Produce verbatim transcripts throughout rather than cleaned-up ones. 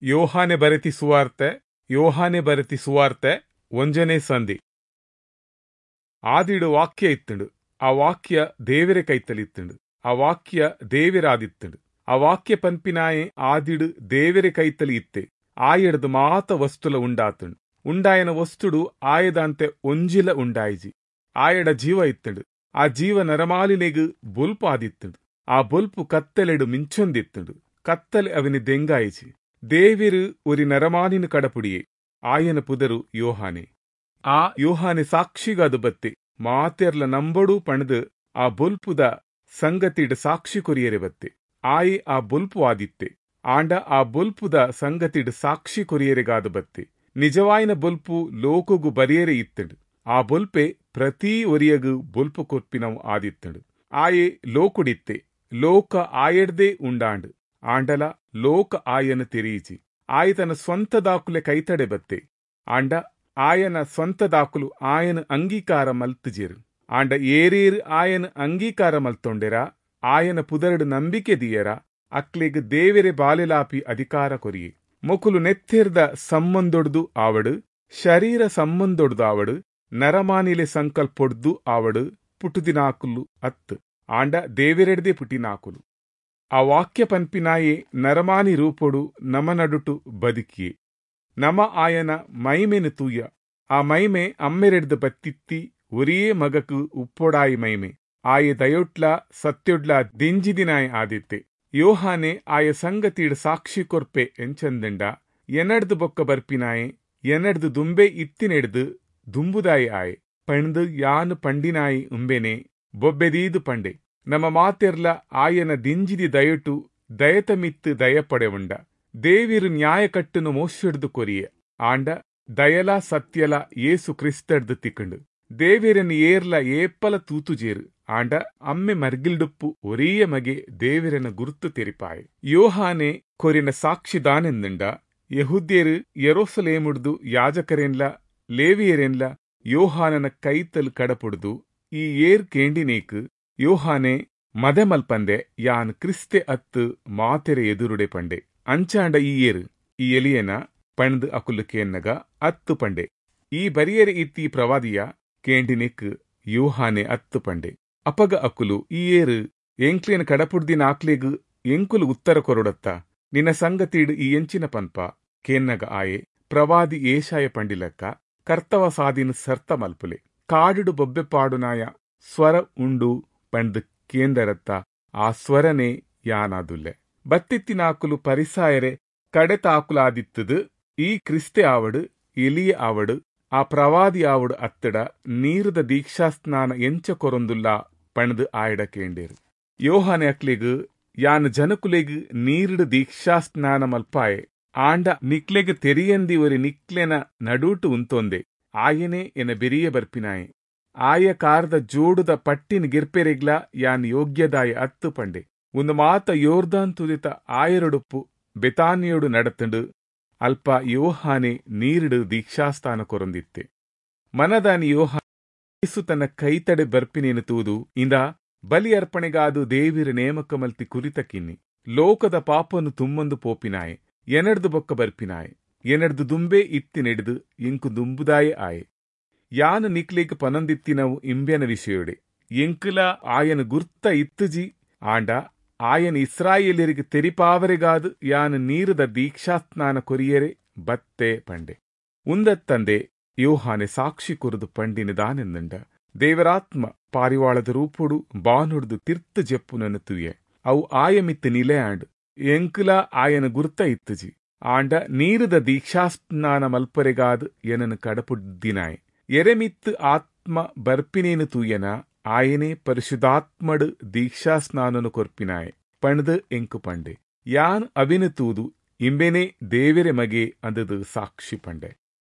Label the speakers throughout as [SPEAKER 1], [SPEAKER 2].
[SPEAKER 1] ಯೋಹಾನೆ ಬರೆತಿ ಸುವಾರ್ತೆ ಯೋಹಾನೆ ಬರೆತಿ ಸುವಾರ್ತೆ ಒಂಜನೇ ಸಂಧಿ. ಆದಿಡು ವಾಕ್ಯ ಇತ್ತುಂಡು, ಆ ವಾಕ್ಯ ದೇವರ ಕೈತಲಿತ್ತುಂಡು, ಆ ವಾಕ್ಯ ದೇವರಾದಿತ್ತುಂಡು. ಆ ವಾಕ್ಯ ಪನ್ಪಿನಾಯೆ ಆದಿಡು ದೇವರ ಕೈತಲಿ ಇತ್ತೆ. ಆಯಡ್ದು ಮಾತ ವಸ್ತುಲ ಉಂಡಾತುಂಡು. ಉಂಡಾಯನ ವಸ್ತುಡು ಆಯದಂತೆ ಒಂಜಿಲ ಉಂಡಾಯಿಜಿ. ಆಯಡ ಜೀವ ಇತ್ತುಂಡು, ಆ ಜೀವ ನರಮಾಲಿನೆಗ್ ಬೊಲ್ಪು ಆದಿತ್ತುಂಡು. ಆ ಬೊಲ್ಪು ಕತ್ತಲೆಡು ಮಿಂಚೊಂದಿತ್ತುಂಡು, ಕತ್ತಲೆ ಅವನಿ ದೆಂಗಾಯಿಜಿ. ದೇವಿರು ಒರಿ ನರಮಾನಿನ ಕಡಪುಡಿಯೆ, ಆಯನ ಪುದರು ಯೋಹಾನೆ. ಆ ಯೋಹಾನೆ ಸಾಕ್ಷಿಗಾದು ಬತ್ತೆ, ಮಾತೆರ್ಲ ನಂಬಡು ಪಣದು ಆ ಬೊಲ್ಪುದ ಸಂಗತಿಡ್ ಸಾಕ್ಷಿ ಕೊರಿಯರೆ ಬತ್ತೆ. ಆಯೆ ಆ ಬೊಲ್ಪು ಆದಿತ್ತೆ, ಆಂಡ ಆ ಬೊಲ್ಪುದ ಸಂಗತಿಡ್ ಸಾಕ್ಷಿ ಕೊರಿಯರೆಗಾದು ಬತ್ತೆ. ನಿಜವಾಯಿನ ಬೊಲ್ಪು ಲೋಕಗು ಬರಿಯರೆ ಇತ್ತುಂಡು. ಆ ಬೊಲ್ಪೆ ಪ್ರತಿ ಒರಿಯಗು ಬೊಲ್ಪು ಕೊರ್ಪಿನವು ಆದಿತ್ತುಂಡು. ಆಯೆ ಲೋಕುಡಿತ್ತೆ, ಲೋಕ ಆಯಡ್ದೇ ಉಂಡಾಂಡು, ಆಂಡಲ ಲೋಕ ಆಯನ ತೆರೀಜಿ. ಆಯ ತನ್ನ ಸ್ವಂತ ದಾಕುಲೆ ಕೈತಡೆ ಬತ್ತೆ, ಆಂಡ ಆಯನ ಸ್ವಂತ ದಾಕುಲು ಆಯನ ಅಂಗೀಕಾರ ಮಲ್ತುಜೆರು. ಆಂಡ ಏರೇರು ಆಯನ ಅಂಗೀಕಾರ ಮಲ್ತೊಂಡೆರ, ಆಯನ ಪುದರಡು ನಂಬಿಕೆ ದಿಯರ, ಅಕ್ಲೆಗ್ ದೇವೆರೆ ಬಾಲೆಲಾಪಿ ಅಧಿಕಾರ ಕೊರಿಯೆ. ಮೊಕುಲು ನೆತ್ತೆರ್ದ ಸಂಬಂಧೊಡ್ದು ಆವಡು, ಶರೀರ ಸಂಬಂಧೊಡ್ದು ಆವಡು, ನರಮಾನಿಲೆ ಸಂಕಲ್ಪೊಡ್ದು ಆವಡು ಪುಟ್ಟುದಿನಾಕುಲು ಅತ್ತು, ಆಂಡ ದೇವೆರೆಡ್ದೆ ಪುಟ್ಟಿನಾಕುಲು. ಆ ವಾಕ್ಯ ಪನ್ಪಿನಾಯೆ ನರಮಾನಿ ರೂಪೊಡು ನಮ ನಡುಟು ಬದುಕಿಯೆ. ನಮ ಆಯನ ಮೈಮೆನು ತೂಯ, ಆ ಮೈಮೆ ಅಮ್ಮೆರೆಡ್ದು ಬತ್ತಿತ್ತಿ ಒರಿಯೇ ಮಗಕು ಉಪ್ಪೊಡಾಯಿ ಮೈಮೆ. ಆಯೆ ದಯೊಟ್ಲ ಸತ್ಯೊಡ್ಲ ದಿಂಜಿದಿನಾಯೆ ಆದಿತ್ತೆ. ಯೋಹಾನೆ ಆಯ ಸಂಗತಿಡ್ ಸಾಕ್ಷಿ ಕೊರ್ಪೆ ಎಂಚಂದಂಡ, ಎನಡ್ದು ಬೊಕ್ಕ ಬರ್ಪಿನಾಯೆ ಎನಡ್ದು ದುಂಬೆ ಇತ್ತಿನೆಡ್ದು ದುಂಬುದಾಯಿ ಆಯೆ ಪಂಡ್ದು ಯಾನು ಪಂಡಿನಾಯಿ ಉಂಬೆನೆ ಬೊಬ್ಬೆದೀದು ಪಂಡೆ. ನಮ್ಮ ಮಾತೆರ್ಲ ಆಯನ ದಿಂಜಿದಿ ದಯಟು ದಯತ ಮಿತ್ತು ದಯಪಡೆವುಂಡ. ದೇವಿರು ನ್ಯಾಯಕಟ್ಟುನು ಮೋಶೆಡ್ದು ಕೊರಿಯೆ, ಆಂಡ ದಯಲ ಸತ್ಯಲ ಯೇಸು ಕ್ರಿಸ್ತಡ್ದು ತಿಕ್ಕಂಡು. ದೇವಿರನ್ ಏರ್ಲ ಏಪಲ ತೂತುಜೇರು, ಆಂಡ ಅಮ್ಮೆ ಮರ್ಗಿಲ್ಡುಪ್ಪು ಒರಿಯ ಮಗೆ ದೇವಿರನ ಗುರುತು ತೆರಿಪಾಯೆ. ಯೋಹಾನೆ ಕೊರಿನ ಸಾಕ್ಷಿದಾನೆಂದಂಡ, ಯೆಹೂದ್ಯರು ಯೆರೂಸಲೇಮುಡ್ದು ಯಾಜಕರೆನ್ಲ ಲೇವಿಯರೆನ್ಲ ಯೋಹಾನನ ಕೈತಲ್ ಕಡಪುಡ್ದು ಈ ಏರ್ ಕೇಂಡಿನೇಕ್ ಯೋಹಾನೆ ಮದೆ ಮಲ್ಪಂದೆ ಯಾನ್ ಕ್ರಿಸ್ತೆ ಅತ್ತು ಮಾತೆರೆ ಎದುರುಡೆ ಪಂಡೆ. ಅಂಚಾಂಡ ಈ ಏರು ಈ ಎಲಿಯನ ಪಂಡ್ ಅಕುಲು ಕೇನ್ನಗ ಅತ್ತು ಪಂಡೆ. ಈ ಬರಿಯರೆ ಇತ್ತಿ ಪ್ರವಾದಿಯ ಕೇಂಡಿನೆಕ್ ಯೋಹಾನೆ ಅತ್ತು ಪಂಡೆ. ಅಪಗ ಅಕುಲು ಈ ಏರು ಎಂಕ್ಲೇನ ಕಡಪುಡ್ದಿನ ಆಕ್ಲೆಗ್ ಎಂಕುಲು ಉತ್ತರ ಕೊರೊಡತ್ತ, ನಿನ್ನ ಸಂಗತಿಡ್ ಈ ಎಂಚಿನ ಪನ್ಪ ಕೇನ್ನಗ ಆಯೆ ಪ್ರವಾದಿ ಏಷಾಯ ಪಂಡಿಲಕ್ಕ ಕರ್ತವ ಸಾದಿನ ಸರ್ತ ಮಲ್ಪುಲೆ, ಕಾಡುಡು ಬೊಬ್ಬೆ ಪಾಡುನಾಯ ಸ್ವರ ಉಂಡು ಪಂಡ್ ಕೇಂದರತ್ತ ಆ ಸ್ವರನೆ ಯಾನಾದುಲ್ಲೆ. ಬತ್ತಿತ್ತಿನಾಕುಲು ಪರಿಸಾಯರೆ ಕಡೆತಾಕುಲಾದಿತ್ತದು ಈ ಕ್ರಿಸ್ತೆ ಆವಡು ಎಲಿಯ ಆವಡು ಆ ಪ್ರವಾದಿ ಆವಡು ಅತ್ತಡ ನೀರುದ ದೀಕ್ಷಾಸ್ನಾನ ಎಂಚ ಕೊರೊಂದುಲ್ಲ ಪಣದು ಆಯಡ ಕೇಂಡೇರು. ಯೋಹಾನೆ ಅಕ್ಲೆಗ್ ಯಾನ್ ಜನಕುಲೆಗ್ ನೀರುಡು ದೀಕ್ಷಾಸ್ನಾನ ಮಲ್ಪಾಯೆ, ಆಂಡ ನಿಕ್ಲೆಗ್ ತೆರಿಯಂದಿ ಒರಿ ನಿಕ್ಲೆನ ನಡೂಟು ಉಂತೊಂದೆ, ಆಯನೆ ಎನ ಬೆರಿಯ ಬರ್ಪಿನಾಯೆ, ಆಯ ಕಾರದ ಜೋಡುದ ಪಟ್ಟಿನ ಗಿರ್ಪೆರೆಗ್ಲ ಯಾನ್ ಯೋಗ್ಯದಾಯ ಅತ್ತು ಪಂಡೆ. ಒಂದು ಮಾತ ಯೋರ್ದಾನ್ ತುದಿತ ಆಯರೊಡುಪ್ಪು ಬೆತಾನಿಯೋಡು ನಡತಂಡು. ಅಲ್ಪ ಯೋಹಾನೆ ನೀರುಡು ದೀಕ್ಷಾಸ್ಥಾನ ಕೊರೊಂದಿತ್ತೆ. ಮನದಾನಿ ಯೋಹಾನೆ ತನ್ನ ಕೈತಡೆ ಬರ್ಪಿನೇನು ತೂದು ಇಂದ ಬಲಿ ಅರ್ಪಣೆಗಾದು ದೇವಿರ ನೇಮಕ ಮಲ್ತಿ ಕುರಿತ ಕಿನ್ನಿ, ಲೋಕದ ಪಾಪನ್ನು ತುಮ್ಮಂದು ಪೋಪಿನಾಯೆ, ಎನಡ್ದು ಬೊಕ್ಕ ಬರ್ಪಿನಾಯೆ, ಎನಡ್ದು ದುಂಬೆ ಇತ್ತಿನೆಡ್ದು ಇಂಕು ದುಂಬುದಾಯೆ ಆಯೆ. ಯಾನು ನಿಕ್ಲೇಕ್ ಪನಂದಿತ್ತಿನವು ಇಂಬ್ಯನ ವಿಷಯೋಡೆ, ಎಂಕುಲ ಆಯನ ಗುರ್ತ ಇತ್ತುಜಿ, ಆಂಡ ಆಯನ ಇಸ್ರಾಯೇಲರಿಗೆ ತೆರಿಪಾವರೆಗಾದು ಯಾನು ನೀರುದ ದೀಕ್ಷಾಸ್ನಾನ ಕೊರಿಯರೆ ಬತ್ತೆ ಪಂಡೆ. ಉಂದತ್ತಂದೆ ಯೋಹಾನೆ ಸಾಕ್ಷಿ ಕೊರದು ಪಂಡಿನ ದಾನೆಂದಂಡ, ದೇವರಾತ್ಮ ಪಾರಿವಾಳದ ರೂಪೊಡು ಬಾನುಡ್ದು ತಿರ್ತು ಜೆಪ್ಪುನನ್ನು ತುಯೆ, ಅವು ಆಯಮಿತ್ತು ನಿಲೆಯಾಂಡ್, ಎಂಕುಲ ಆಯನ ಗುರ್ತ ಇತ್ತುಜಿ, ಆಂಡ ನೀರುದ ದೀಕ್ಷಾಸ್ನಾನ ಮಲ್ಪರೆಗಾದು ಎನನು ಕಡಪುಡ್ದಿನಾಯೆ. ಎರೆಮಿತ್ತು ಆತ್ಮ ಬರ್ಪಿನೇನು ತೂಯನ, ಆಯನೇ ಪರಿಶುದ್ಧಾತ್ಮಡು ದೀಕ್ಷಾಸ್ನಾನನು ಕೊರ್ಪಿನಾಯೆ ಪಂಡ್ದು ಎಂಕು ಪಂಡೆ. ಯಾನ್ ಅವಿನ ತೂದು ಇಂಬೆನೆ ದೇವೆರೆ ಮಗೆ ಅಂದದು ಸಾಕ್ಷಿ ಪಂಡೆ.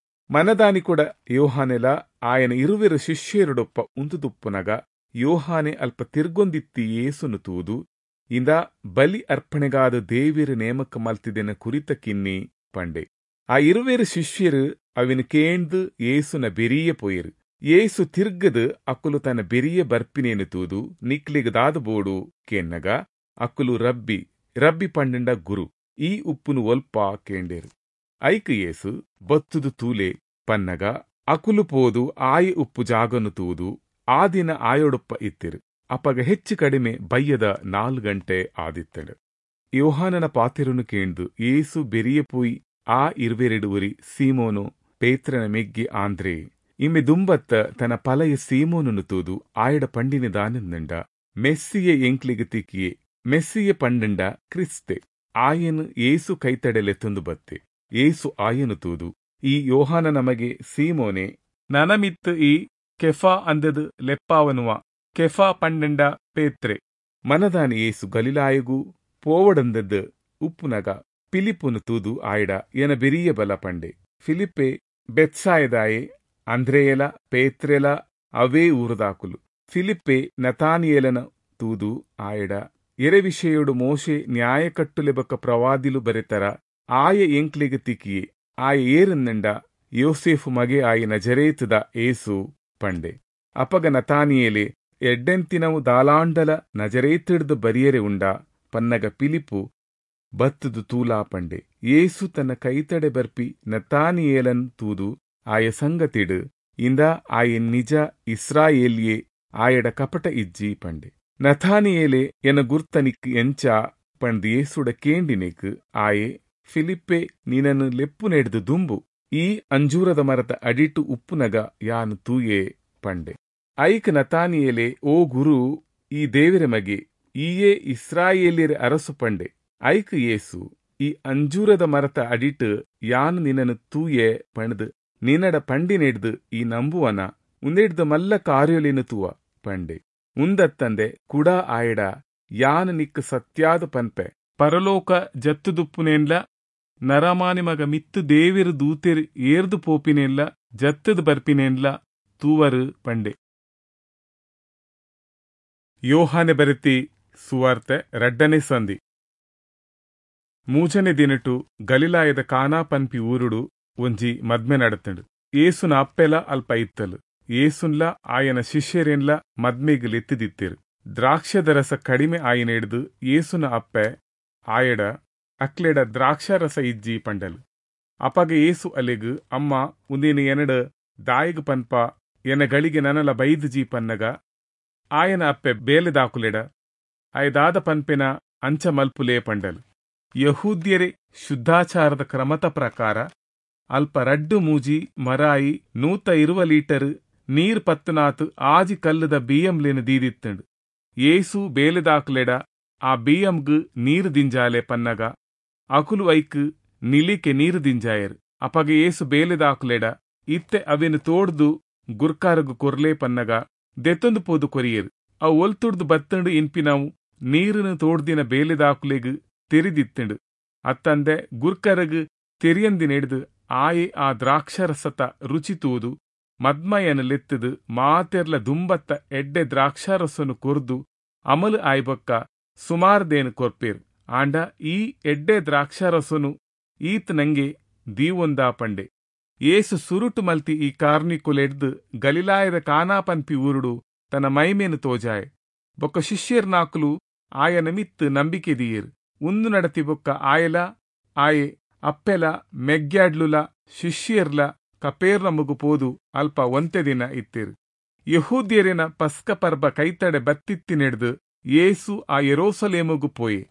[SPEAKER 1] ಮನದಾನಿ ಕೂಡ ಯೋಹಾನೆಲ ಆಯನ ಇರುವೆರು ಶಿಷ್ಯರುಡೊಪ್ಪ ಉಂತುದುಪ್ಪುನಗ ಯೋಹಾನೆ ಅಲ್ಪ ತಿರ್ಗೊಂದಿತ್ತಿ ಯೇಸುನು ತೂದು ಇಂದ ಬಲಿ ಅರ್ಪಣೆಗಾದ ದೇವಿರು ನೇಮಕ ಮಲ್ತಿದೆನ ಕುರಿತ ಕಿನ್ನಿ ಪಂಡೆ. ಆ ಇರುವೆರು ಶಿಷ್ಯರು ಅವಿನ ಕೇಂದು ಯೇಸುನ ಬೆರಿಯ ಪೋಯರು. ಯೇಸು ತಿರ್ಗದು ಅಕ್ಕುಲು ತನ್ನ ಬೆರಿಯ ಬರ್ಪಿನೇನು ತೂದು ನಿಕ್ಲಿಗ್ ದಾದ ಬೋಡು ಕೇನ್ನಗ ಅಕ್ಕುಲು ರಬ್ಬಿ ರಬ್ಬಿ ಪಂಡಂಡ ಗುರು ಈ ಉಪ್ಪುನು ಒಲ್ಪ ಕೇಂಡೇರು. ಐಕ್ ಯೇಸು ಬತ್ತುದು ತೂಲೆ ಪನ್ನಗ ಅಕುಲು ಪೋದು ಆಯಿ ಉಪ್ಪು ಜಾಗನು ತೂದು ಆ ದಿನ ಆಯೋಡೊಪ್ಪ ಇತ್ತಿರು. ಅಪಗ ಹೆಚ್ಚು ಕಡಿಮೆ ಬಯ್ಯದ ನಾಲ್ ಗಂಟೆ ಆದಿತ್ತಂಡು. ಯೋಹಾನನ ಪಾತಿರುನು ಕೇಂದು ಯೇಸು ಬೆರಿಯ ಪೋಯಿ ಆ ಇರ್ವೆರೆಡು ಉರಿ ಸೀಮೋನು ಪೇತ್ರನ ಮೆಗ್ಗಿ ಆಂದ್ರೆ ಇಮ್ಮೆ ದುಂಬತ್ತ ತನ್ನ ಪಲಯ ಸೀಮೋನನು ತೂದು ಆಯಡ ಪಂಡಿನ ದಾನಂದಂಡ ಮೆಸ್ಸಿಯೆ ಎಂಕ್ಲಿಗೆ ತಿಕ್ಕಿಯೆ, ಮೆಸ್ಸಿಯೆ ಪಂಡಂಡ ಕ್ರಿಸ್ತೆ. ಆಯನು ಏಸು ಕೈತಡೆಲೆತ್ತೊಂದು ಬತ್ತೆ. ಏಸು ಆಯನು ತೂದು ಈ ಯೋಹಾನ ನಮಗೆ ಸೀಮೋನೆ ನನಮಿತ್ತು ಈ ಕೆಫಾ ಅಂದದು ಲೆಪ್ಪಾವನುವ, ಕೆಫಾ ಪಂಡಂಡ ಪೇತ್ರೆ. ಮನದಾನಿ ಏಸು ಗಲಿಲಾಯಗೂ ಪೋವಡಂದದ್ದು ಉಪ್ಪುನಗ ಫಿಲಿಪ್ಪುನು ತೂದು ಆಯಡ ಎನ ಬೆರಿಯ ಬಲ ಪಂಡೆ. ಫಿಲಿಪ್ಪೆ ಬೆತ್ಸಾಯದಾಯೆ, ಅಂದ್ರೇಯಲ ಪೇತ್ರೆಲ ಅವೇ ಊರುದಾಕುಲು. ಫಿಲಿಪ್ಪೆ ನತಾನಿಯೇಲನ ತೂದು ಆಯಡ ಎರೆ ವಿಷಯೋಡು ಮೋಶೆ ನ್ಯಾಯಕಟ್ಟುಲೆಬಕ್ಕ ಪ್ರವಾದಿಲು ಬರೆತರ ಆಯ ಎಂಕ್ಲಿಗೆ ತಿಕ್ಕಿಯೆ, ಆಯ ಏರನ್ನಂಡ ಯೋಸೇಫು ಮಗೆ ಆಯಿ ನಜರೇತದ ಏಸು ಪಂಡೆ. ಅಪಗ ನತಾನಿಯೇಲೆ ಎಡ್ಡೆಂತಿನವು ದಾಲಾಂಡಲ ನಜರೇತಿಡ್ದು ಬರಿಯರೆ ಉಂಡ ಪನ್ನಗ ಪಿಲಿಪು ಬತ್ತುದು ತೂಲಾ ಪಂಡೆ. ಏಸು ತನ್ನ ಕೈತಡೆ ಬರ್ಪಿ ನತಾನಿಯೇಲನ್ ತೂದು ಆಯ ಸಂಗತಿಡು ಇಂದ ಆಯ ನಿಜ ಇಸ್ರಾಯೇಲಿಯೇ, ಆಯಡ ಕಪಟ ಇಜ್ಜಿ ಪಂಡೆ. ನಥಾನಿಯೇಲೆ ಎನ ಗುರ್ತನಿಕ್ ಎಂಚ ಪಂಡ್ ಏಸುಡ ಕೇಂಡಿನೆಕ್ ಆಯೆ ಫಿಲಿಪ್ಪೆ ನಿನನ್ನು ಲೆಪ್ಪು ನೆಡ್ದು ದುಂಬು ಈ ಅಂಜೂರದ ಮರತ ಅಡಿಟು ಉಪ್ಪುನಗ ಯಾನು ತೂಯೆ ಪಂಡೆ. ಐಕ್ ನತಾನಿಯೇಲೆ ಓ ಗುರು, ಈ ದೇವರ ಮಗೆ, ಈಯೇ ಇಸ್ರಾಯೇಲಿಯರ ಅರಸು ಪಂಡೆ. ಐಕ್ ಯೇಸು ಈ ಅಂಜೂರದ ಮರತ ಅಡಿಟು ಯಾನು ನಿನನ್ನು ತೂಯೆ ಪಣದು ನಿನ್ನಡ ಪಂಡಿನೆಡ್ದು ಈ ನಂಬುವನ ಉಂದೆಡ್ದು ಮಲ್ಲ ಕಾರ್ಯೊಲಿನ ತೂವ ಪಂಡೆ. ಉಂದತ್ತಂದೆ ಕುಡ ಆಯಡ ಯಾನು ನಿಕ್ ಸತ್ಯಾದ ಪನ್ಪೆ, ಪರಲೋಕ ಜತ್ತುದುಪ್ಪುನೇನ್ಲ ನರಮಾನಿ ಮಗ ಮಿತ್ತು ದೇವಿರು ದೂತೆರು ಏರ್ದು ಪೋಪಿನೇನ್ಲ ಜತ್ತದು ಬರ್ಪಿನೇನ್ಲ ತೂವರು ಪಂಡೆ. ಯೋಹಾನೆ ಬರೆತಿ ಸುವಾರ್ತೆ ರಡ್ಡನೆ ಸಂಧಿ. ಮೂಜನೆ ದಿನಟು ಗಲಿಲಾಯದ ಕಾನಾ ಪನ್ಪಿ ಊರುಡು ಒಂಜಿ ಮದ್ಮೆ ನಡತಂಡು. ಏಸುನ ಅಪ್ಪೆಲ ಅಲ್ಪ ಇತ್ತಲು. ಏಸುನ್ಲ ಆಯನ ಶಿಷ್ಯರೇನ್ಲ ಮದ್ಮೆಗ್ ಲೆತ್ತಿದಿತ್ತಿರು. ದ್ರಾಕ್ಷದ ರಸ ಕಡಿಮೆ ಆಯನ ಹಿಡ್ದು ಏಸುನ ಅಪ್ಪೆ ಆಯಡ ಅಕ್ಲೆಡ ದ್ರಾಕ್ಷಾರಸ ಇಜ್ಜಿ ಪಂಡಲು. ಅಪಗ ಏಸು ಅಲೆಗ್ ಅಮ್ಮ ಉಂದಿನ ಎನಡ ದಾಯಿಗ್ ಪನ್ಪ ಎನ ಗಳಿಗೆ ನನಲ ಬೈದು ಜೀ ಪನ್ನಗ ಆಯನ ಅಪ್ಪೆ ಬೇಲೆದಾಕುಲೆಡ ಆಯದಾದ ಪನ್ಪೆನ ಅಂಚ ಮಲ್ಪುಲೇ ಪಂಡಲು. ಯಹೂದ್ಯರೇ ಶುದ್ಧಾಚಾರದ ಕ್ರಮತ ಪ್ರಕಾರ ಅಲ್ಪ ರಡ್ಡು ಮೂಜಿ ಮರಾಯಿ ನೂತ ಇರುವ ಲೀಟರ್ ನೀರ್ ಪತ್ತನಾತ್ ಆಜಿ ಕಲ್ಲದ ಬಿಎಂಲೇನು ದೀದಿತ್ತಂಡು. ಏಸು ಬೇಲೆದಾಕುಲೆಡ ಆ ಬಿಎಂಗ್ ನೀರು ದಿಂಜಾಲೆ ಪನ್ನಗ ಅಕುಲು ಐಕ್ ನಿಲಿಕೆ ನೀರು ದಿಂಜಾಯರು. ಅಪಗ ಏಸು ಬೇಲೆದಾಕುಲೆಡ ಇತ್ತೆ ಅವೆನು ತೋಡ್ದು ಗುರ್ಕಾರಗು ಕೊರ್ಲೆ ಪನ್ನಗ ದೆತ್ತೊಂದು ಪೋದು ಕೊರಿಯರು. ಅವು ಒಲ್ತುಡ್ದು ಬತ್ತಂಡು ಇನ್ಪಿನವು ನೀರನ್ನು ತೋಡ್ದಿನ ಬೇಲೆದಾಕುಲೆಗ್ ತೆರಿದಿತ್ತಂಡು. ಅತ್ತಂದೆ ಗುರ್ಕರಗ್ ತೆರಿಯಂದಿನೆಡ್ದು ಆಯೆ ಆ ದ್ರಾಕ್ಷಾರಸತ ರುಚಿ ತೂದು ಮದ್ಮಯನ ಲೆತ್ತದು ಮಾತೆರ್ಲ ದುಂಬತ್ತ ಎಡ್ಡೆ ದ್ರಾಕ್ಷಾರಸನು ಕೊರ್ದು ಅಮಲು ಆಯ್ಬೊಕ್ಕ ಸುಮಾರ್ದೇನು ಕೊರ್ಪೇರು. ಆಂಡ ಈ ಎಡ್ಡೆ ದ್ರಾಕ್ಷಾರಸನು ಈತ್ ನಂಗೆ ದೀವೊಂದಾ ಪಂಡೆ. ಏಸು ಸುರುಟು ಮಲ್ತಿ ಈ ಕಾರ್ನಿಕುಲೆಡ್ದು ಗಲಿಲಾಯದ ಕಾನಾ ಪನ್ಪಿ ಊರುಡು ತನ್ನ ಮೈಮೇನು ತೋಜಾಯೆ. ಬೊಕ್ಕ ಶಿಷ್ಯರ್ನಾಕುಲು ಆಯನ ಮಿತ್ತು ನಂಬಿಕೆ ದೀಯರು. ಉಂದು ನಡತಿ ಬೊಕ್ಕ ಆಯಲ ಆಯೆ ಅಪ್ಪೆಲ ಮೆಗ್ಯಾಡ್ಲುಲ ಶಿಷ್ಯರ್ಲ ಕಪೇರ್ನಮುಗು ಪೋದು ಅಲ್ಪ ಒಂತೆ ದಿನ ಇತ್ತಿರು. ಯಹೂದ್ಯರಿನ ಪಸ್ಕ ಪರ್ಬ ಕೈತಡೆ ಬತ್ತಿತ್ತಿನೆಡ್ದು ಏಸು ಆ ಯೆರೂಸಲೇಮುಗು ಪೋಯೆ.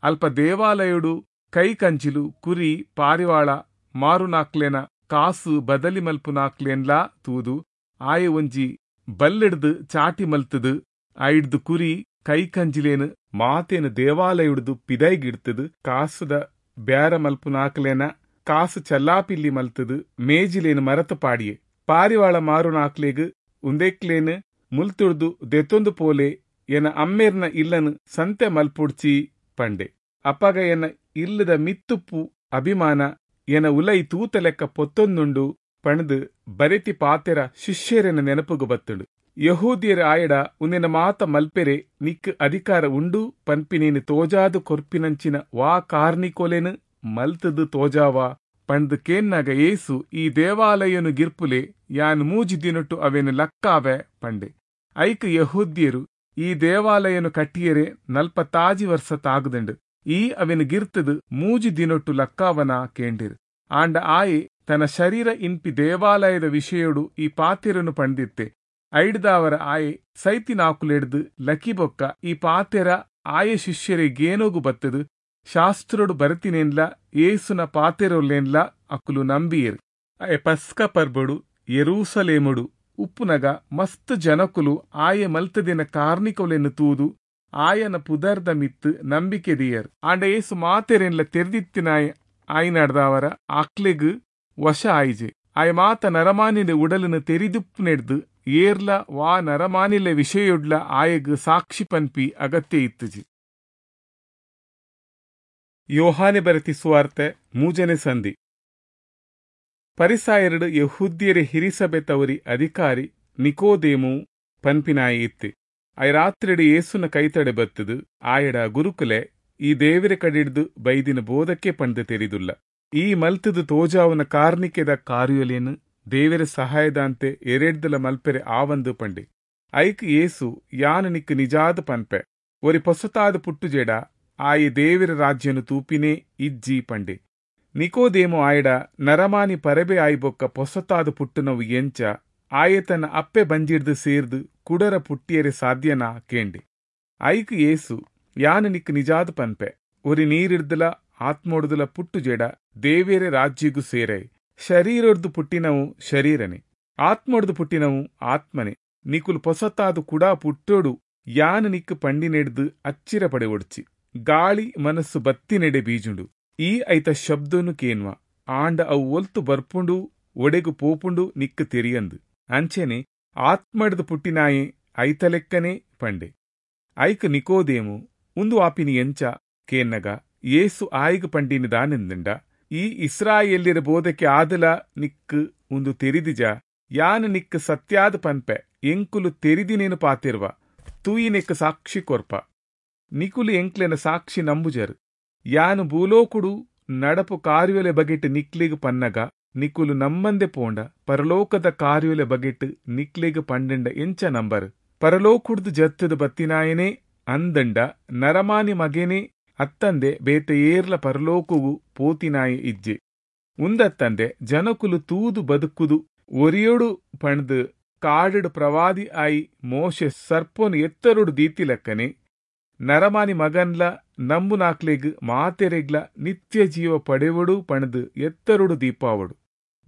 [SPEAKER 1] ಅಲ್ಪ ದೇವಾಲಯುಡು ಕೈ ಕಂಚಿಲು ಕುರಿ ಪಾರಿವಾಳ ಮಾರುನಾಕ್ಲೆನ ಕಾಸು ಬದಲಿ ಮಲ್ಪುನಾಕ್ಲೆನ್ಲಾ ತೂದು ಆಯೆ ಒಂಜಿ ಬಲ್ಲಿಡ್ದು ಚಾಟಿ ಮಲ್ತದು ಐಡ್ದು ಕುರಿ ಕೈ ಕಂಜಿಲೇನು ಮಾತೇನು ದೇವಾಲಯುಡ್ದು ಪಿದೈಗಿಡ್ತದು ಕಾಸುದ ಬ್ಯಾರ ಮಲ್ಪುನಾಕ್ಲೆನ ಕಾಸು ಚಲ್ಲಾಪಿಲ್ಲಿ ಮಲ್ತದು ಮೇಜಿಲೇನು ಮರತು ಪಾಡಿಯೆ. ಪಾರಿವಾಳ ಮಾರುನಾಕ್ಲೆಗ್ ಉಂದೆಕ್ಲೇನು ಮುಲ್ತುಡ್ದು ದೆತ್ತೊಂದು ಪೋಲೆ ಎನ ಅಮ್ಮೇರ್ನ ಇಲ್ಲನು ಸಂತೆ ಮಲ್ಪುಡ್ಚಿ ಪಂಡೆ. ಅಪಗ ಎನ ಇಲ್ಲದ ಮಿತ್ತುಪ್ಪು ಅಭಿಮಾನ ಎನ ಉಲೈ ತೂತ ಲೆಕ್ಕ ಪೊತ್ತೊಂದುಂಡು ಪಣದು ಬರೆತಿ ಪಾತೆರ ಶಿಷ್ಯರೆನ ನೆನಪುಗು ಬತ್ತುಂಡು. ಯಹೂದಿಯರ ಆಯಡ ಉಂದಿನ ಮಾತ ಮಲ್ಪೆರೆ ನಿಕ್ ಅಧಿಕಾರ ಉಂಡು ಪನ್ಪಿನೇನು ತೋಜಾದು ಕೊರ್ಪಿನಂಚಿನ ವಾ ಕಾರ್ನಿಕೊಲೆನು ಮಲ್ತದು ತೋಜಾವಾ ಪಂದು ಕೇನ್ನಾಗ ಏಸು ಈ ದೇವಾಲಯನು ಗಿರ್ಪುಲೆ ಯಾನ್ ಮೂಜಿ ದಿನಟು ಅವೇನು ಲಕ್ಕಾವೆ ಪಂಡೆ. ಐಕ್ ಯಹೂದ್ಯರು ಈ ದೇವಾಲಯನು ಕಟ್ಟಿಯರೆ ನಲ್ಪತಾಜಿ ವರ್ಷ ತಾಗುದಂಡು, ಈ ಅವೆನ್ ಗಿರ್ತದು ಮೂಜಿ ದಿನೊಟ್ಟು ಲಕ್ಕಾವನ ಕೇಂಡಿರು. ಆಂಡ ಆಯೆ ತನ್ನ ಶರೀರ ಇನ್ಪಿ ದೇವಾಲಯದ ವಿಷಯೊಡು ಈ ಪಾತೆರನು ಪಂಡಿತ್ತೆ. ಐಡ್ದಾವರ ಆಯೆ ಸೈತಿನಾಕುಲೆಡ್ದು ಲಕಿಬೊಕ್ಕ ಈ ಪಾತೆರ ಆಯೆ ಶಿಷ್ಯರೇ ಗೇನೋಗು ಬತ್ತದು ಶಾಸ್ತ್ರೊಡು ಬರತಿನೇನ್ಲ ಏಸುನ ಪಾತೆರೊಲ್ಲೇನ್ಲ ಅಕುಲು ನಂಬಿಯರು. ಆಯೆ ಪಸ್ಕ ಪರ್ಬಡು ಯೆರೂಸಲೇಮುಡು ಉಪ್ಪುನಗ ಮಸ್ತ್ ಜನಕುಲು ಆಯೆ ಮಲ್ತದಿನ ಕಾರ್ನಿಕೊಲೆನ್ ತೂದು ಆಯನ ಪುದರ್ದ ಮಿತ್ತು ನಂಬಿಕೆ ದಿಯರ್. ಆಂಡ ಏಸು ಮಾತೆರೆನ್ಲ ತೆರೆದಿತ್ತಿನಾಯ ಆಯ್ನಾಡ್ದವರ ಆಕ್ಲೆಗ್ ವಶ ಆಯಿಜೆ. ಆಯ ಮಾತ ನರಮಾನಿಲೆ ಉಡಲನ್ನು ತೆರಿದುಪ್ಪುನೆಡ್ದು ಏರ್ಲ ವಾ ನರಮಾನಿಲೆ ವಿಷಯೊಡ್ಲ ಆಯಗ್ ಸಾಕ್ಷಿ ಪನ್ಪಿ ಅಗತ್ಯ ಇತ್ತುಜಿ. ಯೋಹಾನೆ ಬರೆತಿ ಸುವಾರ್ತೆ ಮೂಜನೆ ಸಂಧಿ. ಪರಿಸಾಯರುಡು ಯೆಹೂದ್ಯರ ಹಿರಿಸಭೆ ತವರಿ ಅಧಿಕಾರಿ ನಿಕೋದೇಮು ಪನ್ಪಿನಾಯಿ ಇತ್ತೆ. ಆಯ ರಾತ್ರಿಡು ಯೇಸುನ ಕೈತಡೆ ಬತ್ತದು ಆಯಡ ಗುರುಕುಲೆ ಈ ದೇವರ ಕಡಿಡ್ದು ಬೈದಿನ ಬೋಧಕ್ಕೆ ಪಂದು ತೆರಿದುಲ್ಲ. ಈ ಮಲ್ತದು ತೋಜಾವನ ಕಾರ್ನಿಕೆದ ಕಾರ್ಯಲೇನು ದೇವರ ಸಹಾಯದಂತೆ ಎರೆಡ್ದಲ ಮಲ್ಪೆರೆ ಆವಂದು ಪಂಡೆ. ಐಕ್ ಯೇಸು ಯಾನ ನಿಕ್ ನಿಜಾದ ಪನ್ಪೆ, ಒರಿ ಪೊಸತಾದ ಪುಟ್ಟುಜೆಡ ಆಯೆ ದೇವರ ರಾಜ್ಯನು ತೂಪಿನೇ ಇಜ್ಜಿ ಪಂಡೆ. ನಿಕೋದೇಮು ಆಯಡ ನರಮಾನಿ ಪರಬೆ ಆಯ್ಬೊಕ್ಕ ಪೊಸತಾದ ಪುಟ್ಟುನವು ಎಂಚ, ಆಯೆ ತನ್ನ ಅಪ್ಪೆ ಬಂಜಿಡ್ದು ಸೇರ್ದು ಕುಡರ ಪುಟ್ಟಿಯರೆ ಸಾಧ್ಯನಾ ಕೇಂಡೆ. ಐಕ್ ಯೇಸು ಯಾನ ನಿಕ್ ನಿಜಾದ ಪನ್ಪೆ, ಒರಿ ನೀರಿಡ್ದಲ ಆತ್ಮೊಡ್ದಲ ಪುಟ್ಟುಜೆಡ ದೇವೇರೆ ರಾಜ್ಯಗೂ ಸೇರೈ. ಶರೀರೊಡ್ದು ಪುಟ್ಟಿನವು ಶರೀರನೆ, ಆತ್ಮೊಡ್ದು ಪುಟ್ಟಿನವು ಆತ್ಮನೆ. ನಿಕುಲು ಪೊಸತಾದು ಕುಡಾ ಪುಟ್ಟೋಡು ಯಾನ ನಿಕ್ ಪಂಡಿನೆಡ್ದು ಅಚ್ಚಿರ ಪಡೆ ಒಡ್ಚಿ. ಗಾಳಿ ಮನಸ್ಸು ಬತ್ತಿನೆಡೆ ಬೀಜುಂಡು, ಈ ಐತ ಶಬ್ದನು ಕೇನ್ವ, ಆಂಡ ಅವು ಒಲ್ತು ಬರ್ಪುಂಡು ಒಡೆಗು ಪೋಪುಂಡು ನಿಕ್ ತೆರಿಯಂದು. ಅಂಚೆನೆ ಆತ್ಮಡ್ದು ಪುಟ್ಟಿನಾಯೆ ಐತಲೆಕ್ಕನೆ ಪಂಡೆ. ಐಕ್ ನಿಕೋದೇಮು ಉಂದು ಆಪಿನಿ ಎಂಚ ಕೇನ್ನಗ ಯೇಸು ಆಯ್ಗ್ ಪಂಡಿನ ದಾನೆಂದಂಡ, ಈ ಇಸ್ರಾಯೇಲ್ಯರ ಬೋಧಕ್ಕೆ ಆದಲ ನಿಕ್ಕು ಉಂದು ತೆರಿದಿಜ, ಯಾನ ನಿಕ್ಕು ಸತ್ಯಾದ ಪನ್ಪೆ, ಎಂಕುಲು ತೆರಿದಿನೇನು ಪಾತಿರ್ವ, ತೂಯಿನೆಕ್ಕು ಸಾಕ್ಷಿ ಕೊರ್ಪ, ನಿಕುಲು ಎಂಕ್ಲೆನ ಸಾಕ್ಷಿ ನಂಬುಜರು. ಯಾನು ಭೂಲೋಕುಡು ನಡಪು ಕಾರ್ಯೊಲೆ ಬಗೆಟ್ ನಿಕ್ಲಿಗ್ ಪನ್ನಗ ನಿಕುಲು ನಮ್ಮಂದೆ ಪೋಂಡ ಪರಲೋಕದ ಕಾರ್ಯೊಲೆ ಬಗೆಟ್ ನಿಕ್ಲಿಗ್ ಪಂಡಂಡ ಎಂಚ ನಂಬರ್. ಪರಲೋಕುಡ್ದು ಜತ್ತದ ಬತ್ತಿನಾಯನೇ ಅಂದಂಡ ನರಮಾನಿ ಮಗೇನೆ ಅತ್ತಂದೆ ಬೇತೆ ಏರ್ಲ ಪರಲೋಕವು ಪೋತಿನಾಯ ಇಜ್ಜೆ. ಉಂದತ್ತಂದೆ ಜನಕುಲು ತೂದು ಬದುಕುದು ಒರಿಯೋಡು ಪಣ್ದು ಕಾಡುಡು ಪ್ರವಾದಿ ಆಯಿ ಮೋಶೆ ಸರ್ಪೊನು ಎತ್ತರುಡು ದೀತಿಲಕ್ಕನೆ ನರಮಾನಿ ಮಗನ್ಲ ನಂಬುನಾಕ್ಲೆಗ್ ಮಾತೆರೆಗ್ಲ ನಿತ್ಯ ಜೀವ ಪಡೆವಡು ಪಣದು ಎತ್ತರುಡು ದೀಪಾವಡು.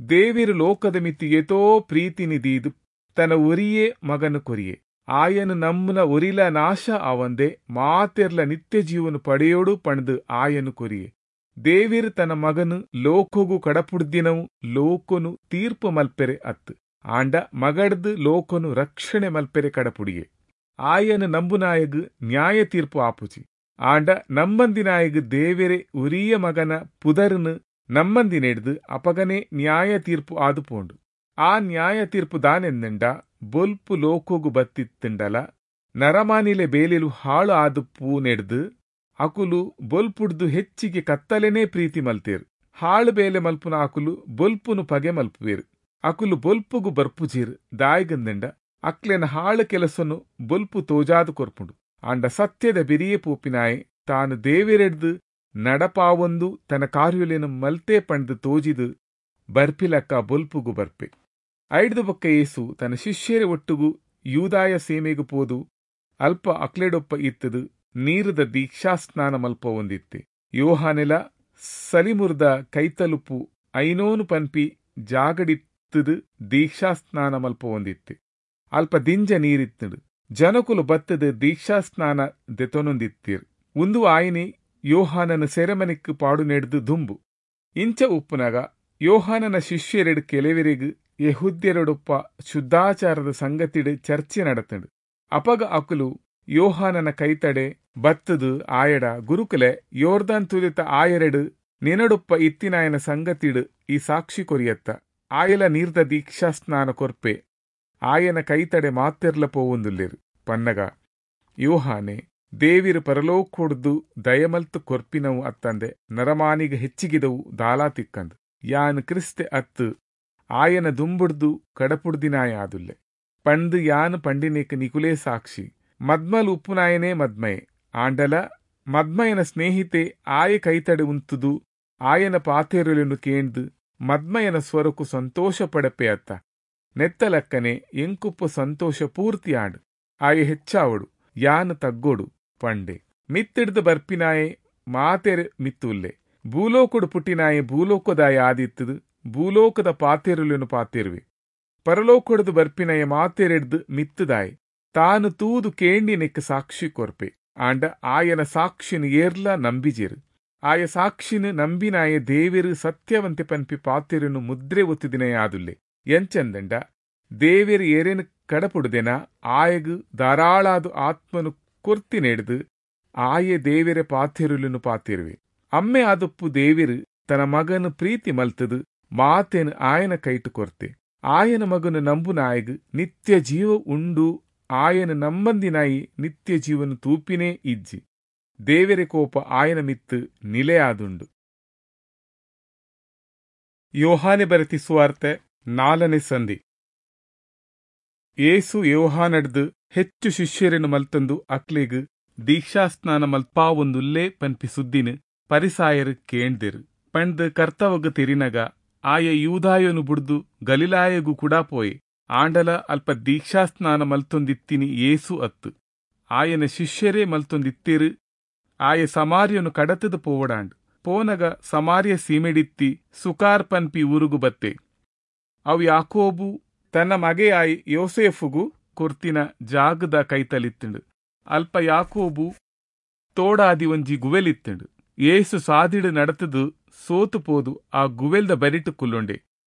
[SPEAKER 1] ದೇವಿರು ಲೋಕದ ಮಿತಿ ಏತೋ ಪ್ರೀತಿನಿ ದೀದು ತನ್ನ ಒರಿಯೇ ಮಗನು ಕೊರಿಯೆ, ಆಯನು ನಮ್ಮನ ಒರಿಲ ನಾಶ ಆವಂದೆ ಮಾತೆರ್ಲ ನಿತ್ಯ ಜೀವನು ಪಡೆಯೋಡು ಪಣದು ಆಯನು ಕೊರಿಯೆ. ದೇವಿರು ತನ್ನ ಮಗನು ಲೋಕಗು ಕಡಪುಡ್ದಿನವು ಲೋಕನು ತೀರ್ಪು ಮಲ್ಪೆರೆ ಅತ್ತು, ಆಂಡ ಮಗಡ್ದು ಲೋಕನು ರಕ್ಷಣೆ ಮಲ್ಪೆರೆ ಕಡಪುಡಿಯೆ. ಆಯನು ನಂಬುನಾಯಗು ನ್ಯಾಯ ತೀರ್ಪು ಆಪುಜಿ, ಆಂಡ ನಮ್ಮಂದಿನಾಯಗು ದೇವೆರೆ ಉರಿಯ ಮಗನ ಪುದರ್ನು ನಮ್ಮಂದಿನೆಡ್ದು ಅಪಗನೆ ನ್ಯಾಯ ತೀರ್ಪು ಆದು ಪೋಂಡು. ಆ ನ್ಯಾಯ ತೀರ್ಪು ದಾನೆಂದಂಡ ಬೊಲ್ಪು ಲೋಕೋಗು ಬತ್ತಿತ್ತಂಡಲ ನರಮಾನಿಲೆ ಬೇಲೆಲು ಹಾಳು ಆದು ಪೂನೆಡ್ದು ಅಕುಲು ಬೊಲ್ಪುಡ್ದು ಹೆಚ್ಚಿಗೆ ಕತ್ತಲೆನೇ ಪ್ರೀತಿ ಮಲ್ತೇರು. ಹಾಳು ಬೇಲೆ ಮಲ್ಪುನ ಅಕುಲು ಬೊಲ್ಪುನು ಪಗೆ ಮಲ್ಪುವೇರು. ಅಕುಲು ಬೊಲ್ಪುಗು ಬರ್ಪುಜೀರು ದಾಯಿಗಂದಂಡ ಅಕ್ಲೆನ ಹಾಳು ಕೆಲಸನು ಬೊಲ್ಪು ತೋಜಾದು ಕೊರ್ಪುಂಡು. ಆಂಡ ಸತ್ಯದ ಬೆರಿಯೇ ಪೋಪಿನಾಯೆ ತಾನು ದೇವೆರೆಡ್ದು ನಡಪಾವೊಂದು ತನ್ನ ಕಾರ್ಯೊಲೆನು ಮಲ್ತೆ ಪಂಡ್ದು ತೋಜಿದು ಬರ್ಪಿಲಕ್ಕ ಬೊಲ್ಪುಗು ಬರ್ಪೆ. ಐಡ್ದು ಬೊಕ್ಕ ಯೇಸು ತನ್ನ ಶಿಷ್ಯರ ಒಟ್ಟುಗು ಯೂದಾಯ ಸೇಮೆಗು ಪೋದು ಅಲ್ಪ ಅಕ್ಲೆಡೊಪ್ಪ ಇತ್ತದು ನೀರುದ ದೀಕ್ಷಾಸ್ನಾನ ಮಲ್ಪ ಹೊಂದಿತ್ತೆ. ಯೋಹಾನೆಲ ಸಲಿಮುರ್ದ ಕೈತಲುಪು ಐನೋನು ಪನ್ಪಿ ಜಾಗಡಿತ್ತದು ದೀಕ್ಷಾಸ್ನಾನ ಮಲ್ಪ ಹೊಂದಿತ್ತೆ. ಅಲ್ಪ ದಿಂಜ ನೀರಿತ್ತದು. ಜನಕುಲು ಬತ್ತದ ದೀಕ್ಷಾಸ್ನಾನ ದೆತೊನೊಂದಿತ್ತೀರ್. ಉಂದು ಆಯಿನಿ ಯೋಹಾನನ ಸೆರೆಮನೆಕ್ಕು ಪಾಡು ನೆಡ್ದು ದುಂಬು. ಇಂಚ ಉಪ್ಪುನಗ ಯೋಹಾನನ ಶಿಷ್ಯರೆಡು ಕೆಲವರಿಗು ಯೆಹೂದ್ಯರೊಡೊಪ್ಪ ಶುದ್ಧಾಚಾರದ ಸಂಗತಿಡು ಚರ್ಚೆ ನಡತಂಡು. ಅಪಗ ಅಕುಲು ಯೋಹಾನನ ಕೈತಡೆ ಬತ್ತದು ಆಯಡ, ಗುರುಕುಲೆ, ಯೋರ್ದಾನ್ ತುದಿತ ಆಯರೆಡು ನಿನಡೊಪ್ಪ ಇತ್ತಿನಾಯನ ಸಂಗತಿಡು ಈ ಸಾಕ್ಷಿ ಕೊರಿಯತ್ತ, ಆಯಲ ನೀರ್ದ ದೀಕ್ಷಾಸ್ನಾನ ಕೊರ್ಪೆ, ಆಯನ ಕೈತಡೆ ಮಾತೆರ್ಲ ಪೋವೊಂದುಲ್ಲೇರು ಪನ್ನಗ ಯೋಹಾನೆ ದೇವಿರು ಪರಲೋಕೊಡ್ದು ದಯಮಲ್ತು ಕೊರ್ಪಿನವು ಅತ್ತಂದೆ ನರಮಾನಿಗ ಹೆಚ್ಚಿಗಿದವು ದಾಲಾ ತಿಕ್ಕಂದು. ಯಾನ್ ಕ್ರಿಸ್ತೆ ಅತ್ತು ಆಯನ ದುಂಬುಡ್ದು ಕಡಪುಡ್ದಿನಾಯಾದುಲ್ಲೆ ಪಂದು ಯಾನ್ ಪಂಡಿನೇಕ ನಿಕುಲೇ ಸಾಕ್ಷಿ. ಮದ್ಮಲ್ ಉಪ್ಪುನಾಯನೇ ಮದ್ಮಯೆ, ಆಂಡಲ ಮದ್ಮಯನ ಸ್ನೇಹಿತೆ ಆಯ ಕೈತಡೆ ಉಂತುದು ಆಯನ ಪಾತೆರುಲೆನು ಕೇಂದು ಮದ್ಮಯನ ಸ್ವರಕು ಸಂತೋಷ ಪಡಪೆ ಅತ್ತ. ನೆತ್ತಲಕ್ಕನೆ ಎಂಕುಪ್ಪು ಸಂತೋಷ ಪೂರ್ತಿ ಆಡು. ಆಯ ಹೆಚ್ಚಾವಡು, ಯಾನು ತಗ್ಗೋಡು ಪಂಡೆ. ಮಿತ್ತಿಡ್ದು ಬರ್ಪಿನಾಯೆ ಮಾತೆರ್ ಮಿತ್ತುಲ್ಲೆ. ಭೂಲೋಕುಡು ಪುಟ್ಟಿನಾಯೆ ಭೂಲೋಕದಾಯ ಆದಿತ್ತದು ಭೂಲೋಕದ ಪಾತೆರುಲೆನು ಪಾತೆರುವೆ. ಪರಲೋಕಡ್ದು ಬರ್ಪಿನಾಯ ಮಾತೆರೆಡ್ದು ಮಿತ್ತುದಾಯೆ. ತಾನು ತೂದು ಕೇಂಡಿನೆಕ್ ಸಾಕ್ಷಿ ಕೊರ್ಪೆ. ಆಂಡ ಆಯನ ಸಾಕ್ಷಿನ ಏರ್ಲ ನಂಬಿಜೆರು. ಆಯ ಸಾಕ್ಷಿನ ನಂಬಿನಾಯ ದೇವೆರು ಸತ್ಯವಂತೆ ಪನ್ಪಿ ಪಾತೆರುನು ಮುದ್ರೆ ಒತ್ತುದಿನಯಾದುಲ್ಲೆ. ಎಂಚಂದಂಡ ದೇವೆರು ಏರೇನು ಕಡಪುಡುದೆನ ಆಯಗು ಧಾರಾಳಾದು ಆತ್ಮನು ಕೊರ್ತಿನೆಡ್ದು ಆಯೆ ದೇವೆರೆ ಪಾತೆರುಲುನು ಪಾತೆರುವೆ. ಅಮ್ಮೆ ಆದುಪ್ಪು ದೇವೆರು ತನ್ನ ಮಗನು ಪ್ರೀತಿ ಮಲ್ತದು ಮಾತೇನು ಆಯನ ಕೈಟು ಕೊರ್ತೆ. ಆಯನ ಮಗನು ನಂಬುನಾಯಗು ನಿತ್ಯ ಜೀವ ಉಂಡು. ಆಯನ ನಂಬಂದಿನಾಯಿ ನಿತ್ಯ ಜೀವನ ತೂಪಿನೇ ಇಜ್ಜಿ. ದೇವೆರೆ ಕೋಪ ಆಯನ ಮಿತ್ತು ನಿಲೆಯಾದುಂಡು. ಯೋಹಾನೆ ಬರೆತಿ ಸುವಾರ್ತೆ ನಾಲ್ಕನೇ ಸಂಧಿ. ಏಸು ಯೋಹಾನಡ್ದು ಹೆಚ್ಚು ಶಿಷ್ಯರನ್ನು ಮಲ್ತಂದು ಅಕ್ಲೆಗ್ ದೀಕ್ಷಾಸ್ನಾನ ಮಲ್ಪಾವೊಂದುಲ್ಲೇ ಪನ್ಪಿ ಸುದ್ದಿನ ಪರಿಸಾಯರು ಕೇಂದಿರು. ಪಂಡ್ ಕರ್ತವಗ್ ತೆರಿನಗ ಆಯ ಯೂದಾಯನು ಬುಡ್ದು ಗಲಿಲಾಯಗು ಕೂಡ ಪೋಯೆ. ಆಂಡಲ ಅಲ್ಪ ದೀಕ್ಷಾಸ್ನಾನ ಮಲ್ತೊಂದಿತ್ತಿನಿ ಏಸು ಅತ್ತು, ಆಯನ ಶಿಷ್ಯರೇ ಮಲ್ತೊಂದಿತ್ತಿರು. ಆಯ ಸಮಾರ್ಯನು ಕಡತದ ಪೋವಡಾಂಡ್. ಪೋನಗ ಸಮಾರ್ಯ ಸೀಮೆಡಿತ್ತಿ ಸುಕಾರ್ ಪನ್ಪಿ ಊರುಗು ಬತ್ತೆ. ಅವು ಯಾಕೋಬು ತನ್ನ ಮಗೆಯಾಯಿ ಯೋಸೇಫುಗು ಕೊರ್ತಿನ ಜಾಗದ ಕೈತಲಿತ್ತಂಡು. ಅಲ್ಪ ಯಾಕೋಬು ತೋಡಾದಿ ಒಂಜಿ ಗುವೆಲಿತ್ತಂಡು. ಏಸು ಸಾದಿಡು ನಡತದು ಸೋತು ಪೋದು ಆ ಗುವೆಲ್ದ ಬರಿಟು ಕುಲ್ಲೊಂಡೆ.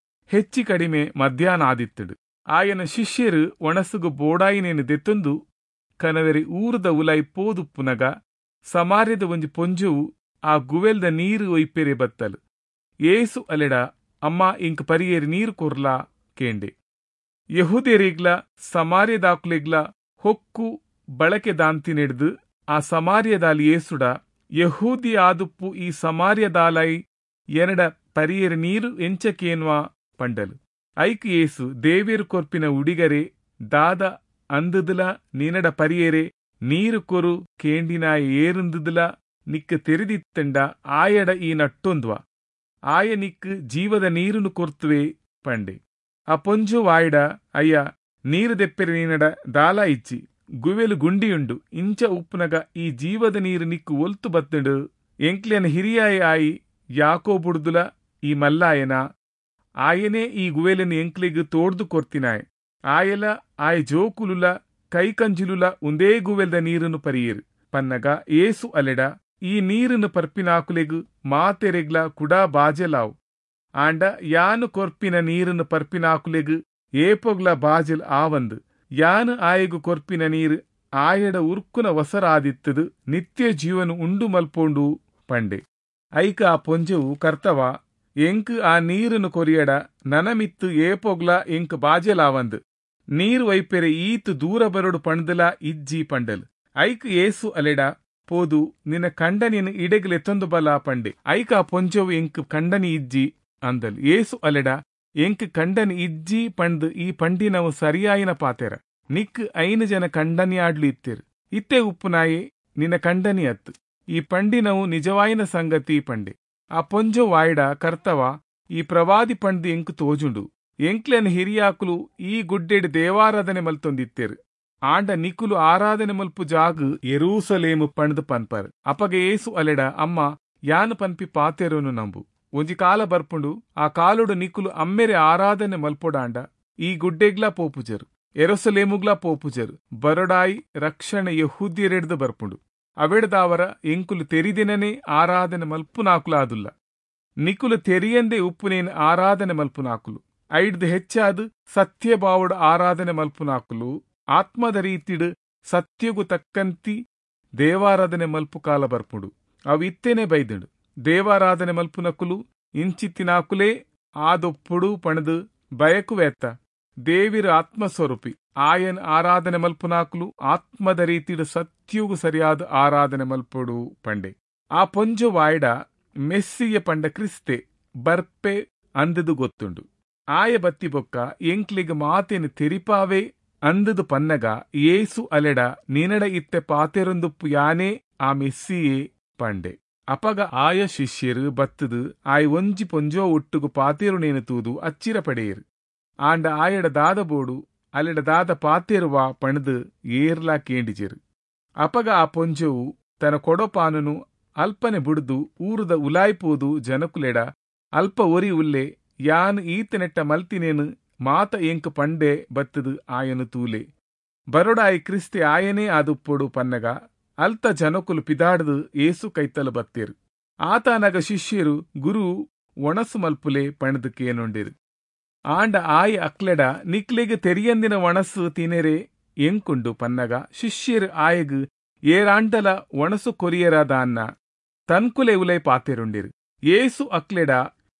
[SPEAKER 1] ಹೆಚ್ಚಿ ಕಡಿಮೆ ಮಧ್ಯಾಹ್ನ ಆದಿತ್ತಂಡು. ಆಯನ ಶಿಷ್ಯರು ಒಣಸುಗು ಬೋಡಾಯಿನೇನು ದೆತ್ತೊಂದು ಕನವೆರಿ ಊರದ ಉಲಾಯಿ ಪೋದುಪ್ಪುನಗ ಸಮಾರ್ಯದ ಒಂಜಿ ಪೊಂಜುವು ಆ ಗುವೆಲ್ದ ನೀರು ಒಯ್ಪೆರೆ ಬತ್ತಲು. ಏಸು ಅಲೆಡ, ಅಮ್ಮ ಇಂಕ್ ಪರಿಯೇರಿ ನೀರು ಕೊರ್ಲಾ ಕೇಂಡೆ. ಯಹೂದ್ಯರಿಗ್ಲ ಸಮಾರ್ಯದಾಕುಲೆಗ್ಲ ಹೊಕ್ಕು ಬಳಕೆ ದಾಂತಿ ನೆಡ್ದು ಆ ಸಮಾರ್ಯದಾಲಿ ಏಸುಡ, ಯಹೂದಿ ಆದುಪ್ಪು ಈ ಸಮಾರ್ಯದಾಲೈ ಎನಡ ಪರಿಯೇರಿ ನೀರು ಎಂಚಕೇನ್ವಾ ಪಂಡಲು. ಐಕ್ ಏಸು, ದೇವೇರು ಕೊರ್ಪಿನ ಉಡಿಗರೆ ದಾದ ಅಂದುದಲ ನಿನಡ ಪರಿಯೇರೆ ನೀರು ಕೊರು ಕೇಂಡಿನಾಯ ಏರುಂದುದಲ ನಿಕ್ಕ ತೆರೆದಿತ್ತಂಡ ಆಯಡ ಈ ನಟ್ಟೊಂದ್ವ, ಆಯ ನಿಕ್ ಜೀವದ ನೀರುನು ಕೊರ್ತುವೆ ಪಂಡೆ. ಆ ಪೊಂಜು ವಾಯ್ಡ, ಅಯ್ಯ ನೀರು ದೆಪ್ಪೆರೆ ನೀನಡ ದಾಲ ಇಚ್ಚಿ ಗುವೆಲು ಗುಂಡಿಯುಂಡು, ಇಂಚ ಉಪ್ಪುನಗ ಈ ಜೀವದ ನೀರು ನಿಕ್ಕು ಒಲ್ತು ಬತ್ತಂಡು. ಎಂಕ್ಲೆನ ಹಿರಿಯಾಯ ಆಯಿ ಯಾಕೋಬುಡ್ದುಲ ಈ ಮಲ್ಲಾಯನ, ಆಯನೇ ಈ ಗುವೆಲನ್ನು ಎಂಕ್ಲೆಗ್ ತೋಡ್ದು ಕೊರ್ತಿನಾಯ್. ಆಯಲ ಆಯ ಜೋಕುಲುಲ ಕೈಕಂಜಿಲುಲ ಒಂದೇ ಗುವೆಲ್ದ ನೀರನ್ನು ಪರಿಯೇರು ಪನ್ನಗ ಏಸು ಅಲೆಡ, ಈ ನೀರನ್ನು ಪರ್ಪಿನಾಕುಲೆಗು ಮಾತೆರೆಗ್ಲ ಕುಡಾ ಬಾಜೆಲಾವು. ಆಂಡ ಯಾನು ಕೊರ್ಪಿನ ನೀರನ್ನು ಪರ್ಪಿನಾಕುಲೆಗು ಏಪೊಗ್ಲ ಬಾಜೆಲ್ ಆವಂದು. ಯಾನು ಆಯಗು ಕೊರ್ಪಿನ ನೀರು ಆಯಡ ಉರ್ಕುನ ವಸರಾದಿತ್ತದು ನಿತ್ಯ ಜೀವನ ಉಂಡು ಮಲ್ಪೋಂಡು ಪಂಡೆ. ಐಕ ಆ ಪೊಂಜೆವು, ಕರ್ತವ ಎಂಕ್ ಆ ನೀರನ್ನು ಕೊರಿಯಡ ನನಮಿತ್ತು ಏಪೊಗ್ಲ ಎಂಕ್ ಬಾಜೆಲಾವಂದು, ನೀರು ವೈಪೆರೆ ಈತು ದೂರ ಬರಡು ಪಂಡ್ದಲ ಇಜ್ಜಿ ಪಂಡಲ್. ಐಕ್ ಏಸು ಅಲೆಡ, ಪೋದು ನಿನ್ನ ಕಂಡನಿನ ಇಡೆಗ್ಲೆತ್ತೊಂದು ಬಲ ಪಂಡೆ. ಐಕ ಆ ಪೊಂಜೆವು, ಎಂಕ್ ಕಂಡನಿ ಇಜ್ಜಿ ಅಂದಲ್. ಏಸು ಅಲೆಡ, ಎಂಕ್ ಕಂಡನಿ ಇಜ್ಜಿ ಪಂಡ್ ಈ ಪಂಡಿನವು ಸರಿಯಾಯಿನ ಪಾತೆರ. ನಿಕ್ ಐನು ಜನ ಕಂಡನಿಯಾಡ್ಲು ಇತ್ತಿರು, ಇತ್ತೆ ಉಪ್ಪುನಾಯೆ ನಿನ್ನ ಕಂಡನಿ ಅತ್ತು, ಈ ಪಂಡಿನವು ನಿಜವಾಯಿನ ಸಂಗತಿ ಪಂಡೆ. ಆ ಪೊಂಜೊ ವಾಯ್ಡ, ಕರ್ತವ ಈ ಪ್ರವಾದಿ ಪಂಡ್ದು ಎಂಕ್ ತೋಜುಂಡು. ಎಂಕ್ಲೆನ ಹಿರಿಯಾಕುಲು ಈ ಗುಡ್ಡೆಡ್ ದೇವಾರಾಧನೆ ಮಲ್ತೊಂದಿತ್ತೇರು. ಆಂಡ ನಿಕುಲು ಆರಾಧನೆ ಮಲ್ಪು ಜಾಗು ಯೆರೂಸಲೇಮು ಪಂಡ್ದು ಪನ್ಪರ್. ಅಪಗ ಏಸು ಅಲೆಡ, ಅಮ್ಮ ಯಾನು ಪನ್ಪಿ ಪಾತೆರೋನು ನಂಬು. ಒಂಜಿ ಕಾಲ ಬರ್ಪುಂಡು, ಆ ಕಾಲುಡು ನಿಕುಲು ಅಮ್ಮೆರೆ ಆರಾಧನೆ ಮಲ್ಪೊಡಾಂಡ ಈ ಗುಡ್ಡೆಗ್ಲಾ ಪೋಪುಜರು, ಎರೋಸಲೇಮುಗ್ಲಾ ಪೋಪುಜರು. ಬರಡಾಯಿ ರಕ್ಷಣೆ ಯಹೂದ್ಯರೆಡ್ದು ಬರ್ಪುಂಡು. ಅವೆಡ್ದಾವರ ಎಂಕುಲು ತೆರಿದಿನನೇ ಆರಾಧನೆ ಮಲ್ಪುನಾಕುಲಾದುಲ್ಲ. ನಿಕುಲು ತೆರಿಯಂದೇ ಉಪ್ಪುನೇನು ಆರಾಧನೆ ಮಲ್ಪುನಾಕುಲು. ಐಡ್ದು ಹೆಚ್ಚಾದು ಸತ್ಯಭಾವಡು ಆರಾಧನೆ ಮಲ್ಪುನಾಕುಲು ಆತ್ಮದ ರೀತಿಡು ಸತ್ಯಗು ತಕ್ಕಂತಿ ದೇವಾರಾಧನೆ ಮಲ್ಪು ಕಾಲ ಬರ್ಪುಂಡು. ಅವು ಇತ್ತೇನೆ ಬೈದುಂಡು. ದೇವಾರಾಧನೆ ಮಲ್ಪುನಕುಲು ಇಂಚಿತ್ತಿನಾಕುಲೇ ಆದೊಪ್ಪುಡು ಪಣದು ಬಯಕುವೆತ್ತ. ದೇವಿರ ಆತ್ಮಸ್ವರೂಪಿ ಆಯನ್ ಆರಾಧನೆ ಮಲ್ಪುನಾಕುಲು ಆತ್ಮದ ರೀತಿಡು ಸತ್ಯಗು ಸರಿಯಾದ ಆರಾಧನೆ ಮಲ್ಪುಡು ಪಂಡೆ. ಆ ಪೊಂಜು ವಾಯ್ಡ ಮೆಸ್ಸಿಯ ಪಂಡ ಕ್ರಿಸ್ತೆ ಬರ್ಪೆ ಅಂದದು ಗೊತ್ತುಂಡು. ಆಯ ಬತ್ತಿ ಬೊಕ್ಕ ಎಂಕ್ಲಿಗ್ ಮಾತೇನು ತೆರಿಪಾವೆ ಅಂದದು ಪನ್ನಗ ಏಸು ಅಲೆಡ, ನಿನಡ ಇತ್ತೆ ಪಾತೆರೊಂದುಪ್ಪು ಯಾನೇ ಆ ಮೆಸ್ಸಿಯೇ ಪಂಡೆ. ಅಪಗ ಆಯ ಶಿಷ್ಯರು ಬತ್ತದು ಆಯ್ ಒಂಜಿ ಪೊಂಜೋ ಒಟ್ಟುಗು ಪಾತೇರುನೇನು ತೂದು ಅಚ್ಚಿರ ಪಡೆಯರು. ಆಂಡ ಆಯಡ ದಾದ ಬೋಡು ಅಲೆಡ ದಾದ ಪಾತೇರುವ ಪಣದು ಏರ್ಲಾ ಕೇಂಡಿಜೆರು. ಅಪಗ ಆ ಪೊಂಜೋವು ತನ್ನ ಕೊಡಪಾನನು ಅಲ್ಪನೆ ಬುಡ್ದು ಊರುದ ಉಲಾಯ್ಪೋದು ಜನಕುಲೆಡ ಅಲ್ಪ ಒರಿ ಉಲ್ಲೆ ಯಾನ್ ಈತನೆಟ್ಟ ಮಲ್ತಿನೇನು ಮಾತ ಎಂಕ್ ಪಂಡೆ ಬತ್ತದು ಆಯನು ತೂಲೆ ಬರೊಡಾಯಿ ಕ್ರಿಸ್ತೆ ಆಯನೇ ಆದುಪ್ಪೊಡು ಪನ್ನಗ ಅಲ್ತ ಜನಕುಲು ಪಿದಾಡ್ದು ಏಸು ಕೈತಲು ಬತ್ತೇರು. ಆತನಗ ಶಿಷ್ಯರು ಗುರು ಒಣಸು ಮಲ್ಪುಲೆ ಪಣದು ಕೇನೊಂಡಿರು. ಆಂಡ ಆಯ ಅಕ್ಲೆಡ ನಿಕ್ಲೆಗ್ ತೆರಿಯಂದಿನ ಒಣಸು ತಿನೆರೆ ಎಂಕುಂಡು ಪನ್ನಗ ಶಿಷ್ಯರು ಆಯಗ್ ಏರಾಂಡಲ ಒಣಸು ಕೊರಿಯರಾದ ಅನ್ನ ತನ್ಕುಲೆ ಉಲೈ ಪಾತೆರುಂಡಿರು. ಏಸು ಅಕ್ಲೆಡ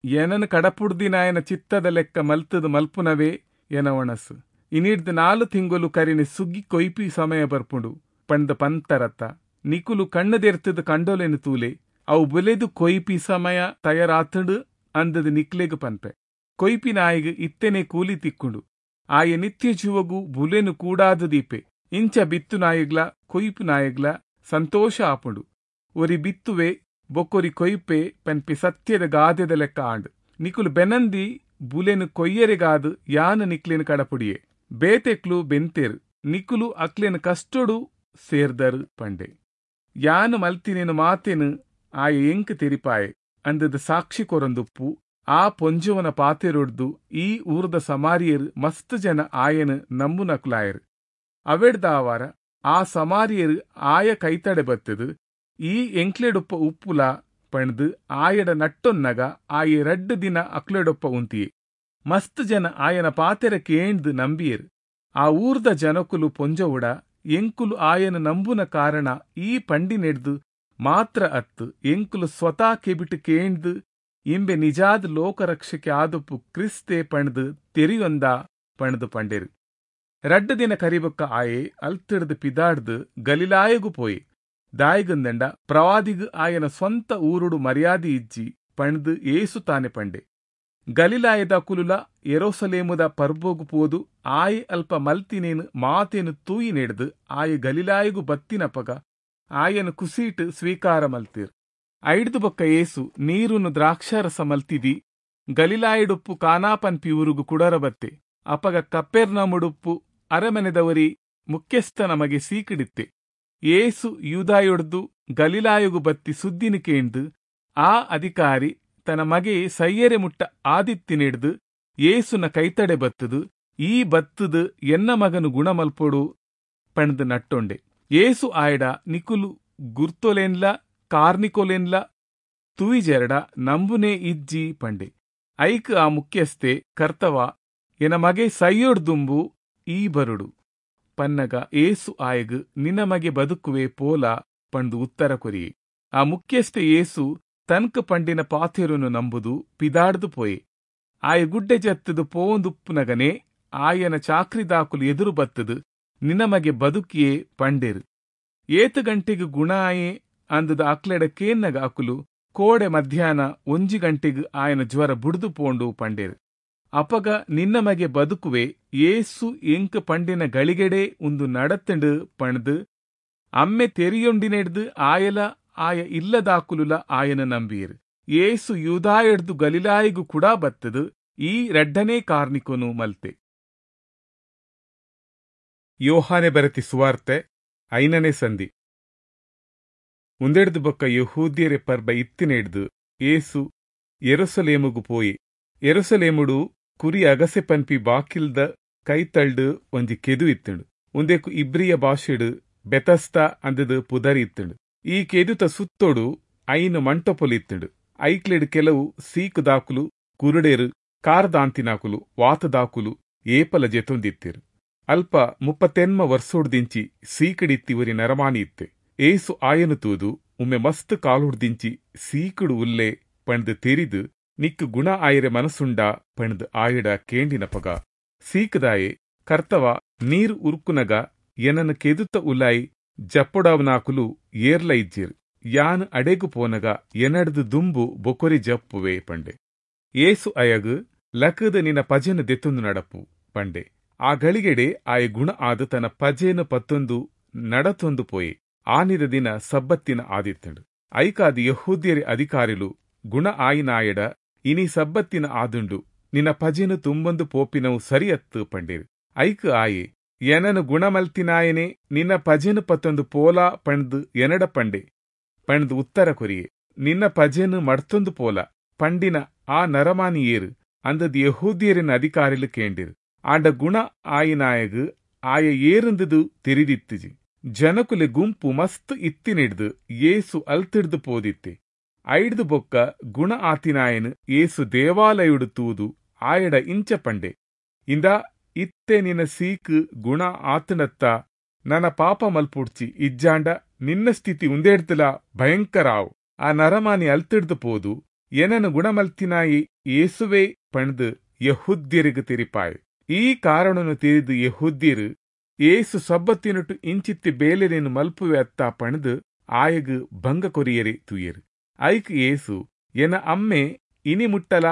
[SPEAKER 1] ಎನನು ಕಡಪುಡ್ದಿನಾಯನ ಚಿತ್ತದ ಲೆಕ್ಕ ಮಲ್ತದು ಮಲ್ಪುನವೇ ಎನ ಒಣಸು. ಇನಿಡ್ದು ನಾಲು ತಿಂಗೊಲು ಕರಿನಿ ಸುಗ್ಗಿ ಕೊಯ್ಪಿ ಸಮಯ ಬರ್ಪುಂಡು ಪಂದ ಪಂತರತ್ತ ನಿಕುಲು ಕಣ್ಣದೆರ್ತದ ಕಂಡೋಲೆನು ತೂಲೆ ಅವು ಬುಲೆದು ಕೊಯ್ಪಿ ಸಮಯ ತಯಾರಾತುಂಡು ಅಂದದ ನಿಕ್ಲೆಗ್ ಪನ್ಪೆ. ಕೊಯ್ಪಿ ನಾಯಿಗ್ ಇತ್ತೆನೆ ಕೂಲಿ ತಿಕ್ಕುಂಡು ಆಯ ನಿತ್ಯ ಜೀವಗು ಬುಲೆನು ಕೂಡಾದ ದೀಪೆ. ಇಂಚ ಬಿತ್ತು ನಾಯಿಗ್ಲ ಕೊಯ್ಪು ನಾಯಿಗ್ಲ ಸಂತೋಷ ಆಪುಂಡು. ಒರಿ ಬಿತ್ತುವೆ ಬೊಕ್ಕೊರಿ ಕೊಯ್ಪೆ ಪನ್ಪಿ ಸತ್ಯದ ಗಾದೆದ ಲೆಕ್ಕ ಆಂಡ್. ನಿಕುಲು ಬೆನಂದಿ ಬುಲೆನು ಕೊಯ್ಯರೆಗಾದು ಯಾನು ನಿಕ್ಲೆನು ಕಡಪುಡಿಯೆ. ಬೇತೆಕ್ಲು ಬೆಂತೇರು ನಿಕುಲು ಅಕ್ಲೆನು ಕಷ್ಟೊಡು ಸೇರ್ದರು ಪಂಡೆ. ಯಾನು ಮಲ್ತಿನೇನು ಮಾತೇನು ಆಯ ಎಂಕ್ ತೆರಿಪಾಯೆ ಅಂದದ ಸಾಕ್ಷಿ ಕೊರಂದುಪ್ಪು ಆ ಪೊಂಜುವನ ಪಾತೆರೊಡ್ದು ಈ ಊರ್ದ ಸಮಾರಿಯರು ಮಸ್ತ್ ಜನ ಆಯನು ನಂಬುನಕ್ಲಾಯರು. ಅವೆಡ್ದಾವಾರ ಆ ಸಮಾರಿಯರು ಆಯ ಕೈತಡೆ ಬತ್ತದು ಈ ಎಂಕ್ಲೆಡೊಪ್ಪ ಉಪ್ಪುಲ ಪಣ್ದು ಆಯಡ ನಟ್ಟೊನ್ನಗ ಆಯ ರಡ್ಡು ದಿನ ಅಕ್ಲೆಡೊಪ್ಪ ಉಂತಿಯೆ. ಮಸ್ತ್ ಜನ ಆಯನ ಪಾತೆರ ಕೇಂದು ನಂಬಿಯರು. ಆ ಊರ್ದ ಜನಕುಲು ಪೊಂಜವುಡ ಎಂಕುಲು ಆಯನ ನಂಬುನ ಕಾರಣ ಈ ಪಂಡಿನೆಡ್ದು ಮಾತ್ರ ಅತ್ತು ಎಂಕುಲು ಸ್ವತಃ ಕೆಬಿಟ್ಟು ಕೇಂದು ಇಂಬೆ ನಿಜಾದ ಲೋಕರಕ್ಷಕ್ಕೆ ಆದುಪ್ಪು ಕ್ರಿಸ್ತೆ ಪಣ್ದು ತೆರಿಯೊಂದ ಪಣ್ದು ಪಂಡೇರು. ರಡ್ಡು ದಿನ ಕರಿಬೊಕ್ಕ ಆಯೆ ಅಲ್ತಿಡ್ದು ಪಿದಾಡ್ದು ಗಲಿಲಾಯಗು ಪೋಯೆ. ದಾಯಿಗಂದಂಡ ಪ್ರವಾದಿಗು ಆಯನ ಸ್ವಂತ ಊರುಡು ಮರ್ಯಾದೆ ಇಜ್ಜಿ ಪಣ್ದು ಏಸು ತಾನೆ ಪಂಡೆ. ಗಲಿಲಾಯದ ಕುಲುಲ ಎರೋಸಲೇಮುದ ಪರ್ಬೋಗು ಪೋದು ಆಯೆ ಅಲ್ಪ ಮಲ್ತಿನೇನು ಮಾತೇನು ತೂಯಿ ನೆಡ್ದು ಆಯೆ ಗಲಿಲಾಯಗು ಬತ್ತಿನಪಗ ಆಯನ ಕುಸೀಟು ಸ್ವೀಕಾರ ಮಲ್ತೀರ್. ಐಡ್ದು ಬೊಕ್ಕ ಏಸು ನೀರುನು ದ್ರಾಕ್ಷಾರಸ ಮಲ್ತಿದಿ ಗಲಿಲಾಯಡುಪ್ಪು ಕಾನಾಪನ್ಪಿ ಊರುಗು ಕುಡರ ಬತ್ತೆ. ಅಪಗ ಕಪ್ಪೆರ್ನಮುಡುಪ್ಪು ಅರಮನೆದವರಿ ಮುಖ್ಯಸ್ಥ ನಮಗೆ ಸೀಕಿಡಿತ್ತೆ. ಏಸು ಯೂದಾಯೊಡ್ದು ಗಲಿಲಾಯಗು ಬತ್ತಿ ಸುದ್ದಿನ ಕೇಂದು ಆ ಅಧಿಕಾರಿ ತನ್ನ ಮಗೆ ಸೈಯರೆ ಮುಟ್ಟ ಆದಿತ್ತಿನೆಡ್ದು ಏಸುನ ಕೈತಡೆ ಬತ್ತದು ಈ ಬತ್ತದು ಎನ್ನ ಮಗನು ಗುಣಮಲ್ಪೊಡು ಪಣ್ದು ನಟ್ಟೊಂಡೆ. ಏಸು ಆಯಡ ನಿಕುಲು ಗುರ್ತೊಲೇನ್ಲ ಕಾರ್ನಿಕೊಲೇನ್ಲ ತುವಿಜೆರಡ ನಂಬುನೇ ಇಜ್ಜಿ ಪಂಡೆ. ಐಕ್ ಆ ಮುಖ್ಯಸ್ಥೆ ಕರ್ತವ ಎನ ಮಗೆ ಸೈಯೊಡ್ದುಂಬು ಈ ಬರುಡು ಪನ್ನಗ ಏಸು ಆಯಗ್ ನಿನ್ನ ಮಗೆ ಬದುಕುವೆ ಪೋಲ ಪಂಡು ಉತ್ತರ ಕೊರಿಯೆ. ಆ ಮುಖ್ಯಸ್ಥೆ ಏಸು ತನ್ಕ ಪಂಡಿನ ಪಾಥೆರುನು ನಂಬುದು ಪಿದಾಡ್ದು ಪೋಯೆ. ಆಯ ಗುಡ್ಡೆ ಜತ್ತದು ಪೋಂದುಪ್ಪುನಗನೆ ಆಯನ ಚಾಕ್ರಿದಾಕುಲು ಎದುರು ಬತ್ತದು ನಿನ್ನ ಮಗೆ ಬದುಕಿಯೇ ಪಂಡೇರು. ಏತು ಗಂಟೆಗೆ ಗುಣ ಆಯೆ ಅಂದದ ಅಕ್ಲೆಡ ಕೇನ್ನಗ ಅಕುಲು ಕೋಡೆ ಮಧ್ಯಾಹ್ನ ಒಂಜಿ ಗಂಟೆಗೆ ಆಯನ ಜ್ವರ ಬುಡ್ದು ಪೋಂಡು ಪಂಡೇರು. ಅಪಗ ನಿನ್ನ ಮಗೆ ಬದುಕುವೆ ಏಸು ಎಂಕ್ ಪಂಡಿನ ಗಳಿಗೆಡೆ ಒಂದು ನಡತಂಡು ಪಣ್ದು ಅಮ್ಮೆ ತೆರಿಯೊಂಡಿನೆಡ್ದು ಆಯಲ ಆಯ ಇಲ್ಲದಾಕುಲುಲ ಆಯನ ನಂಬಿಯರು. ಏಸು ಯೂದಾಯಡ್ದು ಗಲಿಲಾಯಿಗು ಕೂಡ ಬತ್ತದು ಈ ರಡ್ಡನೇ ಕಾರ್ನಿಕೊನು ಮಲ್ತೆ. ಯೋಹಾನೆ ಬರತಿ ಸುವಾರ್ತೆ ಐನನೇ ಸಂಧಿ. ಉಂದೆಡ್ದು ಬೊಕ್ಕ ಯಹೂದ್ಯರೆ ಪರ್ಬ ಇತ್ತಿನೆಡ್ದು ಏಸು ಎರುಸಲೇಮುಗು ಪೋಯಿ. ಎರುಸಲೇಮುಡು ಕುರಿ ಅಗಸೆ ಪನ್ಪಿ ಬಾಕಿಲ್ದ ಕೈತಳ್ಡು ಒಂಜಿ ಕೆದು ಇತ್ತುಂಡು. ಉಂದೆಕು ಇಬ್ರಿಯ ಭಾಷೆಡು ಬೆತಸ್ತ ಅಂದದು ಪುದರಿ ಇತ್ತುಂಡು. ಈ ಕೆದುತ ಸುತ್ತೋಡು ಐನು ಮಂಟಪೊಲು ಇತ್ತುಂಡು. ಐಕ್ಲೆಡು ಕೆಲವು ಸೀಕು ದಾಕುಲು ಕುರುಡೇರು ಕಾರ್ದಾಂತಿನಾಕುಲು ವಾತದಾಕುಲು ಏಪಲ ಜೆತೊಂದಿತ್ತಿರು. ಅಲ್ಪ ಮುಪ್ಪತ್ತೆನ್ಮ ವರ್ಷೋಡ್ದಿಂಚಿ ಸೀಕಡಿತ್ತಿ ಒರಿ ನರಮಾನಿ ಇತ್ತೆ. ಏಸು ಆಯನು ತೂದು ಉಮ್ಮೆ ಮಸ್ತ್ ಕಾಲುಡ್ದಿಂಚಿ ಸೀಕುಡು ಉಲ್ಲೆ ಪಣ್ದು ತೆರಿದು ನಿಕ್ಕು ಗುಣ ಆಯರೆ ಮನಸ್ಸುಂಡ ಪಣ್ದು ಆಯಡ ಕೇಂಡಿನಪಗ ಸೀಕದಾಯೆ ಕರ್ತವ ನೀರು ಉರುಕುನಗ ಎನನು ಕೆದುತ ಉಲಾಯಿ ಜಪ್ಪೊಡವನಾಕುಲು ಏರ್ಲ ಇಜ್ಜಿರ್ ಯಾನ್ ಅಡೆಗು ಪೋನಗ ಎನಡ್ದು ದುಂಬು ಬೊಕೊರಿ ಜಪ್ಪುವೆ ಪಂಡೆ. ಏಸು ಅಯಗು ಲಕದ ನಿನ್ನ ಪಜೆನು ದೆತ್ತೊಂದು ನಡಪು ಪಂಡೆ. ಆ ಗಳಿಗೆಡೆ ಆಯ ಗುಣ ಆದ ತನ್ನ ಪಜೆನು ಪತ್ತೊಂದು ನಡತೊಂದು ಪೋಯೆ. ಆನಿದ ದಿನ ಸಬ್ಬತ್ತಿನ ಆದಿತ್ತಂಡು. ಐಕಾದ ಯೆಹೂದ್ಯರ ಅಧಿಕಾರಿಲು ಗುಣ ಆಯಿನಾಯಡ ಇನಿ ಸಬ್ಬತ್ತಿನ ಆದುಂಡು, ನಿನ್ನ ಪಜೆನು ತುಂಬೊಂದು ಪೋಪಿನವು ಸರಿಯತ್ತು ಪಂಡೇರು. ಐಕ್ ಆಯೆ ಎನನು ಗುಣಮಲ್ತಿನಾಯನೆ ನಿನ್ನ ಪಜೆನು ಪತ್ತೊಂದು ಪೋಲಾ ಪಂಡ್ದು ಎನಡ ಪಂಡೆ ಪಂಡ್ದು ಉತ್ತರ ಕೊರಿಯೆ. ನಿನ್ನ ಪಜೆನು ಮಡ್ತೊಂದು ಪೋಲ ಪಂಡಿನ ಆ ನರಮಾನಿ ಏರು ಅಂದದ್ ಯೆಹೂದ್ಯರಿನ ಅಧಿಕಾರಿಲು ಕೇಂಡಿರು. ಆಂಡ ಗುಣ ಆಯಿನಾಯಗು ಆಯ ಏರುಂದುದು ತೆರಿದಿತ್ತಿಜಿ. ಜನಕುಲೆ ಗುಂಪು ಮಸ್ತ್ ಇತ್ತಿನಿಡ್ದು ಯೇಸು ಅಲ್ತಿಡ್ದು ಪೋದಿತ್ತೆ. ಐಡ್ದು ಬೊಕ್ಕ ಗುಣ ಆತಿನಾಯನು ಯೇಸು ದೇವಾಲಯುಡು ತೂದು ಆಯಡ ಇಂಚ ಪಂಡೆ, ಇಂದಾ ಇತ್ತೆ ನಿನ್ನ ಸೀಕ್ ಗುಣ ಆತನತ್ತ, ನನ್ನ ಪಾಪ ಮಲ್ಪುಡ್ಚಿ, ಇಜ್ಜಾಂಡ ನಿನ್ನ ಸ್ಥಿತಿ ಉಂದೇಡ್ತಲ ಭಯಂಕರಾವು. ಆ ನರಮಾನಿ ಅಲ್ತಿಡ್ದು ಪೋದು ಎನನು ಗುಣಮಲ್ತಿನಾಯಿ ಯೇಸುವೆ ಪಂಡ್ದು ಯೆಹೂದ್ಯರಿಗೆ ತೆರಿಪಾಯೆ. ಈ ಕಾರಣನು ತಿಳಿದು ಯೆಹೂದ್ಯರು ಯೇಸು ಸಬ್ಬತ್ತಿನಟು ಇಂಚಿತ್ತಿ ಬೇಲೆನೇನು ಮಲ್ಪುವೆ ಅತ್ತ ಪಣದು ಆಯಗು ಭಂಗ ಕೊರಿಯರೆ ತೂಯರು. ಐಕ್ ಯೇಸು ಎನ ಅಮ್ಮೆ ಇನಿ ಮುಟ್ಟಲ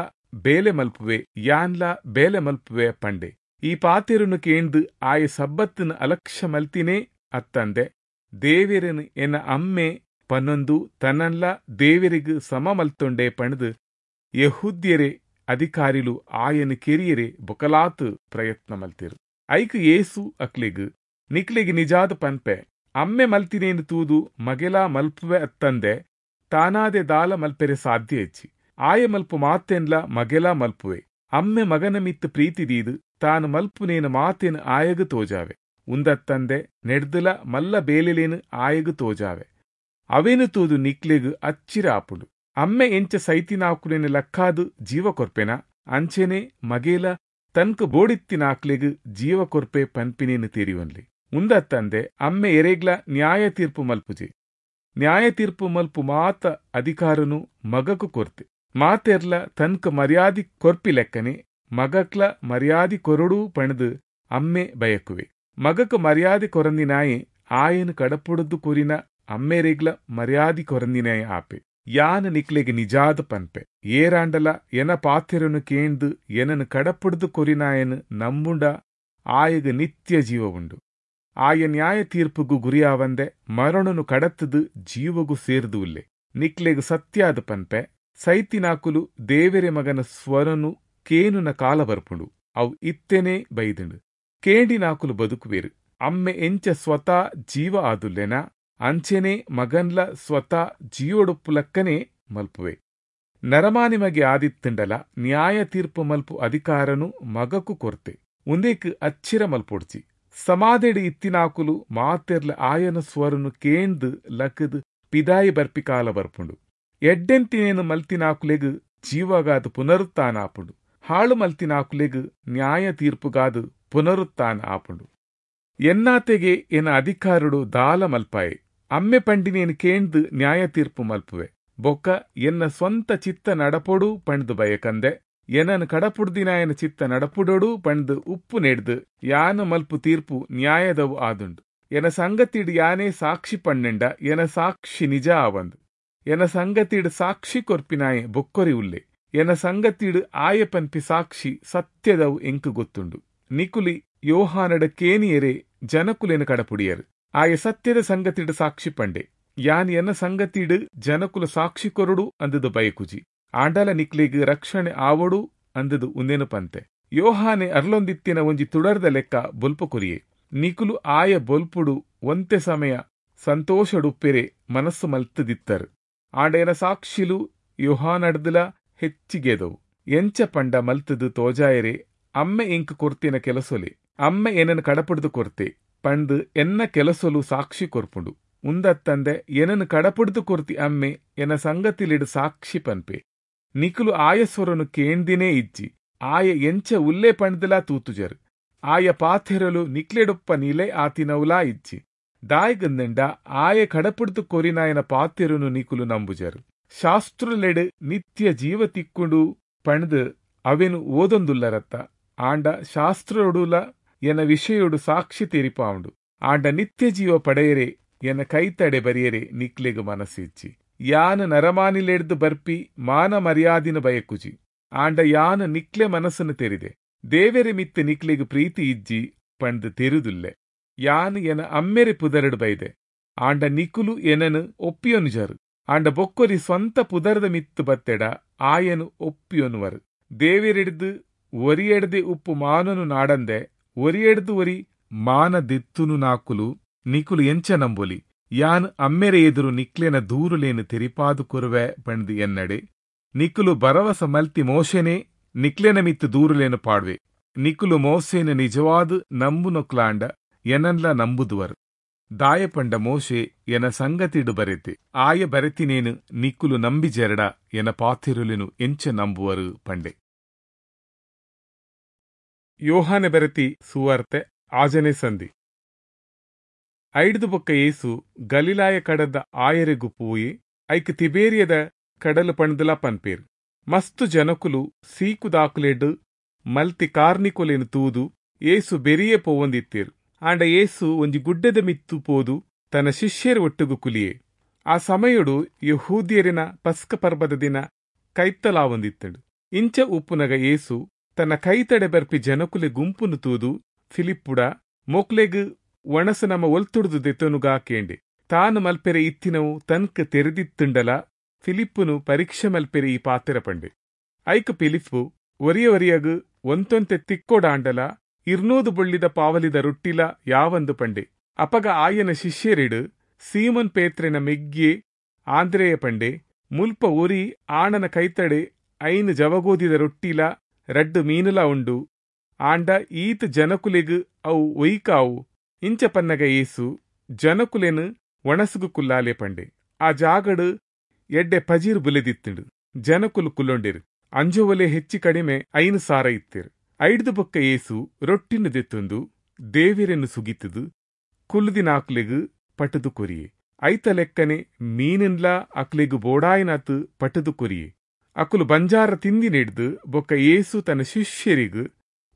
[SPEAKER 1] ಬೇಲೆ ಮಲ್ಪುವೆ, ಯಾನ್ಲ ಬೇಲೆ ಮಲ್ಪುವೆ ಪಂಡೆ. ಈ ಪಾತೆರುನು ಕೇಂದು ಆಯ ಸಬ್ಬತ್ತಿನ ಅಲಕ್ಷ್ಯ ಮಲ್ತಿನೇ ಅತ್ತಂದೆ ದೇವೆರನು ಎನ ಅಮ್ಮೆ ಪನ್ನೊಂದು ತನ್ನನ್ಲ ದೇವರಿಗು ಸಮ ಮಲ್ತೊಂಡೆ ಪಣದು ಯೆಹೂದ್ಯರೇ ಅಧಿಕಾರಿಲು ಆಯನು ಕೆರಿಯರೆ ಬೊಕಲಾತು ಪ್ರಯತ್ನ ಮಲ್ತಿರು. ಐಕ್ ಯೇಸು ಅಕ್ಲೆಗ್ ನಿಕ್ಲೆಗ್ ನಿಜಾದ ಪನ್ಪೆ, ಅಮ್ಮೆ ಮಲ್ತಿನೇನು ತೂದು ಮಗೆಲಾ ಮಲ್ಪುವೆ ಅತ್ತಂದೆ ತಾನಾದೆ ದಾಲ ಮಲ್ಪೆರೆ ಸಾಧ್ಯ ಹೆಚ್ಚಿ. ಆಯ ಮಲ್ಪು ಮಾತೆನ್ಲ ಮಗೆಲಾ ಮಲ್ಪುವೆ. ಅಮ್ಮೆ ಮಗನ ಮಿತ್ತು ಪ್ರೀತಿ ದೀದು ತಾನು ಮಲ್ಪುನೇನು ಮಾತೇನು ಆಯಗು ತೋಜಾವೆ. ಉಂದತ್ತಂದೆ ನೆಡ್ದುಲ ಮಲ್ಲ ಬೇಲೆಲೇನು ಆಯಗು ತೋಜಾವೆ. ಅವೇನು ತೂದು ನಿಕ್ಲೆಗ್ ಅಚ್ಚಿರ ಆಪುಂಡು. ಅಮ್ಮೆ ಎಂಚ ಸೈತಿನಾಕುಲೇನು ಲಕ್ಕಾದು ಜೀವ ಕೊರ್ಪೆನ ಅಂಚೆನೆ ಮಗೇಲ ತನ್ಕ ಬೋಡಿತ್ತಿನಾಕ್ಲೆಗ್ ಜೀವ ಕೊರ್ಪೆ ಪನ್ಪಿನೇನು ತೆರಿವನ್ಲಿ. ಉಂದತ್ತಂದೆ ಅಮ್ಮೆ ಎರೆಗ್ಲ ನ್ಯಾಯ ತೀರ್ಪು ಮಲ್ಪುಜೆ. ನ್ಯಾಯ ತೀರ್ಪು ಮಲ್ಪು ಮಾತ ಅಧಿಕಾರನು ಮಗಕು ಕೊರ್ತೆ. ಮಾತೆರ್ಲ ತನ್ಕ ಮರ್ಯಾದಿ ಕೊರ್ಪಿ ಲೆಕ್ಕನೆ ಮಗಕ್ಲ ಮರ್ಯಾದಿ ಕೊರಡು ಪಣದು ಅಮ್ಮೆ ಬಯಕುವೆ. ಮಗಕು ಮರ್ಯಾದೆ ಕೊರಂದಿನಾಯೆ ಆಯನು ಕಡಪುಡದ್ದು ಕೊರಿನ ಅಮ್ಮೆರೆಗ್ಲ ಮರ್ಯಾದಿ ಕೊರಂದಿನಾಯ ಆಪೆ. ಯಾನ ನಿಕ್ಲೆಗ್ ನಿಜಾದ ಪನ್ಪೆ, ಏರಾಂಡಲ ಎನ ಪಾತೆರನು ಕೇಂದು ಎನನು ಕಡಪುಡ್ದು ಕೊರಿನಾಯನು ನಂಬುಂಡ ಆಯಗ ನಿತ್ಯ ಜೀವ ಉಂಡು. ಆಯ ನ್ಯಾಯ ತೀರ್ಪುಗು ಗುರಿಯಾವಂದೆ ಮರಣನು ಕಡತ್ತದು ಜೀವಗು ಸೇರ್ದು ಉಲ್ಲೆ. ನಿಕ್ಲೆಗ್ ಸತ್ಯಾದ ಪನ್ಪೆ, ಸೈತಿನಾಕುಲು ದೇವೆರೆ ಮಗನ ಸ್ವರನು ಕೇನುನ ಕಾಲ ಬರ್ಪುಂಡು, ಅವು ಇತ್ತೆನೇ ಬೈದುಂಡು. ಕೇಂಡಿನಾಕುಲು ಬದುಕುವೇರು. ಅಮ್ಮೆ ಎಂಚ ಸ್ವತಃ ಜೀವ ಆದುಲ್ಲೆನ ಅಂಚೆನೆ ಮಗನ್ಲ ಸ್ವತಃ ಜೀವೊಡುಪ್ಪುಲಕ್ಕನೆ ಮಲ್ಪುವೆ. ನರಮಾನಿ ಮಗೆ ಆದಿತ್ತಂಡಲ ನ್ಯಾಯ ತೀರ್ಪು ಮಲ್ಪು ಅಧಿಕಾರನು ಮಗಕು ಕೊರ್ತೆ. ಉಂದೇಕ್ ಅಚ್ಚಿರ ಮಲ್ಪೊಡ್ಚಿ. ಸಮಾಧೆಡು ಇತ್ತಿನಾಕುಲು ಮಾತೆರ್ಲ ಆಯನ ಸ್ವರನು ಕೇಂದು ಲಕ್ಕದು ಪಿದಾಯಿ ಬರ್ಪಿ ಕಾಲ ಬರ್ಪುಂಡು. ಎಡ್ಡೆಂತಿನೇನು ಮಲ್ತಿನಾಕುಲೆಗ್ ಜೀವಗಾದ ಪುನರುತ್ಥಾನ ಆಪುಂಡು. ಹಾಳು ಮಲ್ತಿನಾಕುಲೆಗ್ ನ್ಯಾಯ ತೀರ್ಪುಗಾದ ಪುನರುತ್ಥಾನ ಆಪುಂಡು. ಎನ್ನಾತೆಗೆ ಎನ ಅಧಿಕಾರುಡು ದಾಲ ಮಲ್ಪಾಯೆ. ಅಮ್ಮೆ ಪಂಡಿನೇನು ಕೇಂದು ನ್ಯಾಯ ತೀರ್ಪು ಮಲ್ಪುವೆ. ಬೊಕ್ಕ ಎನ್ನ ಸ್ವಂತ ಚಿತ್ತ ನಡಪೊಡು ಪಂಡ್ದು ಬಯಕಂದೆ ಎನನು ಕಡಪುಡ್ದಿನಾಯನ ಚಿತ್ತ ನಡಪುಡೋಡು ಪಂಡ್ದು ಉಪ್ಪು ನೆಡ್ದು ಯಾನು ಮಲ್ಪು ತೀರ್ಪು ನ್ಯಾಯದವು ಆದುಂಡು. ಎನ ಸಂಗತಿಡ್ ಯಾನೇ ಸಾಕ್ಷಿ ಪಣ್ಣೆಂಡ ಎನ ಸಾಕ್ಷಿ ನಿಜ ಆವಂದು. ಎನ ಸಂಗತಿಡ್ ಸಾಕ್ಷಿ ಕೊರ್ಪಿನಾಯೆ ಬೊಕ್ಕೊರಿ ಉಲ್ಲೆ. ಎನ ಸಂಗತಿಡ್ ಆಯ ಪನ್ಪಿ ಸಾಕ್ಷಿ ಸತ್ಯದವು ಎಂಕು ಗೊತ್ತುಂಡು. ನಿಕುಲಿ ಯೋಹಾನಡ ಕೇನಿಯರೆ ಜನಕುಲೇನು ಕಡಪುಡಿಯರು. ಆಯ ಸತ್ಯದ ಸಂಗತಿಡ್ ಸಾಕ್ಷಿ ಪಂಡೆ. ಯಾನ್ ಎನ್ನ ಸಂಗತಿಡ್ ಜನಕುಲ ಸಾಕ್ಷಿ ಕೊರಡು ಅಂದದು ಬಯಕುಜಿ. ಆಂಡಲ ನಿಕ್ಲೆಗ್ ರಕ್ಷಣೆ ಆವಡು ಅಂದದು ಉಂದೇನು ಪಂತೆ. ಯೋಹಾನೆ ಅರ್ಲೊಂದಿತ್ತಿನ ಒಂಜಿ ತುಡರ್ದ ಲೆಕ್ಕ ಬೊಲ್ಪ ಕೊರಿಯೆ. ನಿಕುಲು ಆಯ ಬೊಲ್ಪುಡು ಒಂತೆ ಸಮಯ ಸಂತೋಷಡುಪ್ಪೆರೆ ಮನಸ್ಸು ಮಲ್ತದಿತ್ತರು. ಆಂಡ ಎನ ಸಾಕ್ಷಿಲು ಯೋಹಾನಡ್ದಲ ಹೆಚ್ಚಿಗೆದವು. ಎಂಚ ಪಂಡ ಮಲ್ತದು ತೋಜಾಯರೆ ಅಮ್ಮೆ ಎಂಕ್ ಕೊರ್ತಿನ ಕೆಲಸೊಲೆ ಅಮ್ಮೆ ಏನನ್ನು ಕಡಪುಡ್ದು ಕೊರ್ತೆ ಪಂದು ಎನ್ನ ಕೆಲಸೊಲು ಸಾಕ್ಷಿ ಕೊರ್ಪುಂಡು. ಉಂದತ್ತಂದೆ ಏನನ್ನು ಕಡಪುಡ್ದು ಕೊರ್ತಿ ಅಮ್ಮೆ ಎನ ಸಂಗತಿಲಿಡು ಸಾಕ್ಷಿ ಪನ್ಪೆ. ನಿಕುಲು ಆಯಸ್ವರನು ಕೇಂದಿನೇ ಇಜ್ಜಿ. ಆಯ ಎಂಚ ಉಲ್ಲೆ ಪಂಡ್ದಲಾ ತೂತುಜರು. ಆಯ ಪಾಥೆರಲು ನಿಕ್ಲೆಡುಪ್ಪ ನಿಲೆ ಆತಿನವುಲಾ ಇಜ್ಜಿ. ದಾಯಗಂದಂಡ ಆಯ ಕಡಪುಡ್ದು ಕೊರಿನಾಯನ ಪಾತೆರುನು ನಿಕುಲು ನಂಬುಜರು. ಶಾಸ್ತ್ರುಲೆಡು ನಿತ್ಯ ಜೀವ ತಿಕ್ಕೊಂಡು ಪಂಡ್ದು ಅವೆನು ಓದೊಂದುಲ್ಲರತ್ತ. ಆಂಡ ಶಾಸ್ತ್ರೊಡುಲ ಎನ ವಿಷಯೊಡು ಸಾಕ್ಷಿ ತೆರಿಪಾವುಂಡು. ಆಂಡ ನಿತ್ಯ ಜೀವ ಪಡೆಯರೆ ಎನ ಕೈತಡೆ ಬರಿಯರೆ ನಿಕ್ಲೆಗ್ ಮನಸ್ಸಿಜ್ಜಿ. ಯಾನು ನರಮಾನಿಲೆಡ್ದು ಬರ್ಪಿ ಮಾನ ಮರ್ಯಾದಿನ ಬಯಕುಜಿ. ಆಂಡ ಯಾನು ನಿಕ್ಲೆ ಮನಸ್ಸನ್ನು ತೆರಿದೆ. ದೇವೆರೆ ಮಿತ್ತ ನಿಕ್ಲೆಗ್ ಪ್ರೀತಿ ಇಜ್ಜಿ ಪಂಡ್ದು ತೆರುದುಲ್ಲೆ. ಯಾನು ಎನ ಅಮ್ಮೆರೆ ಪುದರಡು ಬೈದೆ. ಆಂಡ ನಿಕುಲು ಎನನು ಒಪ್ಪಿಯೊನುಜರು. ಆಂಡ ಬೊಕ್ಕೊರಿ ಸ್ವಂತ ಪುದರ್ದ ಮಿತ್ತು ಬತ್ತೆಡ ಆಯನು ಒಪ್ಪಿಯೊನುವರು. ದೇವೆರೆಡ್ದು ಒರಿಯೆಡ್ದೆ ಉಪ್ಪು ಮಾನನು ನಾಡಂದೆ ಒರಿಯೆಡ್ದು ಒರಿ ಮಾನ ದೆತ್ತುನು ನಾಕುಲು ನಿಕುಲು ಎಂಚ ನಂಬೊಲಿ? ಯಾನ್ ಅಮ್ಮೆರೆ ಎದುರು ನಿಕ್ಲೆನ ದೂರುಲೇನು ತೆರಿಪಾದು ಕೊರುವೆ ಪಂಡ್ದ್ ಎನ್ನಡೆ. ನಿಕುಲು ಭರವಸ ಮಲ್ತಿ ಮೋಶೆನೇ ನಿಕ್ಲೆನ ಮಿತ್ತ್ ದೂರುಲೇನು ಪಾಡ್ವೆ. ನಿಕುಲು ಮೋಸೆನ್ ನಿಜವಾದ್ ನಂಬುನೊಕ್ಲಾಂಡ ಎನನ್ಲ ನಂಬುದುವರು. ದಾಯೆ ಪಂಡ ಮೋಶೆ ಎನ ಸಂಗತಿಡ್ ಬರೆತೆ. ಆಯೆ ಬರೆತಿನೇನ್ ನಿಕುಲು ನಂಬಿಜೆರ್ಡ ಎನ ಪಾತೆರೊಲೆನ್ ಎಂಚ ನಂಬುವರ್ ಪಂಡೆ. ಯೋಹಾನೆ ಬರೆತಿ ಸುವಾರ್ತೆ ಆಜನೇ ಸಂಧಿ. ಐಡ್ದ್ ಬೊಕ್ಕ ಯೇಸು ಗಲಿಲಾಯ ಕಡಲ್ದ ಆಯೆರೆಗ್ ಪೋಯೆ. ಐಕ್ ತಿಬೇರಿಯದ ಕಡಲು ಪಂಡ್ದ್ಲಾ ಪನ್ಪೆರ್. ಮಸ್ತ್ ಜನಕುಲು ಸೀಕುದಾಕುಲೆಡ್ ಮಲ್ತಿ ಕಾರ್ನಿಕೊಲೆನ್ ತೂದು ಯೇಸು ಬೆರಿಯೆ ಪೋವೊಂದಿತ್ತೆರ್. ಆಂಡ ಯೇಸು ಒಂಜಿ ಗುಡ್ಡೆದ ಮಿತ್ತ್ ಪೋದು ತನ ಶಿಷ್ಯೆರೆ ಒಟ್ಟುಗು ಕುಲಿಯೆ. ಆ ಸಮಯೊಡು ಯೆಹೂದ್ಯೆರೆನ ಪಸ್ಕ ಪರ್ಬದ ದಿನ ಕೈತಲಾವೊಂದಿತ್ತ್ಂಡ್. ಇಂಚ ಉಪ್ಪುನಗ ಯೇಸು ತನ ಕೈತಡೆ ಬರ್ಪಿ ಜನೊಕುಲೆ ಗುಂಪುನು ತೂದು ಫಿಲಿಪ್ಪುಡ, ಮೊಕ್ಲೆಗ್ ವಣಸ್ ನಮ ಒಲ್ತುಡ್ದು ದೆತ್ತೊನುಗ ಕೇಂಡೆ. ತಾನ್ ಮಲ್ಪೆರೆ ಇತ್ತಿನವು ತನ್ಕ್ ತೆರಿದಿತ್ತ್ಂಡಲಾ ಫಿಲಿಪ್ಪುನು ಪರೀಕ್ಷೆ ಮಲ್ಪೆರೆ ಈ ಪಾತೆರ ಪಂಡೆ. ಐಕ್ ಫಿಲಿಪ್ಪು, ಒರಿಯ ಒರಿಯಗ್ ಒಂತೊಂತೆ ತಿಕ್ಕೊಡಾಂಡಲಾ ಇರ್ನೂದು ಬೊಳ್ಳಿದ ಪಾವಲಿದ ರೊಟ್ಟಿಲಾ ಯಾವಂದ್ ಪಂಡೆ. ಅಪಗ ಆಯನ ಶಿಷ್ಯೆರೆಡ್ ಸೀಮೋನ್ ಪೇತ್ರೆನ ಮೆಗ್ಯೆ ಆಂದ್ರೆಯೆ ಪಂಡೆ, ಮುಲ್ಪ ಒರಿ ಆಣನ ಕೈತಡೆ ಐನ್ ಜವಗೋದಿದ ರೊಟ್ಟಿಲಾ ರಡ್ಡ್ ಮೀನುಲಾ ಉಂಡು, ಆಂಡ ಈತ್ ಜನಕುಲೆಗ್ ಅವು ಒಯಿಕಾವು? ಇಂಚ ಪನ್ನಗ ಯೇಸು, ಜನಕುಲೆನ್ ವಣಸ್ಗ್ ಕುಲ್ಲಾಲೆ ಪಂಡೆ. ಆ ಜಾಗಡ್ ಎಡ್ಡೆ ಪಜಿರ್ ಬುಲೆದಿತ್ತ್ಂಡ್. ಜನಕುಲು ಕುಲ್ಲೊಂಡೆರ್. ಅಂಜೊವುಲೆ ಹೆಚ್ಚಿ ಕಡಿಮೆ ಐನ್ ಸಾರ ಇತ್ತೆರ್. ಐಡ್ದ್ ಬೊಕ್ಕ ಯೇಸು ರೊಟ್ಟಿನ್ ದೆತ್ತೊಂದು ದೇವೆರೆನ್ ಸುಗಿತ್ದ್ ಕುಲ್ಲುದಿನಾಕುಲೆಗ್ ಪಟ್ಟ್ದ್ ಕೊರಿಯೆ. ಐತ ಲೆಕ್ಕನೆ ಮೀನ್ನ್ಲಾ ಅಕ್ಲೆಗ್ ಬೋಡಾಯಿನಾತ್ ಪಟ್ಟ್ದ್ ಕೊರಿಯೆ. ಅಕುಲು ಬಂಜಾರ ತಿಂದಿನೆಡ್ದ್ ಬೊಕ್ಕ ಯೇಸು ತನ ಶಿಷ್ಯೆರೆಗ್,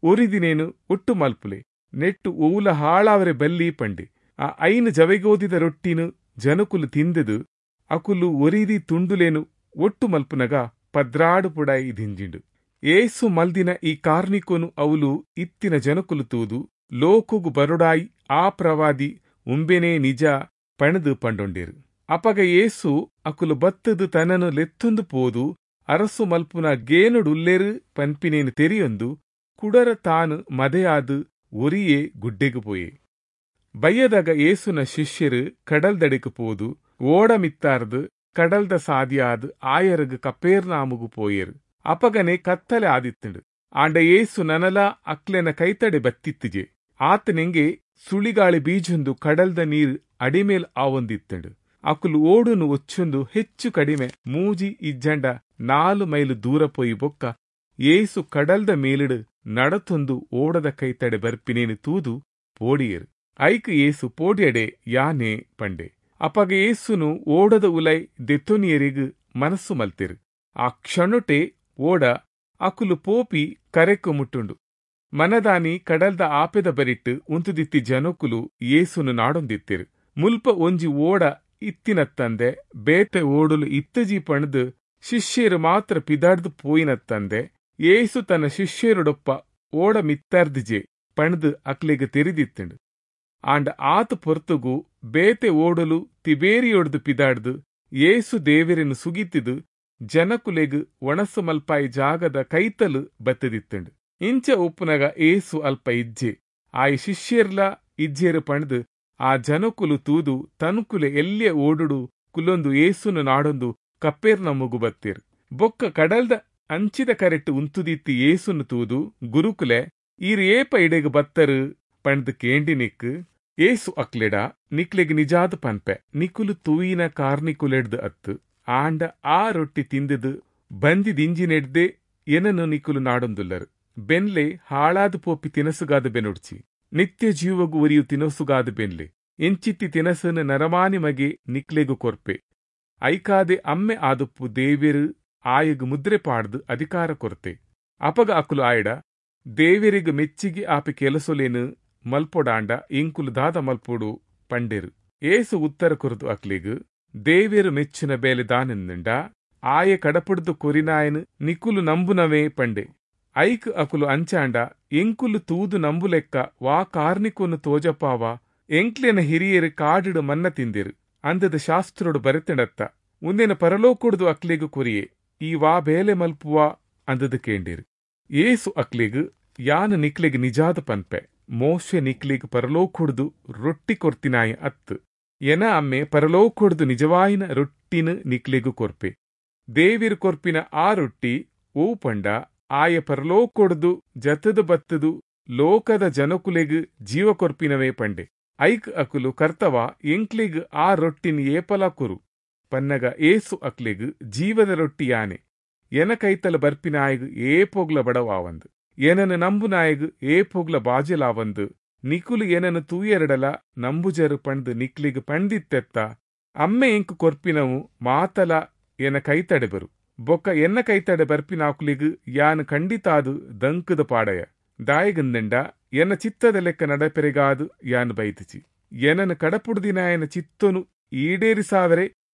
[SPEAKER 1] ಒರಿದಿನೆನ್ ಒಟ್ಟು ಮಲ್ಪುಲೆ, ನೆಟ್ಟ್ ಒವುಲ ಹಾಳಾವರೆ ಬಲ್ಲಿ ಪಂಡೆ. ಆ ಐನ್ ಜವೆಗೋದಿದ ರೊಟ್ಟಿನ್ ಜನಕುಲು ತಿಂದ್ದ್ ಅಕುಲು ಒರಿದಿ ತುಂಡುಲೆನ್ ಒಟ್ಟು ಮಲ್ಪುನಗ ಪದ್ರಾಡ್ ಪುಡಾಯಿ ದಿಂಜಿಂಡ್. ಯೇಸು ಮಲ್ದಿನ ಈ ಕಾರ್ನಿಕೊನು ಅವುಲು ಇತ್ತಿನ ಜನಕುಲು ತೂದು, ಲೋಕೊಗು ಬರೊಡಾಯಿ ಆ ಪ್ರವಾದಿ ಉಂಬೆನೇ ನಿಜ ಪಂಡ್ದ್ ಪಂಡೊಂಡೆರ್. ಅಪಗ ಯೇಸು ಅಕುಲು ಬತ್ತ್ದ್ ತನನ್ ಲೆತ್ತೊಂದು ಪೋದು ಅರಸು ಮಲ್ಪುನ ಗೇನೊಡುಲ್ಲೆರ್ ಪನ್ಪಿನೆನ್ ತೆರಿಯೊಂದು ಕುಡೊರ ತಾನ್ ಮದೆಯಾದ್ ಒರಿಯೇ ಗುಡ್ಡೆಗ್ ಪೋಯೆ. ಬಯ್ಯದಾಗ ಯೇಸುನ ಶಿಷ್ಯೆರ್ ಕಡಲ್ದಡೆಕ್ ಪೋದು ಓಡ ಮಿತ್ತಾರ್ದ್ ಕಡಲ್ದ ಸಾದಿಯಾದ್ ಆಯೆರಗ್ ಕಪೆರ್ನಾಮುಗು ಪೋಯೆರ್. ಅಪಗನೆ ಕತ್ತಲೆ ಆದಿತ್ತ್ಂಡ್. ಆಂಡ ಯೇಸು ನನಲಾ ಅಕ್ಲೆನ ಕೈತಡೆ ಬತ್ತಿತ್ತಿಜೆ. ಆತನೆಂಗೆ ಸುಳಿಗಾಳಿ ಬೀಜೊಂದು ಕಡಲ್ದ ನೀರ್ ಅಡಿಮೇಲ್ ಆವೊಂದಿತ್ತ್ಂಡ್. ಅಕುಲು ಓಡುನು ಒಚ್ಚೊಂದು ಹೆಚ್ಚು ಕಡಿಮೆ ಮೂಜಿ ಇಜ್ಜಂಡ ನಾಲ್ ಮೈಲು ದೂರ ಪೋಯಿ ಬೊಕ್ಕ ಯೇಸು ಕಡಲ್ದ ಮೇಲಿಡ್ ನಡತೊಂದು ಓಡದ ಕೈತಡೆ ಬರ್ಪಿನೇನು ತೂದು ಪೋಡಿಯೆರ್. ಐಕ್ ಯೇಸು, ಪೋಡ್ಯಡೆ, ಯಾನೇ ಪಂಡೆ. ಅಪಗ ಯೇಸುನು ಓಡದ ಉಲೈ ದೆತ್ತೊನಿಯೆರೆಗ್ ಮನಸ್ಸು ಮಲ್ತೆರ್. ಆ ಕ್ಷಣೊಟೆ ಓಡ ಅಕುಲು ಪೋಪಿ ಕರೆಕ್ ಮುಟ್ಟುಂಡು. ಮನದಾನಿ ಕಡಲ್ದ ಆಪೆದ ಬರಿಟ್ ಉಂತುದಿತ್ತಿ ಜನೊಕುಲು ಯೇಸುನು ನಾಡೊಂದಿತ್ತೆರ್. ಮುಲ್ಪ ಒಂಜಿ ಓಡ ಇತ್ತಿನತ್ತಂದೆ ಬೇತೆ ಓಡುಲು ಇತ್ತಜಿ ಪಂಡ್ದ್ ಶಿಷ್ಯೆರ್ ಮಾತ್ರ ಪಿದಾಡ್ದ್ ಪೋಯಿನತ್ತಂದೆ ಯೇಸು ತನ್ನ ಶಿಷ್ಯೆರೊಡೊಪ್ಪ ಓಡ ಮಿತ್ತರ್ದಿಜೆ ಪಂಡ್ದ್ ಅಕ್ಲೆಗ್ ತೆರಿದಿತ್ತ್ಂಡ್. ಆಂಡ ಆತ್ ಪೊರ್ತುಗು ಬೇತೆ ಓಡುಲು ತಿಬೇರಿಯೊಡ್ದು ಪಿದಾಡ್ದ್ ಯೇಸು ದೇವೆರೆನ್ ಸುಗಿತ್ದ್ ಜನಕುಲೆಗ್ ವಣಸ್ ಮಲ್ಪಾಯಿ ಜಾಗದ ಕೈತಲ್ ಬತ್ತ್ದಿತ್ತ್ಂಡ್. ಇಂಚ ಉಪ್ಪುನಗ ಯೇಸು ಅಲ್ಪ ಇಜ್ಜೆ, ಆಯ ಶಿಷ್ಯೆರ್ಲಾ ಇಜ್ಜೆರ್ ಪಂಡ್ದ್ ಆ ಜನಕುಲು ತೂದು ತನ್ಕುಲೆ ಎಲ್ಯ ಓಡುಡು ಕುಲೊಂದು ಯೇಸುನು ನಾಡೊಂದು ಕಪೆರ್ನೌಮುಗು ಬತ್ತೆರ್. ಬೊಕ್ಕ ಕಡಲ್ದ ಅಂಚಿದ ಕರೆಟ್ ಉಂತುದಿತ್ತಿ ಯೇಸುನು ತೂದು, ಗುರುಕುಲೆ, ಈರ್ ಏಪ ಇಡೆಗ್ ಬತ್ತರ್ ಪಂಡ್ದ್ ಕೇಂಡಿನೆಕ್ ಯೇಸು ಅಕ್ಲೆಡ, ನಿಕ್ಲೆಗ್ ನಿಜಾದ್ ಪನ್ಪೆ, ನಿಕುಲು ತೂಯಿನ ಕಾರ್ನಿಕುಲೆಡ್ದ್ ಅತ್ತ್, ಆಂಡ ಆ ರೊಟ್ಟಿ ತಿಂದ್ದ್ ಬಂಜಿ ದಿಂಜಿನೆಡ್ದೇ ಎನನ್ ನಿಕುಲು ನಾಡೊಂದುಲ್ಲರ್. ಬೆನ್ಲೆ, ಹಾಳಾದ್ ಪೋಪಿ ತಿನಸುಗಾದ್ ಬೆನೊಡ್ಚಿ, ನಿತ್ಯ ಜೀವೊಗು ಒರಿಯು ತಿನಸುಗಾದ್ ಬೆನ್ಲೆ. ಇಂಚಿತ್ತಿ ತಿನಸುನು ನರಮಾನಿ ಮಗೆ ನಿಕ್ಲೆಗ್ ಕೊರ್ಪೆ. ಐಕಾದೆ ಅಮ್ಮೆ ಆದುಪ್ಪು ದೇವೆರ್ ಆಯಗ್ ಮುದ್ರೆ ಪಾಡ್ದ್ ಅಧಿಕಾರ ಕೊರ್ತೆ. ಅಪಗ ಅಕುಲು ಆಯಡ, ದೇವೆರೆಗ್ ಮೆಚ್ಚಿಗೆ ಆಪಿ ಕೆಲಸೊಲೆನ್ ಮಲ್ಪೊಡಾಂಡ ಎಂಕುಲು ದಾದ ಮಲ್ಪೊಡು ಪಂಡೆರ್. ಯೇಸು ಉತ್ತರ ಕೊರ್ದು ಅಕ್ಲೆಗ್, ದೇವೆರ್ ಮೆಚ್ಚುನ ಬೇಲೆ ದಾನೆಂದ್ಂಡ ಆಯೆ ಕಡಪುಡ್ದು ಕೊರಿನಾಯನ್ ನಿಕುಲು ನಂಬುನವೇ ಪಂಡೆ. ಐಕ್ ಅಕುಲು, ಅಂಚಾಂಡ ಎಂಕುಲು ತೂದು ನಂಬುಲೆಕ್ಕ ವಾ ಕಾರ್ನಿಕೊನು ತೋಜಪಾವ? ಎಂಕ್ಲೆನ ಹಿರಿಯರು ಕಾಡಿಡು ಮನ್ನ ತಿಂದಿರು ಅಂದದ ಶಾಸ್ತ್ರೊಡು ಬರೆತಂಡತ್ತ ಉಂದೆನ ಪರಲೋಕೊಡ್ದು ಅಕ್ಲೆಗ್ ಕೊರಿಯೆ ಈ ವಾ ಬೇಲೆ ಮಲ್ಪುವ ಅಂದದ ಕೇಂಡಿರು. ಏಸು ಅಕ್ಲೆಗ್ ಯಾನ್ ನಿಕ್ಲೆಗ್ ನಿಜಾದ ಪನ್ಪೆ, ಮೋಶೆ ನಿಕ್ಲೆಗ್ ಪರಲೋಕೊಡ್ದು ರೊಟ್ಟಿ ಕೊರ್ತಿನಾಯಿ ಅತ್ತು, ಎನ ಅಮ್ಮೆ ಪರಲೋಕೊಡ್ದು ನಿಜವಾಯಿನ ರೊಟ್ಟಿನ ನಿಕ್ಲೆಗ್ ಕೊರ್ಪೆ. ದೇವಿರ್ ಕೊರ್ಪಿನ ಆ ರೊಟ್ಟಿ ಓ ಪಂಡ ಆಯ ಪರಲೋಕೊಡ್ದು ಜತದ ಬತ್ತದು ಲೋಕದ ಜನಕುಲೆಗ್ ಜೀವ ಕೊರ್ಪಿನವೇ ಪಂಡೆ. ಐಕ್ ಅಕುಲು ಕರ್ತವ ಎಂಕ್ಲೆಗ್ ಆ ರೊಟ್ಟಿನ ಏಪಲ ಕೊರು ಪನ್ನಗ ಏಸು ಅಕ್ಲೆಗ್ ಜೀವದ ರೊಟ್ಟಿ ಯಾನೆ, ಎನ ಕೈತಲ ಬರ್ಪಿನಾಯಗ್ ಏಪೊಗ್ಲ ಬಡವಾವಂದು, ಏನನು ನಂಬುನಾಯಗ್ ಏಪೊಗ್ಲ ಬಾಜಲಾವಂದು, ನಿಕುಲು ಏನನು ತೂಯೆರಡಲ ನಂಬುಜರು ಪಂದ್ ನಿಕ್ಲೆಗ್ ಪಂಡಿತ್ತೆತ್ತ. ಅಮ್ಮೆ ಎಂಕ್ ಕೊರ್ಪಿನವು ಮಾತಲ ಎನ ಕೈತಡೆ ಬರು, ಬೊಕ್ಕ ಎನ್ನ ಕೈತಡೆ ಬರ್ಪಿನಾಕುಲೆಗ್ ಯಾನ್ ಖಂಡಿತಾದ್ ದಂಕದ ಪಾಡಯ. ದಾಯೆಗಂದಂಡ ಎನ್ನ ಚಿತ್ತದ ಲೆಕ್ಕ ನಡಪೆರೆಗಾದ್ ಯಾನ್ ಬೈದಿಜಿ, ಎನನು ಕಡಪುಡ್ದಿನಾಯನ ಚಿತ್ತೊನು ಈಡೇರಿಸಾವರೆ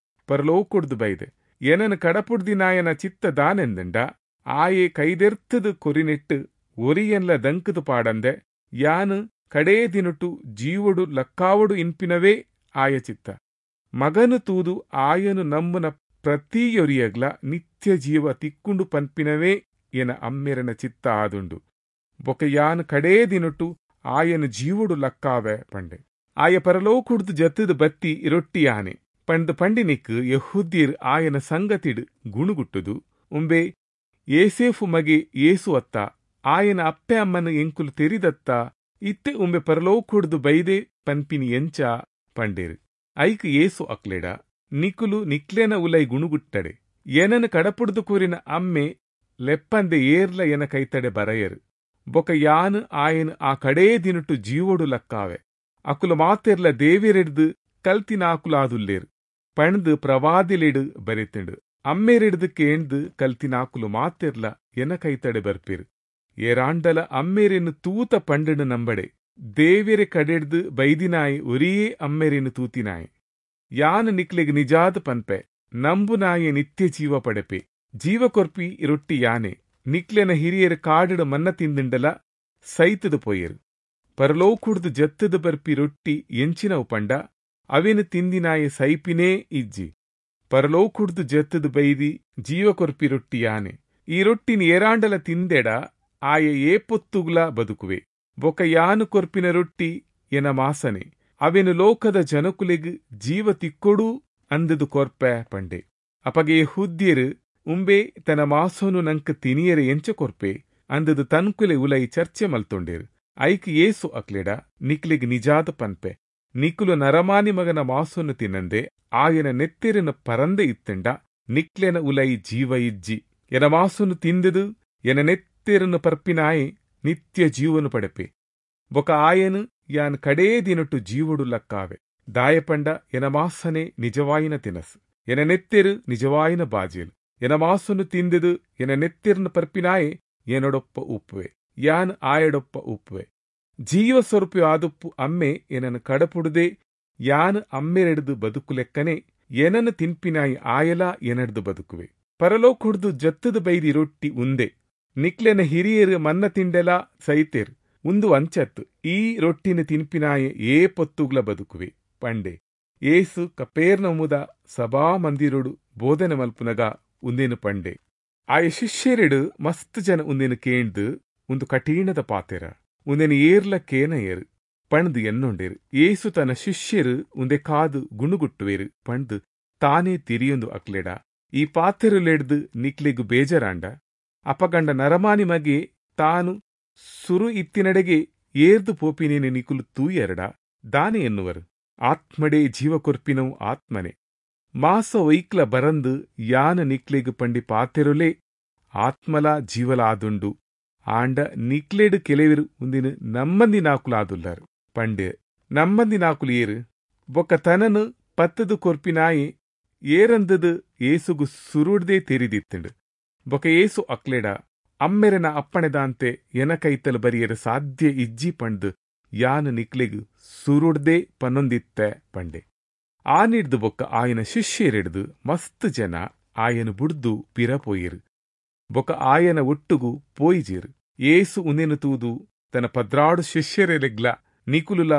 [SPEAKER 1] ಪರಲೋಕೊಡ್ದು ಬೈದೆ. ಎನನು ಕಡಪುಡ್ದಿನಾಯನ ಚಿತ್ತ ದಾನೆಂದಂಡ ಆಯೆ ಕೈದೆರ್ತದು ಕೊರಿನೆಟ್ಟು ಒರಿಯನ್ಲ ದಂಕದ ಪಾಡಂದೆ ಯಾನು ಕಡೇ ದಿನಟು ಜೀವಡು ಲಕ್ಕಾವಡು ಇನ್ಪಿನವೇ ಆಯ ಚಿತ್ತ. ಮಗನು ತೂದು ಆಯನು ನಂಬುನ ಪ್ರತಿಯೊರಿಯಗ್ಲ ನಿತ್ಯ ಜೀವ ತಿಕ್ಕೊಂಡು ಪನ್ಪಿನವೇ ಎನ ಅಮ್ಮೆರನ ಚಿತ್ತ ಆದುಂಡು. ಬೊಕ ಯಾನ್ ಕಡೇ ದಿನಟು ಆಯನ ಜೀವಡು ಲಕ್ಕಾವೆ ಪಂಡೆ. ಆಯ ಪರಲೋಕುಡ್ದು ಜತ್ತದ ಬತ್ತಿ ರೊಟ್ಟಿ ಯಾನೆ ಪಂಡ್ ಪಂಡಿನಿಕ್ ಯಹೂದ್ಯರ್ ಆಯನ ಸಂಗತಿಡ್ ಗುಣುಗುಟ್ಟುದು ಉಂಬೆ ಏಸೇಫು ಮಗೆ ಏಸು ಅತ್ತ, ಆಯನ ಅಪ್ಪೆ ಅಮ್ಮನ ಎಂಕುಲು ತೆರಿದತ್ತ, ಇತ್ತೆ ಉಂಬೆ ಪರಲೋಕುಡ್ದು ಬೈದೆ ಪನ್ಪಿನಿ ಎಂಚ ಪಂಡೇರು. ಐಕ್ ಏಸು ಅಕ್ಲೆಡ ನಿಕುಲು ನಿಕ್ಲೆನ ಉಲೈ ಗುಣುಗುಟ್ಟಡೆ, ಏನನ ಕಡಪುಡ್ದು ಕೂರಿನ ಅಮ್ಮೆ ಲೆಪ್ಪಂದೆ ಏರ್ಲ ಎನ ಕೈತಡೆ ಬರಯರು, ಬೊಕ ಯಾನ್ ಆಯನ್ ಆ ಕಡೇ ದಿನಟು ಜೀವೊಡು ಲಕ್ಕಾವೆ. ಅಕುಲು ಮಾತೆರ್ಲ ದೇವಿರೆಡ್ದು ಕಲ್ತಿನಾಕುಲಾದುಲ್ಲೇರು ಪಣ್ದು ಪ್ರವಾದಿಲೆಡು ಬರೆತಿಂಡು. ಅಮ್ಮೆರೆಡ್ದು ಕೇಂದು ಕಲ್ತಿನಾಕುಲು ಮಾತೆರ್ಲ ಎನ ಕೈತಡೆ ಬರ್ಪಿರು. ಏರಾಂಡಲ ಅಮ್ಮೆರೆನು ತೂತ ಪಂಡನು ನಂಬಡೆ, ದೇವಿರೆ ಕಡೆಡ್ದು ಬೈದಿನಾಯಿ ಒರಿಯೇ ಅಮ್ಮೆರೆನು ತೂತಿನಾಯಿ. ಯಾನ್ ನಿಕ್ಲೆಗ್ ನಿಜಾದ ಪನ್ಪೆ, ನಂಬುನಾಯೆ ನಿತ್ಯ ಜೀವ ಪಡೆಪೆ. ಜೀವ ಕೊರ್ಪಿ ರೊಟ್ಟಿ ಯಾನೆ. ನಿಕ್ಲೆನ ಹಿರಿಯರು ಕಾಡಿಡು ಮನ್ನ ತಿಂದಿಂಡಲ ಸೈತದ ಪೋಯರು. ಪರಲೋಕುಡ್ದು ಜತ್ತದ ಬರ್ಪಿ ರೊಟ್ಟಿ ಎಂಚಿನವು ಪಂಡ ಅವೇನು ತಿಂದಿನಾಯೆ ಸೈಪಿನೇ ಇಜ್ಜಿ. ಪರಲೋಕುಡ್ದು ಜತ್ತದ ಬೈದಿ ಜೀವ ಕೊರ್ಪಿ ರೊಟ್ಟಿ ಯಾನೆ. ಈ ರೊಟ್ಟಿನ ಏರಾಂಡಲ ತಿಂದೆಡ ಆಯೆ ಏಪೊತ್ತುಗ್ಲ ಬದುಕುವೆ. ಬೊಕ ಯಾನು ಕೊರ್ಪಿನ ರೊಟ್ಟಿ ಎನ ಮಾಸನೆ, ಅವೇನು ಲೋಕದ ಜನಕುಲೆಗ್ ಜೀವ ತಿಕ್ಕೊಡು ಅಂದದು ಕೊರ್ಪೆ ಪಂಡೆ. ಅಪಗೆ ಯೆಹೂದ್ಯರು ಉಂಬೆ ತನ್ನ ಮಾಸೋನು ನಂಕ ತಿನಿಯರೆ ಎಂಚ ಕೊರ್ಪೆ ಅಂದದು ತನ್ಕುಲೆ ಉಲೈ ಚರ್ಚೆ ಮಲ್ತೊಂಡೇರು. ಐಕ್ ಏಸು ಅಕ್ಲೆಡ ನಿಕ್ಲೆಗ್ ನಿಜಾದ ಪನ್ಪೆ, ನಿಕುಲು ನರಮಾನಿ ಮಗನ ಮಾಸೋನು ತಿನ್ನಂದೆ ಆಯನ ನೆತ್ತೆರಿನ ಪರಂದೆ ಇತ್ತಂಡ ನಿಕ್ಲೆನ ಉಲೈ ಜೀವ ಇಜ್ಜಿ. ಎನ ಮಾಸೋನು ತಿಂದದು ಎನ ನೆತ್ತೆರನ್ನು ಪರ್ಪಿನಾಯೆ ನಿತ್ಯ ಜೀವನು ಪಡೆಪೆ. ಬೊಕ ಆಯನು ಯಾನ್ ಕಡೇ ದಿನಟು ಜೀವಡು ಲಕ್ಕಾವೆ. ದಾಯಪಂಡ ಎನ ಮಾಸನೆ ನಿಜವಾಯಿನ ತಿನಸು, ಎನ ನೆತ್ತೆರು ನಿಜವಾಯಿನ ಬಾಜೇಲು. ಎನ ಮಾಸನು ತಿಂದದು ಎನ ನೆತ್ತೆರನ್ನು ಪರ್ಪಿನಾಯೆ ಏನೊಡೊಪ್ಪ ಉಪ್ಪುವೆ, ಯಾನ್ ಆಯಡೊಪ್ಪ ಉಪ್ಪುವೆ. ಜೀವ ಸ್ವರೂಪಿ ಆದುಪ್ಪು ಅಮ್ಮೆ ಎನನು ಕಡಪುಡುದೆ ಯಾನ್ ಅಮ್ಮೆರೆಡ್ದು ಬದುಕುಲೆಕ್ಕನೆ ಏನನ್ನು ತಿನ್ಪಿನಾಯಿ ಆಯಲ ಎನಡ್ದು ಬದುಕುವೆ. ಪರಲೋಕುಡ್ದು ಜತ್ತದ ಬೈದಿ ರೊಟ್ಟಿ ಉಂದೆ. ನಿಕ್ಲೆನ ಹಿರಿಯರು ಮನ್ನ ತಿಂಡೆಲ ಸೈತೇರು, ಉಂದು ಅಂಚತ್ತು ಈ ರೊಟ್ಟಿನ ತಿನ್ಪಿನಾಯೆ ಏ ಪೊತ್ತುಗ್ಲ ಬದುಕುವೆ ಪಂಡೆ. ಏಸು ಕಪೇರ್ನಮುದ ಸಭಾ ಮಂದಿರೊಡು ಬೋಧನೆ ಮಲ್ಪುನಗ ಉಂದೇನು ಪಂಡೆ. ಆಯ ಶಿಷ್ಯರೆಡು ಮಸ್ತ್ ಜನ ಉಂದೇನು ಕೇಂದು ಒಂದು ಕಠಿಣದ ಪಾತೆರ ಉಂದೇನು ಏರ್ಲ ಕೇನ ಏರು ಪಣ್ದು ಎನ್ನೊಂಡೇರು. ಏಸು ತನ್ನ ಶಿಷ್ಯರು ಉಂದೆ ಕಾದು ಗುಣುಗುಟ್ಟುವೇರು ಪಣ್ದು ತಾನೇ ತಿರಿಯೊಂದು ಅಕ್ಲೆಡ ಈ ಪಾತೆರುಲೆಡ್ದು ನಿಕ್ಲೆಗು ಬೇಜಾರಾಂಡ ಅಪಗಂಡ ನರಮಾನಿ ಮಗೆ ತಾನು ಸುರು ಇತ್ತಿನಡೆಗೆ ಏರ್ದು ಪೋಪಿನೇನು ನಿಕುಲು ತೂಯೆರಡ ದಾನೆ ಎನ್ನುವರು. ಆತ್ಮಡೇ ಜೀವ ಕೊರ್ಪಿನವು ಆತ್ಮನೆ. ಮಾಸ ಒಯ್ಕ್ಲ ಬರಂದು ಯಾನ ನಿಕ್ಲೆಗು ಪಂಡಿ ಪಾತೆರುಲೇ ಆತ್ಮಲ ಜೀವಲ ಆದುಂಡು. ಆಂಡ ನಿಕ್ಲೆಡು ಕೆಲವರು ಉಂದಿನ ನಮ್ಮಂದಿನಾಕುಲಾದುಲ್ಲಾರು ಪಂಡೆ. ನಮ್ಮಂದಿನಾಕುಲು ಏರು ಬೊಕ್ಕ ತನನು ಪತ್ತದು ಕೊರ್ಪಿನಾಯಿ ಏರಂದದು ಏಸುಗು ಸುರುಡ್ದೇ ತೆರಿದಿತ್ತಂಡು. ಬೊಕ ಏಸು ಅಕ್ಲೆಡ ಅಮ್ಮೆರನ ಅಪ್ಪಣೆದಾಂತೆ ಎನ ಕೈತಲು ಬರಿಯರ ಸಾಧ್ಯ ಇಜ್ಜಿ ಪಂಡ್ದು ಯಾನು ನಿಕ್ಲೆಗು ಸುರುಡ್ದೇ ಪನ್ನೊಂದಿತ್ತೆ ಪಂಡೆ. ಆ ನಿಡ್ದು ಬೊಕ್ಕ ಆಯನ ಶಿಷ್ಯರೆಡ್ದು ಮಸ್ತ್ ಜನ ಆಯನ ಬುಡ್ದು ಪಿರ ಪೋಯಿರು, ಬೊಕ್ಕ ಆಯನ ಒಟ್ಟುಗು ಪೋಯಿಜೇರು. ಏಸು ಉಂದೆನು ತೂದು ತನ್ನ ಪದ್ರಾಡು ಶಿಷ್ಯರೆಲೆಗ್ಲ ನಿಕುಲುಲ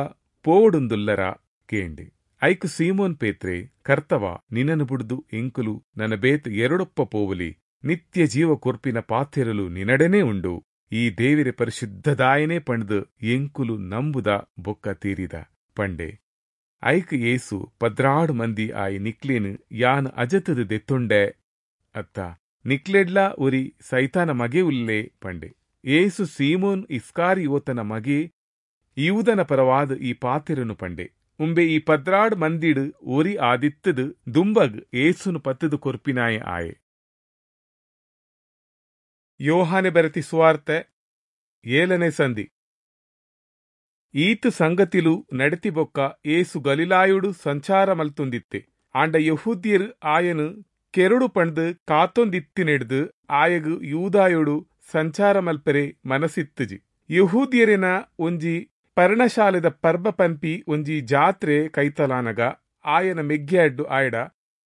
[SPEAKER 1] ಪೋವೊಡುಂದುಲ್ಲರ ಕೇಂಡೆ. ಐಕು ಸೀಮೋನ್ ಪೇತ್ರೆ, ಕರ್ತವ, ನಿನನು ಬುಡ್ದು ಎಂಕುಲು ನನ ಬೇತ್ ಎರಡೊಪ್ಪ ಪೋವಲಿ, ನಿತ್ಯ ಜೀವ ಕೊರ್ಪಿನ ಪಾತೆರಲು ನಿನಡನೆ ಉಂಡು, ಈ ದೇವಿರೆ ಪರಿಶುದ್ಧದಾಯನೇ ಪಂಡ್ದು ಎಂಕುಲು ನಂಬುದ ಬೊಕ್ಕ ತೀರಿದ ಪಂಡೆ. ಐಕ್ ಯೇಸು, ಪದ್ರಾಡು ಮಂದಿ ಆಯಿ ನಿಕ್ಲೇನು ಯಾನ್ ಅಜತದ ದೆತ್ತೊಂಡೆ ಅತ್ತ, ನಿಕ್ಲೆಡ್ಲಾ ಒರಿ ಸೈತಾನ ಮಗೆ ಉಲ್ಲೆ ಪಂಡೆ. ಯೇಸು ಸೀಮೋನ್ ಇಸ್ಕಾರಿಯೋತನ ಮಗೆ ಯೂದನ ಪರವಾದ ಈ ಪಾತೆರನು ಪಂಡೆ. ಉಂಬೆ ಈ ಪದ್ರಾಡ್ ಮಂದಿಡು ಒರಿ ಆದಿತ್ತದು ದುಂಬಗ್ ಏಸುನು ಪತ್ತದು ಕೊರ್ಪಿನಾಯ ಆಯೆ. ಯೋಹಾನೆ ಬರೆತಿ ಸುವಾರ್ತೆ ಏಳನೇ ಸಂಧಿ. ಈತು ಸಂಗತಿಲು ನಡೆತಿ ಬೊಕ್ಕ ಏಸು ಗಲಿಲಾಯುಡು ಸಂಚಾರ ಮಲ್ತುಂದಿತ್ತೆ. ಆಂಡ ಯಹೂದ್ಯರು ಆಯನು ಕೆರಡು ಪಂಡ್ದು ಕಾತೊಂದಿತ್ತಿನೆಡ್ದು ಆಯಗು ಯೂದಾಯುಡು ಸಂಚಾರ ಮಲ್ಪರೆ ಮನಸ್ಸಿತ್ತುಜಿ. ಯಹೂದ್ಯರಿನ ಒಂಜಿ ಪರ್ಣಶಾಲೆದ ಪರ್ಬ ಪನ್ಪಿ ಒಂಜಿ ಜಾತ್ರೆ ಕೈತಲಾನಗ ಆಯನ ಮೆಗ್ಯಾಡ್ಡು ಆಯಡ,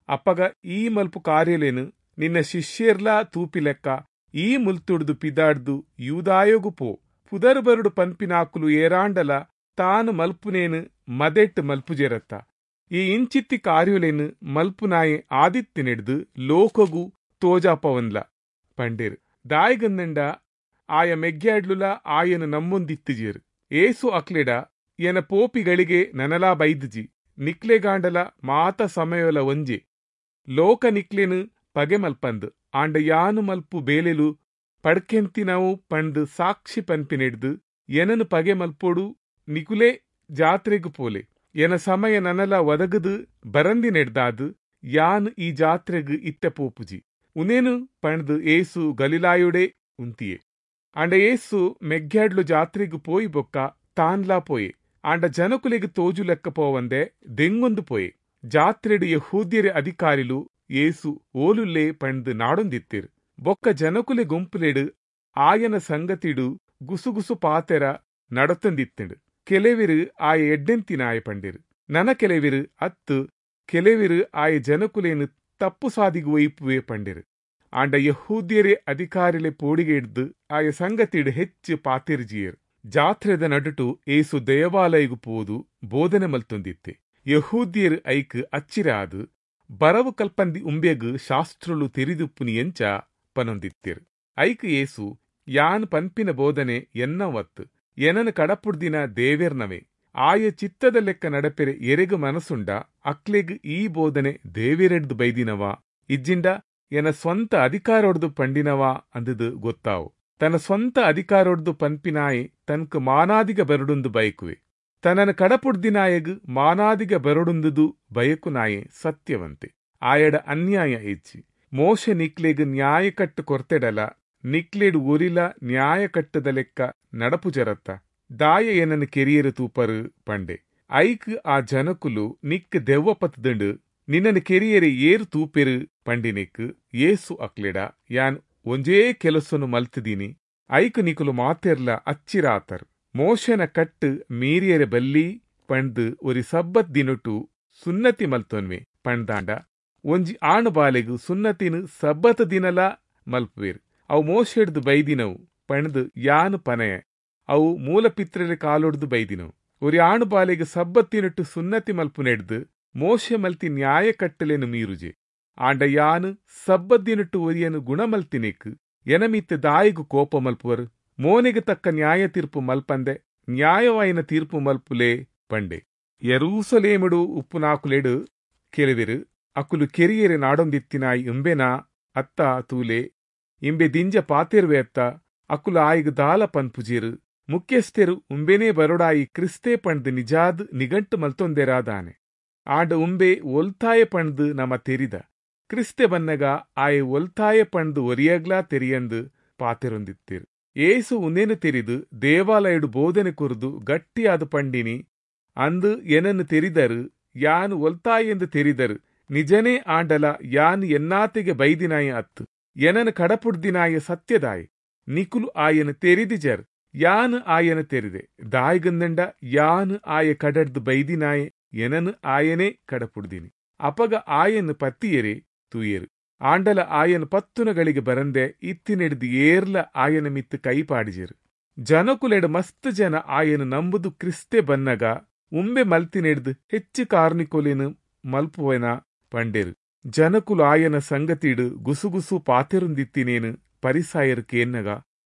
[SPEAKER 1] ಅಪ್ಪಗ ಈ ಮಲ್ಪು ಕಾರ್ಯಲೇನು ನಿನ್ನ ಶಿಷ್ಯರ್ಲಾ ತೂಪಿ ಲೆಕ್ಕ ಈ ಮುಲ್ತುಡ್ದು ಪಿದಾಡ್ದು ಯೂದಾಯೋಗು ಪೋ, ಪುದರ್ ಬರುಡು ಪನ್ಪಿನಾಕುಲು ಏರಾಂಡಲ ತಾನು ಮಲ್ಪುನೇನು ಮದೆಟ್ಟು ಮಲ್ಪುಜೆರತ್ತ, ಈ ಇಂಚಿತ್ತಿ ಕಾರ್ಯಲೇನು ಮಲ್ಪುನಾಯೆ ಆದಿತ್ತಿನೆಡ್ದು ಲೋಕಗು ತೋಜಾಪವನ್ಲ ಪಂಡೇರು. ದಾಯಿಗಂದಂಡ ಆಯ ಮೆಗ್ಯಾಡ್ಲುಲ ಆಯನು ನಮ್ಮೊಂದಿತ್ತಿಜೇರು. ಏಸು ಅಕ್ಲೆಡ, ಎನ ಪೋಪಿಗಳಿಗೆ ನನಲಾ ಬೈದುಜಿ, ನಿಕ್ಲೆಗಾಂಡಲ ಮಾತ ಸಮಯೋಲ ಒಂಜೆ, ಲೋಕ ನಿಕ್ಲೆನು ಪಗೆ ಮಲ್ಪಂದು, ಆಂಡ ಯಾನು ಮಲ್ಪು ಬೇಲೆಲು ಪಡ್ಕೆಂತಿನವು ಪಂಡ್ ಸಾಕ್ಷಿ ಪನ್ಪಿನೆಡ್ದು ಎನನು ಪಗೆ ಮಲ್ಪೋಡು, ನಿಕುಲೆ ಜಾತ್ರೆಗು ಪೋಲೆ, ಎನ ಸಮಯ ನನಲ ಒದಗದು ಬರಂದಿನೆಡ್ದಾದು ಯಾನ್ ಈ ಜಾತ್ರೆಗು ಇತ್ತೆ ಪೋಪುಜಿ ಉನೇನು ಪಂಡ್ದು ಏಸು ಗಲಿಲಾಯುಡೆ ಉಂತಿಯೆ. ಆಂಡ ಏಸು ಮೆಗ್ಯಾಡ್ಲು ಜಾತ್ರೆಗು ಪೋಯಿ ಬೊಕ್ಕ ತಾನ್ಲಾ ಪೋಯೆ. ಆಂಡ ಜನಕುಲೆಗ್ ತೋಜು ಲೆಕ್ಕ ಪೋವಂದೆ ದೆಂಗೊಂದು ಪೋಯೆ. ಜಾತ್ರೆಡು ಯಹೂದ್ಯರ ಅಧಿಕಾರಿಲು ಏಸು ಓಲುಲ್ಲೆ ಪಂಡ್ದು ನಾಡೊಂದಿತ್ತಿರು. ಬೊಕ್ಕ ಜನಕುಲೆ ಗುಂಪುಲೆಡು ಆಯನ ಸಂಗತಿಡು ಗುಸುಗುಸು ಪಾತೆರ ನಡತಂದಿತ್ತಿಂಡು. ಕೆಲವಿರು ಆಯ ಎಡ್ಡೆಂತಿನಾಯ ಪಂಡಿರು, ನನ ಕೆಲವಿರು ಅತ್ತು, ಕೆಲವಿರು ಆಯ ಜನಕುಲೇನು ತಪ್ಪು ಸಾದಿಗು ಒಯ್ಪುವೆ ಪಂಡಿರು. ಆಂಡ ಯಹೂದ್ಯರೇ ಅಧಿಕಾರಿಲೆ ಪೋಡಿಗೆ ಹಿಡ್ದು ಆಯ ಸಂಗತಿಡು ಹೆಚ್ಚು ಪಾತಿರ್ಜಿಯರು. ಜಾತ್ರೆದ ನಡುಟು ಏಸು ದೇವಾಲಯಗು ಪೋದು ಬೋಧನೆ ಮಲ್ತೊಂದಿತ್ತೆ. ಯಹೂದ್ಯರು ಐಕ್ ಅಚ್ಚಿರ ಆದು ಬರವು ಕಲ್ಪಂದಿ ಉಂಬೆಗು ಶಾಸ್ತ್ರಲು ತೆರಿದುಪ್ಪುನಿ ಎಂಚ ಪನೊಂದಿತ್ತಿರು. ಐಕ್ ಏಸು, ಯಾನ್ ಪನ್ಪಿನ ಬೋಧನೆ ಎನ್ನವತ್ತು, ಎನನು ಕಡಪುಡ್ದಿನ ದೇವೆರ್ನವೇ, ಆಯ ಚಿತ್ತದ ಲೆಕ್ಕ ನಡಪೆರೆ ಎರೆಗು ಮನಸ್ಸುಂಡ ಅಕ್ಲೆಗ್ ಈ ಬೋಧನೆ ದೇವೆರೆಡ್ದು ಬೈದಿನವ, ಇಜ್ಜಿಂಡ ಎನ ಸ್ವಂತ ಅಧಿಕಾರೊಡ್ದು ಪಂಡಿನವ ಅಂದದು ಗೊತ್ತಾವು. ತನ್ನ ಸ್ವಂತ ಅಧಿಕಾರೊಡ್ದು ಪನ್ಪಿನಾಯೆ ತನ್ಕು ಮಾನಾದಿಗ ಬರಡುಂದು ಬಯಕುವೆ, ತನ್ನನ್ನು ಕಡಪುಡ್ದಿನಾಯಗ್ ಮಾನಾದಿಗ ಬರಡುಂದುದು ಬಯಕುನಾಯೆ ಸತ್ಯವಂತೆ, ಆಯಡ ಅನ್ಯಾಯ ಹೆಚ್ಚಿ. ಮೋಶೆ ನಿಕ್ಲೆಗ್ ನ್ಯಾಯ ಕಟ್ಟು ಕೊರ್ತೆಡಲ, ನಿಕ್ಲೆಡ್ ಒರಿಲ ನ್ಯಾಯ ಕಟ್ಟದ ಲೆಕ್ಕ ನಡಪು ಜರತ್ತ, ದಾಯ ಏನನ್ನು ಕೆರಿಯರು ತೂಪರು ಪಂಡೆ. ಐಕ್ ಆ ಜನಕುಲು, ನಿಕ್ ದೆವ್ವ ಪತ್ತುಂಡು, ನಿನ್ನನ್ನು ಕೆರಿಯರೆ ಏರು ತೂಪೆರು ಪಂಡಿನಿಕ್ ಏಸು ಅಕ್ಲೆಡ, ಯಾನ್ ಒಂಜೇ ಕೆಲಸನು ಮಲ್ತಿದೀನಿ, ಐಕ್ ನಿಕುಲು ಮಾತೆರ್ಲ ಅಚ್ಚಿರಾತರ್. ಮೋಶನ ಕಟ್ಟು ಮೀರಿಯರೆ ಬಲ್ಲಿ ಪಂಡ್ದು ಒರಿ ಸಬ್ಬತ್ ದಿನಟು ಸುನ್ನತಿ ಮಲ್ತೊನ್ವೆ ಪಂಡ್ದಾಂಡ ಒಂಜಿ ಆಣು ಬಾಲೆಗು ಸುನ್ನತಿನು ಸಬ್ಬತ್ ದಿನಲ ಮಲ್ಪುವೇರು. ಅವು ಮೋಶೆಡ್ದು ಬೈದಿನವು ಪಂಡ್ದು ಯಾನು ಪನಯ, ಅವು ಮೂಲಪಿತ್ರರೆ ಕಾಲೊಡ್ದು ಬೈದಿನವು. ಒರಿ ಆಣು ಬಾಲೆಗು ಸಬ್ಬತ್ತಿನಟ್ಟು ಸುನ್ನತಿ ಮಲ್ಪುನೆಡ್ದು ಮೋಶೆ ಮಲ್ತಿ ನ್ಯಾಯ ಕಟ್ಟಲೆನು ಮೀರುಜೆ. ಆಂಡ ಯಾನು ಸಬ್ಬದ್ದಿನಟ್ಟು ಒರಿಯನು ಗುಣಮಲ್ತಿನೆಕ್ ಎನಮಿತ್ತ ದಾಯಿಗು ಕೋಪ ಮಲ್ಪುವರು, ಮೋನೆಗೆ ತಕ್ಕ ನ್ಯಾಯ ತೀರ್ಪು ಮಲ್ಪಂದೆ ನ್ಯಾಯವಾಯಿನ ತೀರ್ಪು ಮಲ್ಪುಲೆ ಪಂಡೆ. ಯೆರೂಸಲೇಮುಡು ಉಪ್ಪುನಾಕುಲೆಡು ಕೆಲವಿರು, ಅಕುಲು ಕೆರಿಯರೆ ನಾಡೊಂದಿತ್ತಿನಾಯಿ ಇಂಬೆನಾ ಅತ್ತ ತೂಲೆ, ಇಂಬೆ ದಿಂಜ ಪಾತೆರುವೆ ಅತ್ತ, ಅಕುಲು ಆಯಿಗ್ ದಾಲ ಪನ್ಪುಜೀರು, ಮುಖ್ಯಸ್ಥರು ಉಂಬೆನೇ ಬರೊಡಾಯಿ ಕ್ರಿಸ್ತೆ ಪಂಡ್ದು ನಿಜಾದ್ ನಿಗಂಟು ಮಲ್ತೊಂದೆರಾದಾನೆ. ಆಂಡ ಉಂಬೆ ಒಲ್ತಾಯ ಪಂಡ್ದು ನಮ ತೆರಿದ, ಕ್ರಿಸ್ತೆ ಬನ್ನಗ ಆಯೆ ಒಲ್ತಾಯ ಪಂಡ್ದು ಒರಿಯಗ್ಲಾ ತೆರಿಯಂದು ಪಾತೆರೊಂದಿತ್ತಿರು. ಏಸು ಉಂದೇನು ತೆರಿದು ದೇವಾಲಯಡು ಬೋಧನೆ ಕುರಿದು ಗಟ್ಟಿಯಾದ ಪಂಡಿನಿ, ಅಂದು ಏನನ್ನು ತೆರಿದರು, ಯಾನು ಒಲ್ತಾಯೆಂದು ತೆರಿದರು, ನಿಜನೇ ಆಂಡಲ ಯಾನು ಎನ್ನಾತೆಗೆ ಬೈದಿನಾಯ ಅತ್ತು, ಎನನು ಕಡಪುಡ್ದಿನಾಯ ಸತ್ಯದಾಯ, ನಿಕುಲು ಆಯನು ತೆರಿದಿಜರ್, ಯಾನು ಆಯನ ತೆರಿದೆ, ದಾಯಿಗಂದಂಡ ಯಾನು ಆಯ ಕಡಡ್ದು ಬೈದಿನಾಯೆ ಎನನು ಆಯನೇ ಕಡಪುಡ್ದಿನಿ. ಅಪಗ ಆಯನು ಪತ್ತಿಯರೆ ತೂಯರು, ಆಂಡಲ ಆಯನ ಪತ್ತುನಗಳಿಗೆ ಬರಂದೆ ಇತ್ತಿನೆಡ್ದು ಏರ್ಲ ಆಯನ ಮಿತ್ತು ಕೈ ಪಾಡಿಜರು. ಜನಕುಲೆಡ್ ಮಸ್ತ್ ಜನ ಆಯನು ನಂಬುದು ಕ್ರಿಸ್ತೆ ಬನ್ನಗ ಉಂಬೆ ಮಲ್ತಿನೆಡ್ದು ಹೆಚ್ಚು ಕಾರ್ನಿಕೊಲೆನ್ ಮಲ್ಪುವೆನ ಪಂಡೆರು. ಜನಕುಲು ಆಯನ ಸಂಗತಿಡು ಗುಸುಗುಸು ಪಾತೆರುಂದಿತ್ತಿನೇನು ಪರಿಸಾಯರು ಕೇನ್ನಗ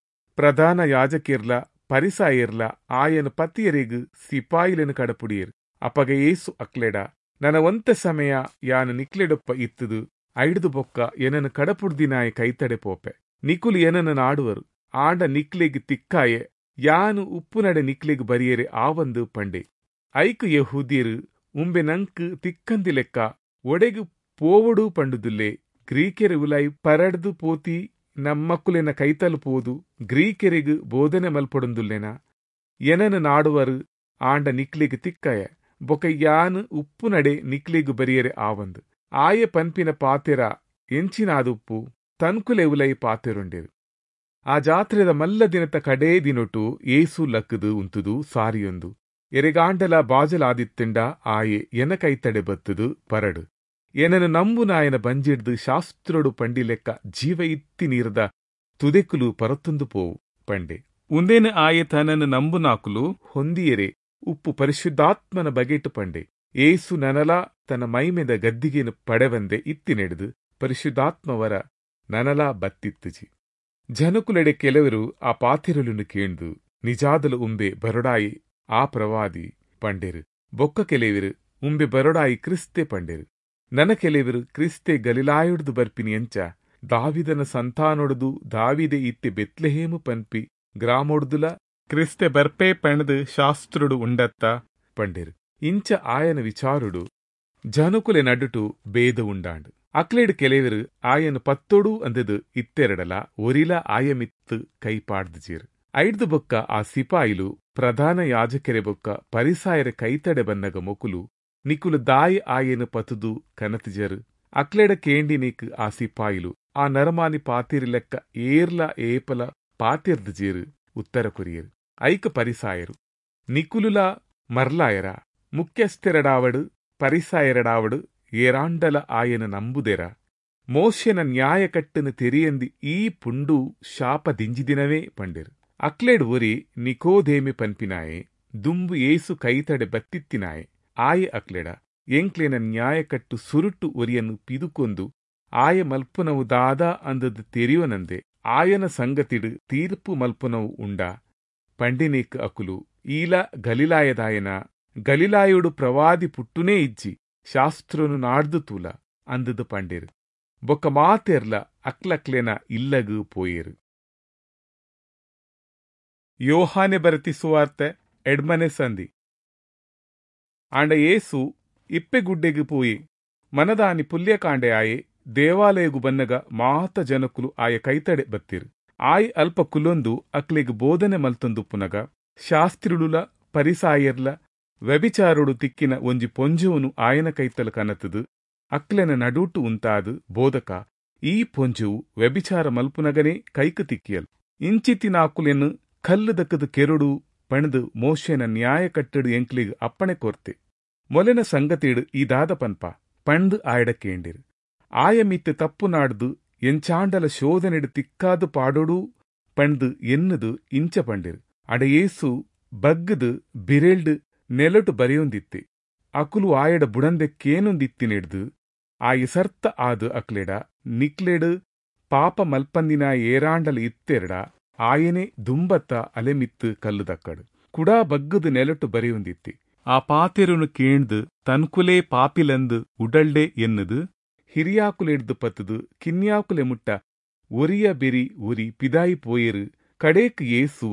[SPEAKER 1] ಪ್ರಧಾನ ಯಾಜಕಿರ್ಲ ಪರಿಸಾಯರ್ಲ ಆಯನ ಪತಿಯರಿಗ್ ಸಿಪಾಯಿಲೆನು ಕಡಪುಡಿಯರು. ಅಪಗ ಏಸು ಅಕ್ಲೆಡ, ನನ ಒಂತೆ ಸಮಯ ಯಾನು ನಿಕ್ಲೆಡೊಪ್ಪ ಇತ್ತದು ಐಡ್ದು ಬೊಕ್ಕ ಎನನು ಕಡಪುಡ್ದಿನಾಯ ಕೈತಡೆ ಪೋಪೆ. ನಿಕುಲು ಎನನು ನಾಡುವರು, ಆಂಡ ನಿಕ್ಲೆಗ್ ತಿಕ್ಕಾಯೆ, ಯಾನು ಉಪ್ಪುನಡೆ ನಿಕ್ಲೆಗ್ ಬರಿಯರೆ ಆವಂದು ಪಂಡೆ. ಐಕು ಯೆಹೂದ್ಯರು ಉಂಬೆ ನಂಕ್ ತಿಕ್ಕಂದಿ ಲೆಕ್ಕ ಒಡೆಗ್ ಪೋವೊಡು ಪಂಡುದುಲ್ಲೆ. ಗ್ರೀಕೆರೆ ಉಲಾಯಿ ಪರಡ್ದು ಪೋತಿ ನಮ್ಮಕುಲೆನ ಕೈತಲ್ ಪೋದು ಗ್ರೀಕೆರೆಗ್ ಬೋಧನೆ ಮಲ್ಪೊಡುಂದುಲ್ಲೆನ? ಎನನು ನಾಡುವರು, ಆಂಡ ನಿಕ್ಲೆಗ್ ತಿಕ್ಕಾಯ, ಬೊಕ ಯಾನ್ ಉಪ್ಪುನಡೆ ನಿಕ್ಲೆಗ್ ಬರಿಯರೆ ಆವಂದು. ಆಯೆ ಪನ್ಪಿನ ಪಾತೆರ ಎಂಚಿನಾದುಪ್ಪು ತನ್ಕುಲೆ ಉಲೈ ಪಾತೆರುಂಡೆರು. ಆ ಜಾತ್ರೆದ ಮಲ್ಲ ದಿನತ ಕಡೇ ದಿನೊಟು ಏಸು ಲಕ್ಕುದು ಉಂತುದು ಸಾರಿಯೊಂದು, ಎರೆಗಾಂಡಲ ಬಾಜಲಾದಿತ್ತುಂಡ ಆಯೆ ಎನ ಕೈತಡೆ ಬತ್ತುದು ಪರಡು, ಎನನು ನಂಬುನಾಯನ ಬಂಜಿಡ್ದು ಶಾಸ್ತ್ರೊಡು ಪಂಡಿಲೆಕ್ಕ ಜೀವ ಇತ್ತಿ ನೀರ್ದ ತುದೆಕುಲು ಪರತುಂದು ಪೋವು ಪಂಡೆ. ಉಂದೇನು ಆಯೆ ತನನು ನಂಬುನಾಕುಲು ಹೊಂದಿಯರೆ ಉಪ್ಪು ಪರಿಶುದ್ಧಾತ್ಮನ ಬಗೆಟು ಪಂಡೆ. ಏಸು ನನಲ ತನ್ನ ಮೈಮೆದ ಗದ್ದಿಗೆನು ಪಡೆವಂದೆ ಇತ್ತಿನೆಡ್ದು ಪರಿಶುದ್ಧಾತ್ಮವರ ನನಲ ಬತ್ತಿತ್ತುಜಿ. ಜನಕುಲೆಡೆ ಕೆಲವರು ಆ ಪಾತಿರಲುನು ಕೇಂದು ನಿಜಾದಲು ಉಂಬೆ ಬರೊಡಾಯಿ ಆ ಪ್ರವಾದಿ ಪಂಡೆರು. ಬೊಕ್ಕ ಕೆಲವರು ಉಂಬೆ ಬರೊಡಾಯಿ ಕ್ರಿಸ್ತೆ ಪಂಡೆರು. ನನ ಕೆಲವರು ಕ್ರಿಸ್ತೆ ಗಲಿಲಾಯುಡ್ದು ಬರ್ಪಿನಿ ಎಂಚ, ದಾವಿದನ ಸಂತಾನೊಡುದು ದಾವಿದೆ ಇತ್ತೆ ಬೆತ್ಲೆಹೇಮು ಪನ್ಪಿ ಗ್ರಾಮೊಡ್ದುಲ ಕ್ರಿಸ್ತೆ ಬರ್ಪೆ ಪಣದು ಶಾಸ್ತ್ರುಡು ಉಂಡತ್ತ ಪಂಡೆರು. ಇಂಚ ಆಯನ ವಿಚಾರುಡು ಜನಕುಲೆ ನಡುಟು ಭೇದ ಉಂಡಾಂಡು. ಅಕ್ಲೇಡ್ ಕೆಲವರು ಆಯನ ಪತ್ತೊಡು ಅಂದದು ಇತ್ತೆರಡಲ ಒರಿಲ ಆಯಮಿತ್ತು ಕೈಪಾಡ್ದಿಜೇರು. ಐಡ್ದು ಬೊಕ್ಕ ಆ ಸಿಪಾಯಿಲು ಪ್ರಧಾನ ಯಾಜಕೆರೆ ಬೊಕ್ಕ ಪರಿಸಾಯರ ಕೈತಡೆ ಬನ್ನಗ ಮೊಕುಲು ನಿಕುಲು ದಾಯಿ ಆಯನ ಪತುದು ಕನತಿಜರು. ಅಕ್ಲೆಡ ಕೇಂಡಿನೇಕ್ ಆ ಸಿಪಾಯಿಲು ಆ ನರಮಾನಿ ಪಾತಿರಿ ಲೆಕ್ಕ ಏರ್ಲ ಏಪಲ ಪಾತಿರ್ದಿಜೇರು ಉತ್ತರ ಕೊರಿಯರು. ಐಕ ಪರಿಸಾಯರು, ನಿಕುಲುಲ ಮರ್ಲಾಯರ, ಮುಖ್ಯಸ್ಥೆರಡಾವಡು ಪರಿಸಾಯರಡಾವಡು ಏರಾಂಡಲ ಆಯನ ನಂಬುದೆರ? ಮೋಶೆನ ನ್ಯಾಯ ಕಟ್ಟನು ತೆರಿಯಂದಿ ಈ ಪುಂಡು ಶಾಪ ದಿಂಜಿದಿನವೇ ಪಂಡೆರು. ಅಕ್ಲೆಡ್ ಒರಿ ನಿಕೋದೇಮೆ ಪನ್ಪಿನಾಯೆ, ದುಂಬು ಏಸು ಕೈತಡೆ ಬತ್ತಿತ್ತಿನಾಯೆ. ಆಯೆ ಅಕ್ಲೆಡ, ಎಂಕ್ಲೆನ ನ್ಯಾಯಕಟ್ಟು ಸುರುಟು ಒರಿಯನ್ನು ಪಿದುಕೊಂದು ಆಯ ಮಲ್ಪುನವು ದಾದಾ ಅಂದದು ತೆರಿಯೋನಂದೆ ಆಯನ ಸಂಗತಿಡು ತೀರ್ಪು ಮಲ್ಪುನವು ಉಂಡಾ ಪಂಡಿನೇಕ್ ಅಕುಲು, ಈಲ ಗಲಿಲಾಯದಾಯನ, ಗಲಿಲಾಯುಡು ಪ್ರವಾದಿ ಪುಟ್ಟುನೇ ಇಜ್ಜಿ, ಶಾಸ್ತ್ರನು ನಾಡ್ದು ತೂಲ ಅಂದದು ಪಂಡೇರು. ಬೊಕ್ಕ ಮಾತೆರ್ಲ ಅಕ್ಲಕ್ಲೆನ ಇಲ್ಲಗು ಪೋಯೇರು. ಯೋಹಾನೆ ಬರತಿ ಸುವಾರ್ತೆ ಎಡ್ಮನೆ ಸಂಧಿ. ಆಂಡ ಏಸು ಇಪ್ಪೆಗುಡ್ಡೆಗು ಪೋಯಿ ಮನದಾನಿ ಪುಲ್ಯಕಾಂಡೆ ಆಯೆ ದೇವಾಲಯಗು ಬನ್ನಗ ಮಾತ ಜನಕುಲು ಆಯ ಕೈತಡೆ ಬತ್ತಿರು. ಆಯ್ ಅಲ್ಪ ಕುಲೊಂದು ಅಕ್ಲೆಗ್ ಬೋಧನೆ ಮಲ್ತೊಂದುಪ್ಪುನಗ ಶಾಸ್ತ್ರಿಳುಲ ಪರಿಸಾಯರ್ಲ ವ್ಯಭಿಚಾರುಡು ತಿಕ್ಕಿನ ಒಂಜಿ ಪೊಂಜುವನು ಆಯನ ಕೈತಲು ಕನತದು ಅಕ್ಲೆನ ನಡೂಟು ಉಂತಾದು, ಬೋಧಕ, ಈ ಪೊಂಜುವು ವ್ಯಭಿಚಾರ ಮಲ್ಪುನಗನೇ ಕೈಕು ತಿಕ್ಕಿಯಲ್, ಇಂಚಿತಿನಾಕುಲೆನ್ ಕಲ್ಲು ದಕ್ಕದು ಕೆರುಡು ಪಣದು ಮೋಶೆನ ನ್ಯಾಯ ಕಟ್ಟಡು ಎಂಕ್ಲಿಗ್ ಅಪ್ಪಣೆ ಕೋರ್ತೆ, ಮೊಲೆನ ಸಂಗತಿಡು ಈ ದಾದ ಪನ್ಪ ಪಂದು ಆಯಡ ಕೇಂಡಿರು. ಆಯ ಮಿತ್ತು ತಪ್ಪು ನಾಡ್ದು ಎಂಚಾಂಡಲ ಶೋಧನೆಡು ತಿಕ್ಕಾದು ಪಾಡೋಡು ಪಂದು ಎನ್ನುದು ಇಂಚ ಪಂಡಿರು. ಅಡ ಏಸು ಬಗ್ಗದು ಬಿರೆಲ್ಡು ನೆಲಟು ಬರೆಯೊಂದಿತ್ತೆ. ಅಕುಲು ಆಯಡ ಬುಡಂದೆ ಕೇನೊಂದಿತ್ತಿನೆಡ್ದು ಆಯ ಸರ್ತ ಆದು ಅಕ್ಲೆಡ, ನಿಕ್ಲೆಡು ಪಾಪ ಮಲ್ಪಂದಿನ ಏರಾಂಡಲ ಇತ್ತೆರಡ ಆಯನೆ ದುಂಬತ್ತ ಅಲೆಮಿತ್ತು ಕಲ್ಲುದಕ್ಕಡು ಕುಡಾ ಬಗ್ಗದು ನೆಲಟು ಬರೆಯೊಂದಿತ್ತೆ. ಆ ಪಾತೆರುನು ಕೇಂದು ತನ್ಕುಲೇ ಪಾಪಿಲಂದು ಉಡಲ್ಡೆ ಎನ್ನುದು ಹಿರಿಯಾಕುಲೆಡ್ದು ಪತ್ತುದು ಕಿನ್ಯಾಕುಲೆ ಮುಟ್ಟ ಒರಿಯ ಬೆರಿ ಒರಿ ಪಿದಾಯಿ ಪೋಯೆರು. ಕಡೇಕ್ ಏಸು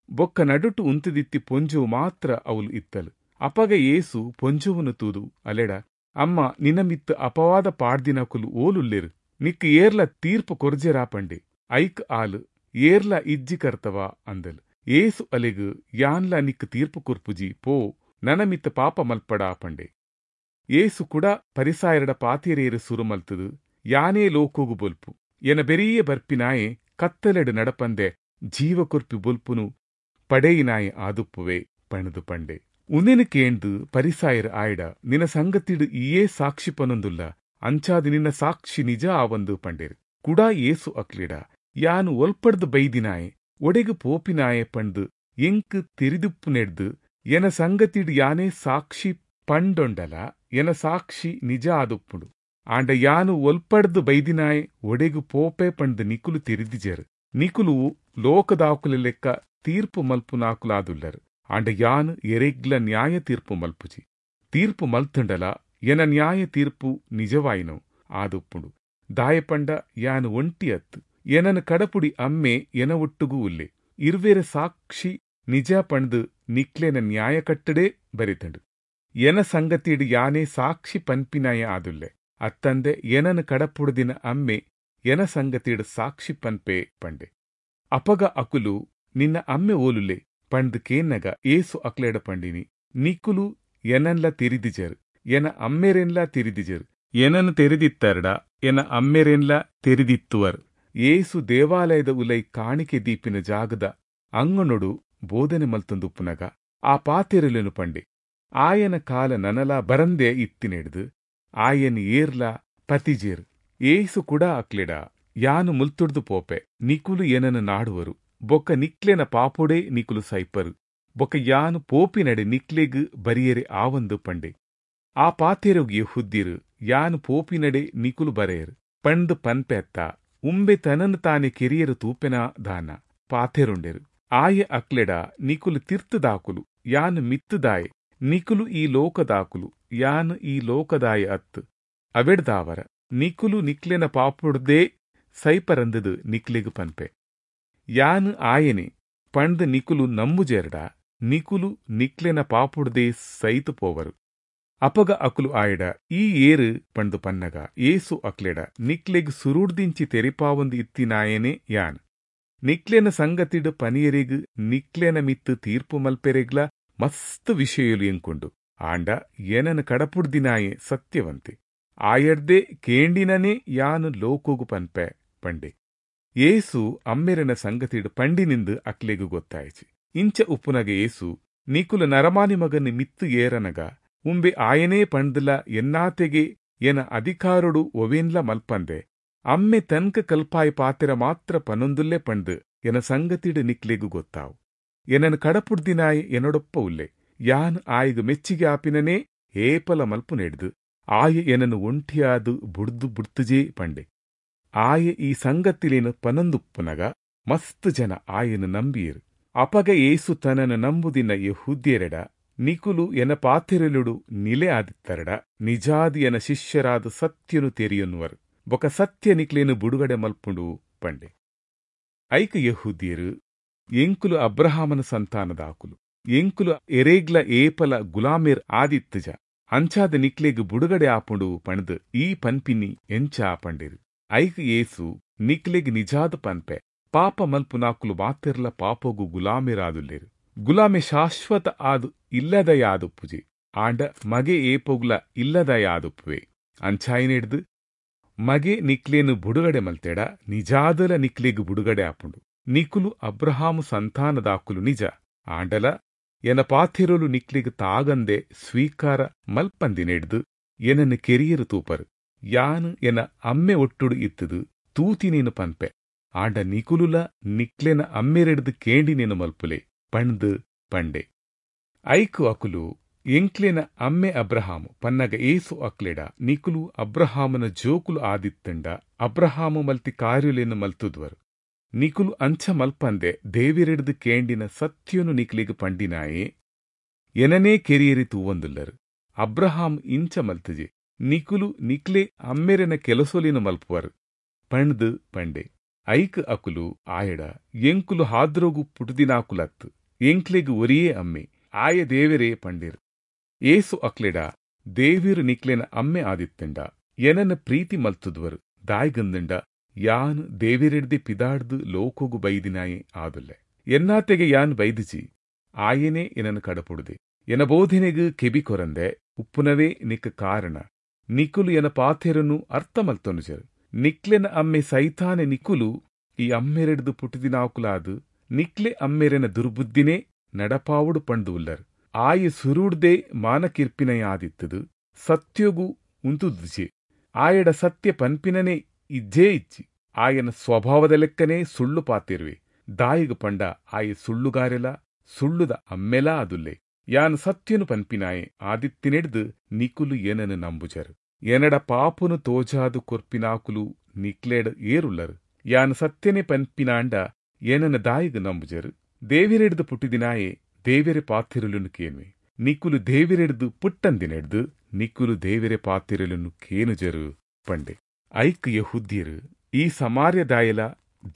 [SPEAKER 1] ಬೊಕ್ಕ ನಡುಟು ಉಂತುದಿತ್ತಿ ಪೊಂಜುವು ಮಾತ್ರ ಅವಲು ಇತ್ತಲು. ಅಪಗ ಏಸು ಪೊಂಜುವನು ತೂದು ಅಲೆಡ, ಅಮ್ಮ, ನಿನ್ನ ಮಿತ್ತು ಅಪವಾದ ಪಾಡ್ದಿನಕುಲು ಓಲುಲ್ಲೆರು, ನಿಕ್ಕು ಏರ್ಲ ತೀರ್ಪು ಕೊರ್ಜೆರಾ ಪಂಡೆ. ಐಕ್ ಆಲು, ಏರ್ಲ ಇಜ್ಜಿ ಕರ್ತವ ಅಂದಲ್. ಏಸು ಅಲೆಗು, ಯಾನ್ಲ ನಿಕ್ಕು ತೀರ್ಪು ಕೊರ್ಪುಜಿ, ಪೋ, ನನ ಮಿತ್ತ ಪಾಪ ಮಲ್ಪಡಾ ಪಂಡೆ. ಏಸು ಕೂಡ ಪರಿಸಾಯರಡ ಪಾತಿರೇರು ಸುರು ಮಲ್ತದು, ಯಾನೇ ಲೋಕೋಗು ಬೊಲ್ಪು, ಎನ ಬೆರಿಯೇ ಬರ್ಪಿನಾಯೆ ಕತ್ತಲೆಡು ನಡಪಂದೆ ಜೀವ ಕೊರ್ಪಿ ಬೊಲ್ಪುನು ಪಡೆಯಿನಾಯೆ ಆದುಪ್ಪುವೆ ಪಣದು ಪಂಡೆ. ಉನೆನು ಕೇಂದು ಪರಿಸಾಯರ್ ಆಯಡ, ನಿನ್ನ ಸಂಗತಿಡು ಈಯೇ ಸಾಕ್ಷಿ ಪನೊಂದುಲ್ಲ, ಅಂಚಾದು ನಿನ್ನ ಸಾಕ್ಷಿ ನಿಜ ಆವಂದು ಪಂಡೇರು. ಕುಡಾ ಏಸು ಅಕ್ಲಿಡ, ಯಾನು ಒಲ್ಪಡ್ದು ಬೈದಿನಾಯೆ ಒಡೆಗು ಪೋಪಿನಾಯೆ ಪಂಡು ಎಂಕ್ ತೆರಿದುಪ್ಪು ನೆಡ್ದು ಎನ ಸಂಗತಿಡ್ ಯಾನೇ ಸಾಕ್ಷಿ ಪಂಡೊಂಡಲ ಎನ ಸಾಕ್ಷಿ ನಿಜ ಆದುಪ್ಪುಂಡು. ಆಂಡ ಯಾನು ಒಲ್ಪಡ್ದು ಬೈದಿನಾಯೆ ಒಡೆಗು ಪೋಪೆ ಪಂಡ್ ನಿಕುಲು ತೆರಿದಿಜೆರ್. ನಿಕುಲು ಲೋಕದಾಕುಲೆ ಲೆಕ್ಕ ತೀರ್ಪು ಮಲ್ಪುನಾಕುಲಾದುಲ್ಲರ್. ಆಂಡ ಯಾನು ಎರೆಗ್ಲ ನ್ಯಾಯ ತೀರ್ಪು ಮಲ್ಪುಜಿ. ತೀರ್ಪು ಮಲ್ತುಂಡಲ ಎನ ನ್ಯಾಯ ತೀರ್ಪು ನಿಜವಾಯಿನವು ಆದುಪ್ಪುಂಡು. ದಾಯೆಪಂಡ ಯಾನು ಒಂಟಿ ಅತ್ತು, ಎನನ್ ಕಡಪುಡಿ ಅಮ್ಮೆ ಎನ ಒಟ್ಟುಗು ಉಲ್ಲೆ. ಇರ್ವೆರೆ ಸಾಕ್ಷಿ ನಿಜ ಪಂಡ್ದ್ ನಿಕ್ಲೆನ ನ್ಯಾಯ ಕಟ್ಟಡೇ ಬರೆತುಂಡು. ಎನ ಸಂಗತಿಡ್ ಯಾನೇ ಸಾಕ್ಷಿ ಪನ್ಪಿನಾಯೆ ಆದುಲ್ಲೆ ಅತ್ತಂದೆ ಎನನ್ ಕಡಪುಡುದಿನ ಅಮ್ಮೆ ಎನ ಸಂಗತಿಡ್ ಸಾಕ್ಷಿ ಪನ್ಪೆ ಪಂಡೆ. ಅಪಗ ಅಕುಲು, ನಿನ್ನ ಅಮ್ಮೆ ಓಲುಲ್ಲೆ ಪಂಡ್ದ್ ಕೇನ್ನಗ ಯೇಸು ಅಕ್ಲೆಡ ಪಂಡಿನಿ, ನಿಕುಲು ಎನನ್ಲ ತೆರಿದಿಜರ್, ಎನ ಅಮ್ಮೆರೆನ್ಲಾ ತೆರಿದಿಜರ್. ಎನನ್ ತೆರಿದಿತ್ತರ್ಡ ಎನ ಅಮ್ಮೆರೆನ್ಲಾ ತೆರಿದಿತ್ತುವರ್. ಯೇಸು ದೇವಾಲಯದ ಉಲೈ ಕಾಣಿಕೆ ದೀಪಿನ ಜಾಗದ ಅಂಗಣೊಡು ಬೋಧನೆ ಮಲ್ತೊಂದುಪ್ಪುನಗ ಆ ಪಾತೆರೊಲೆನ್ ಪಂಡೆ. ಆಯನ ಕಾಲ ನನಲಾ ಬರಂದೆ ಇತ್ತಿನೆಡ್ದ್ ಆಯನ್ ಏರ್ಲಾ ಪತಿಜೆರ್. ಯೇಸು ಕೂಡ ಅಕ್ಲೆಡ, ಯಾನು ಮುಲ್ತುಡ್ದು ಪೋಪೆ, ನಿಕುಲು ಎನನ್ ನಾಡುವರು, ಬೊಕ್ಕ ನಿಕ್ಲೆನ ಪಾಪೊಡೇ ನಿಕುಲು ಸೈಪರು, ಬೊಕ್ಕ ಯಾನು ಪೋಪಿನಡೆ ನಿಕ್ಲೆಗ್ ಬರಿಯೆರೆ ಆವಂದ್ ಪಂಡೆ. ಆ ಪಾತೆರೊಗು ಯೆಹೂದ್ಯೆರ್, ಯಾನು ಪೋಪಿನಡೆ ನಿಕುಲು ಬರೆಯರ್ ಪಂಡ್ದ್ ಪನ್ಪೆ ಅತ್ತಾ, ಉಂಬೆ ತನನ್ ತಾನೆ ಕೆರಿಯೆರೆ ತೂಪೆನಾ ದಾನ್ನ ಪಾತೆರೊಂಡೆರ್. ಆಯೆ ಅಕ್ಲೆಡ, ನಿಕುಲು ತಿರ್ತ್ದಾಕುಲು, ಯಾನ್ ಮಿತ್ತ್ದಾಯೆ. ನಿಕುಲು ಈ ಲೋಕದಾಕುಲು, ಯಾನ್ ಈ ಲೋಕದಾಯೆ ಅತ್ತ್. ಅವೆಡ್ದಾವರ ನಿಕುಲು ನಿಕ್ಲೆನ ಪಾಪೊಡ್ದೇ ಸೈಪರಂದ್ದ್ ನಿಕ್ಲೆಗ್ ಪನ್ಪೆ. ಯಾನ್ ಆಯೆನೆ ಪಂಡ್ದ್ ನಿಕುಲು ನಂಬುಜೆರ್ಡ ನಿಕುಲು ನಿಕ್ಲೆನ ಪಾಪೊಡ್ದೇ ಸೈತ್ ಪೋವರು. ಅಪಗ ಅಕುಲು ಆಯಡ, ಈ ಏರ್ ಪಂಡ್ದ್ ಪನ್ನಗ ಯೇಸು ಅಕ್ಲೆಡ, ನಿಕ್ಲೆಗ್ ಸುರುಡ್ದಿಂಚಿ ತೆರಿಪಾವೊಂದು ಇತ್ತಿನಾಯೆನೇ ಯಾನ್. ನಿಕ್ಲೆನ ಸಂಗತಿಡ್ ಪನಿಯೆರೆಗ್ ನಿಕ್ಲೆನ ಮಿತ್ತ್ ತೀರ್ಪು ಮಲ್ಪೆರೆಗ್ಲಾ ಮಸ್ತ್ ವಿಷಯೊಲು ಎಂಕುಂಡು. ಆಂಡ ಎನನ್ ಕಡಪುಡ್ದಿನಾಯೆ ಸತ್ಯವಂತೆ, ಆಯಡ್ದೇ ಕೇಂಡಿನನೇ ಯಾನ್ ಲೋಕೊಗು ಪನ್ಪೆ ಪಂಡೆ. ಯೇಸು ಅಮ್ಮೆರೆನ ಸಂಗತಿಡ್ ಪಂಡಿನಿಂದ್ ಅಕ್ಲೆಗ್ ಗೊತ್ತಾಯಿಜಿ. ಇಂಚ ಉಪ್ಪುನಗ ಯೇಸು, ನಿಕುಲು ನರಮಾನಿ ಮಗನ್ ಮಿತ್ತ್ ಏರನಗ ಉಂಬೆ ಆಯೆನೇ ಪಂಡ್ದ್ಲಾ ಎನ್ನಾತೆಗೆ ಎನ ಅಧಿಕಾರೊಡು ಒವೇನ್ಲಾ ಮಲ್ಪಂದೆ ಅಮ್ಮೆ ತನ್ಕ್ ಕಲ್ಪಾಯಿ ಪಾತೆರ ಮಾತ್ರ ಪನೊಂದುಲ್ಲೆ ಪಂಡ್ದ್ ಎನ ಸಂಗತಿಡ್ ನಿಕ್ಲೆಗ್ ಗೊತ್ತಾವು. ಎನನ್ ಕಡಪುಡ್ದಿನಾಯೆ ಎನಡೊಪ್ಪ ಉಲ್ಲೆ. ಯಾನ್ ಆಯಗ್ ಮೆಚ್ಚಿಗೆ ಆಪಿನನೇ ಏಪಲ ಮಲ್ಪುನೆಡ್ದ್ ಆಯೆ ಎನನ್ ಒಂಟಿಯಾದ್ ಬುಡ್ದು ಬುಡ್ತುಜೆ ಪಂಡೆ. ಆಯೆ ಈ ಸಂಗತಿಲೆನ್ ಪನೊಂದುಪ್ಪುನಗ ಮಸ್ತ್ ಜನ ಆಯನ್ ನಂಬಿಯೆರ್. ಅಪಗ ಯೇಸು ತನನ್ ನಂಬುದಿನ ಯೆಹೂದ್ಯೆರೆಡ, ನಿಕುಲು ಎನ ಪಾತೆರೊಲೆಡ್ ನಿಲೆ ಆದಿತ್ತರ್ಡ ನಿಜಾದ್ ಎನ ಶಿಷ್ಯರಾದ್ ಸತ್ಯೊನು ತೆರಿಯೊನ್ವರ್, ಬೊಕ್ಕ ಸತ್ಯ ನಿಕ್ಲೆನ್ ಬುಡುಗಡೆ ಮಲ್ಪುಂಡು ಪಂಡೆ. ಐಕ್ ಯೆಹೂದ್ಯೆರ್, ಎಂಕುಲು ಅಬ್ರಹಾಮನ ಸಂತಾನದಾಕುಲು, ಎಂಕುಲು ಎರೇಗ್ಲ ಏಪಲ ಗುಲಾಮೆರ್ ಆದಿತ್ತುಜ, ಅಂಚಾದ್ ನಿಕ್ಲೆಗ್ ಬುಡುಗಡೆ ಆಪುಂಡು ಪಂಡ್ದ್ ಈ ಪನ್ಪಿನಿ ಎಂಚ ಪಂಡೆರ್. ಐಕ್ ಯೇಸು, ನಿಕ್ಲೆಗ್ ನಿಜಾದ್ ಪನ್ಪೆ, ಪಾಪ ಮಲ್ಪುನಾಕುಲು ಮಾತೆರ್ಲ ಪಾಪೊಗು ಗುಲಾಮೆರಾದುಲ್ಲೆರ್. ಗುಲಾಮೆ ಶಾಶ್ವತ ಆದ್ ಇಲ್ಲದಯಾದುಪ್ಪುಜೆ, ಆಂಡ ಮಗೆ ಏಪೊಗ್ಲ ಇಲ್ಲದಯಾದುಪ್ಪುವೆ. ಅಂಚಾಯಿನೆಡ್ದ್ ಮಗೆ ನಿಕ್ಲೆನ್ ಬುಡುಗಡೆ ಮಲ್ತೆಡ ನಿಜಾದಲ ನಿಕ್ಲೆಗ್ ಬುಡುಗಡೆ ಆಪುಂಡು. ನಿಕುಲು ಅಬ್ರಹಾಮು ಸಂತಾನದಾಕುಲು ನಿಜ, ಆಂಡಲ ಎನ ಪಾತೆರೊಲು ನಿಕ್ಲೆಗ್ ತಾಗಂದೆ ಸ್ವೀಕಾರ ಮಲ್ಪಂದಿನೆಡ್ದ್ ಎನನ್ ಕೆರಿಯೆರೆ ತೂಪರ್. ಯಾನ್ ಎನ ಅಮ್ಮೆ ಒಟ್ಟುಡು ಇತ್ತುದು ತೂತಿನೇನ್ ಪನ್ಪೆ, ಆಂಡ ನಿಕುಲುಲ ನಿಕ್ಲೆನ ಅಮ್ಮೆರೆಡ್ದ್ ಕೇಂಡಿನೇನ್ ಮಲ್ಪುಲೆ ಪಂಡ್ದ್ ಪಂಡೆ. ಐಕ್ ಅಕುಲು, ಎಂಕ್ಲೆನ ಅಮ್ಮೆ ಅಬ್ರಹಾಮು ಪನ್ನಗ ಯೇಸು ಅಕ್ಲೆಡ, ನಿಕುಲು ಅಬ್ರಹಾಮನ ಜೋಕುಲು ಆದಿತ್ತಂಡ ಅಬ್ರಹಾಮು ಮಲ್ತಿ ಕಾರ್ಯೊಲೆನ್ ಮಲ್ತುದ್ವರ್. ನಿಕುಲು ಅಂಚ ಮಲ್ಪಂದೆ ದೇವೆರೆಡ್ದ್ ಕೇಂಡಿನ ಸತ್ಯೊನು ನಿಕ್ಲೆಗ್ ಪಂಡಿನಾಯೆ ಎನನೇ ಕೆರಿಯೆರೆ ತೂವೊಂದುಲ್ಲರ್. ಅಬ್ರಹಾಮ್ ಇಂಚ ಮಲ್ತುಜೆ, ನಿಕುಲು ನಿಕ್ಲೆ ಅಮ್ಮೆರೆನ ಕೆಲಸೊಲೆನ್ ಮಲ್ಪುವರ್ ಪಂಡ್ದ್ ಪಂಡೆ. ಐಕ್ ಅಕುಲು ಆಯಡ, ಎಂಕುಲು ಹಾದ್ರೊಗು ಪುಟುದಿನಾಕುಲತ್ತ್, ಎಂಕ್ಲೆಗ್ ಒರಿಯೇ ಅಮ್ಮೆ, ಆಯೆ ದೇವೆರೇ ಪಂಡೆರ್. ಯೇಸು ಅಕ್ಲೆಡ, ದೇವೆರ್ ನಿಕ್ಲೆನ ಅಮ್ಮೆ ಆದಿತ್ತಂಡ ಎನನ್ ಪ್ರೀತಿ ಮಲ್ತುದ್ವರ್, ದಾಯ್ಗಂದ್ಂಡ ಯಾನ್ ದೇವೆರೆಡ್ದೆ ಪಿದಾಡ್ದ್ ಲೋಕೊಗು ಬೈದಿನಾಯೆ ಆದುಲ್ಲೆ. ಎನ್ನಾತೆಗೆ ಯಾನ್ ಬೈದಿಜಿ, ಆಯೆನೇ ಎನನ್ ಕಡಪುಡುದೆ. ಎನ ಬೋಧನೆಗ್ ಕೆಬಿ ಕೊರಂದೆ ಉಪ್ಪುನವೇ ನಿಕ್ ಕಾರಣ. ನಿಕುಲು ಎನ ಪಾತೆರನು ಅರ್ಥ ಮಲ್ತೊನುಜರ್. ನಿಕ್ಲೆನ ಅಮ್ಮೆ ಸೈತಾನೆ ನಿಕುಲು ಈ ಅಮ್ಮೆರೆಡ್ದ್ ಪುಟುದಿನಾಕುಲಾದ್ ನಿಕ್ಲೆ ಅಮ್ಮೆರೆನ ದುರ್ಬುದ್ಧಿನೇ ನಡಪಾವೊಡು ಪಂಡ್ದ್ ಉಲ್ಲರ್. ಆಯೆ ಸುರುಡ್ದೇ ಮಾನಕಿರ್ಪಿನಯಾದಿತ್ತುದು ಸತ್ಯೊಗು ಉಂತುದುಜೆ, ಆಯಡ ಸತ್ಯ ಪನ್ಪಿನನೇ ಇಜ್ಜೇ ಇಜ್ಜಿ. ಆಯನ ಸ್ವಭಾವದ ಲೆಕ್ಕನೇ ಸುಳ್ಳು ಪಾತೆರುವೆ, ದಾಯಿಗ್ ಪಂಡ ಆಯೆ ಸುಳ್ಳುಗಾರೆಲ ಸುಳ್ಳುದ ಅಮ್ಮೆಲಾ ಆದುಲ್ಲೆ. ಯಾನ್ ಸತ್ಯನು ಪನ್ಪಿನಾಯೆ ಆದಿತ್ತಿನೆಡ್ದ್ ನಿಕುಲು ಏನನು ನಂಬುಜರು. ಎನಡ ಪಾಪುನು ತೋಜಾದು ಕೊರ್ಪಿನಾಕುಲು ನಿಕ್ಲೆಡ್ ಏರುಲ್ಲರು. ಯಾನ್ ಸತ್ಯನೆ ಪನ್ಪಿನಾಂಡ ಏನನ ದಾಯಿಗ್ ನಂಬುಜರು. ದೇವೆರೆಡ್ದ್ ಪುಟ್ಟಿದಿನಾಯೆ ದೇವೆರೆ ಪಾತೆರೊಲೆನ್ ಕೇನ್ವೆ. ನಿಕುಲು ದೇವೆರೆಡ್ದ್ ಪುಟ್ಟಂದಿನೆಡ್ದ್ ನಿಕುಲು ದೇವೆರೆ ಪಾತೆರೊಲೆನ್ ಕೇನುಜರ್ ಪಂಡೆ. ಐಕ್ ಯೆಹೂದ್ಯೆರ್, ಈ ಸಮಾರ್ಯದಾಯೆಲಾ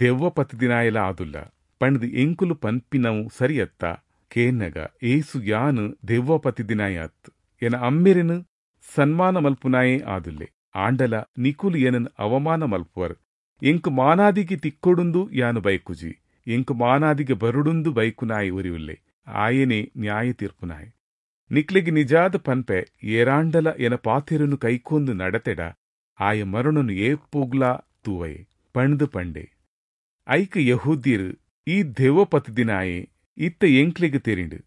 [SPEAKER 1] ದೆವ್ವ ಪತ್ತ್ದಿನಾಯೆಲಾ ಆದುಲ್ಲ, ಪಂಡ್ದ್ ಎಂಕುಲು ಪನ್ಪಿನವು ಸರಿ ಅತ್ತಾ? ಕೇನ್ನಗ ಯೇಸು, ಯಾನ್ ದೆವ್ವ ಪತ್ತ್ದಿನಾಯೆ ಅತ್ತ್, ಎನ ಅಮ್ಮೆರೆನ್ ಸನ್ಮಾನ ಮಲ್ಪುನಾಯೆ ಆದುಲ್ಲೆ. ಆಂಡಲಾ ನಿಕುಲು ಎನನ್ ಅವಮಾನ ಮಲ್ಪುವರ್. ಎಂಕ್ ಮಾನಾದಿಗೆ ತಿಕ್ಕೊಡುಂದು ಯಾನ್ ಬಯಕುಜಿ, ಎಂಕ್ ಮಾನಾದಿಗೆ ಬರೊಡುಂದು ಬಯಕುನಾಯೆ ಒರಿ ಉಲ್ಲೆ, ಆಯೆನೇ ನ್ಯಾಯ ತೀರ್ಪುನಾಯೆ. ನಿಕ್ಲೆಗ್ ನಿಜಾದ್ ಪನ್ಪೆ, ಏರಾಂಡಲ ಎನ ಪಾತೆರೊನು ಕೈಕೊಂದು ನಡತೆಡ ಆಯ ಮರಣೊನು ಏಪೊಗ್ಲಾ ತೂವಯೆ, ಪಂಡ್ದ್ ಪಂಡೆ. ಐಕ್ ಯೆಹೂದ್ಯೆರ್, ಈ ದೆವ್ವ ಪತ್ತ್ದಿನಾಯೆ, ಇತ್ತೆ ಎಂಕ್ಲೆಗ್ ತೆರಿಂಡ್.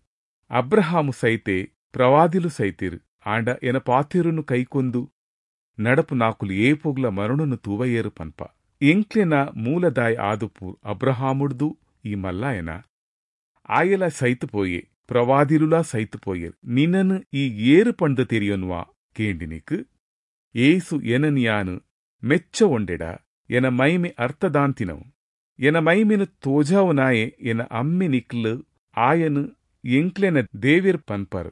[SPEAKER 1] ಅಬ್ರಹಾಮು ಸೈತೆ, ಪ್ರವಾದಿಲು ಸೈತೆರ್, ಆಂಡ ಎನ ಪಾತೆರೊನು ಕೈಕೊಂದು ನಡಪುನಾಕುಲು ಏಪೊಗ್ಲಾ ಮರಣೊನು ತೂವಯೆರ್ ಪನ್ಪ. ಎಂಕ್ಲೆನ ಮೂಲದಾಯೆ ಆದುಪ್ಪು ಅಬ್ರಹಾಮುಡ್ದು ಈ ಮಲ್ಲಾಯೆನಾ? ಆಯೆಲಾ ಸೈತ್ ಪೋಯೆ, ಪ್ರವಾದಿಲುಲಾ ಸೈತ್ ಪೋಯೆರ್, ನಿನನ್ ಈ ಏರ್ ಪಂಡ್ದ್ ತೆರಿಯೊನ್ವ? ಕೇಂಡಿನೆಕ್ಕ್ ಯೇಸು, ಎನನ್ ಯಾನ್ ಮೆಚ್ಚವೊಂಡೆಡ ಎನ ಮೈಮೆ ಅರ್ಥದಾಂತಿನವು. ಎನ ಮೈಮೆನ್ ತೋಜಾವುನಾಯೆ ಎನ ಅಮ್ಮೆ, ನಿಕ್ಲು ಆಯನ್ ಎಂಕ್ಲೆನ ದೇವೆರ್ ಪನ್ಪರ್.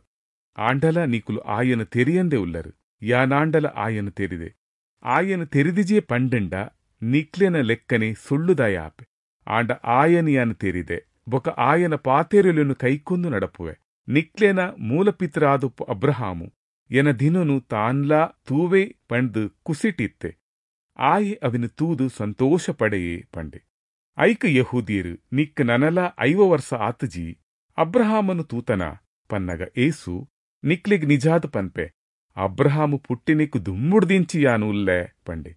[SPEAKER 1] ಆಂಡಲಾ ನಿಕುಲು ಆಯನ್ ತೆರಿಯಂದೆ ಉಲ್ಲರ್, ಯಾನಾಂಡಲ ಆಯನ್ ತೆರಿದೆ. ಆಯನ್ ತೆರಿದಿಜೆ ಪಂಡ್ಂಡ ನಿಕ್ಲೆನ ಲೆಕ್ಕನೆ ಸುಳ್ಳುದಾಯೆ ಆಪೆ. ಆಂಡ ಆಯನ್ ಯಾನ್ ತೆರಿದೆ, ಬೊಕ್ಕ ಆಯನ ಪಾತೆರೊಲೆನ್ ಕೈಕೊಂದು ನಡಪುವೆ. ನಿಕ್ಲೆನ ಮೂಲಪಿತೃ ಆದುಪ್ಪು ಅಬ್ರಹಾಮು ಎನ ದಿನೊನು ತಾನ್ಲಾ ತೂವೆ ಪಂಡ್ದ್ ಕುಸಿಟಿತ್ತೆ. ಆಯೆ ಅವೆನ್ ತೂದು ಸಂತೋಷ ಪಡೆಯೆ, ಪಂಡೆ. ಐಕ್ ಯೆಹೂದ್ಯೆರ್, ನಿಕ್ಕ್ ನನಲಾ ಐವ ವರ್ಸ ಆತಿಜಿ, ಅಬ್ರಹಾಮನ್ ತೂತನಾ? ಪನ್ನಗ ಯೇಸು, ನಿಕ್ಲೆಗ್ ನಿಜಾದ್ ಪನ್ಪೆ, ಅಬ್ರಹಾಮು ಪುಟ್ಟಿನೆಕ್ಕ್ ದುಂಬುಡ್ದಿಂಚಿ ಯಾನ್ ಉಲ್ಲೆ, ಪಂಡೆ.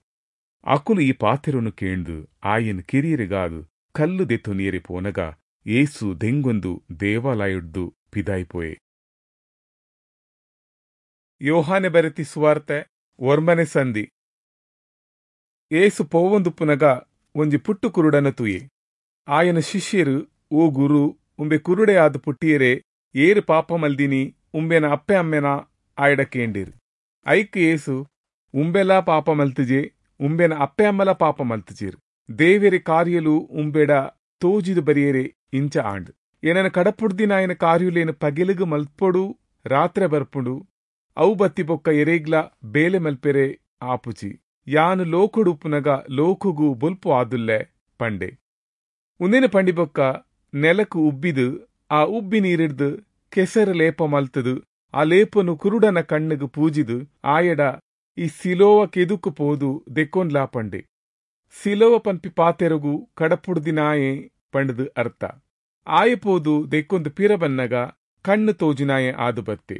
[SPEAKER 1] ಅಕುಲು ಈ ಪಾತೆರೊನು ಕೇಂಡ್ದ್ ಆಯನ್ ಕೆರಿಯೆರೆಗಾದ್ ಕಲ್ಲ್ ದೆತ್ತೊನಿಯೆರೆ ಪೋನಗ ಯೇಸು ದೆಂಗೊಂದು ದೇವಾಲಯೊಡ್ದು ಪಿದಾಯಿ ಪೋಯೆ. ಯೋಹಾನೆ ಬರೆತಿ ಸುವಾರ್ತೆ ಒರ್ಂಬನೆ ಸಂಧಿ. ಯೇಸು ಪೋವೊಂದುಪ್ಪುನಗ ಒಂಜಿ ಪುಟ್ಟು ಕುರುಡನ ತೂಯೆ. ಆಯನ ಶಿಷ್ಯೆರ್, ಓ ಗುರು, ಉಂಬೆ ಕುರುಡೆ ಆದ್ ಪುಟ್ಟಿಯೆರೆ ಏರ್ ಪಾಪ ಮಲ್ದಿನಿ, ಉಂಬೆನ ಅಪ್ಪೆ ಅಮ್ಮೆನ? ಆಯಡ ಕೇಂಡಿರ್. ಐಕ್ ಯೇಸು, ಉಂಬೆಲಾ ಪಾಪ ಮಲ್ತಿಜೆ, ಉಂಬೆನ ಅಪ್ಪೆ ಅಮ್ಮಲ ಪಾಪ ಮಲ್ತಿಜೆರ್. ದೇವೆರೆ ಕಾರ್ಯಲು ಉಂಬೆಡ ತೋಜಿದ್ ಬರಿಯೆರೆ ಇಂಚ ಆಂಡ್. ಎನನ ಕಡಪುಡ್ದಿನಾಯನ ಕಾರ್ಯುಲೇನು ಪಗೆಲುಗು ಮಲ್ಪೊಡು, ರಾತ್ರೆ ಬರ್ಪುಂಡು. ಅವು ಬತ್ತಿ ಬೊಕ್ಕ ಎರೇಗ್ಲಾ ಬೇಲೆ ಮಲ್ಪೆರೆ ಆಪುಜಿ. ಯಾನ್ ಲೋಕೊಡು ಉಪ್ಪುನಗ ಲೋಕೊಗು ಬೊಲ್ಪು ಆದುಲ್ಲೆ ಪಂಡೆ. ಉಂದೆನ್ ಪಂಡಿ ಬೊಕ್ಕ ನೆಲಕ್ ಉಬ್ಬಿದ್ ಆ ಉಬ್ಬಿ ನೀರಿಡ್ದ್ ಕೆಸರು ಲೇಪ ಮಲ್ತುದು ಆ ಲೇಪನು ಕುರುಡನ ಕಣ್ಣುಗು ಪೂಜಿದ್ ಆಯಡ, ಈ ಸಿಲೋವ ಕೆದುಕು ಪೋದು ದೆಕ್ಕೊನ್ಲಾ ಪಂಡೆ. ಸಿಲೋವ ಪನ್ಪಿ ಪಾತೆರೊಗು ಕಡಪುಡ್ದಿನಾಯೆ ಪಂಡ್ದ್ ಅರ್ಥ. ಆಯೆ ಪೋದು ದೆಕ್ಕೊಂದು ಪಿರ ಬನ್ನಗ ಕಣ್ಣ್ ತೋಜುನಾಯೆ ಆದ್ ಬತ್ತೆ.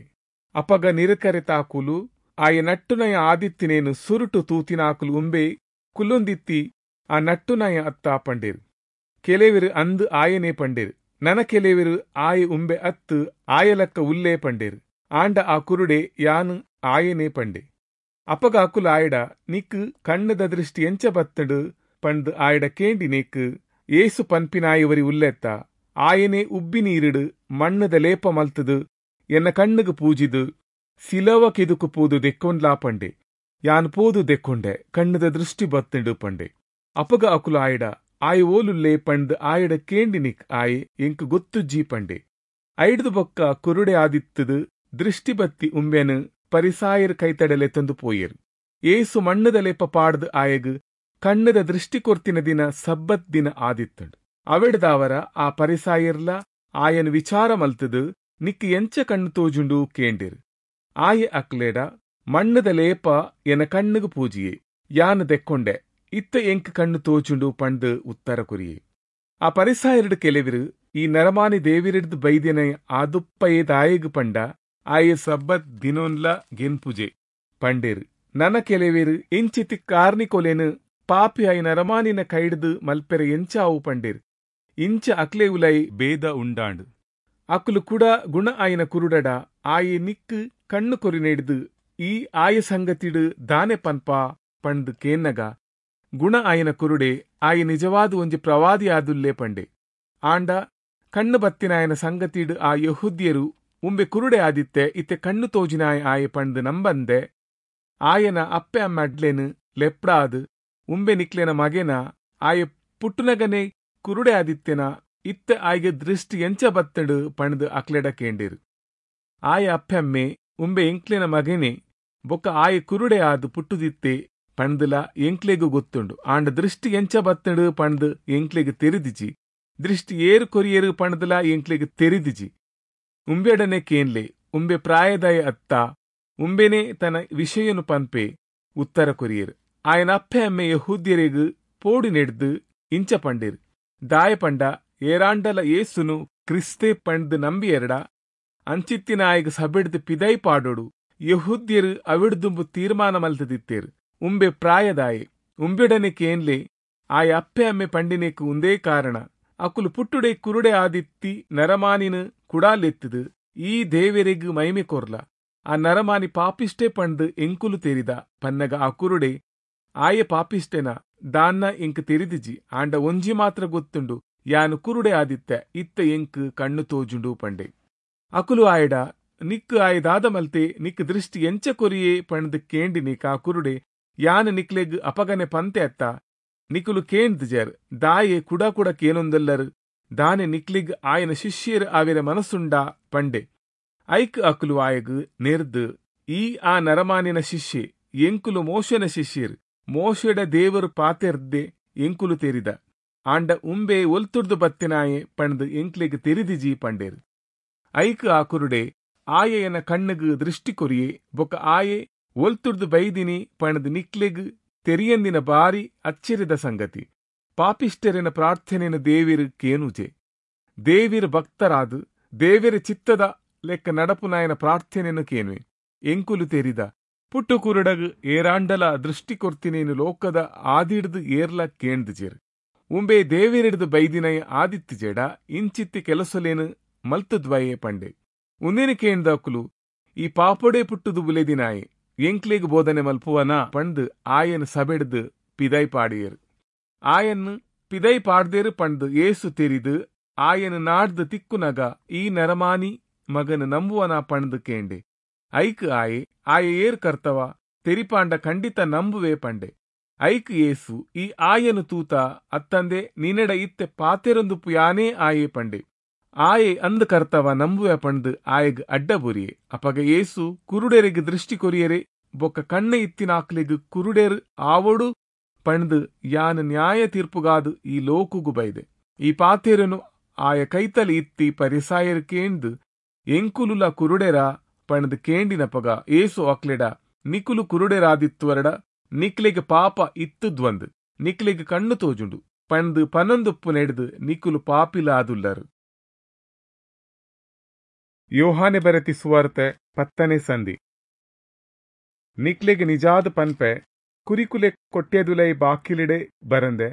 [SPEAKER 1] ಅಪಗ ನಿರೆಕರೆತಾಕುಲು ಆಯೆ ನಟ್ಟುನಾಯೆ ಆದಿತ್ತಿನೆನ್ ಸುರುಟ್ಟು ತೂತಿನಾಕುಲು ಉಂಬೆ ಕುಲ್ಲೊಂದಿತ್ತಿ ಆ ನಟ್ಟುನಾಯೆ ಅತ್ತಾ ಪಂಡೆರ್. ಕೆಲೆವೆರ್ ಅಂದ್ ಆಯೆನೇ ಪಂಡೆರ್. ನನ ಕೆಲೆವೆರ್ ಆಯೆ ಉಂಬೆ ಅತ್ತ್, ಆಯಲಕ್ಕ ಉಲ್ಲೆ ಪಂಡೆರ್. ಆಂಡ ಆ ಕುರುಡೆ ಯಾನ್ ಆಯೆನೇ ಪಂಡೆ. ಅಪಗ ಅಕುಲು ಆಯಡ, ನಿಕ್ಕ್ ಕಣ್ಣುದ ದೃಷ್ಟಿ ಎಂಚ ಬತ್ತುಂಡು ಪಂಡ್ದ್ ಆಯಡ ಕೇಂಡಿನೇಕ್, ಯೇಸು ಪನ್ಪಿನಾಯೆ ಒರಿ ಉಲ್ಲೆತ್ತ, ಆಯೆನೇ ಉಬ್ಬಿ ನೀರಿಡ್ ಮಣ್ಣುದ ಲೇಪ ಮಲ್ತುದು ಎನ್ನ ಕಣ್ಣುಗು ಪೂಜಿದ್ ಸಿಲೋವ ಕೆದುಕು ಪೋದು ದೆಕ್ಕೊನ್ಲಾ ಪಂಡೆ. ಯಾನ್ ಪೋದು ದೆಕ್ಕೊಂಡೆ, ಕಣ್ಣುದ ದೃಷ್ಟಿ ಬತ್ತುಂಡು ಪಂಡೆ. ಅಪಗ ಅಕುಲು ಆಯಡ, ಆಯೆ ಓಲುಲ್ಲೆ ಪಂಡ್ದ್ ಆಯಡ ಕೇಂಡಿನಿಕ್ ಆಯೆ, ಎಂಕ್ ಗೊತ್ತುಜ್ಜಿ ಪಂಡೆ. ಐಡ್ದ್ ಬೊಕ್ಕ ಕುರುಡೆ ಆದಿತ್ತುದು ದೃಷ್ಟಿ ಬತ್ತಿ ಉಂಬೆನ್ ಪರಿಸಾಯೆರ್ ಕೈತಡೆ ಲೆತ್ತೊಂದು ಪೋಯೆರ್. ಯೇಸು ಮಣ್ಣುದ ಲೇಪ ಪಾಡ್ದ್ ಆಯಗ್ ಕಣ್ಣುದ ದೃಷ್ಟಿ ಕೊರ್ತಿನ ದಿನ ಸಬ್ಬತ್ ದಿನ ಆದಿತ್ತುಂಡು. ಅವೆಡ್ದಾವರ ಆ ಪರಿಸಾಯೆರ್ಲಾ ಆಯನ್ ವಿಚಾರ ಮಲ್ತುದು, ನಿಕ್ಕ್ ಎಂಚ ಕಣ್ಣು ತೋಜುಂಡು ಕೇಂಡೆರ್. ಆಯೆ ಅಕ್ಲೆಡ, ಮಣ್ಣುದ ಲೇಪ ಎನ ಕಣ್ಣುಗು ಪೂಜಿಯೆ, ಯಾನ್ ದೆಕ್ಕೊಂಡೆ, ಇತ್ತ ಎಂಕ್ ಕಣ್ಣು ತೋಜುಂಡು ಪಂಡ್ದ್ ಉತ್ತರ ಕೊರಿಯೆ. ಆ ಪರಿಸಾಯೆರ್ಡ್ ಕೆಲೆವೆರ್, ಈ ನರಮಾನಿ ದೇವೆರೆಡ್ದ್ ಬೈದಿನ ಆದುಪ್ಪಯೆ ದಾಯೆಗ್ ಪಂಡ ಆಯೆ ಸಬ್ಬತ್ ದಿನೊನ್ಲ ಗೆನ್ಪುಜೆ ಪಂಡೆರ್. ನನ ಕೆಲೆವೆರ್, ಇಂಚಿತ್ತಿ ಕಾರ್ನಿಕೊಲೆನ್ ಪಾಪಿ ಆಯಿ ನರಮಾನಿನ ಕೈಡ್ದ್ ಮಲ್ಪೆರೆ ಎಂಚಾವು ಪಂಡೆರ್. ಇಂಚ ಅಕ್ಲೆ ಉಲಯಿ ಭೇದ ಉಂಡಾಂಡ್. ಅಕುಲು ಕುಡ ಗುಣ ಆಯಿನ ಕುರುಡಡ, ಆಯೆ ನಿಕ್ಕ್ ಕಣ್ಣು ಕೊರಿನೆಡ್ದ್ ಈ ಆಯ ಸಂಗತಿಡ್ ದಾನೆ ಪನ್ಪ ಪಂಡ್ದ್ ಕೇನ್ನಗ, ಗುಣ ಆಯಿನ ಕುರುಡೆ, ಆಯೆ ನಿಜವಾದ್ ಒಂಜಿ ಪ್ರವಾದಿ ಆದುಲ್ಲೆ ಪಂಡೆ. ಆಂಡ ಕಣ್ಣು ಬತ್ತಿನಾಯನ ಸಂಗತಿಡ್ ಆ ಯೆಹೂದ್ಯೆರು ಉಂಬೆ ಕುರುಡೆ ಆದಿತ್ತೆ ಇತ್ತೆ ಕಣ್ಣು ತೋಜಿನಾಯ ಆಯೆ ಪಂದ್ ನಂಬಂದೆ ಆಯನ ಅಪ್ಪೆ ಅಮ್ಮ ಅಡ್ಲೆನ್ ಲೆಪ್ಡಾದ್ ಉಂಬೆ ನಿಕ್ಲೆನ ಮಗೆನ ಆಯೆ ಪುಟ್ಟುನಗನೆ ಕುರುಡೆ ಆದಿತ್ತೆನ ಇತ್ತೆ ಆಯ್ಗೆ ದೃಷ್ಟಿ ಎಂಚ ಬತ್ತಡು ಪಂದ್ ಅಕ್ಲೆಡ ಕೇಂಡಿರು. ಆಯ ಅಪ್ಪೆಮ್ಮೆ ಉಂಬೆ ಎಂಕ್ಲೆನ ಮಗನೆ ಬೊಕ್ಕ ಆಯೆ ಕುರುಡೆ ಆದ್ ಪುಟ್ಟುದಿತ್ತೆ ಪಂದ್ಲ ಎಂಕ್ಲೆಗು ಗೊತ್ತುಂಡು. ಆಂಡ ದೃಷ್ಟಿ ಎಂಚ ಬತ್ತಡು ಪಂದ್ ಎಂಕ್ಲೆಗ್ ತೆರಿದಿಜಿ. ದೃಷ್ಟಿ ಏರು ಕೊರಿಯೇರು ಪಂದ್ಲ ಎಂಕ್ಲೆಗ್ ತೆರಿದಿಜಿ. ಉಂಬೆಡನೆ ಕೇನ್ಲೆ ಉಂಬೆ ಪ್ರಾಯದಾಯ ಅತ್ತ ಉಂಬೆನೆ ತನ್ನ ವಿಷಯನು ಪನ್ಪೆ ಉತ್ತರ ಕೊರಿಯೇರು. ಆಯನ ಅಪ್ಪೆ ಅಮ್ಮೆ ಯಹೂದ್ಯರೆಗ್ ಪೋಡಿ ನೆಡ್ದು ಇಂಚ ಪಂಡೇರು. ದಾಯ ಪಂಡ ಏರಾಂಡಲ ಏಸುನು ಕ್ರಿಸ್ತೆ ಪಂಡ್ದು ನಂಬಿಯೆರಡ ಅಂಚಿತ್ತಿನ ಆಯಗ್ ಸಬೆಡ್ದು ಪಿದೈ ಪಾಡೋಡು. ಯಹೂದ್ಯರು ಅವಿಡ್ದುಂಬು ತೀರ್ಮಾನ ಮಲ್ತದಿತ್ತೇರು. ಉಂಬೆ ಪ್ರಾಯದಾಯೆ ಉಂಬೆಡನೆ ಕೇನ್ಲೆ ಆಯ ಅಪ್ಪೆ ಅಮ್ಮೆ ಪಂಡಿನೇಕು ಉಂದೇ ಕಾರಣ. ಅಕುಲು ಪುಟ್ಟುಡೆ ಕುರುಡೆ ಆದಿತ್ತಿ ನರಮಾನಿನ ಕುಡಾಲೆತ್ತದು ಈ ದೇವೆರೆಗ್ ಮೈಮೆ ಕೊರ್ಲ. ಆ ನರಮಾನಿ ಪಾಪಿಷ್ಟೇ ಪಂಡ್ದು ಎಂಕುಲು ತೆರಿದ ಪನ್ನಗ ಆ ಕುರುಡೆ ಆಯೆ ಪಾಪಿಷ್ಟೇನ ದಾನ್ನ ಎಂಕ್ ತೆರಿದಿಜಿ. ಆಂಡ ಒಂಜಿ ಮಾತ್ರ ಗೊತ್ತುಂಡು, ಯಾನು ಕುರುಡೆ ಆದಿತ್ತೆ ಇತ್ತ ಎಂಕ್ ಕಣ್ಣು ತೋಜುಂಡು ಪಂಡೆ. ಅಕುಲು ಆಯಡ ನಿಕ್ಕು ಆಯದಾದ ಮಲ್ತೆ ನಿಕ್ ದೃಷ್ಟಿ ಎಂಚ ಕೊರಿಯೇ ಪಂಡ್ದು ಕೇಂಡಿ ನಿಕ್ ಆ ಕುರುಡೆ ಯಾನು ನಿಕ್ಲೆಗ್ ಅಪಗನೆ ಪಂತೆ ಅತ್ತ ನಿಕುಲು ಕೇಂದ್ಜರ್ ದಾಯೆ ಕುಡ ಕುಡ ಕೇನೊಂದಲ್ಲರು ದಾನೆ ನಿಕ್ಲಿಗ್ ಆಯನ ಶಿಷ್ಯರು ಆವಿರ ಮನಸ್ಸುಂಡ ಪಂಡೆ. ಐಕ್ ಅಕುಲು ಆಯಗ್ ನೆರ್ದು ಈ ಆ ನರಮಾನಿನ ಶಿಷ್ಯೆ ಎಂಕುಲು ಮೋಶನ ಶಿಷ್ಯರು ಮೋಶೆಡ ದೇವರು ಪಾತೆರ್ದೆ ಎಂಕುಲು ತೆರಿದ ಆಂಡ ಉಂಬೆ ಒಲ್ತುರ್ದು ಬತ್ತಿನಾಯೆ ಪಂಡ್ದು ಎಂಕ್ಲೆಗ್ ತೆರಿದಿಜಿ ಪಂಡೇರು. ಐಕ್ ಆ ಕುರುಡೆ ಆಯೆಯನ ಕಣ್ಣುಗ್ ದೃಷ್ಟಿ ಕೊರಿಯೆ ಬೊಕ್ಕ ಆಯೆ ಒಲ್ತುರ್ದು ಬೈದಿನಿ ಪಂಡ್ದು ನಿಕ್ಲೆಗ್ ತೆರಿಯಂದಿನ ಬಾರಿ ಅಚ್ಚರಿದ ಸಂಗತಿ. ಪಾಪಿಷ್ಟರಿನ ಪ್ರಾರ್ಥನೆನ ದೇವಿರು ಕೇನುಜೆ. ದೇವಿರು ಭಕ್ತರಾದು ದೇವಿರ ಚಿತ್ತದ ಲೆಕ್ಕ ನಡಪುನಾಯನ ಪ್ರಾರ್ಥನೆಯನ್ನು ಕೇನುವೆ. ಎಂಕುಲು ತೆರಿದ ಪುಟ್ಟು ಕುರುಡಗ್ ಏರಾಂಡಲ ದೃಷ್ಟಿ ಕೊರ್ತಿನೇನು ಲೋಕದ ಆದಿಡ್ದು ಏರ್ಲ ಕೇಂದ್ಜೇರು. ಉಂಬೆ ದೇವಿರಿಡ್ದು ಬೈದಿನಯ ಆದಿತ್ತಿ ಜೇಡ ಇಂಚಿತ್ತಿ ಕೆಲಸಲೇನು ಮಲ್ತದ್ವಯೇ ಪಂಡೆ. ಉಂದೇನು ಕೇಂದಕುಲು ಈ ಪಾಪೊಡೆ ಪುಟ್ಟುದು ಬುಲೆದಿನಾಯೆ ಎಂಕ್ಲೆಗ್ ಬೋಧನೆ ಮಲ್ಪುವನ ಪಂಡ್ ಆಯನ್ ಸಬೆಡ್ದು ಪಿದೈ ಪಾಡಿಯರು. ಆಯನ್ ಪಿದೈ ಪಾಡ್ದೇರು ಪಂಡ್ ಏಸು ತೆರಿದು ಆಯನ್ ನಾಡ್ದು ತಿಕ್ಕುನಗ ಈ ನರಮಾನಿ ಮಗನ ನಂಬುವನ ಪಂಡ್ ಕೇಂಡೆ. ಐಕ್ ಆಯೆ ಆಯೆ ಏರ್ ಕರ್ತವ ತೆರಿಪಾಂಡ ಖಂಡಿತ ನಂಬುವೆ ಪಂಡೆ. ಐಕ್ ಏಸು ಈ ಆಯನು ತೂತ ಅತ್ತಂದೆ ನಿನೆಡ ಇತ್ತೆ ಪಾತೆರೊಂದುಪ್ಪು ಯಾನೇ ಆಯೆ ಪಂಡೆ. ಆಯೆ ಅಂದ್ ಕರ್ತವ ನಂಬುವೆ ಪಂಡ್ ಆಯಗ್ ಅಡ್ಡ ಬುರಿಯೆ. ಅಪಗ ಏಸು ಕುರುಡೆರೆಗ್ ದೃಷ್ಟಿ ಕೊರಿಯರೆ ಬೊಕ್ಕ ಕಣ್ಣ ಇತ್ತಿನಾಕ್ಲೆಗ್ ಕುರುಡೆರ್ ಆವೊಡು ಪಂಡ್ ಯಾನ್ ನ್ಯಾಯ ತೀರ್ಪುಗಾದು ಈ ಲೋಕುಗು ಬೈದೆ. ಈ ಪಾತೆರನು ಆಯ ಕೈತಲಿ ಇತ್ತಿ ಪರಿಸಾಯರ್ ಕೇಂದ್ ಎಂಕುಲುಲ ಕುರುಡೆರ ಪಂಡ್ ಕೇಂಡಿನಪಗ ಏಸು ಅಕ್ಲೆಡ ನಿಕುಲು ಕುರುಡೆರಾದಿತ್ತುವರಡ ನಿಕ್ಲೆಗ್ ಪಾಪ ಇತ್ತುದ್ವಂದ್ ನಿಕ್ಲೆಗ್ ಕಣ್ಣು ತೋಜುಂಡು ಪಂಡ್ ಪನೊಂದುಪ್ಪು ನೆಡ್ದು ನಿಕುಲು ಪಾಪಿಲಾದುಲ್ಲರು. ಯೋಹಾನೆ ಬರೆತಿ ಸುವಾರ್ತೆ ಪತ್ತನೆ ಸಂಧಿ. ನಿಕ್ಲೆಗ್ ನಿಜಾದ ಪನ್ಪೆ ಕುರಿಕುಲೆ ಕೊಟ್ಟೆದುಲೈ ಬಾಕಿಲಿಡೆ ಬರಂದೆ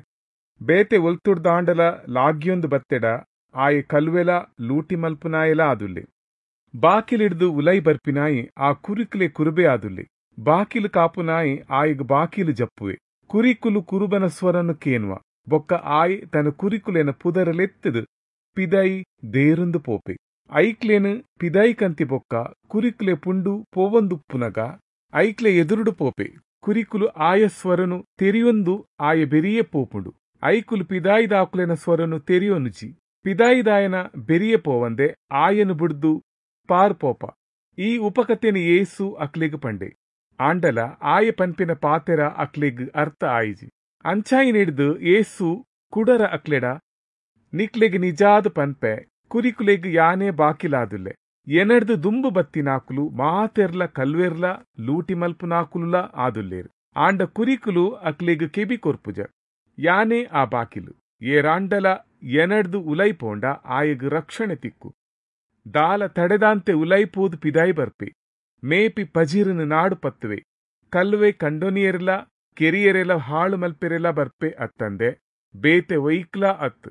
[SPEAKER 1] ಬೇತೆ ಒಲ್ತುಡ್ದಾಂಡಲ ಲಾಗ್ಯೊಂದು ಬತ್ತೆಡ ಆಯೆ ಕಲ್ವೆಲ ಲೂಟಿ ಮಲ್ಪುನಾಯೆಲ ಆದುಲ್ಲೆ. ಬಾಕಿಲಿಡ್ದು ಉಲೈ ಬರ್ಪಿನಾಯಿ ಆ ಕುರಿಕುಲೆ ಕುರುಬೆ ಆದುಲ್ಲೆ. ಬಾಕಿಲು ಕಾಪುನಾಯಿ ಆಯಗ್ ಬಾಕಿಲು ಜಪ್ಪುವೆ. ಕುರಿಕುಲು ಕುರುಬನ ಸ್ವರನು ಕೇನುವ ಬೊಕ್ಕ ಆಯ್ ತನ್ನ ಕುರಿಕುಲೆನ ಪುದರಲೆತ್ತದು ಪಿದೈ ದೇರುಂದು ಪೋಪೆ. ಐಕ್ಲೇನು ಪಿದೈ ಕಂತಿ ಬೊಕ್ಕ ಕುರಿಕುಲೆ ಪುಂಡು ಪೋವಂದುಪ್ಪುನಗ ಐಕ್ಲೆ ಎದುರುಡು ಪೋಪೆ. ಕುರಿಕುಲು ಆಯ ಸ್ವರನು ತೆರಿಯೊಂದು ಆಯ ಬೆರಿಯೇ ಪೋಪುಂಡು. ಐಕುಲು ಪಿದಾಯಿದಾಕುಲೆನ ಸ್ವರನು ತೆರಿಯೊನುಜಿ. ಪಿದಾಯಿದಾಯನ ಬೆರಿಯೇ ಪೋವಂದೆ ಆಯನು ಬುಡ್ದು ಪಾರ್ ಪೋಪ. ಈ ಉಪಕತೆನ ಏಸು ಅಕ್ಲೆಗ್ ಪಂಡೆ. ಆಂಡಲ ಆಯ ಪನ್ಪಿನ ಪಾತೆರ ಅಕ್ಲೆಗ್ ಅರ್ಥ ಆಯಿಜಿ. ಅಂಚಾಯಿ ನೆಡ್ದು ಏಸು ಕುಡರ ಅಕ್ಲೆಡ ನಿಕ್ಲೆಗ್ ನಿಜಾದ ಪನ್ಪೆ ಕುರಿಕುಲೆಗ್ ಯಾನೇ ಬಾಕಿಲಾದುಲ್ಲೆ. ಎನಡ್ದು ದುಂಬು ಬತ್ತಿನಾಕುಲು ಮಾತೆರ್ಲ ಕಲ್ವೆರ್ಲ ಲೂಟಿ ಮಲ್ಪುನಾಕುಲುಲ ಆದುಲ್ಲೇರು. ಆಂಡ ಕುರಿಕುಲು ಅಕ್ಲೆಗ್ ಕೆಬಿ ಕೊರ್ಪುಜ. ಯಾನೇ ಆ ಬಾಕಿಲು. ಏರಾಂಡಲ ಎನಡ್ದು ಉಲೈ ಪೋಂಡ ಆಯಗ್ ರಕ್ಷಣೆ ತಿಕ್ಕು. ದಾಲ ತಡೆದಾಂತೆ ಉಲೈಪೋದು ಪಿದಾಯಿ ಬರ್ಪೆ. ಮೇಪಿ ಪಜಿರನು ನಾಡು ಪತ್ತುವೆ. ಕಲ್ವೆ ಕಂಡೊನಿಯರ್ಲ ಕೆರಿಯರೆಲ ಹಾಳು ಮಲ್ಪೆರೆಲ ಬರ್ಪೆ ಅತ್ತಂದೆ ಬೇತೆ ಒಯ್ಕ್ಲ ಅತ್ತು.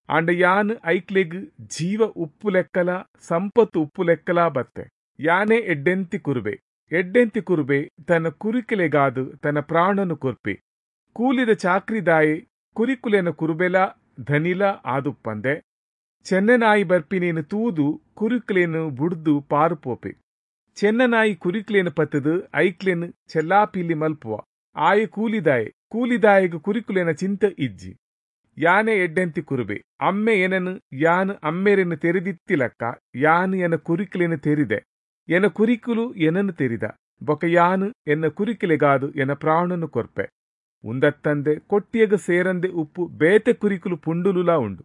[SPEAKER 1] ಆಂಡ ಯಾನ್ ಐಕ್ಲೆಗ್ ಜೀವ ಉಪ್ಪು ಲೆಕ್ಕಲ ಸಂಪತ್ತು ಉಪ್ಪು ಲೆಕ್ಕಲ ಬತ್ತೆ. ಯಾನೇ ಎಡ್ಡೆಂತಿ ಕುರುಬೆ. ಎಡ್ಡೆಂತಿ ಕುರುಬೆ ತನ್ನ ಕುರಿಕುಲೆಗಾದು ತನ್ನ ಪ್ರಾಣನು ಕೊರ್ಪೆ. ಕೂಲಿದ ಚಾಕ್ರಿದಾಯೆ ಕುರಿಕುಲೆನ ಕುರುಬೆಲ ಧನಿಲ ಆದುಪ್ಪಂದೆ ಚೆನ್ನನಾಯಿ ಬರ್ಪಿನೇನು ತೂದು ಕುರಿಕ್ಲೇನು ಬುಡ್ದು ಪಾರುಪೋಪೆ. ಚೆನ್ನನಾಯಿ ಕುರಿಕ್ಲೇನು ಪತ್ತದು ಐಕ್ಲೇನು ಚೆಲ್ಲಾಪಿಲ್ಲಿ ಮಲ್ಪುವ. ಆಯೆ ಕೂಲಿದಾಯೆ, ಕೂಲಿದಾಯೆಗು ಕುರಿಕುಲೇನ ಚಿಂತೆ ಇಜ್ಜಿ. ಯಾನೆ ಎಡ್ಡೆಂತಿ ಕುರುಬೆ, ಅಮ್ಮೆ ಎನನು ಯಾನು ಅಮ್ಮೆರೆನು ತೆರೆದಿತ್ತಿಲಕ್ಕ ಯಾನು ಎನ ಕುರಿಕುಲೇನು ತೆರಿದೆ, ಎನ ಕುರಿಕುಲು ಎನನು ತೆರಿದ, ಬೊಕ ಯಾನು ಎನ್ನ ಕುರಿಕುಲೆಗಾದು ಎನ ಪ್ರಾಣನು ಕೊರ್ಪೆ. ಉಂದತ್ತಂದೆ ಕೊಟ್ಟಿಯಗ ಸೇರಂದೆ ಉಪ್ಪು ಬೇತೆ ಕುರಿಕುಲು ಪುಂಡುಲುಲಾ ಉಂಡು.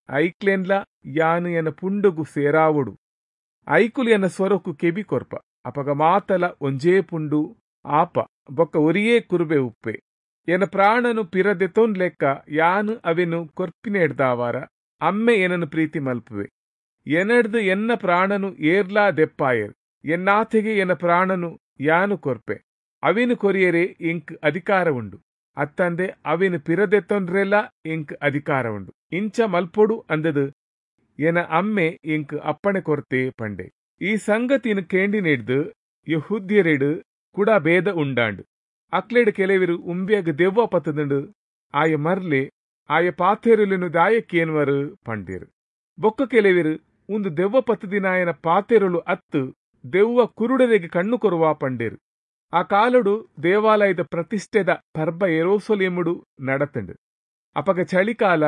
[SPEAKER 1] ಐಕ್ಲೇನ್ಲ ಯಾನು ಎನ ಪುಂಡುಗು ಸೇರಾವೊಡು. ಐಕುಲು ಎನ ಸ್ವರಕ್ಕು ಕೆಬಿ ಕೊರ್ಪ. ಅಪಗ ಮಾತಲ ಒಂಜೇ ಪುಂಡು ಆಪ ಬೊಕ್ಕ ಒರಿಯೇ ಕುರುಬೆ ಉಪ್ಪೆ. ಎನ ಪ್ರಾಣನು ಪಿರದೆತೊನ್ ಲೆಕ್ಕ ಯಾನು ಅವೆನು ಕೊರ್ಪಿನೆಡ್ದಾವಾರ ಅಮ್ಮೆ ಎನನು ಪ್ರೀತಿ ಮಲ್ಪುವೆ. ಎನಡ್ದು ಎನ್ನ ಪ್ರಾಣನು ಏರ್ಲಾ ದೆಪ್ಪಾಯರ್, ಎನ್ನಾಥೆಗೆ ಎನ ಪ್ರಾಣನು ಯಾನು ಕೊರ್ಪೆ. ಅವೆನು ಕೊರಿಯರೆ ಎಂಕ್ ಅಧಿಕಾರ ಉಂಡು, ಅತ್ತಂದೆ ಅವೆನು ಪಿರದೆತ್ತೊನ್ರೆಲ ಎಂಕ್ ಅಧಿಕಾರ ಉಂಡು. ಇಂಚ ಮಲ್ಪೊಡು ಅಂದದು ಎನ ಅಮ್ಮೆ ಎಂಕ್ ಅಪ್ಪಣೆ ಕೊರ್ತೆ ಪಂಡೆ. ಈ ಸಂಗತಿನ ಕೇಂಡಿನೆಡ್ದು ಯೆಹೂದ್ಯರೆಡು ಕೂಡ ಭೇದ ಉಂಡಾಂಡು. ಅಕ್ಲೆಡ್ ಕೆಲವರು ಉಂಬ್ಯಾಗ ದೆವ್ವ ಪತ್ತದುಂಡು, ಆಯ ಮರ್ಲೆ ಆಯ ಪಾತೆರುಲೆನು ದಾಯಕ್ಕೇನ್ವರು ಪಂಡೇರು. ಬೊಕ್ಕ ಕೆಲವರು ಉಂದು ದೆವ್ವ ಪತ್ತದಿನಾಯನ ಪಾತೆರುಲು ಅತ್ತು, ದೆವ್ವ ಕುರುಡರಿಗೆ ಕಣ್ಣು ಕೊರುವ ಪಂಡೇರು. ಆ ಕಾಲಡು ದೇವಾಲಯದ ಪ್ರತಿಷ್ಠೆದ ಪರ್ಬ ಯೆರೂಸಲೇಮುಡು ನಡತಂಡು. ಅಪಗ ಚಳಿಕಾಲ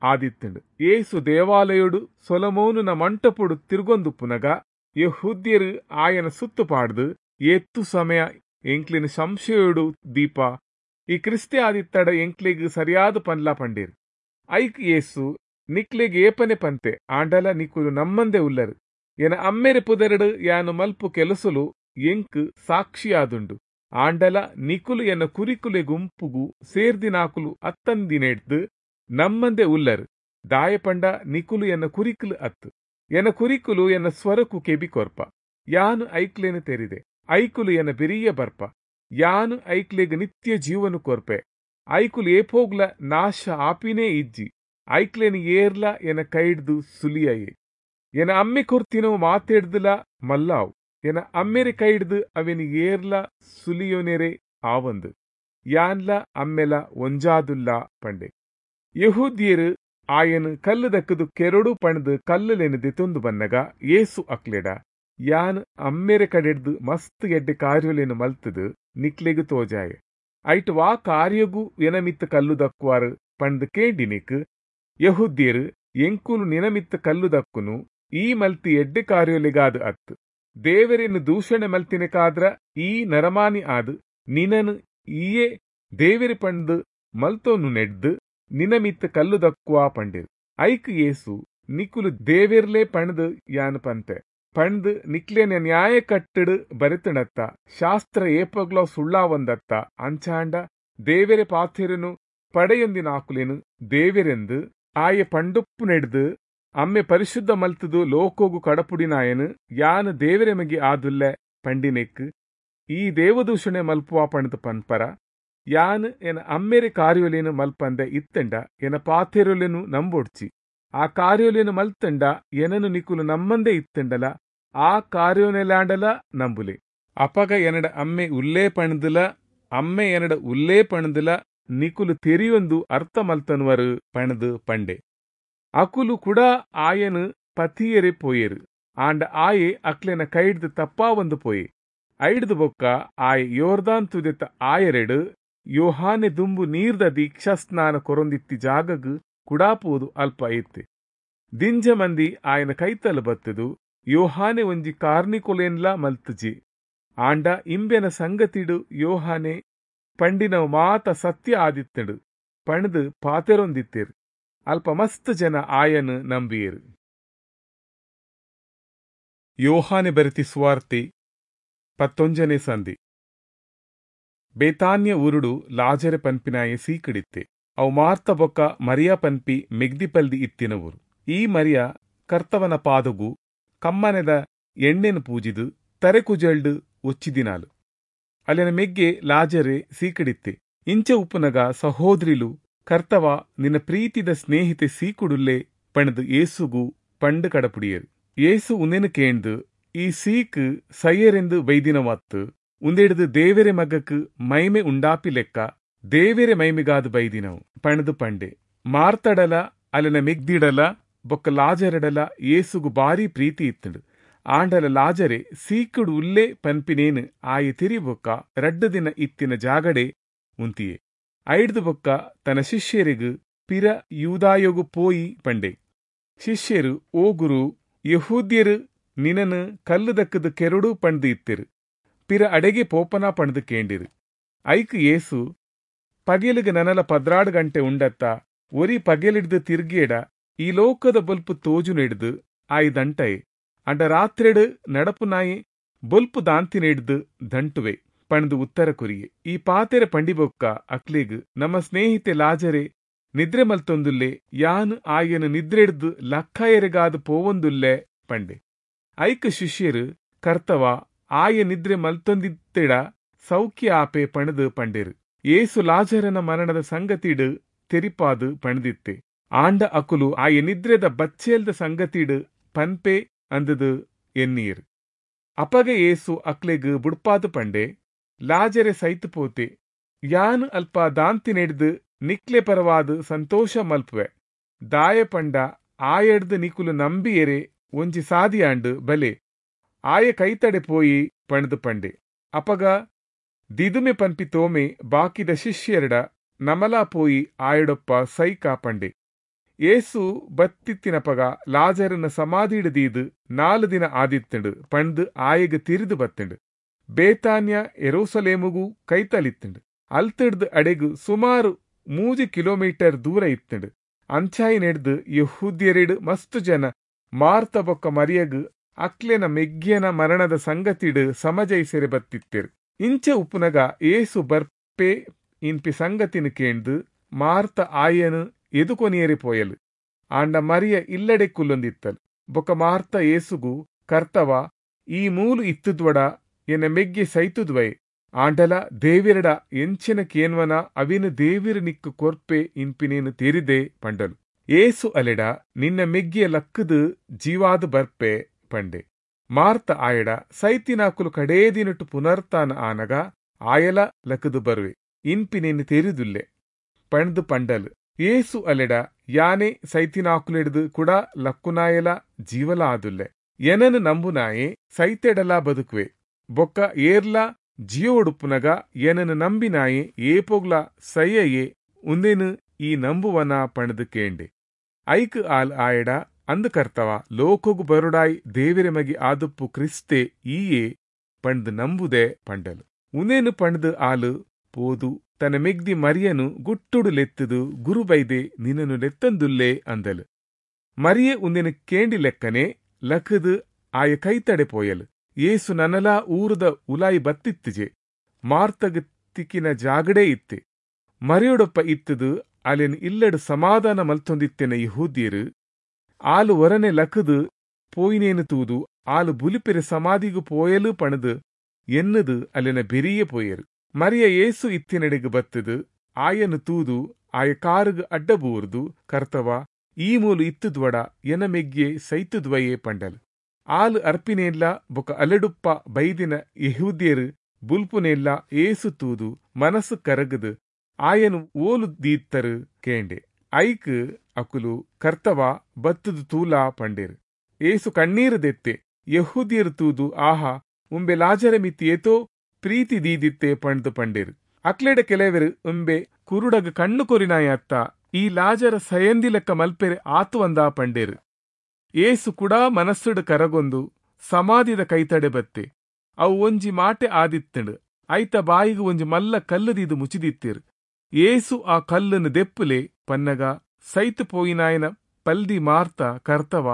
[SPEAKER 1] ಆದಿತ್ತಂಡು. ಏಸು ದೇವಾಲಯುಡು ಸೊಲೊಮೋನುನ ಮಂಟಪುಡು ತಿರುಗೊಂದುಪ್ಪುನಗ ಯೆಹೂದ್ಯರು ಆಯನ ಸುತ್ತು ಪಾಡ್ದು, ಏತ್ತು ಸಮಯ ಎಂಕ್ಲಿನ ಸಂಶಯುಡು ದೀಪ, ಈ ಕ್ರಿಸ್ತೆ ಆದಿತ್ತಡ ಎಂಕ್ಲೆಗ್ ಸರಿಯಾದ ಪನ್ಲಾ ಪಂಡೇರು. ಐಕ್ ಏಸು, ನಿಕ್ಲೆಗ್ ಏಪನೆ ಪಂತೆ, ಆಂಡಲ ನಿಕುಲು ನಮ್ಮಂದೆ ಉಲ್ಲರು. ಎನ ಅಮ್ಮೆರೆ ಪುದರಡು ಯಾನು ಮಲ್ಪು ಕೆಲಸಲು ಎಂಕ್ ಸಾಕ್ಷಿಯಾದುಂಡು. ಆಂಡಲ ನಿಕುಲು ಎನ್ನ ಕುರಿಕುಲೆ ಗುಂಪುಗು ಸೇರ್ದಿನಾಕುಲು ಅತ್ತಂದಿನೆಡ್ದು ನಮ್ಮಂದೆ ಉಲ್ಲರು. ದಾಯಪಂಡ ನಿಕುಲು ಎನ್ನ ಕುರಿಕುಲು ಅತ್ತು. ಎನ ಕುರಿಕುಲು ಎನ್ನ ಸ್ವರಕು ಕೆಬಿ ಕೊರ್ಪ. ಯಾನು ಐಕ್ಲೇನು ತೆರಿದೆ, ಐಕುಲು ಎನ ಬೆರಿಯ ಬರ್ಪ. ಯಾನು ಐಕ್ಲೆಗ್ ನಿತ್ಯ ಜೀವನು ಕೊರ್ಪೆ. ಐಕುಲು ಏಪೋಗ್ಲ ನಾಶ ಆಪಿನೇ ಇಜ್ಜಿ. ಐಕ್ಲೇನು ಏರ್ಲ ಎನ ಕೈಡ್ದು ಸುಲಿಯಯೆ. ಎನ ಅಮ್ಮೆ ಕೊರ್ತಿನೋ ಮಾತೆಡ್ದುಲ ಮಲ್ಲಾವು. ಎನ ಅಮ್ಮೆರೆ ಕೈಡ್ದು ಅವೆನು ಏರ್ಲ ಸುಲಿಯೋನೆರೆ ಆವಂದು. ಯಾನ್ಲ ಅಮ್ಮೆಲ ಒಂಜಾದುಲ್ಲ ಪಂಡೆ. ಯೆಹೂದ್ಯರು ಆಯನು ಕಲ್ಲು ದಕ್ಕದು ಕೆರಡು ಪಣದು ಕಲ್ಲುಲೆನು ದೆತೊಂದು ಬನ್ನಗ ಏಸು ಅಕ್ಲೆಡ, ಯಾನ್ ಅಮ್ಮೆರೆ ಕಡೆಡ್ದು ಮಸ್ತ್ ಎಡ್ಡೆ ಕಾರ್ಯೊಲೆನು ಮಲ್ತದು ನಿಕ್ಲೆಗು ತೋಜಾಯೆ. ಐಟ್ ವಾ ಕಾರ್ಯಗು ಎನಮಿತ್ತ ಕಲ್ಲು ದಕ್ಕುವಾರು ಪಂಡ್ ಕೇಂಡಿನಿಕ್ ಯೆಹೂದ್ಯರು, ಎಂಕುಲು ನಿನಮಿತ್ತ ಕಲ್ಲು ದಕ್ಕುನು ಈ ಮಲ್ತಿ ಎಡ್ಡೆ ಕಾರ್ಯೊಲೆಗಾದು ಅತ್ತು, ದೇವರೆನ್ನು ದೂಷಣೆ ಮಲ್ತಿನಕಾದ್ರ ಈ ನರಮಾನಿ ಆದು ನಿನನು ಈಯೇ ದೇವೆರೆ ಪಂಡ್ ಮಲ್ತೋನು ನೆಡ್ದು ನಿನಮಿತ್ತ ಕಲ್ಲು ದಕ್ಕುವಾ ಪಂಡಿರು. ಐಕ್ ಏಸು, ನಿಕುಲು ದೇವೆರ್ಲೆ ಪಣದು ಯಾನು ಪಂತೆ ಪಂಡ್ ನಿಕ್ಲೇನ ನ್ಯಾಯ ಕಟ್ಟಡು ಬರೆತಣತ್ತ, ಶಾಸ್ತ್ರ ಏಪಗ್ಲೋ ಸುಳ್ಳಾವಂದತ್ತ, ಅಂಚಾಂಡ ದೇವೆರೆ ಪಾಥೆರನು ಪಡೆಯೊಂದಿನಾಕುಲೇನು ದೇವೆರೆಂದು ಆಯೆ ಪಂಡುಪ್ಪು ನೆಡ್ದು ಅಮ್ಮೆ ಪರಿಶುದ್ಧ ಮಲ್ತದು ಲೋಕೋಗು ಕಡಪುಡಿನಾಯನು ಯಾನು ದೇವೆರೆ ಮಗೆ ಆದುಲ್ಲೆ ಪಂಡಿನೆಕ್ ಈ ದೇವದೂಷಣೆ ಮಲ್ಪುವ ಪಣದು ಪನ್ಪರ. ಯಾನು ಎನ ಅಮ್ಮೆರೆ ಕಾರ್ಯೊಲೇನು ಮಲ್ಪಂದೆ ಇತ್ತಂಡ ಎನ ಪಾಥೆರೊಲೆನು ನಂಬೊಡ್ಚಿ. ಆ ಕಾರ್ಯೊಲೇನು ಮಲ್ತಂಡ ಎನನು ನಿಕುಲು ನಮ್ಮಂದೆ ಇತ್ತಂಡಲ ಆ ಕಾರ್ಯೋನೆಲಾಂಡಲ ನಂಬುಲೆ. ಅಪಗ ಎನಡ ಅಮ್ಮೆ ಉಲ್ಲೇ ಪಣದುಲ ಅಮ್ಮೆ ಎನಡ ಉಲ್ಲೇ ಪಣದುಲ ನಿಕುಲು ತೆರಿಯೊಂದು ಅರ್ಥ ಮಲ್ತನ್ವರು ಪಣದು ಪಂಡೆ. ಅಕುಲು ಕೂಡ ಆಯನು ಪತಿಯರೆ ಪೋಯೆರು. ಆಂಡ ಆಯೆ ಅಕ್ಲೆನ ಕೈಡ್ದು ತಪ್ಪಾವಂದು ಪೋಯೆ. ಐಡ್ದು ಬೊಕ್ಕ ಆಯೆ ಯೋರ್ದಾನ್ ತುದೆತ ಆಯರೆಡು ಯೋಹಾನೆ ದುಂಬು ನೀರ್ದ ದೀಕ್ಷಾಸ್ನಾನ ಕೊರೊಂದಿತ್ತಿ ಜಾಗಗ್ ಕುಡಾಪೋದು ಅಲ್ಪ ಐತೆ. ದಿಂಜ ಮಂದಿ ಆಯನ ಕೈತಲು ಬತ್ತದು ಯೋಹಾನೆ ಒಂಜಿ ಕಾರ್ನಿಕೊಲೇನ್ಲಾ ಮಲ್ತುಜಿ. ಆಂಡ ಇಂಬೆನ ಸಂಗತಿಡು ಯೋಹಾನೆ ಪಂಡಿನವು ಮಾತ ಸತ್ಯ ಆದಿತ್ತಡು ಪಣದು ಪಾತೆರೊಂದಿತ್ತೇರು. ಅಲ್ಪ ಮಸ್ತ್ ಜನ ಆಯನು ನಂಬಿಯರು. ಯೋಹಾನೆ ಬರೆತಿ ಸುವಾರ್ತೆ ಪತ್ತೊಂಜನೇ ಸಂಧಿ. ಬೇತಾನ್ಯ ಊರುಡು ಲಾಜರೆ ಪನ್ಪಿನಾಯೆ ಸೀಕಿಡಿತ್ತೆ. ಅವು ಮಾರ್ತ ಬೊಕ್ಕ ಮರಿಯಾ ಪನ್ಪಿ ಮೆಗ್ದಿಪಲ್ದಿ ಇತ್ತಿನ ಊರು. ಈ ಮರಿಯ ಕರ್ತವನ ಪಾದಗು ಕಮ್ಮನೆದ ಎಣ್ಣೆನು ಪೂಜಿದು ತರೆಕುಜಲ್ಡು ಒಚ್ಚಿದಿನಾಲು. ಅಲ್ಲಿನ ಮೆಗ್ಗೆ ಲಾಜರೆ ಸೀಕಿಡಿತ್ತೆ. ಇಂಚ ಉಪ್ಪುನಗ ಸಹೋದರಿಲು ಕರ್ತವ ನಿನ್ನ ಪ್ರೀತಿದ ಸ್ನೇಹಿತೆ ಸೀಕುಡುಲ್ಲೆ ಪಣದು ಏಸುಗು ಪಂಡು ಕಡಪುಡಿಯರು. ಏಸು ಉಂದೆನು ಕೇಂದು ಈ ಸೀಕ್ ಸೈಯರೆಂದು ಬೈದಿನವತ್ತು ಉಂದೆಡ್ದು ದೇವೆರೆ ಮಗಕ್ ಮೈಮೆ ಉಂಡಾಪಿ ಲೆಕ್ಕ ದೇವೆರೆ ಮೈಮೆಗಾದು ಬೈದಿನವು ಪಣದು ಪಂಡೆ. ಮಾರ್ತಡಲ ಅಲ್ಲಿನ ಮೆಗ್ದಿಡಲ ಬೊಕ್ಕ ಲಾಜರಡಲ ಯೇಸುಗು ಬಾರಿ ಪ್ರೀತಿ ಇತ್ತುಂಡು. ಆಂಡಲ ಲಾಜರೆ ಸೀಕುಡು ಉಲ್ಲೆ ಪನ್ಪಿನೇನು ಆಯೆ ತಿರಿಬೊಕ್ಕ ರಡ್ಡು ದಿನ ಇತ್ತಿನ ಜಾಗಡೆ ಉಂತಿಯೆ. ಐಡ್ದು ಬೊಕ್ಕ ತನ್ನ ಶಿಷ್ಯರಿಗು ಪಿರ ಯೂದಾಯೋಗು ಪೋಯಿ ಪಂಡೆ. ಶಿಷ್ಯರು, ಓ ಗುರು, ಯಹೂದ್ಯರು ನಿನನು ಕಲ್ಲು ದಕ್ಕದು ಕೆರಡು ಪಂಡ್ದು ಇತ್ತಿರು, ಪಿರ ಅಡೆಗೆ ಪೋಪನ ಪಂಡ್ದು ಕೇಂಡಿರು. ಐಕ್ ಯೇಸು, ಪಗೆಲಿಗೆ ನನಲ ಪದ್ರಾಡು ಗಂಟೆ ಉಂಡತ್ತ, ಒರಿ ಪಗೆಲಿಡ್ದು ತಿರ್ಗೇಡ ಈ ಲೋಕದ ಬೊಲ್ಪು ತೋಜು ನೆಡ್ದು ಆಯಿ ದಂಟಯೆ, ಅಂಡ ರಾತ್ರೆಡು ನಡಪು ನಾಯಿ ಬೊಲ್ಪು ದಾಂತಿನೆಡ್ದು ದಂಟುವೆ ಪಂಡ್ದು ಉತ್ತರ ಕೊರಿಯೆ. ಈ ಪಾತೆರೆ ಪಂಡಿಬೊಕ್ಕ ಅಕ್ಲೆಗ್, ನಮ್ಮ ಸ್ನೇಹಿತೆ ಲಾಜರೆ ನಿದ್ರೆ ಮಲ್ತೊಂದುಲ್ಲೆ, ಯಾನ್ ಆಯನ ನಿದ್ರೆಡ್ದು ಲಕ್ಕಯೆರೆಗಾದ್ ಪೋವೊಂದುಲ್ಲೆ ಪಂಡೆ. ಐಕ್ ಶಿಷ್ಯರು, ಕರ್ತವ, ಆಯ ನಿದ್ರೆ ಮಲ್ತೊಂದಿತ್ತೆಡ ಸೌಖ್ಯ ಆಪೆ ಪಣದು ಪಂಡೆರು. ಏಸು ಲಾಜರನ ಮರಣದ ಸಂಗತಿಡು ತೆರಿಪಾದು ಪಣದಿತ್ತೆ. ಆಂಡ ಅಕುಲು ಆಯ ನಿದ್ರೆದ ಬಚ್ಚೇಲ್ದ ಸಂಗತಿಡು ಪನ್ಪೆ ಅಂದದು ಎನ್ನೀರ್. ಅಪಗ ಏಸು ಅಕ್ಲೆಗ್ ಬುಡ್ಪಾದು ಪಂಡೆ, ಲಾಜರೆ ಸೈತು ಪೋತೆ, ಯಾನ್ ಅಲ್ಪ ದಾಂತಿನೆಡ್ದು ನಿಕ್ಲೆ ಪರವಾದು ಸಂತೋಷ ಮಲ್ಪುವೆ, ದಾಯ ಪಂಡ ಆಯಡ್ದು ನಿಕುಲು ನಂಬಿಯರೆ ಒಂಜಿ ಸಾದಿಯಾಂಡು ಬಲೆ, ಆಯ ಕೈತಡೆ ಪೋಯಿ ಪಣದು ಪಂಡೆ. ಅಪಗ ದಿದುಮೆ ಪನ್ಪಿ ತೋಮೆ ಬಾಕಿದ ಶಿಷ್ಯರಡ, ನಮಲಾ ಪೋಯಿ ಆಯಡೊಪ್ಪ ಸೈಕಾ ಪಂಡೆ. ಏಸು ಬತ್ತಿತ್ತಿನಪಗ ಲಾಜರನ ಸಮಾಧಿಡು ದೀದು ನಾಲು ದಿನ ಆದಿತ್ತಂಡು ಪಂಡು ಆಯಗ್ ತಿರಿದು ಬತ್ತಂಡು. ಬೇತಾನ್ಯ ಎರೋಸಲೇಮುಗು ಕೈತಲಿತ್ತಂಡು. ಅಲ್ತಿಡ್ದು ಅಡೆಗು ಸುಮಾರು ಮೂಜಿ ಕಿಲೋಮೀಟರ್ ದೂರ ಇತ್ತಂಡು. ಅಂಚಾಯಿ ನೆಡ್ದು ಯಹೂದ್ಯರೆಡು ಮಸ್ತು ಜನ ಮಾರ್ತ ಬೊಕ್ಕ ಮರಿಯಗು ಅಕ್ಲೆನ ಮೆಗ್ಯನ ಮರಣದ ಸಂಗತಿಡು ಸಮಜೈಸೆರೆ ಬತ್ತಿತ್ತೆರು. ಇಂಚೆ ಉಪ್ಪುನಗ ಏಸು ಬರ್ಪೆ ಇನ್ಪಿ ಸಂಗತಿನ ಕೇಂದು ಮಾರ್ತ ಆಯನು ಎದುಕೊನಿಯರೆ ಪೋಯಲು. ಆಂಡ ಮರಿಯ ಇಲ್ಲಡೆ ಕುಲ್ಲೊಂದಿತ್ತಲು. ಬೊಕ್ಕ ಮಾರ್ತ ಏಸುಗು, ಕರ್ತವ, ಈ ಮೂಲು ಇತ್ತುದ್ವಡ ಎನ್ನ ಮೆಗ್ಗೆ ಸೈತುದ್ವಯೆ, ಆಂಡಲ ದೇವಿರಡ ಎಂಚಿನ ಕೇನ್ವನ ಅವಿನ ದೇವಿರ ನಿಕ್ಕು ಕೊರ್ಪೆ ಇನ್ಪಿನೇನು ತೆರಿದೆ ಪಂಡಲು. ಏಸು ಅಲೆಡ, ನಿನ್ನ ಮೆಗ್ಗಿಯ ಲಕ್ಕದು ಜೀವಾದು ಬರ್ಪೆ ಪಂಡೆ. ಮಾರ್ತ ಆಯಡ, ಸೈತಿನಾಕುಲು ಕಡೇ ದಿನಟು ಪುನರ್ತಾನ ಆನಗ ಆಯಲ ಲಕ್ಕದು ಬರುವೆ ಇನ್ಪಿನೇನು ತೆರಿದುಲ್ಲೆ ಪಂಡ್ದು ಪಂಡಲು. ಏಸು ಅಲೆಡ, ಯಾನೆ ಸೈತಿನಾಕುಲೆಡ್ದು ಕೂಡ ಲಕ್ಕುನಾಯಲ ಜೀವಲ ಆದುಲ್ಲೆ, ಎನನು ನಂಬುನಾಯೆ ಸೈತೆಡಲ ಬದುಕುವೆ, ಬೊಕ್ಕ ಏರ್ಲ ಜಿಯೋಡುಪ್ಪುನಗ ಏನನು ನಂಬಿನಾಯೆ ಏಪೋಗ್ಲ ಸೈಯಯೇ, ಉಂದೇನು ಈ ನಂಬುವನ ಪಣದು ಕೇಂಡೆ. ಐಕ್ ಆಲ್ ಆಯಡ, ಅಂದು ಕರ್ತವ, ಲೋಕೋಗು ಬರುಡಾಯ್ ದೇವಿರ ಮಗಿ ಆದುಪ್ಪು ಕ್ರಿಸ್ತೆ ಈಯೇ ಪಂಡ್ದು ನಂಬುದೆ ಪಂಡಲು. ಉಂದೇನು ಪಂಡ್ದು ಆಲು ಪೋದು ತನ್ನ ಮೆಗ್ದಿ ಮರಿಯನು ಗುಟ್ಟುಡು ಲೆತ್ತದು ಗುರುಬೈದೆ ನಿನ್ನನು ಲೆತ್ತಂದುಲ್ಲೆ ಅಂದಲು. ಮರಿಯೆ ಉಂದೇನು ಕೇಂಡಿ ಲೆಕ್ಕನೆ ಲಕ್ಕದು ಆಯ ಕೈತಡೆ ಪೋಯಲು. ಏಸು ನನಲಾ ಊರದ ಉಲಾಯಿ ಬತ್ತಿತ್ತಿಜೆ, ಮಾರ್ತಗ ತಿಕ್ಕಿನ ಜಾಗಡೇ ಇತ್ತೆ. ಮರಿಯೊಡೊಪ್ಪ ಇತ್ತದು ಅಲೆನ್ ಇಲ್ಲಡು ಸಮಾಧಾನ ಮಲ್ತೊಂದಿತ್ತೆನ ಯಹೂದ್ಯರು ಆಲು ಒರನೆ ಲಕ್ಕದು ಪೋಯಿನೇನು ತೂದು ಆಲು ಬುಲಿಪೆರೆ ಸಮಾಧಿಗು ಪೋಯಲು ಪಣದು ಎನ್ನದು ಅಲೆನ ಬೆರಿಯೇ ಪೋಯರು. ಮರಿಯ ಏಸು ಇತ್ತಿನಡೆಗು ಬತ್ತದು ಆಯನು ತೂದು ಆಯ ಕಾರುಗು ಅಡ್ಡಬೂರ್ದು, ಕರ್ತವ, ಈ ಮೂಲು ಇತ್ತುದ್ವಡ ಎನ ಮೆಗ್ಯೆ ಸೈತುದ್ವಯೇ ಪಂಡಲು. ಆಲು ಅರ್ಪಿನೇಲ್ಲ ಬೊಕ ಅಲೆಡುಪ್ಪ ಬೈದಿನ ಯಹೂದ್ಯರು ಬುಲ್ಪುನೆಲ್ಲ ಏಸು ತೂದು ಮನಸ್ಸು ಕರಗದು ಆಯನು ಓಲು ದೀತ್ತರು ಕೇಂಡೆ. ಐಕ್ ಅಕುಲು, ಕರ್ತವ, ಬತ್ತದು ತೂಲಾ ಪಂಡೇರು. ಏಸು ಕಣ್ಣೀರು ದೆತ್ತೆ. ಯಹೂದ್ಯರು ತೂದು, ಆಹಾ, ಉಂಬೆ ಲಾಜರ ಮಿತಿ ಏತೋ ಪ್ರೀತಿ ದೀದಿತ್ತೆ ಪಂಡ್ದು ಪಂಡೇರು. ಅಕ್ಲೆಡ ಕೆಲವರು, ಉಂಬೆ ಕುರುಡಗ ಕಣ್ಣು ಕೊರಿನಾಯತ್ತ, ಈ ಲಾಜರ ಸಯಂದಿ ಲೆಕ್ಕ ಮಲ್ಪೆರೆ ಆತು ಅಂದ ಪಂಡೇರು. ಏಸು ಕೂಡ ಮನಸ್ಸುಡು ಕರಗೊಂದು ಸಮಾಧಿದ ಕೈತಡೆ ಬತ್ತೆ. ಅವು ಒಂಜಿ ಮಾಟೆ ಆದಿತ್ತಂಡು. ಐತ ಬಾಯಿಗು ಒಂಜಿ ಮಲ್ಲ ಕಲ್ಲುದೀದು ಮುಚಿದಿತ್ತಿರು. ಏಸು ಆ ಕಲ್ಲನ್ನು ದೆಪ್ಪುಲೆ ಪನ್ನಗ ಸೈತು ಪೋಯಿನಾಯನ ಪಲ್ದಿ ಮಾರ್ತ, ಕರ್ತವ,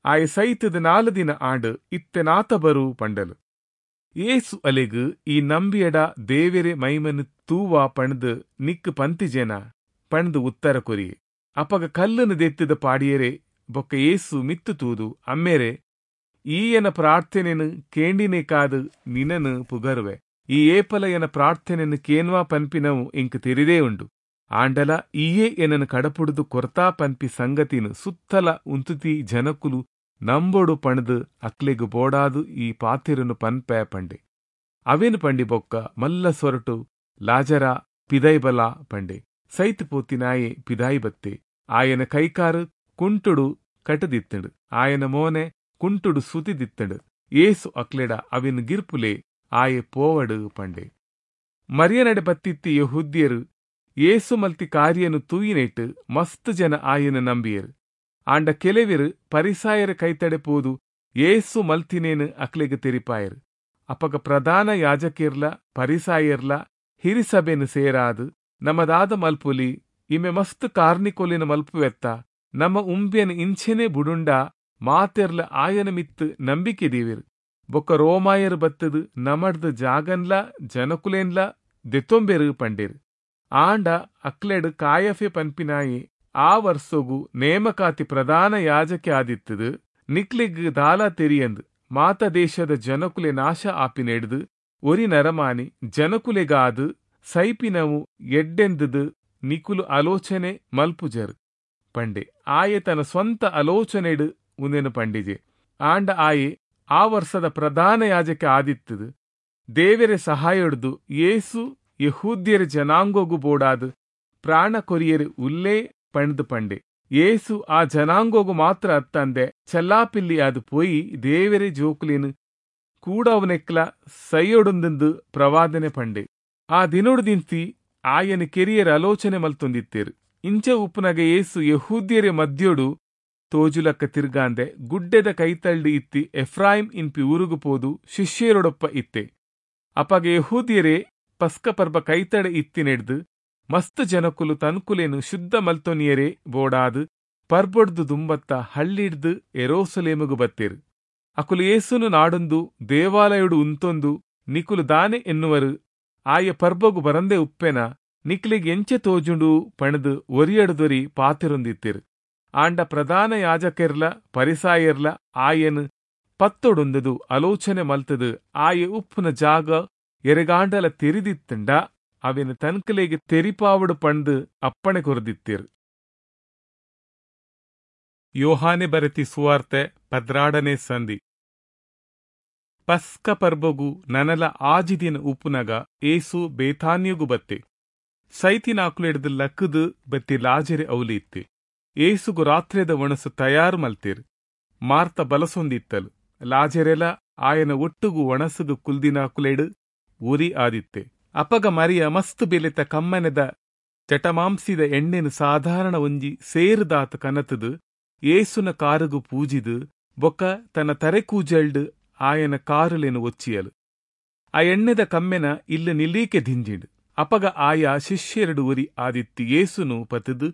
[SPEAKER 1] ಆಯ ಸೈತದ ನಾಲು ದಿನ ಆಂಡು ಇತ್ತೆ ನಾತ ಬರು ಪಂಡಲು. ಏಸು ಅಲೆಗು, ಈ ನಂಬಿಯಡ ದೇವೆರೆ ಮೈಮನು ತೂವಾ ಪಣ್ದು ನಿಕ್ಕು ಪಂತಿಜೇನ ಪಣ್ದು ಉತ್ತರ ಕೊರಿಯೆ. ಅಪಗ ಕಲ್ಲನ್ನು ದೆತ್ತಿದ ಪಾಡಿಯರೆ ಬೊಕ್ಕ ಏಸು ಮಿತ್ತು ತೂದು, ಅಮ್ಮೇರೆ, ಈಯನ ಪ್ರಾರ್ಥನೆನು ಕೇಂಡಿನೇ ಕಾದು ನಿನನು ಪುಗರುವೆ, ಈ ಏಪಲ ಎನ ಪ್ರಾರ್ಥನೆನು ಕೇನ್ವಾ ಪನ್ಪಿನವು ಇಂಕ್ ತೆರಿದೇ ಉಂಡು, ಆಂಡಲ ಈಯೇ ಎನನು ಕಡಪುಡುದು ಕೊರ್ತಾ ಪನ್ಪಿ ಸಂಗತಿನು ಸುತ್ತಲ ಉಂತುತಿ ಜನಕುಲು ನಂಬೊಡು ಪಣದು ಅಕ್ಲೆಗು ಬೋಡಾದು ಈ ಪಾತಿರನು ಪನ್ಪೆ ಪಂಡೆ. ಅವೇನು ಪಂಡಿ ಬೊಕ್ಕ ಮಲ್ಲ ಸೊರಟು, ಲಾಜರ ಪಿದೈಬಲ ಪಂಡೆ. ಸೈತು ಪೋತಿನಾಯೆ ಪಿದಾಯಿ ಬತ್ತೆ. ಆಯನ ಕೈಕಾರು ಕುಂಟುಡು ಕಟದಿತ್ತಂಡು. ಆಯನ ಮೋನೆ ಕುಂಟುಡು ಸುತಿದಿತ್ತಂಡು. ಏಸು ಅಕ್ಲೆಡ ಅವಿನ್ ಗಿರ್ಪುಲೆ ಆಯೆ ಪೋವಡು ಪಂಡೆ. ಮರಿಯನಡೆ ಬತ್ತಿತ್ತಿ ಯೆಹೂದ್ಯರು ಏಸು ಮಲ್ತಿ ಕಾರ್ಯನು ತೂಯಿನೇಟ್ ಮಸ್ತ್ ಜನ ಆಯನ ನಂಬಿಯರು. ಆಂಡ ಕೆಲವಿರು ಪರಿಸಾಯರ ಕೈತಡೆ ಪೋದು ಏಸು ಮಲ್ತಿನೇನು ಅಕ್ಲೆಗ್ ತೆರಿಪಾಯರು. ಅಪಗ ಪ್ರಧಾನ ಯಾಜಕಿರ್ಲ ಪರಿಸಾಯರ್ಲ ಹಿರಿಸಭೆನು ಸೇರಾದು ನಮದಾದ ಮಲ್ಪುಲಿ, ಇಮೆ ಮಸ್ತ್ ಕಾರ್ನಿಕೊಲಿನ ಮಲ್ಪುವೆತ್ತ, ನಮ್ಮ ಉಂಬ್ಯನ ಇಂಚೆನೆ ಬುಡುಂಡ ಮಾತೆರ್ಲ ಆಯನ ಮಿತ್ತು ನಂಬಿಕೆ ದೇವಿರು. ಬೊಕ್ಕ ರೋಮಾಯರು ಬತ್ತದು ನಮಡ್ದು ಜಾಗನ್ಲ ಜನಕುಲೇನ್ಲ ದೆತ್ತೊಂಬೆರು ಪಂಡೇರು. ಆಂಡ ಅಕ್ಲೆಡ್ ಕಾಯಫೆ ಪನ್ಪಿನಾಯಿ ಆ ವರ್ಸೊಗು ನೇಮಕಾತಿ ಪ್ರಧಾನ ಯಾಜಕೆ ಆದಿತ್ತದು ನಿಕ್ಲೆಗ್ ದಾಲ ತೆರಿಯಂದು ಮಾತ ದೇಶದ ಜನಕುಲೆ ನಾಶ ಆಪಿನೆಡ್ದು ಒರಿ ನರಮಾನಿ ಜನಕುಲೆಗಾದು ಸೈಪಿನವು ಎಡ್ಡೆಂದದು ನಿಕುಲು ಆಲೋಚನೆ ಮಲ್ಪುಜರು ಪಂಡೆ. ಆಯೆ ತನ್ನ ಸ್ವಂತ ಆಲೋಚನೆಡು ಉಂದೆನು ಪಂಡಿಜೆ. ಆಂಡ ಆಯೆ ಆ ವರ್ಷದ ಪ್ರಧಾನ ಯಾಜಕೆ ಆದಿತ್ತದು ದೇವರೆ ಸಹಾಯೊಡ್ದು ಯೇಸು ಯೆಹೂದ್ಯರ ಜನಾಂಗೋಗು ಬೋಡಾದು ಪ್ರಾಣ ಕೊರಿಯರು ಉಲ್ಲೇ ಪಂಡ್ದು ಪಂಡೆ. ಯೇಸು ಆ ಜನಾಂಗೋಗು ಮಾತ್ರ ಅತ್ತಂದೆ ಚಲ್ಲಾಪಿಲ್ಲಿ ಅದು ಪೋಯಿ ದೇವರೆ ಜೋಕುಲೇನು ಕೂಡವನೆಕ್ಲ ಸೈಯೊಡುಂದು ಪ್ರವಾದನೆ ಪಂಡೆ. ಆ ದಿನೊಡ್ದಿಂತಿ ಆಯನ ಕೆರಿಯರ್ ಆಲೋಚನೆ ಮಲ್ತೊಂದಿತ್ತೇರು. ಇಂಚ ಉಪ್ಪುನಗ ಯೇಸು ಯೆಹೂದ್ಯರ ಮಧ್ಯೋಡು ತೋಜುಲಕ್ಕ ತಿರ್ಗಾಂದೆ ಗುಡ್ಡೆದ ಕೈತಳ್ಳಿ ಇತ್ತಿ ಎಫ್ರಾಯಿಂ ಇನ್ಪಿ ಊರುಗು ಪೋದು ಶಿಷ್ಯರೊಡೊಪ್ಪ ಇತ್ತೆ. ಅಪಗ ಯೆಹೂದ್ಯರೇ ಪಸ್ಕ ಪರ್ಬ ಕೈತಡೆ ಇತ್ತಿನೆಡ್ದು ಮಸ್ತ್ ಜನಕುಲು ತನ್ಕುಲೇನು ಶುದ್ಧ ಮಲ್ತೊನಿಯರೇ ಬೋಡಾದು ಪರ್ಬೊಡ್ದು ದುಂಬತ್ತ ಹಳ್ಳಿಡ್ದು ಎರೋಸಲೇಮುಗು ಬತ್ತೇರು. ಅಕುಲು ಯೇಸುನು ನಾಡೊಂದು ದೇವಾಲಯುಡು ಉಂತೊಂದು ನಿಕುಲು ದಾನೆ ಎನ್ನುವರು, ಆಯ ಪರ್ಬಗು ಬರಂದೆ ಉಪ್ಪೆನ ನಿಕ್ಲಿಗ್ ಎಂಚೆ ತೋಜುಂಡು ಪಣದು ಒರಿಯಡ್ದೊರಿ ಪಾತಿರೊಂದಿತ್ತೇರು. ಆಂಡ ಪ್ರಧಾನ ಯಾಜಕೆರ್ಲ ಪರಿಸಾಯರ್ಲ ಆಯನ್ ಪತ್ತೊಡೊಂದದು ಆಲೋಚನೆ ಮಲ್ತದು ಆಯೆ ಉಪ್ಪುನ ಜಾಗ ಎರೆಗಾಂಡಲ ತೆರಿದಿತ್ತಂಡ ಅವಿನ ತನ್ಕಲೆಗೆ ತೆರಿಪಾವಡು ಪಂದು ಅಪ್ಪಣೆ ಕೊರದಿತ್ತೇರು. ಯೋಹಾನೆ ಬರೆತಿ ಸುವಾರ್ತೆ ಪದ್ರಾಡನೆ ಸಂಧಿ. ಪಸ್ಕ ಪರ್ಬಗು ನನಲ ಆಜಿದಿನ ಉಪ್ಪುನಗ ಏಸು ಬೇಥಾನ್ಯಗು ಬತ್ತೆ. ಸೈತಿನಾಕುಲೆಡ್ದು ಲಕ್ಕದು ಬತ್ತಿ ಲಾಜರೆ ಅವಲಿ ಇತ್ತೆ. ಏಸುಗು ರಾತ್ರಿದ ಒಣಸು ತಯಾರು ಮಲ್ತೇರು. ಮಾರ್ತ ಬಲಸೊಂದಿತ್ತಲು. ಲಾಜರೆಲ ಆಯನ ಒಟ್ಟುಗು ಒಣಸುಗು ಕುಲ್ದಿನಾಕುಲೆಡು ಉರಿ ಆದಿತ್ತೆ. ಅಪಗ ಮರಿಯ ಮಸ್ತು ಬೆಲೆತ ಕಮ್ಮನೆದ ಜಟಮಾಂಸಿದ ಎಣ್ಣೆನು ಸಾಧಾರಣ ಒಂಜಿ ಸೇರುದಾತ ಕನತದು ಏಸುನ ಕಾರುಗು ಪೂಜಿದು ಬೊಕ್ಕ ತನ್ನ ತರೆಕೂಜಲ್ಡು ಆಯನ ಕಾರುಲೇನು ಒಚ್ಚಿಯಲು. ಆ ಎಣ್ಣೆದ ಕಮ್ಮೆನ ಇಲ್ಲ ನಿಲೀಕೆ ದಿಂಜಿಂಡು. ಅಪಗ ಆಯ ಶಿಷ್ಯರಡು ಉರಿ ಆದಿತ್ತಿ ಏಸುನು ಪತದು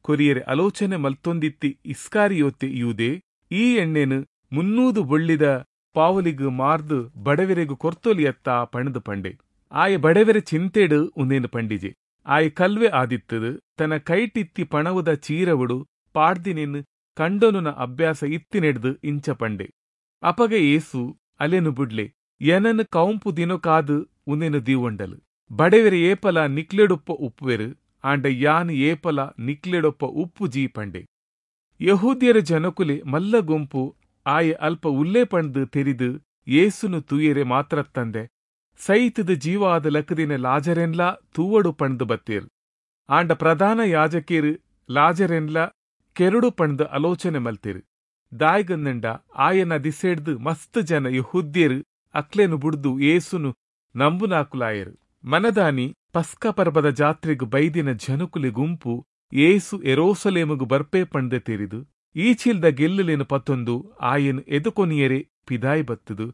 [SPEAKER 1] ಕೊರಿಯರೆ ಆಲೋಚನೆ ಮಲ್ತೊಂದಿತ್ತಿ ಇಸ್ಕಾರಿಯೋತೆ ಯೂದೆ ಈ ಎಣ್ಣೆನು ಮುನ್ನೂದು ಬೊಳ್ಳಿದ ಪಾವಲಿಗು ಮಾರ್ದು ಬಡವೆರೆಗು ಕೊರ್ತೊಲಿಯತ್ತ ಪಣದು ಪಂಡೆ. ಆಯ ಬಡವೆರೆ ಚಿಂತೆಡು ಉಂದೇನು ಪಂಡಿಜೆ. ಆಯ ಕಲ್ವೆ ಆದಿತ್ತದು ತನ್ನ ಕೈಟಿತ್ತಿ ಪಣವುದ ಚೀರವುಡು ಪಾಡ್ದಿನೇನು ಕಂಡೊನುನ ಅಭ್ಯಾಸ ಇತ್ತಿನೆಡ್ದು ಇಂಚ ಪಂಡೆ. ಅಪಗ ಏಸು ಅಲೆನು ಬುಡ್ಲೆ ಎನನು ಕೌಂಪು ದಿನೊಕಾದು ಉಂದೇನು ದೀವೊಂಡಲು. ಬಡವೆರೆ ಏಪಲ ನಿಕ್ಲೆಡೊಪ್ಪ ಉಪ್ಪುವೆರು, ಆಂಡ ಯಾನ್ ಏಪಲ ನಿಕ್ಲೆಡೊಪ್ಪ ಉಪ್ಪು ಜೀ ಪಂಡೆ. ಯಹೂದ್ಯರ ಜನಕುಲೆ ಮಲ್ಲ ಗುಂಪು ಆಯೆ ಅಲ್ಪ ಉಲ್ಲೇ ಪಂಡ್ದು ತೆರಿದು ಏಸುನು ತೂಯೆರೆ ಮಾತ್ರತ್ತಂದೆ ಸೈತದ ಜೀವಾದ ಲಕ್ಕದಿನ ಲಾಜರೆನ್ಲಾ ತೂವಡು ಪಂಡ್ದು ಬತ್ತೇರು. ಆಂಡ ಪ್ರಧಾನ ಯಾಜಕೇರು ಲಾಜರೆನ್ಲಾ ಕೆರಡು ಪಂಡ್ದು ಆಲೋಚನೆ ಮಲ್ತೇರು. ದಾಯ್ಗಂದಂಡ ಆಯನ ದಿಸೆಡ್ದು ಮಸ್ತ್ ಜನ ಯಹೂದ್ಯರು ಅಕ್ಲೆನು ಬುಡ್ದು ಏಸುನು ನಂಬುನಾಕುಲಾಯರು. ಮನದಾನಿ ಪಸ್ಕ ಪರ್ಬದ ಜಾತ್ರೆಗು ಬೈದಿನ ಜನಕುಲೆ ಗುಂಪು ಏಸು ಎರೋಸಲೇಮುಗು ಬರ್ಪೆ ಪಂಡ್ದೆ ತೆರಿದು ಈಚಿಲ್ದ ಗೆಲ್ಲುಲೇನು ಪತ್ತೊಂದು ಆಯನ್ ಎದುಕೊನಿಯರೆ ಪಿದಾಯಿ ಬತ್ತದು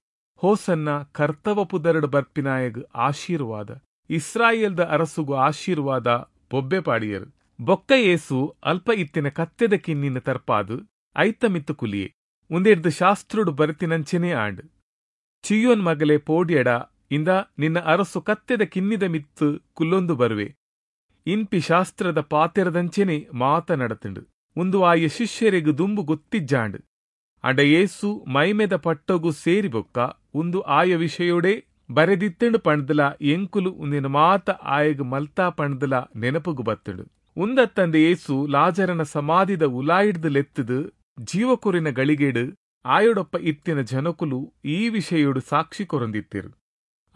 [SPEAKER 1] ಹೋಸನ್ನ ಕರ್ತವ ಪುದರಡು ಬರ್ಪಿನಾಯಗ್ ಆಶೀರ್ವಾದ, ಇಸ್ರಾಯೇಲ್ದ ಅರಸುಗು ಆಶೀರ್ವಾದ ಬೊಬ್ಬೆ ಪಾಡಿಯರು. ಬೊಕ್ಕ ಏಸು ಅಲ್ಪ ಇತ್ತಿನ ಕತ್ತೆದ ಕಿನ್ನಿನ ತರ್ಪಾದು ಐತ ಮಿತ್ತು ಕುಲಿಯೆ ಉಂದೆಡ್ದು ಶಾಸ್ತ್ರುಡು ಬರೆತಿನಂಚೆನೇ ಆಂಡ್. ಚಿಯೋನ್ ಮಗಲೆ ಪೋಡ್ಯಡ ಇಂದ ನಿನ್ನ ಅರಸು ಕತ್ತೆದ ಕಿನ್ನಿದ ಮಿತ್ತು ಕುಲ್ಲೊಂದು ಬರುವೆ ಇನ್ಪಿ ಶಾಸ್ತ್ರದ ಪಾತೆರದಂಚೆನೆ ಮಾತ ನಡತಿಂಡು. ಉಂದು ಆಯ ಶಿಷ್ಯರಿಗು ದುಂಬು ಗೊತ್ತಿಜ್ಜಾಂಡ್. ಅಂಡ ಏಸು ಮೈಮೆದ ಪಟ್ಟೊಗು ಸೇರಿ ಬೊಕ್ಕ ಉಂದು ಆಯ ವಿಷಯೋಡೆ ಬರೆದಿತ್ತಂಡು ಪಂಡ್ದಲ ಎಂಕುಲು ಉಂದಿನ ಮಾತ ಆಯಗ್ ಮಲ್ತಾ ಪಂಡ್ದಲ ನೆನಪುಗು ಬತ್ತಂಡು. ಉಂದತ್ತಂದೆ ಏಸು ಲಾಜರನ ಸಮಾಧಿದ ಉಲಾಯಿಡ್ದು ಲೆತ್ತದು ಜೀವಕೊರಿನ ಗಳಿಗೇಡು ಆಯೊಡೊಪ್ಪ ಇತ್ತಿನ ಜನಕುಲು ಈ ವಿಷಯೋಡು ಸಾಕ್ಷಿ ಕೊರೊಂದಿತ್ತಿರು.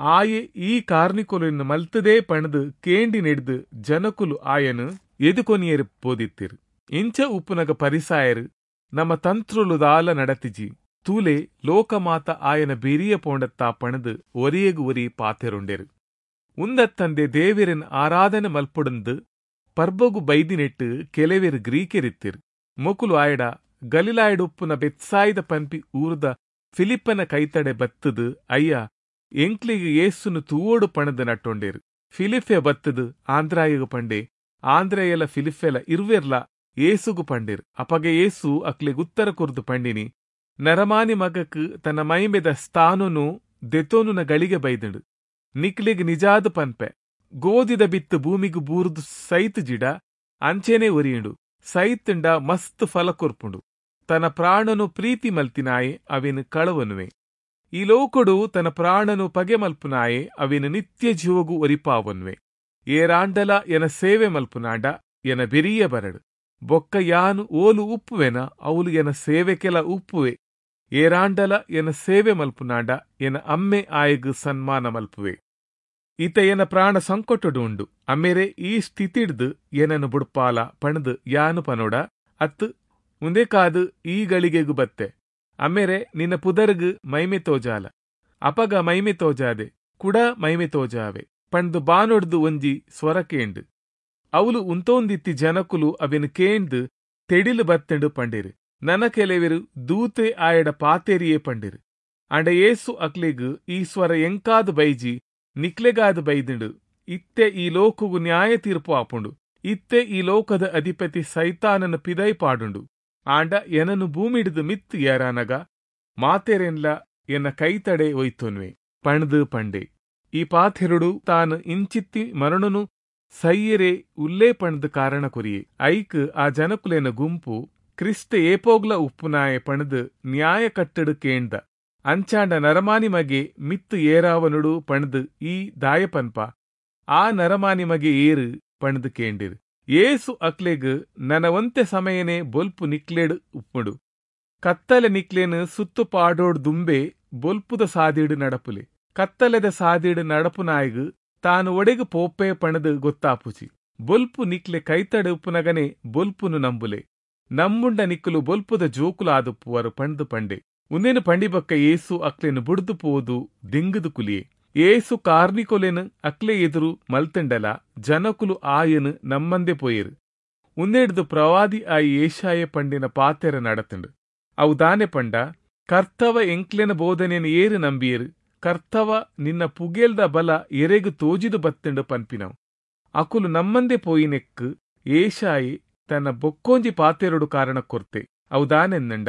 [SPEAKER 1] ಆಯೆ ಈ ಕಾರ್ನಿಕೊಲಿನ ಮಲ್ತದೇ ಪಣದು ಕೇಂಡಿ ನೆಡ್ದು ಜನಕುಲು ಆಯನು ಎದುಕೊನಿಯರು ಪೋದಿತ್ತಿರು. ಇಂಚ ಉಪ್ಪುನಗ ಪರಿಸಾಯರು ನಮ್ಮ ತಂತ್ರುಲು ದಾಲ ನಡತಿಜಿ. ತೂಲೆ ಲೋಕಮಾತ ಆಯನ ಬೆರಿಯ ಪೋಂಡತ್ತಾ ಪಣದು ಒರಿಯಗು ಒರಿ ಪಾತೆರುಂಡೆರು. ಉಂದತ್ತಂದೆ ದೇವೆರನ್ ಆರಾಧನೆ ಮಲ್ಪುಡುಂದು ಪರ್ಬಗು ಬೈದಿನೆಟ್ಟು ಕೆಲವೆರು ಗ್ರೀಕೆರಿತ್ತಿರು. ಮೊಕುಲು ಆಯಡ ಗಲಿಲಾಯಡುಪ್ಪುನ ಬೆತ್ಸಾಯಿದ ಪನ್ಪಿ ಊರ್ದ ಫಿಲಿಪ್ಪನ ಕೈತಡೆ ಬತ್ತದು ಅಯ್ಯ ಎಂಕ್ಲಿಗ್ ಯೇಸುನು ತೂವೋಡು ಪಣದು ನಟ್ಟೊಂಡೇರು. ಫಿಲಿಫೆ ಬತ್ತದು ಆಂದ್ರಾಯಗು ಪಂಡೆ. ಆಂದ್ರೆಯಲ ಫಿಲಿಫೆಲ ಇರ್ವೆರ್ಲ ಏಸುಗು ಪಂಡೇರು. ಅಪಗೆ ಏಸು ಅಕ್ಲೆಗ್ ಉತ್ತರ ಕೊರ್ದು ಪಂಡಿನಿ, ನರಮಾನಿ ಮಗಕ್ ತನ್ನ ಮೈಮೆದ ಸ್ಥಾನನು ದೆತೋನುನ ಗಳಿಗೆ ಬೈದುಂಡು. ನಿಕ್ಲೆಗ್ ನಿಜಾದ ಪನ್ಪೆ, ಗೋದಿದ ಬಿತ್ತು ಭೂಮಿಗು ಬೂರ್ದು ಸೈತ್ ಜಿಡ ಅಂಚೆನೆ ಒರಿಯುಂಡು. ಸೈತುಂಡ ಮಸ್ತ್ ಫಲ ಕೊರ್ಪುಂಡು. ತನ್ನ ಪ್ರಾಣನು ಪ್ರೀತಿ ಮಲ್ತಿನಾಯೆ ಅವೆನು ಕಳವನುವೆ. ಈ ಲೋಕಡು ತನ್ನ ಪ್ರಾಣನು ಪಗೆ ಮಲ್ಪುನಾಯೆ ಅವೆನು ನಿತ್ಯ ಜೀವಗು ಒರಿಪಾವನ್ವೆ. ಏರಾಂಡಲ ಎನ ಸೇವೆ ಮಲ್ಪುನಾಂಡ ಎನ ಬೆರಿಯ ಬರಡು. ಬೊಕ್ಕ ಯಾನು ಓಲು ಉಪ್ಪುವೆನ ಅವಲು ಎನ ಸೇವೆಕೆಲ ಉಪ್ಪುವೆ. ಏರಾಂಡಲ ಎನ ಸೇವೆ ಮಲ್ಪುನಾಂಡ ಎನ ಅಮ್ಮೆ ಆಯಗು ಸನ್ಮಾನ ಮಲ್ಪುವೆ. ಈತ ಎನ ಪ್ರಾಣ ಸಂಕಟಡು ಉಂಡು. ಅಮ್ಮೇರೆ ಈ ಸ್ಥಿತಿಡ್ದು ಏನನು ಬುಡ್ಪಾಲ ಪಣದು ಯಾನು ಪನೋಡ ಅತ್ತು ಉಂದೇಕಾದು ಈ ಗಳಿಗೆಗು ಬತ್ತೆ. ಅಮ್ಮೇರೆ ನಿನ್ನ ಪುದರ್ಗು ಮೈಮೆ ತೋಜಾಲ. ಅಪಗ ಮೈಮೆ ತೋಜಾದೆ ಕುಡ ಮೈಮೆ ತೋಜಾವೆ ಪಂಡ್ದು ಬಾನೊಡ್ದು ಒಂಜಿ ಸ್ವರ ಕೇಂಡು. ಅವಲು ಉಂತೋಂದಿತ್ತಿ ಜನಕುಲು ಅವೆನು ಕೇಂದು ತೆಡಿಲು ಬತ್ತೆಂಡು ಪಂಡಿರು. ನನ ಕೆಲವೆರು ದೂತೆ ಆಯಡ ಪಾತೆರಿಯೇ ಪಂಡಿರು. ಅಂಡ ಏಸು ಅಕ್ಲೆಗು ಈ ಸ್ವರ ಎಂಕಾದು ಬೈಜಿ ನಿಕ್ಲೆಗಾದ ಬೈದಿಂಡು. ಇತ್ತೆ ಈ ಲೋಕಗು ನ್ಯಾಯ ತೀರ್ಪು ಆಪುಂಡು. ಇತ್ತೆ ಈ ಲೋಕದ ಅಧಿಪತಿ ಸೈತಾನನ ಪಿದೈ ಪಾಡುಂಡು. ಆಂಡ ಎನನು ಭೂಮಿಡಿದು ಮಿತ್ತು ಏರಾನಗ ಮಾತೆರೆನ್ಲ ಎನ್ನ ಕೈತಡೆ ಒಯ್ತೊನ್ವೆ ಪಣ್ದು ಪಂಡೆ. ಈ ಪಾಥೆರುಡು ತಾನು ಇಂಚಿತ್ತಿ ಮರಣನು ಸೈಯರೆ ಉಲ್ಲೇ ಪಣ್ದು ಕಾರಣ ಕೊರಿಯೆ. ಐಕ್ ಆ ಜನಕುಲೇನ ಗುಂಪು ಕ್ರಿಸ್ತ ಏಪೋಗ್ಲ ಉಪ್ಪುನಾಯೆ ಪಣ್ದು ನ್ಯಾಯ ಕಟ್ಟಡು ಕೇಂದ. ಅಂಚಾಂಡ ನರಮಾನಿ ಮಗೆ ಮಿತ್ತು ಏರಾವನುಡು ಪಣ್ದು ಈ ದಾಯಪನ್ಪ ಆ ನರಮಾನಿ ಮಗೆ ಏರು ಪಣ್ದು ಕೇಂಡಿರು. ಏಸು ಅಕ್ಲೆಗ್ ನನವಂತೆ ಸಮಯನೇ ಬೊಲ್ಪು ನಿಕ್ಲೇಡು ಉಪ್ಪುಡು. ಕತ್ತಲೆ ನಿಕ್ಲೇನು ಸುತ್ತು ಪಾಡೋಡ್ ದುಂಬೆ ಬೊಲ್ಪುದ ಸಾದಿಡು ನಡಪುಲೆ. ಕತ್ತಲೆದ ಸಾದಿಡು ನಡಪುನಾಯಗು ತಾನು ಒಡೆಗು ಪೋಪೆ ಪಣದು ಗೊತ್ತಾಪುಚಿ. ಬೊಲ್ಪು ನಿಕ್ಲೆ ಕೈತಡೆ ಉಪ್ಪುನಗನೆ ಬೊಲ್ಪುನು ನಂಬುಲೆ. ನಮ್ಮುಂಡ ನಿಕ್ಕಲು ಬೊಲ್ಪುದ ಜೋಕುಲಾದುಪ್ಪುವರು ಪಣ್ದು ಪಂಡೆ. ಉಂದೇನು ಪಂಡಿಬಕ್ಕ ಏಸು ಅಕ್ಲೆನು ಬುಡ್ದು ಪೋದು ದಿಂಗುದು ಕುಲಿಯೆ. ಏಸು ಕಾರ್ನಿಕೊಲೆನು ಅಕ್ಲೆ ಎದುರು ಮಲ್ತಂಡಲ ಜನಕುಲು ಆಯನು ನಮ್ಮಂದೆ ಪೋಯರು. ಉಂದೆಡ್ದು ಪ್ರವಾದಿ ಆಯಿ ಏಷಾಯ ಪಂಡಿನ ಪಾತೆರ ನಡತಂಡು. ಅವು ದಾನೆ ಪಂಡ, ಕರ್ತವ ಎಂಕ್ಲೆನ ಬೋಧನೆಯನ್ನು ಏರು ನಂಬಿಯರು, ಕರ್ತವ ನಿನ್ನ ಪುಗೇಲ್ದ ಬಲ ಎರೆಗು ತೋಜಿದು ಬತ್ತಂಡು ಪನ್ಪಿನವು. ಅಕುಲು ನಮ್ಮಂದೆ ಪೋಯಿನೆಕ್ಕು ಏಷಾಯಿ ತನ್ನ ಬೊಕ್ಕೋಂಜಿ ಪಾತೆರಡು ಕಾರಣ ಕೊರ್ತೆ. ಅವು ದಾನೆಂದಂಡ,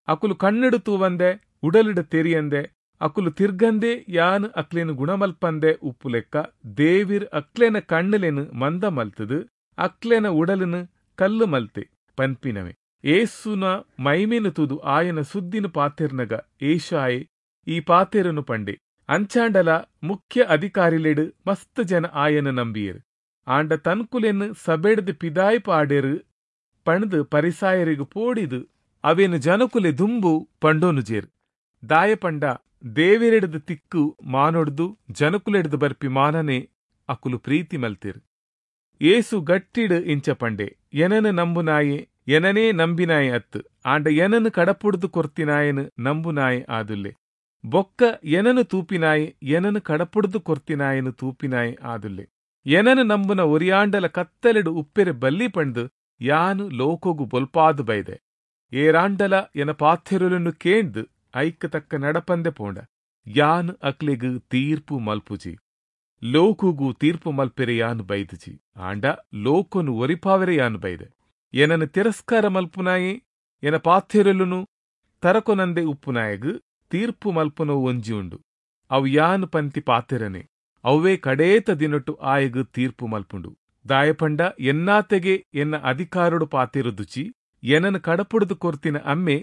[SPEAKER 1] ಅಕುಲು ಕಣ್ಣಡು ತೂವಂದೆ ಉಡಲಿಡ ತೆರಿಯಂದೆ ಅಕುಲು ತಿರ್ಗಂದೆ ಯಾನ್ ಅಕ್ಲೇನು ಗುಣಮಲ್ಪಂದೆ ಉಪ್ಪುಲೆಕ್ಕ ದೇವಿರ್ ಅಕ್ಲೇನ ಕಣ್ಣುಲೆನು ಮಂದ ಮಲ್ತದು ಅಕ್ಲೇನ ಉಡಲನು ಕಲ್ಲು ಮಲ್ತೆ ಪನ್ಪಿನವೆ. ಏಸುನ ಮೈಮೇನು ತೂದು ಆಯನ ಸುದ್ದಿನ ಪಾತೆರ್ನಗ ಏಷಾಯೆ ಈ ಪಾತೆರನು ಪಂಡೆ. ಅಂಚಾಂಡಲ ಮುಖ್ಯ ಅಧಿಕಾರಿಲೆಡು ಮಸ್ತ್ ಜನ ಆಯನ ನಂಬಿಯರು. ಆಂಡ ತನ್ಕುಲೆನ್ನು ಸಬೆಡ್ದು ಪಿದಾಯ್ ಪಾಡೇರು ಪಣ್ದು ಪರಿಸಾಯರಿಗು ಪೋಡಿದು ಅವೇನು ಜನಕುಲೆ ದುಂಬು ಪಂಡೋನು ಜೇರು. ದಾಯ ಪಂಡ ದೇವಿರೆಡ್ದು ತಿಕ್ಕು ಮಾನೊಡ್ದು ಜನಕುಲೆಡ್ದು ಬರ್ಪಿ ಮಾನನೆ ಅಕುಲು ಪ್ರೀತಿ ಮಲ್ತಿರು. ಏಸು ಗಟ್ಟಿಡು ಇಂಚ ಪಂಡೆ, ಎನನು ನಂಬುನಾಯೆ ಎನನೇ ನಂಬಿನಾಯೆ ಅತ್ತು, ಆಂಡ ಎನನು ಕಡಪುಡ್ದು ಕೊರ್ತಿನಾಯನು ನಂಬುನಾಯೆ ಆದುಲ್ಲೆ. ಬೊಕ್ಕ ಎನನು ತೂಪಿನಾಯೆ ಎನನು ಕಡಪುಡ್ದು ಕೊರ್ತಿನಾಯನು ತೂಪಿನಾಯೆ ಆದುಲ್ಲೆ. ಎನನು ನಂಬುನ ಒರಿಯಾಂಡಲ ಕತ್ತಲೆಡು ಉಪ್ಪೆರೆ ಬಲ್ಲಿ ಪಂಡು ಯಾನು ಲೋಕೋಗು ಬೊಲ್ಪಾದು ಬೈದೆ. ಏರಾಂಡಲ ಎನ ಪಾಥೆರುಲನ್ನು ಕೇಂದು ಐಕ್ ತಕ್ಕ ನಡಪಂದೆ ಪೋಂಡ ಯಾನು ಅಕ್ಲೆಗು ತೀರ್ಪು ಮಲ್ಪುಜಿ. ಲೋಕುಗು ತೀರ್ಪು ಮಲ್ಪೆರೆ ಯಾನು ಬೈದುಜಿ, ಆಂಡ ಲೋಕನು ಒರಿಪಾವೆರೆ ಯಾನು ಬೈದೆ. ಎನನು ತಿರಸ್ಕಾರ ಮಲ್ಪುನಾಯೆ ಎನ ಪಾಥೆರುಲುನು ತರಕೊನಂದೆ ಉಪ್ಪುನಾಯಗು ತೀರ್ಪು ಮಲ್ಪುನವು ಒಂಜಿ ಉಂಡು. ಅವು ಯಾನು ಪಂತಿ ಪಾತೆರನೆ ಅವೇ ಕಡೇತ ದಿನೊಟ್ಟು ಆಯಗು ತೀರ್ಪು ಮಲ್ಪುಂಡು. ದಾಯಪಂಡ ಎನ್ನಾತೆಗೆ ಎನ್ನ ಅಧಿಕಾರಡು ಪಾತೆರುದುಚಿ ಎನನು ಕಡಪುಡ್ದು ಕೊರ್ತಿನ ಅಮ್ಮೆ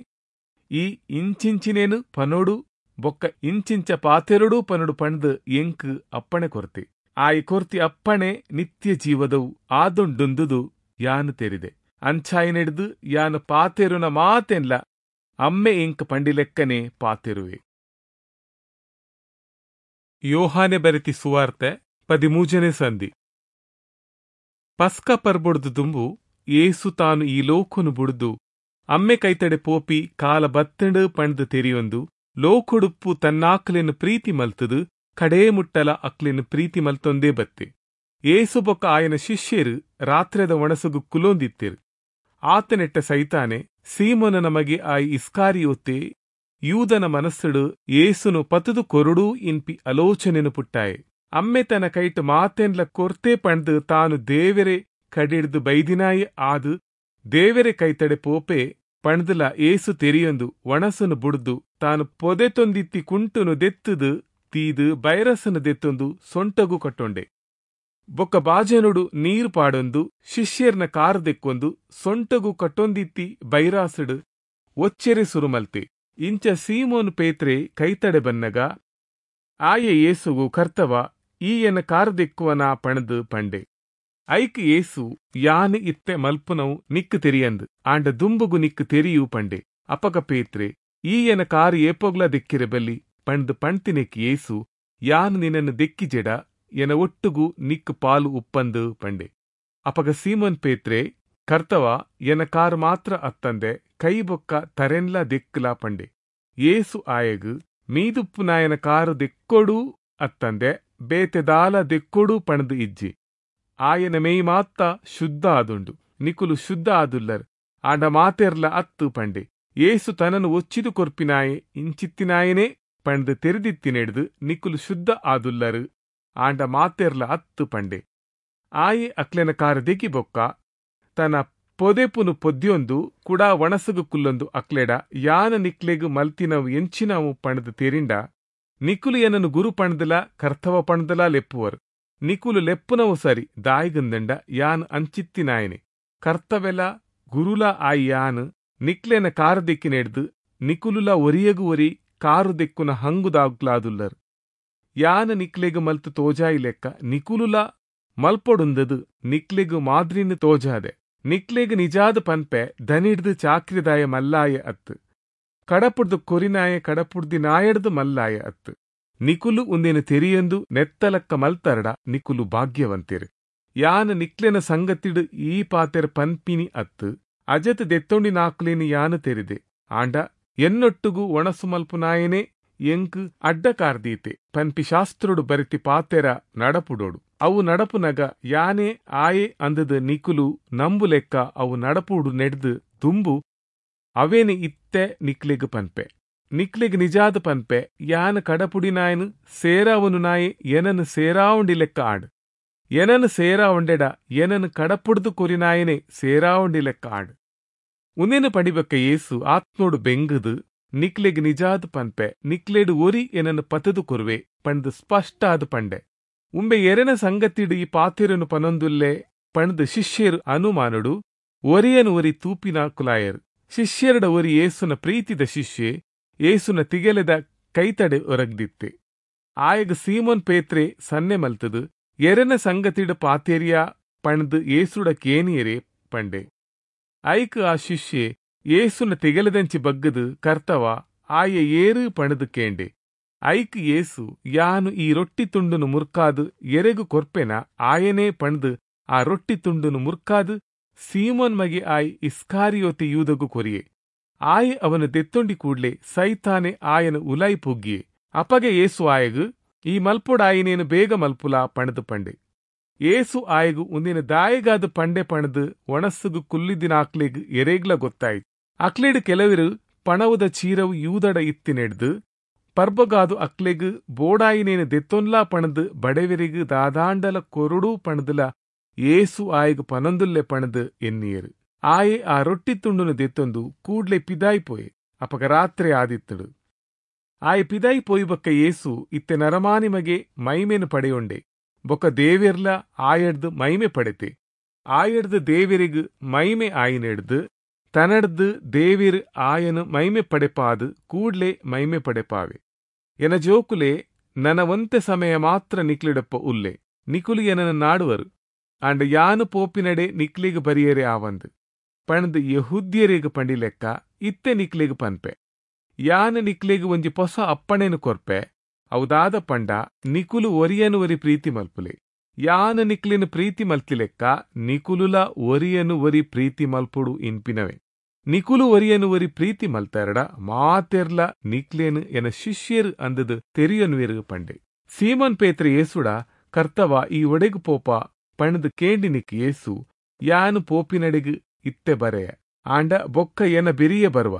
[SPEAKER 1] ಈ ಇಂಚಿಂಚಿನೇನು ಪನೋಡು ಬೊಕ್ಕ ಇಂಚಿಂಚ ಪಾತೆರಡೂ ಪನೋಡು ಪಂಡ್ದು ಎಂಕ್ ಅಪ್ಪಣೆ ಕೊರ್ತೆ. ಆಯಿ ಕೊರ್ತಿ ಅಪ್ಪಣೆ ನಿತ್ಯ ಜೀವದವು ಆದುಂಡುಂದುದು ಯಾನು ತೆರಿದೆ. ಅಂಚಾಯಿನೆಡ್ದು ಯಾನು ಪಾತೆರುನ ಮಾತೆನ್ಲ ಅಮ್ಮೆ ಎಂಕ್ ಪಂಡಿಲೆಕ್ಕನೆ ಪಾತೆರುವೆ. ಯೋಹಾನೆ ಬರೆತಿ ಸುವಾರ್ತೆ ಪದಿಮೂಜನೆ ಸಂಧಿ. ಪಸ್ಕ ಪರ್ಬೊಡ್ದು ದುಂಬು ಏಸು ತಾನು ಈ ಲೋಕನು ಬುಡ್ದು ಅಮ್ಮೆ ಕೈತಡೆ ಪೋಪಿ ಕಾಲ ಬತ್ತಂಡು ಪಂಡ್ದು ತೆರಿಯೊಂದು ಲೋಕೊಡುಪ್ಪು ತನ್ನಾಕ್ಲೆನ್ ಪ್ರೀತಿ ಮಲ್ತದು ಕಡೇ ಮುಟ್ಟಲ ಅಕ್ಲೆನ್ ಪ್ರೀತಿ ಮಲ್ತೊಂದೇ ಬತ್ತೆ. ಏಸು ಬೊಕ್ಕ ಆಯನ ಶಿಷ್ಯರು ರಾತ್ರೆದ ಒಣಸುಗು ಕುಲೊಂದಿತ್ತೆರು. ಆತನೆಟ್ಟ ಸೈತಾನೆ ಸೀಮೋನನ ಮಗೆ ಆಯಿ ಇಸ್ಕಾರಿಯೋತೆ ಯೂದನ ಮನಸ್ಸುಡು ಏಸುನು ಪತುದು ಕೊರುಡು ಇನ್ಪಿ ಆಲೋಚನೆನು ಪುಟ್ಟಾಯೆ. ಅಮ್ಮೆ ತನ್ನ ಕೈಟ್ ಮಾತೆನ್ಲ ಕೊರ್ತೆ ಪಂಡ್ದು ತಾನು ದೇವೆರೆ ಕಡಿಡ್ದು ಬೈದಿನಾಯಿ ಆದು ದೇವೆರೆ ಕೈತಡೆ ಪೋಪೆ ಪಂಡ್ದಲ ಏಸು ತೆರಿಯೊಂದು ಒಣಸುನು ಬುಡ್ದು ತಾನು ಪೊದೆತೊಂದಿತ್ತಿ ಕುಂಟುನು ದೆತ್ತುದು ತೀದು ಬೈರಸನು ದೆತ್ತೊಂದು ಸೊಂಟಗು ಕಟ್ಟೊಂಡೆ. ಬೊಕ್ಕ ಬಾಜನುಡು ನೀರು ಪಾಡೊಂದು ಶಿಷ್ಯರ್ನ ಕಾರು ದೆಕ್ಕೊಂದು ಸೊಂಟಗು ಕಟ್ಟೊಂದಿತ್ತಿ ಬೈರಾಸುಡು ಒಚ್ಚೆರೆ ಸುರುಮಲ್ತೆ. ಇಂಚ ಸೀಮೋನ್ ಪೇತ್ರೆ ಕೈತಡೆ ಬನ್ನಗ ಆಯೆ ಏಸುಗು ಕರ್ತವ ಈ ಎನ್ನ ಕಾರು ದೆಕ್ಕುವನ ಪಣದು ಪಂಡೆ. ಐಕ್ ಏಸು ಯಾನ್ ಇತ್ತೆ ಮಲ್ಪುನವು ನಿಕ್ಕು ತೆರಿಯಂದು ಆಂಡ ದುಂಬುಗು ನಿಕ್ಕು ತೆರಿಯು ಪಂಡೆ. ಅಪಗ ಪೇತ್ರೆ ಈ ಎನ್ನ ಕಾರು ಏಪೋಗ್ಲ ದೆಕ್ಕಿರೆ ಬಲ್ಲಿ ಪಂಡ್ದು ಪಣ್ತಿನೆಕ್ ಏಸು ಯಾನ್ ನಿನ್ನನ್ನು ದೆಕ್ಕಿ ಜೆಡ ಎನ ಒಟ್ಟುಗು ನಿಕ್ಕು ಪಾಲು ಉಪ್ಪಂದು ಪಂಡೆ. ಅಪಗ ಸೀಮೋನ್ ಪೇತ್ರೆ ಕರ್ತವ ಎನ ಕಾರು ಮಾತ್ರ ಅತ್ತಂದೆ ಕೈ ಬೊಕ್ಕ ತರೆನ್ಲ ದೆಕ್ಕಲ ಪಂಡೆ. ಏಸು ಆಯಗು ಮೀದುಪ್ಪು ನಾಯನ ಕಾರು ದೆಕ್ಕೊಡು ಅತ್ತಂದೆ ಬೇತೆದಾಲ ದೆಕ್ಕೊಡು ಪಣದು ಇಜ್ಜಿ. ಆಯನ ಮೇಯ್ ಮಾತ್ತ ಶುದ್ಧ ಆದುಂಡು, ನಿಕುಲು ಶುದ್ಧ ಆದುಲ್ಲರ್ ಆಂಡ ಮಾತೆರ್ಲ ಅತ್ತು ಪಂಡೆ. ಏಸು ತನನು ಒಚ್ಚಿದು ಕೊರ್ಪಿನಾಯೆ ಇಂಚಿತ್ತಿನಾಯನೇ ಪಂಡ್ದು ತೆರೆದಿತ್ತಿನೆಡ್ದು ನಿಕುಲು ಶುದ್ಧ ಆದುಲ್ಲರು ಆಂಡ ಮಾತೆರ್ಲ ಅತ್ತು ಪಂಡೆ. ಆಯೆ ಅಕ್ಲೆನ ಕಾರ ದೆಕ್ಕಿ ಬೊಕ್ಕ ತನ್ನ ಪೊದೆಪುನು ಪೊದ್ಯೊಂದು ಕುಡಾ ಒಣಸುಗು ಕುಲ್ಲೊಂದು ಅಕ್ಲೆಡ ಯಾನ ನಿಕ್ಲೆಗು ಮಲ್ತಿನವು ಎಂಚಿನವು ಪಣದು ತೆರಿಂಡ ನಿಕುಲು ಏನನು ಗುರು ಪಣದಲ ಕರ್ತವ ಪಣದಲ ಲೆಪ್ಪುವರು. ನಿಕುಲು ಲೆಪ್ಪುನವು ಸರಿ ದಾಯಿಗಂದಂಡ ಯಾನ್ ಅಂಚಿತ್ತಿನಾಯನೆ ಕರ್ತವೆಲ ಗುರುಲ ಆಯಿ ಯಾನ್ ನಿಕ್ಲೆನ ಕಾರು ದೆಕ್ಕಿನೆಡ್ದು ನಿಕುಲುಲ ಒರಿಯಗು ಒರಿ ಕಾರು ದೆಕ್ಕುನ ಹಂಗುದಾಗ್ಲಾದುಲ್ಲರು. ಯಾನ ನಿಕ್ಲೆಗು ಮಲ್ತು ತೋಜಾಯಿ ಲೆಕ್ಕ ನಿಕುಲುಲ ಮಲ್ಪೊಡುಂದದು ನಿಕ್ಲೆಗು ಮಾದ್ರಿನ ತೋಜಾದೆ. ನಿಕ್ಲೆಗು ನಿಜಾದ ಪನ್ಪೆ ದನಿಡ್ದು ಚಾಕ್ರಿದಾಯ ಮಲ್ಲಾಯ ಅತ್ತು ಕಡಪುಡ್ದು ಕೊರಿನಾಯ ಕಡಪುಡ್ದಿ ನಾಯಡ್ದು ಮಲ್ಲಾಯ ಅತ್ತು. ನಿಕುಲು ಉಂದೇನು ತೆರಿಯೊಂದು ನೆತ್ತಲಕ್ಕ ಮಲ್ತರಡ ನಿಕುಲು ಭಾಗ್ಯವಂತಿರು. ಯಾನ ನಿಕ್ಲೆನ ಸಂಗತಿಡು ಈ ಪಾತೆರ್ ಪನ್ಪಿನಿ ಅತ್ತು ಅಜತ್ ದೆತ್ತೊಂಡಿ ನಾಕ್ಲೇನು ಯಾನು ತೆರಿದೆ ಆಂಡ ಎನ್ನೊಟ್ಟುಗು ಒಣಸು ಮಲ್ಪುನಾಯನೇ ಎಂಕ್ ಅಡ್ಡಕಾರ್ದೀತೆ ಪನ್ಪಿ ಶಾಸ್ತ್ರುಡು ಬರಿತಿ ಪಾತೆರ ನಡಪುಡೋಡು. ಅವು ನಡಪುನಗ ಯಾನೇ ಆಯೆ ಅಂದದ ನಿಕುಲು ನಂಬು ಲೆಕ್ಕ ಅವು ನಡಪುಡು ನೆಡ್ದು ದುಂಬು ಅವೇನೆ ಇತ್ತೆ ನಿಕ್ಲೆಗ್ ಪನ್ಪೆ. ನಿಕ್ಲೆಗ್ ನಿಜಾದ ಪನ್ಪೆ ಯಾನ ಕಡಪುಡಿನಾಯನು ಸೇರಾವನು ನಾಯೆ ಏನನು ಸೇರಾವಂಡಿ ಲೆಕ್ಕ ಆಡ್ ಏನನು ಸೇರಾವಂಡೆಡ ಏನನು ಕಡಪುಡ್ದು ಕೊರಿನಾಯನೆ ಸೇರಾವಂಡಿ ಲೆಕ್ಕ ಆಡ್. ಉನೇನು ಪಡಿಬಕ್ಕ ಏಸು ಆತ್ನೋಡು ಬೆಂಗುದು ನಿಕ್ಲೆಗ್ ನಿಜಾದ ಪನ್ಪೆ ನಿಕ್ಲೆಡು ಒರಿ ಏನನ್ನು ಪತದು ಕೊರುವೆ ಪಂಡ್ದು ಸ್ಪಷ್ಟ ಆದ ಪಂಡೆ. ಉಂಬೆ ಎರೆನ ಸಂಗತಿಡು ಈ ಪಾತೆರನು ಪನೊಂದುಲ್ಲೆ ಪಂಡ್ದು ಶಿಷ್ಯರು ಅನುಮಾನುಡು ಒರಿಯನು ಒರಿ ತೂಪಿನ ಕುಲಾಯರು. ಶಿಷ್ಯರಡ ಒರಿ ಏಸುನ ಪ್ರೀತಿದ ಶಿಷ್ಯೆ ಏಸುನ ತಿಗೆಲೆದ ಕೈತಡೆ ಒರಗ್ದಿತ್ತೆ. ಆಯಗ ಸೀಮೋನ್ ಪೇತ್ರೆ ಸನ್ನೆ ಮಲ್ತದು ಎರೆನ ಸಂಗತಿಡು ಪಾತೆರಿಯ ಪಂಡ್ದು ಏಸುಡ ಕೇನಿಯರೆ ಪಂಡೆ. ಐಕ್ ಆ ಶಿಷ್ಯೆ ಏಸುನ ತಿಗಲದಂಚಿ ಬಗ್ಗದು ಕರ್ತವ ಆಯ ಏರು ಪಣದು ಕೇಂಡೆ. ಐಕ್ ಏಸು ಯಾನು ಈ ರೊಟ್ಟಿ ತುಂಡುನು ಮುರ್ಕಾದು ಎರೆಗು ಕೊರ್ಪೆನ ಆಯನೇ ಪಣದು ಆ ರೊಟ್ಟಿ ತುಂಡುನು ಮುರ್ಕಾದು ಸೀಮೋನ್ ಮಗೆ ಆಯ್ ಇಸ್ಕಾರಿಯೋತಿ ಯೂದಗು ಕೊರಿಯೆ. ಆಯೆ ಅವನು ದೆತ್ತೊಂಡಿ ಕೂಡ್ಲೆ ಸೈತಾನೆ ಆಯನ ಉಲಾಯಿ ಪೊಗ್ಗಿಯೆ. ಅಪಗೆ ಏಸು ಆಯಗು ಈ ಮಲ್ಪೊಡಾಯಿನೇನು ಬೇಗ ಮಲ್ಪುಲಾ ಪಣದು ಪಂಡೆ. ಏಸು ಆಯಗು ಉಂದಿನ ದಾಯಗಾದ ಪಂಡೆ ಪಣದು ಒಣಸುಗು ಕುಲ್ಲಿದಿನ ಅಕ್ಲೆಗ್ ಎರೇಗ್ಲ ಗೊತ್ತಾಯ್ತು. ಅಕ್ಲೇಡು ಕೆಲವರು ಪಣವುದ ಚೀರವು ಯೂದಡ ಇತ್ತಿನೆಡ್ದು ಪರ್ಬಗಾದು ಅಕ್ಲೆಗ್ ಬೋಡಾಯಿನೇನು ದೆತ್ತೊನ್ಲಾ ಪಣದು ಬಡವೆರಿಗು ದಾದಾಂಡಲ ಕೊರುಡು ಪಣದುಲ ಏಸು ಆಯಗು ಪನೊಂದುಲ್ಲೆ ಪಣದು ಎನ್ನಿಯರು. ಆಯೆ ಆ ರೊಟ್ಟಿ ತುಂಡುನು ದೆತ್ತೊಂದು ಕೂಡ್ಲೆ ಪಿದಾಯಿ ಪೋಯೆ. ಅಪಗ ರಾತ್ರಿ ಆದಿತ್ತಡು. ಆಯೆ ಪಿದಾಯಿ ಪೋಯಿ ಬೊಕ್ಕ ಏಸು ಇತ್ತೆ ನರಮಾನಿ ಮಗೆ ಮೈಮೇನು ಪಡೆಯೊಂಡೆ. ಬೊಕ್ಕ ದೇವೆರ್ಲ ಆಯಡ್ದು ಮೈಮೆ ಪಡೆತೆ. ಆಯಡ್ದು ದೇವೆರಿಗು ಮೈಮೆ ಆಯಿನೆಡ್ದು ತನಡ್ದು ದೇವಿರ್ ಆಯನು ಮೈಮೆ ಪಡೆಪಾದು ಕೂಡ್ಲೆ ಮೈಮೆ ಪಡೆಪಾವೆ. ಎನ ಜೋಕುಲೆ ನನ ಒಂತೆ ಸಮಯ ಮಾತ್ರ ನಿಕ್ಲಿಡಪ್ಪ ಉಲ್ಲೆ ನಿಕುಲು ಎನನ ನಾಡುವರು ಆಂಡ ಯಾನು ಪೋಪಿನಡೆ ನಿಕ್ಲಿಗ್ ಬರಿಯರೆ ಆವಂದು ಪಣದು ಯಹೂದ್ಯರಿಗ್ ಪಂಡಿಲೆಕ್ಕ ಇತ್ತೆ ನಿಕ್ಲಿಗ್ ಪನ್ಪೆ. ಯಾನು ನಿಕ್ಲಿಗ್ ಒಂಜಿ ಪೊಸ ಅಪ್ಪಣೆನು ಕೊರ್ಪೆ ಅವುದಾದ ಪಂಡ ನಿಕುಲು ಒರಿಯನು ಒರಿ ಪ್ರೀತಿ ಮಲ್ಪುಲೆ. ಯಾನು ನಿಕ್ಲಿನ ಪ್ರೀತಿ ಮಲ್ತಿಲೆಕ್ಕ ನಿಕುಲುಲ ಒರಿಯನು ಒರಿ ಪ್ರೀತಿ ಮಲ್ಪುಡು ಇನ್ಪಿನವೆ. ನಿಕುಲು ಒರಿಯನು ಒರಿ ಪ್ರೀತಿ ಮಲ್ತಾರಡ ಮಾತೆರ್ಲ ನಿಕ್ಲೇನು ಎನ ಶಿಷ್ಯರು ಅಂದದು ತೆರಿಯನುವೆರು ಪಂಡೆ. ಸೀಮೋನ್ ಪೇತ್ರೆ ಯೇಸುಡ, ಕರ್ತವ ಈ ಒಡೆಗು ಪೋಪ ಪಣದು ಕೇಂಡಿನಿಕ್ ಯೇಸು, ಯಾನು ಪೋಪಿನಡೆಗು ಇತ್ತೆ ಬರೆಯ, ಆಂಡ ಬೊಕ್ಕ ಎನ ಬೆರಿಯ ಬರುವ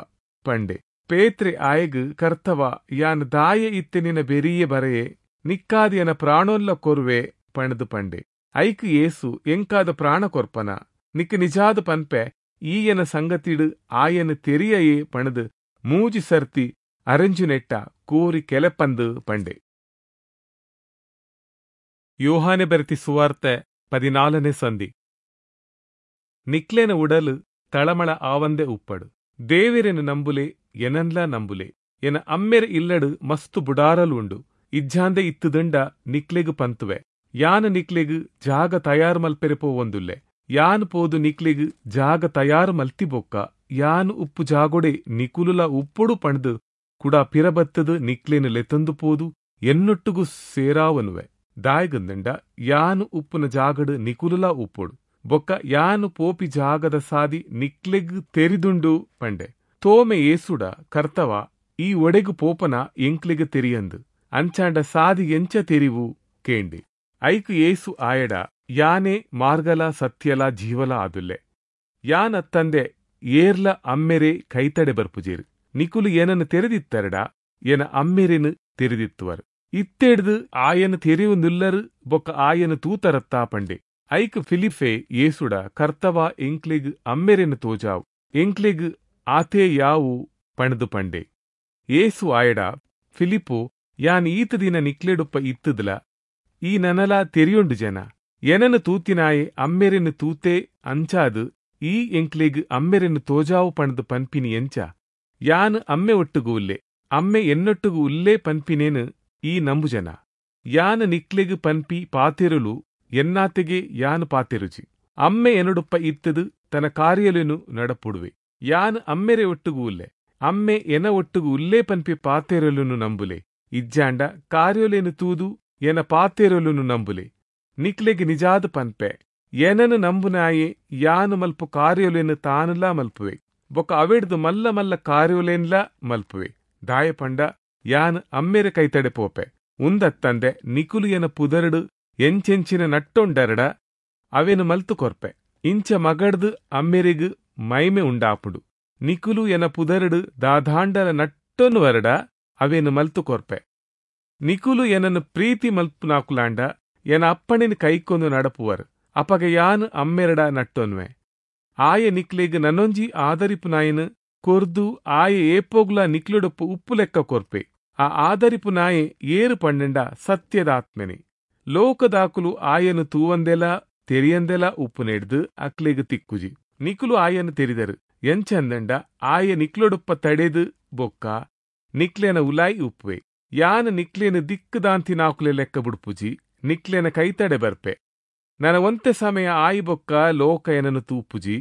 [SPEAKER 1] ಪಂಡೆ. ಪೇತ್ರೆ ಆಯಗು, ಕರ್ತವ ಯಾನ್ ದಾಯ ಇತ್ತೆ ನಿನ ಬೆರಿಯೆ ಬರೆಯೆ, ನಿಕ್ಕಾದ ಎನ ಪ್ರಾಣೋಲ್ಲ ಕೊರುವೆ ಪಣದು ಪಂಡೆ. ಐಕ್ ಯೇಸು, ಎಂಕಾದ ಪ್ರಾಣ ಕೊರ್ಪನ, ನಿಕ್ ನಿಜಾದ ಪನ್ಪೆ ಈ ಎನ ಸಂಗತಿಡು ಆಯನ ತೆರಿಯಯೇ ಪಣದು ಮೂಜಿ ಸರ್ತಿ ಅರೆಂಜುನೆಟ್ಟ ಕೋರಿ ಕೆಲೆಪಂದು ಪಂಡೆ. ಯೋಹಾನೆ ಬರೆತಿ ಸುವಾರ್ತೆ ಪದಿನಾಲನೇ ಸಂಧಿ. ನಿಕ್ಲೇನ ಉಡಲು ತಳಮಳ ಆವಂದೆ ಉಪ್ಪಡು. ದೇವೆರೆನು ನಂಬುಲೆ, ಎನನ್ಲ ನಂಬುಲೆ. ಎನ ಅಮ್ಮೆರ್ ಇಲ್ಲಡು ಮಸ್ತು ಬುಡಾರಲು ಉಂಡು. ಇಜ್ಜಾಂದೆ ಇತ್ತುದಂಡ ನಿಕ್ಲೆಗು ಪಂತುವೆ. ಯಾನ್ ನಿಕ್ಲೆಗು ಜಾಗ ತಯಾರು ಮಲ್ಪೆರೆ ಪೋವೊಂದುಲ್ಲೆ. ಯಾನ್ ಪೋದು ನಿಕ್ಲೆಗು ಜಾಗ ತಯಾರು ಮಲ್ತಿ ಬೊಕ್ಕ ಯಾನ್ ಉಪ್ಪು ಜಾಗೊಡೆ ನಿಕುಲುಲ ಉಪ್ಪುಡು ಪಂಡ್ದು ಕುಡ ಪಿರಬತ್ತದು ನಿಕ್ಲೇನು ಲೆತಂದು ಪೋದು ಎನ್ನೊಟ್ಟುಗು ಸೇರಾವನುವೆ. ದಾಯಗಂದಂಡ ಯಾನ್ ಉಪ್ಪುನ ಜಾಗಡು ನಿಕುಲುಲ ಉಪ್ಪುಡು ಬೊಕ್ಕ ಯಾನು ಪೋಪಿ ಜಾಗದ ಸಾದಿ ನಿಕ್ಲೆಗ್ ತೆರಿದುಂಡು ಪಂಡೆ. ತೋಮೆ ಏಸುಡ, ಕರ್ತವ ಈ ಒಡೆಗು ಪೋಪನ ಎಂಕ್ಲೆಗ್ ತೆರಿಯಂದು, ಅಂಚಾಂಡ ಸಾದಿ ಎಂಚ ತೆರಿವು ಕೇಂಡೆ. ಐಕ್ ಏಸು ಆಯಡ, ಯಾನೇ ಮಾರ್ಗಲ ಸತ್ಯಲ ಜೀವಲ ಆದುಲ್ಲೆ. ಯಾನ್ ಅತ್ತಂದೆ ಏರ್ಲ ಅಮ್ಮೆರೆ ಕೈತಡೆ ಬರ್ಪುಜೇರು. ನಿಕುಲು ಏನನ್ನು ತೆರೆದಿತ್ತರಡ ಎನ ಅಮ್ಮೆರೆನು ತೆರೆದಿತ್ತುವರು. ಇತ್ತೆಡ್ದು ಆಯನ ತೆರೆಯುನುಲ್ಲರು ಬೊಕ್ಕ ಆಯನ ತೂತರತ್ತಾ ಪಂಡೆ. ಐಕ್ ಫಿಲಿಫೆ ಏಸುಡ, ಕರ್ತವ ಎಂಕ್ಲೆಗ್ ಅಮ್ಮೆರೆನು ತೋಜಾವು, ಎಂಕ್ಲೆಗ್ ಆತೇ ಯಾವು ಪಣದು ಪಂಡೆ. ಏಸು ಆಯಡ, ಫಿಲಿಪು ಯಾನ್ ಈತ ದಿನ ನಿಕ್ಲೆಡುಪ್ಪ ಇತ್ತುದಲ ಈ ನನಲ ತೆರಿಯೊಂಡು ಜನ. ಎನನು ತೂತಿನಾಯೆ ಅಮ್ಮೆರೆನು ತೂತೆ ಅಂಚಾದು ಈ ಎಂಕ್ಲೆಗ್ ಅಮ್ಮೆರೆನು ತೋಜಾವು ಪಣದು ಪನ್ಪಿನಿ ಎಂಚ? ಯಾನ್ ಅಮ್ಮೆ ಒಟ್ಟುಗು ಉಲ್ಲೆ, ಅಮ್ಮೆ ಎನ್ನೊಟ್ಟುಗು ಉಲ್ಲೆ ಪನ್ಪಿನೇನು ಈ ನಂಬುಜನ. ಯಾನ್ ನಿಕ್ಲೆಗ್ ಪನ್ಪಿ ಪಾತೆರುಲು ಎನ್ನಾತೆಗೆ ಯಾನ್ ಪಾತೆರುಜಿ. ಅಮ್ಮೆ ಎನ್ನೊಡುಪ್ಪ ಇತ್ತದು ತನ್ನ ಕಾರ್ಯಲೇನು ನಡಪುಡುವೆ. ಯಾನ್ ಅಮ್ಮೆರೆ ಒಟ್ಟುಗು ಉಲ್ಲೆ, ಅಮ್ಮೆ ಎನ ಒಟ್ಟುಗು ಉಲ್ಲೆ ಪನ್ಪಿ ಪಾತೆರಲುನು ನಂಬುಲೆ. ಇಜ್ಜಾಂಡ ಕಾರ್ಯಲೇನು ತೂದು ಎನ ಪಾತೆರಲುನು ನಂಬುಲೆ. ನಿಕ್ಲೆಗ್ ನಿಜಾದ ಪನ್ಪೆ, ಏನನು ನಂಬುನಾಯೆ ಯಾನು ಮಲ್ಪು ಕಾರ್ಯಲೇನು ತಾನುಲಾ ಮಲ್ಪುವೆ, ಬೊಕ್ಕ ಅವೆಡ್ದು ಮಲ್ಲ ಮಲ್ಲ ಕಾರ್ಯಲೇನ್ಲಾ ಮಲ್ಪುವೆ. ದಾಯ ಪಂಡ ಯಾನ್ ಅಮ್ಮೆರೆ ಕೈತಡೆ ಪೋಪೆ. ಉಂದತ್ತಂದೆ ನಿಕುಲು ಎನ ಪುದರ್ಡು ಎಂಚೆಂಚಿನ ನಟ್ಟೊಂಡರಡ ಅವೆನು ಮಲ್ತು ಕೊರ್ಪೆ. ಇಂಚ ಮಗಡ್ದು ಅಮ್ಮೆರೆಗ್ ಮೈಮೆ ಉಂಡಾಪುಡು. ನಿಕುಲು ಎನ ಪುದರ್ಡು ದಾದಾಂಡಲ ನಟ್ಟೊನು ವರಡ ಅವೆನು ಮಲ್ತು ಕೊರ್ಪೆ. ನಿಕುಲು ಎನನ್ನು ಪ್ರೀತಿ ಮಲ್ಪುನಾಕುಲಾಂಡ ಎನ ಅಪ್ಪಣೆನ ಕೈಕೊಂದು ನಡಪುವರು. ಅಪಗ ಯಾನ್ ಅಮ್ಮೆರಡ ನಟ್ಟೊನ್ವೆ. ಆಯ ನಿಕ್ಲೆಗ್ ನನ್ನೊಂಜಿ ಆದರಿಪುನಾಯನು ಕೊರ್ದು ಆಯ ಏಪೋಗ್ಲ ನಿಕ್ಲುಡೊಪ್ಪು ಉಪ್ಪು ಲೆಕ್ಕ ಕೊರ್ಪೆ. ಆ ಆದರಿಪುನಾಯೆ ಏರು ಪಣ್ಣೆಂಡ ಸತ್ಯದ ಆತ್ಮನೆ. ಲೋಕದಾಕುಲು ಆಯನು ತೂವಂದೆಲ ತೆರಿಯಂದೆಲ ಉಪ್ಪು ನೆಡ್ದು ಅಕ್ಲೆಗ್ ತಿಕ್ಕುಜಿ. ನಿಕುಲು ಆಯನು ತೆರಿದರು. ಎಂಚಂದಂಡ ಆಯ ನಿಕ್ಲೊಡುಪ್ಪ ತಡೆದು ಬೊಕ್ಕ ನಿಕ್ಲೆನ ಉಲಾಯಿ ಉಪ್ಪುವೆ. ಯಾನ್ ನಿಕ್ಲೇನು ದಿಕ್ಕುದಾಂತಿನಾಕುಲೆ ಲೆಕ್ಕ ಬುಡ್ಪುಜಿ, ನಿಕ್ಲೆನ ಕೈತಡೆ ಬರ್ಪೆ. ನನ್ನ ಒಂತೆ ಸಮಯ ಆಯಿ ಬೊಕ್ಕ ಲೋಕ ಎನನು ತೂಪುಜಿ,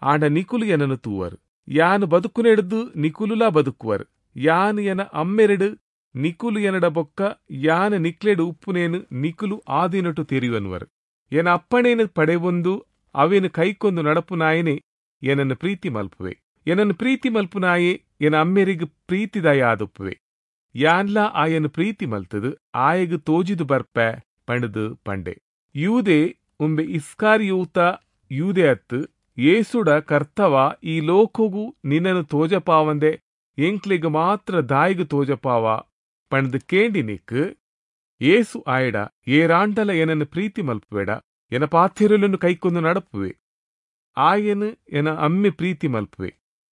[SPEAKER 1] ಆಂಡ ನಿಕುಲು ಎನನು ತೂವರು. ಯಾನು ಬದುಕುನೆಡ್ದು ನಿಕುಲುಲಾ ಬದುಕುವರು. ಯಾನು ಎನ ಅಮ್ಮೆರಡು ನಿಕುಲು ಎನಡ ಬೊಕ್ಕ ಯಾನು ನಿಕ್ಲೆಡು ಉಪ್ಪುನೇನು ನಿಕುಲು ಆದಿನಟು ತೆರಿಯುವನ್ವರು. ಎನ ಅಪ್ಪಣೇನು ಪಡೆವೊಂದು ಅವೇನು ಕೈಕೊಂದು ನಡಪುನಾಯನೆ ಏನನ್ನು ಪ್ರೀತಿ ಮಲ್ಪುವೆ. ಏನನ್ನು ಪ್ರೀತಿ ಮಲ್ಪುನಾಯೆ ಎನ ಅಮ್ಮೆರಿಗ್ ಪ್ರೀತಿದಾಯ ಆದುಪ್ಪುವೆ. ಯಾನ್ಲಾ ಆಯನು ಪ್ರೀತಿ ಮಲ್ತದು ಆಯಗು ತೋಜಿದು ಬರ್ಪೆ ಪಂಡದು ಪಂಡೆ. ಯೂದೆ ಉಂಬೆ ಇಸ್ಕಾರಿಯೂತ ಯೂದೆ ಅತ್ತು ಏಸುಡ, ಕರ್ತವ ಈ ಲೋಕಗು ನಿನ್ನನು ತೋಜಪಾವಂದೆ ಎಂಕ್ಲೆಗ್ ಮಾತ್ರ ದಾಯಿಗು ತೋಜಪಾವ ಪಂಡ್ದು ಕೇಂಡಿನಿಕ್ ಏಸು ಆಯಡ, ಏರಾಂಡಲ ಏನನ್ನು ಪ್ರೀತಿ ಮಲ್ಪುವೆಡ ಎನ ಪಾಥೆರುಲನ್ನು ಕೈಕೊಂದು ನಡಪುವೆ. ಆಯನು ಎನ ಅಮ್ಮೆ ಪ್ರೀತಿ ಮಲ್ಪುವೆ.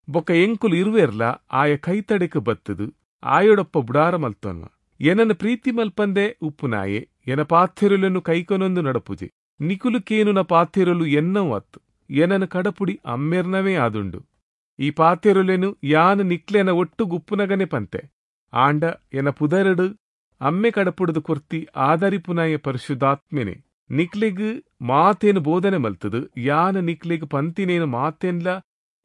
[SPEAKER 1] ಬೊಕ್ಕ ಎಂಕುಲು ಇರುವೆರ್ಲ ಆಯ ಕೈತಡೆಕ್ ಬತ್ತದು ಆಯೊಡಪ್ಪ ಬುಡಾರ ಮಲ್ತೊನ್ವ. ಎನನ್ನು ಪ್ರೀತಿ ಮಲ್ಪಂದೆ ಉಪ್ಪುನಾಯೆ ಎನ ಪಾಥೆರುಲನ್ನು ಕೈಕೊನೊಂದು ನಡಪುಜೆ. ನಿಕುಲು ಕೇನುನ ಪಾಥೆರುಲು ಎನ್ನವು ಅತ್ತು, ಎನನು ಕಡಪುಡಿ ಅಮ್ಮೆರ್ನವೇ ಆದುಂಡು. ಈ ಪಾತೆರುಲೆನು ಯಾನು ನಿಕ್ಲೆನ ಒಟ್ಟು ಗುಪ್ಪುನಗನೆ ಪಂತೆ. ಆಂಡ ಎನ ಪುದರಡು ಅಮ್ಮೆ ಕಡಪುಡದು ಕೊರ್ತಿ ಆದರಿಪುನಾಯ ಪರಿಶುದ್ಧಾತ್ಮೆನೆ ನಿಕ್ಲೆಗ್ ಮಾತೇನು ಬೋಧನೆ ಮಲ್ತದು. ಯಾನು ನಿಕ್ಲೆಗ್ ಪಂತಿನೇನು ಮಾತೇನ್ಲ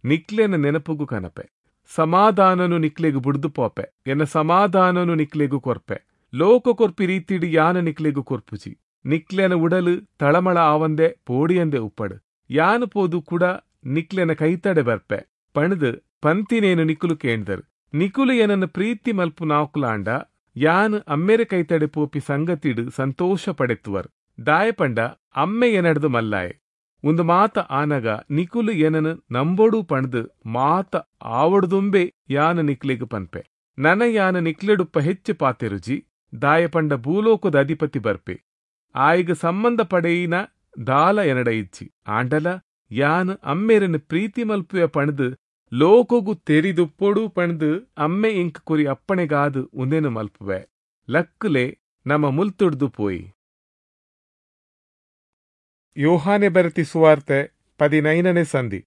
[SPEAKER 1] ನಿಕ್ಲೆನ ನೆನಪುಗು ಕನಪೆ. ಸಮಾಧಾನನು ನಿಕ್ಲೆಗ್ ಬುಡ್ದು ಪೋಪೆ, ಎನ್ನ ಸಮಾಧಾನನು ನಿಕ್ಲೆಗು ಕೊರ್ಪೆ. ಲೋಕ ಕೊರ್ಪಿ ರೀತಿಡು ಯಾನ ನಿಕ್ಲೆಗು ಕೊರ್ಪುಜಿ. ನಿಕ್ಲೆನ ಉಡಲು ತಳಮಳ ಆವಂದೆ ಪೋಡಿಯಂದೆ ಉಪ್ಪಡು. ಯಾನು ಪೋದು ಕೂಡ ನಿಕ್ಲೆನ ಕೈತಡೆ ಬರ್ಪೆ. ಪಣದು ಪಂತಿನೇನು ನಿಕುಲು ಕೇಂದರ್. ನಿಕುಲು ಏನನ್ನು ಪ್ರೀತಿ ಮಲ್ಪುನಾಕುಲಾಂಡ ಯಾನ್ ಅಮ್ಮೆರೆ ಕೈತಡೆ ಪೋಪಿ ಸಂಗತಿಡು ಸಂತೋಷ ಪಡೆತ್ತುವರ್. ದಾಯಪಂಡ ಅಮ್ಮೆ ಎನಡ್ದು ಮಲ್ಲಾಯೆ. ಒಂದು ಮಾತ ಆನಗ ನಿಕುಲು ಏನನು ನಂಬೋಡು ಪಣದು ಮಾತ ಆವಡ್ದುಂಬೆ ಯಾನ ನಿಕ್ಲೆಗ್ ಪನ್ಪೆ. ನನ ಯಾನ ನಿಕ್ಲೆಡುಪ್ಪ ಹೆಚ್ಚು ಪಾತೆರುಜಿ. ದಾಯಪಂಡ ಭೂಲೋಕದ ಅಧಿಪತಿ ಬರ್ಪೆ. ಆಯಿಗ ಸಂಬಂಧ ಪಡೆಯಿನ ದಾಲ ಎನಡ ಇಜ್ಜಿ. ಆಂಡಲ ಯಾನ್ ಅಮ್ಮೆರನ್ನು ಪ್ರೀತಿ ಮಲ್ಪುವೆ ಪಣದು ಲೋಕೊಗು ತೆರಿದುಪ್ಪೊಡು ಪಣದು ಅಮ್ಮೆ ಇಂಕ್ ಕುರಿ ಅಪ್ಪಣೆಗಾದು ಉಂದೆನು ಮಲ್ಪುವೆ. ಲಕ್ಕುಲೆ ನಮ್ಮ ಮುಲ್ತುಡ್ದು ಪೋಯಿ. ಯೋಹಾನೆ ಬರತಿ ಸುವಾರ್ತೆ ಪದಿನೈನನೇ ಸಂಧಿ.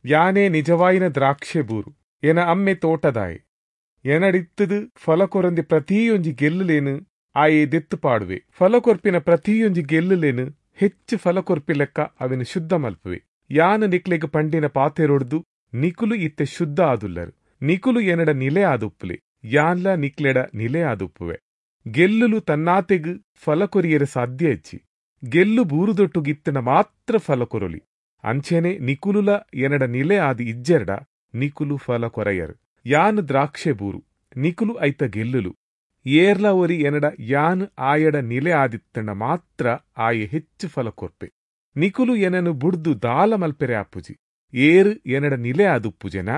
[SPEAKER 1] ಯಾನೇ ನಿಜವಾಯಿನ ದ್ರಾಕ್ಷೆ ಬೂರು, ಎನ ಅಮ್ಮೆ ತೋಟದಾಯಿ. ಎನಡಿತ್ತದು ಫಲಕೊರಂದಿ ಪ್ರತಿಯೊಂಜಿ ಗೆಲ್ಲುಲೇನು ಆಯೆ ದೆತ್ತು ಪಾಡುವೆ. ಫಲಕೊರ್ಪಿನ ಪ್ರತಿಯೊಂಜಿ ಗೆಲ್ಲುಲೇನು ಹೆಚ್ಚು ಫಲಕೊರ್ಪಿ ಲೆಕ್ಕ ಅವೆನು ಶುದ್ಧ ಮಲ್ಪುವೆ. ಯಾನ ನಿಕ್ಲೆಗ್ ಪಂಡಿನ ಪಾತೆರೊಡ್ದು ನಿಕುಲು ಇತ್ತೆ ಶುದ್ಧ ಆದುಲ್ಲರು. ನಿಕುಲು ಎನಡ ನಿಲೆ ಆದುಪ್ಪುಲೆ, ಯಾನ್ಲ ನಿಕ್ಲೆಡ ನಿಲೆ ಆದುಪ್ಪುವೆ. ಗೆಲ್ಲುಲು ತನ್ನಾತೆಗ್ ಫಲಕೊರಿಯರೆ ಸಾಧ್ಯ ಇಚ್ಚಿ. ಗೆಲ್ಲು ಬೂರುದೊಟ್ಟುಗಿತ್ತನ ಮಾತ್ರ ಫಲ ಕೊರೊಲಿ. ಅಂಚೆನೆ ನಿಕುಲುಲ ಎನಡ ನಿಲೆ ಆದಿ ಇಜ್ಜೆರಡ ನಿಕುಲು ಫಲ ಕೊರಯರು. ಯಾನ್ ದ್ರಾಕ್ಷೆ ಬೂರು, ನಿಕುಲು ಐತ ಗೆಲ್ಲುಲು. ಏರ್ಲ ಒರಿ ಎನಡ ಯಾನ್ ಆಯಡ ನಿಲೆ ಆದಿತ್ತನ ಮಾತ್ರ ಆಯೆ ಹೆಚ್ಚು ಫಲ ಕೊರ್ಪೆ. ನಿಕುಲು ಎನನು ಬುಡ್ದು ದಾಲ ಮಲ್ಪೆರೆ ಆಪುಜಿ. ಏರು ಎನಡ ನಿಲೆ ಆದುಪ್ಪುಜೆನ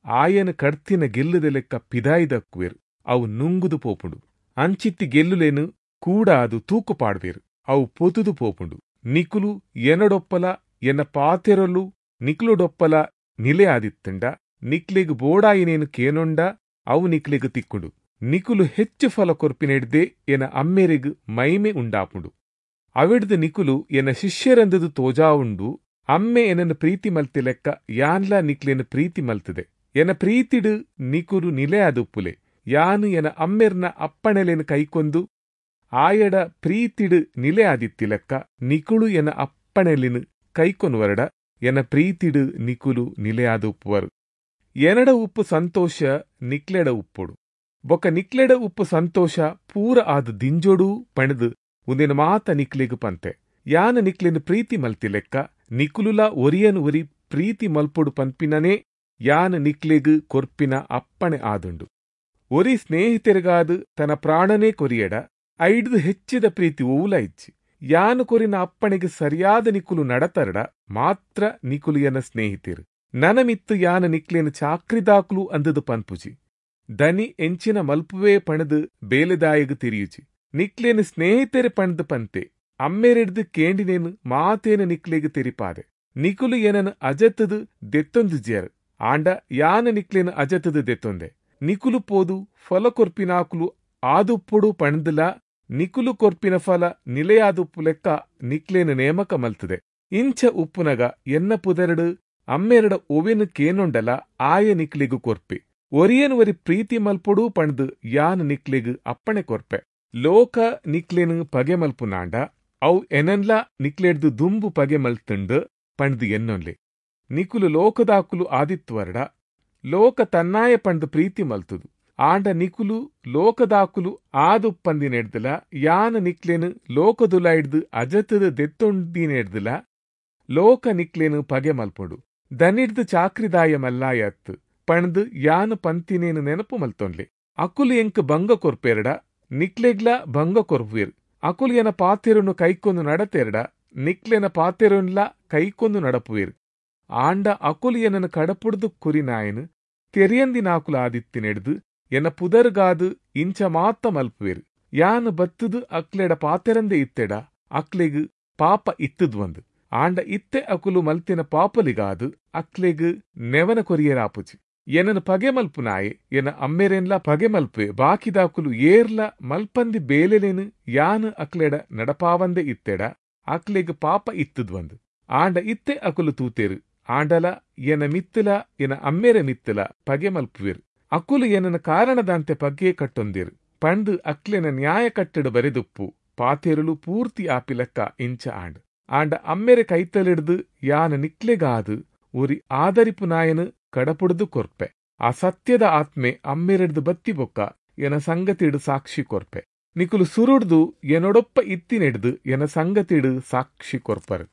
[SPEAKER 1] ಆಯನ ಕಡ್ತಿನ ಗೆಲ್ಲುದ ಲೆಕ್ಕ ಪಿದಾಯಿದಕ್ಕುವೆರು. ಅವು ನುಂಗುದು ಪೋಪುಂಡು. ಅಂಚಿತ್ತಿ ಗೆಲ್ಲುಲೇನು ಕೂಡ ಅದು ತೂಕು ಪಾಡ್ವೇರು. ಅವು ಪೊತುದು ಪೋಪುಂಡು. ನಿಕುಲು ಎನಡೊಪ್ಪಲ ಎನ್ನ ಪಾತೆರಲು ನಿಕ್ಲುಡೊಪ್ಪಲ ನಿಲೆ ಆದಿತ್ತಂಡ ನಿಕ್ಲೆಗ್ ಬೋಡಾಯಿನೇನು ಕೇನೊಂಡ ಅವು ನಿಕ್ಲೆಗ್ ತಿಕ್ಕುಂಡು. ನಿಕುಲು ಹೆಚ್ಚು ಫಲ ಕೊರ್ಪಿನೆಡ್ದೆ ಎನ ಅಮ್ಮೆರೆಗ್ ಮೈಮೆ ಉಂಡಾಪುಂಡು. ಅವಿಡ್ದು ನಿಕುಲು ಎನ್ನ ಶಿಷ್ಯರಂದದು ತೋಜಾವುಂಡು. ಅಮ್ಮೆ ಎನನ್ನು ಪ್ರೀತಿ ಮಲ್ತಿ ಲೆಕ್ಕ ಯಾನ್ಲ ನಿಕ್ಲೆನ್ ಪ್ರೀತಿ ಮಲ್ತದೆ. ಎನ ಪ್ರೀತಿಡು ನಿಕುಲು ನಿಲೆ ಆದುಪ್ಪುಲೆ. ಯಾನು ಎನ ಅಮ್ಮೆರ್ನ ಅಪ್ಪಣೆಲೆನ್ ಕೈಕೊಂದು ಆಯಡ ಪ್ರೀತಿಡು ನಿಲೆ ಆದಿತ್ತಿ ಲೆಕ್ಕ ನಿಕುಳು ಎನ ಅಪ್ಪಣೆಲಿನ್ ಕೈಕೊನುವರಡ ಎನ ಪ್ರೀತಿಡು ನಿಕುಲು ನಿಲೆಯಾದುಪ್ಪುವರು. ಎನಡ ಉಪ್ಪು ಸಂತೋಷ ನಿಕ್ಲೆಡ ಉಪ್ಪೊಡು. ಬೊಕ್ಕ ನಿಕ್ಲೆಡ ಉಪ್ಪು ಸಂತೋಷ ಪೂರ ಆದ್ ದಿಂಜೊಡು ಪಣದು ಉಂದೆನ ಮಾತ ನಿಕ್ಲೆಗ್ ಪಂತೆ. ಯಾನ ನಿಕ್ಲೆನ್ ಪ್ರೀತಿ ಮಲ್ತಿ ಲೆಕ್ಕ ನಿಕುಲುಲ ಒರಿಯನ್ ಒರಿ ಪ್ರೀತಿ ಮಲ್ಪೊಡು ಪನ್ಪಿನನೇ ಯಾನ ನಿಕ್ಲೆಗ್ ಕೊರ್ಪಿನ ಅಪ್ಪಣೆ ಆದುಂಡು. ಒರಿ ಸ್ನೇಹಿತರಿಗಾದ್ ತನ್ನ ಪ್ರಾಣನೇ ಕೊರಿಯಡ ಐಡ್ದು ಹೆಚ್ಚಿದ ಪ್ರೀತಿ ಓವುಲ ಇಜ್ಜಿ. ಯಾನು ಕೊರಿನ ಅಪ್ಪಣೆಗೆ ಸರಿಯಾದ ನಿಕುಲು ನಡತರಡ ಮಾತ್ರ ನಿಕುಲು ಎನ ಸ್ನೇಹಿತರು. ನನ ಮಿತ್ತು ಯಾನ ನಿಕ್ಲೇನು ಚಾಕ್ರಿದಾಕ್ಲು ಅಂದದು ಪನ್ಪುಜಿ. ದನಿ ಎಂಚಿನ ಮಲ್ಪುವೇ ಪಣದು ಬೇಲೆದಾಯಗ್ ತಿರಿಯುಜಿ. ನಿಕ್ಲೇನು ಸ್ನೇಹಿತರೆ ಪಣದು ಪಂತೆ. ಅಮ್ಮೆರೆಡ್ದು ಕೇಂಡಿನೇನು ಮಾತೇನು ನಿಕ್ಲೆಗ್ ತೆರಿಪಾದೆ. ನಿಕುಲು ಏನನು ಅಜತ್ತದು ದೆತ್ತೊಂದುಜಿಯರು. ಆಂಡ ಯಾನ ನಿಕ್ಲೇನು ಅಜತ್ತದು ದೆತ್ತೊಂದೆ. ನಿಕುಲು ಪೋದು ಫಲ ಕೊರ್ಪಿನಾಕುಲು ಆದುಪ್ಪೊಡು ಪಣದುಲ ನಿಕುಲು ಕೊರ್ಪಿನ ಫಲ ನಿಲೆಯಾದುಪ್ಪು ಲೆಕ್ಕ ನಿಕ್ಲೇನು ನೇಮಕ ಮಲ್ತದೆ. ಇಂಚ ಉಪ್ಪುನಗ ಎನ್ನ ಪುದರಡು ಅಮ್ಮೆರಡ ಒವೆನು ಕೇನೊಂಡಲ ಆಯ ನಿಕ್ಲೆಗು ಕೊರ್ಪೆ. ಒರಿಯನ್ ಒರಿ ಪ್ರೀತಿ ಮಲ್ಪೊಡು ಪಣದು ಯಾನ್ ನಿಕ್ಲೆಗು ಅಪ್ಪಣೆ ಕೊರ್ಪೆ. ಲೋಕ ನಿಕ್ಲೇನು ಪಗೆ ಮಲ್ಪುನಾಂಡ ಅವು ಎನನ್ಲ ನಿಕ್ಲೆಡ್ದು ದುಂಬು ಪಗೆ ಮಲ್ತುಂಡು ಪಣದು ಎನ್ನೊನ್ಲೆ. ನಿಕುಲು ಲೋಕದಾಕುಲು ಆದಿತ್ವರಡ ಲೋಕ ತನ್ನಾಯ ಪಂಡು ಪ್ರೀತಿ ಮಲ್ತುದು. ಆಂಡ ನಿಕುಲು ಲೋಕದಾಕುಲು ಆದುಪ್ಪಂದಿನೆಡ್ದಲ ಯಾನ ನಿಕ್ಲೇನು ಲೋಕದುಲೈಡ್ದು ಅಜತದ ದೆತ್ತೊಂದಿನೆಡ್ದಲ ಲೋಕ ನಿಕ್ಲೇನು ಪಗೆ ಮಲ್ಪೊಡು. ದನಿಡ್ದು ಚಾಕ್ರಿದಾಯ ಮಲ್ಲಾಯತ್ತು ಪಣದು ಯಾನು ಪಂತಿನೇನು ನೆನಪು ಮಲ್ತೊನ್ಲೆ. ಅಕುಲು ಎಂಕ್ ಭಂಗ ಕೊರ್ಪೆರಡ ನಿಕ್ಲೆಗ್ಲ ಭಂಗ ಕೊರ್ಪುವೆರ್. ಅಕುಲು ಎನ ಪಾತೆರುನು ಕೈಕೊಂದು ನಡತೆರಡ ನಿಕ್ಲೆನ ಪಾತೆರುನ್ಲ ಕೈಕೊಂದು ನಡಪುವೆರ್. ಆಂಡ ಅಕುಲು ಎನನು ಕಡಪುಡ್ದು ಕುರಿನಾಯನು ತೆರಿಯಂದಿನಾಕುಲು ಆದಿತ್ತಿನೆಡ್ದು ಎನ ಪುದರ್ಗಾದು ಇಂಚ ಮಾತ ಮಲ್ಪುವೆರ್. ಯಾನು ಬತ್ತುದು ಅಕ್ಲೆಡ ಪಾತೆರಂದೆ ಇತ್ತೆಡ ಅಕ್ಲೆಗ್ ಪಾಪ ಇತ್ತದ್ವಂದು. ಆಂಡ ಇತ್ತೆ ಅಕುಲು ಮಲ್ತಿನ ಪಾಪಲಿಗಾದು ಅಕ್ಲೆಗ್ ನೆವನ ಕೊರಿಯರಾಪುಜಿ. ಎನನು ಪಗೆ ಮಲ್ಪುನಾಯೆ ಎನ ಅಮ್ಮೆರೆನ್ಲ ಪಗೆ ಮಲ್ಪುವೆ. ಬಾಕಿದಾಕುಲು ಏರ್ಲ ಮಲ್ಪಂದಿ ಬೇಲೆಲೇನು ಯಾನು ಅಕ್ಲೆಡ ನಡಪಾವಂದೆ ಇತ್ತೆಡ ಅಕ್ಲೆಗ್ ಪಾಪ ಇತ್ತದ್ವಂದು. ಆಂಡ ಇತ್ತೆ ಅಕುಲು ತೂತೇರು. ಆಂಡಲ ಎನ ಮಿತ್ತಲ ಎನ ಅಮ್ಮೆರೆ ಮಿತ್ತಲ ಪಗೆ ಮಲ್ಪುವೆರು. ಅಕುಲು ಎನನ ಕಾರಣದಂತೆ ಪಗೆ ಕಟ್ಟೊಂದಿರು ಪಂಡು ಅಕ್ಲೆನ ನ್ಯಾಯ ಕಟ್ಟಡ ಬರೆದುಪ್ಪು ಪಾತೆರುಲು ಪೂರ್ತಿ ಆಪಿಲಕ್ಕ ಇಂಚ ಆಂಡ್. ಆಂಡ ಅಮ್ಮೆರೆ ಕೈತಲಿಡ್ದು ಯಾನ ನಿಕ್ಲೆಗಾದು ಒರಿ ಆದರಿಪು ನಾಯನು ಕಡಪುಡ್ದು ಕೊರ್ಪೆ. ಆ ಸತ್ಯದ ಆತ್ಮೆ ಅಮ್ಮೆರೆಡ್ದು ಬತ್ತಿ ಬೊಕ್ಕ ಎನ ಸಂಗತಿಡು ಸಾಕ್ಷಿ ಕೊರ್ಪೆ. ನಿಕುಲು ಸುರುಡ್ದು ಎನೊಡೊಪ್ಪ ಇತ್ತಿನೆಡ್ದು ಎನ ಸಂಗತಿಡು ಸಾಕ್ಷಿ ಕೊರ್ಪರು.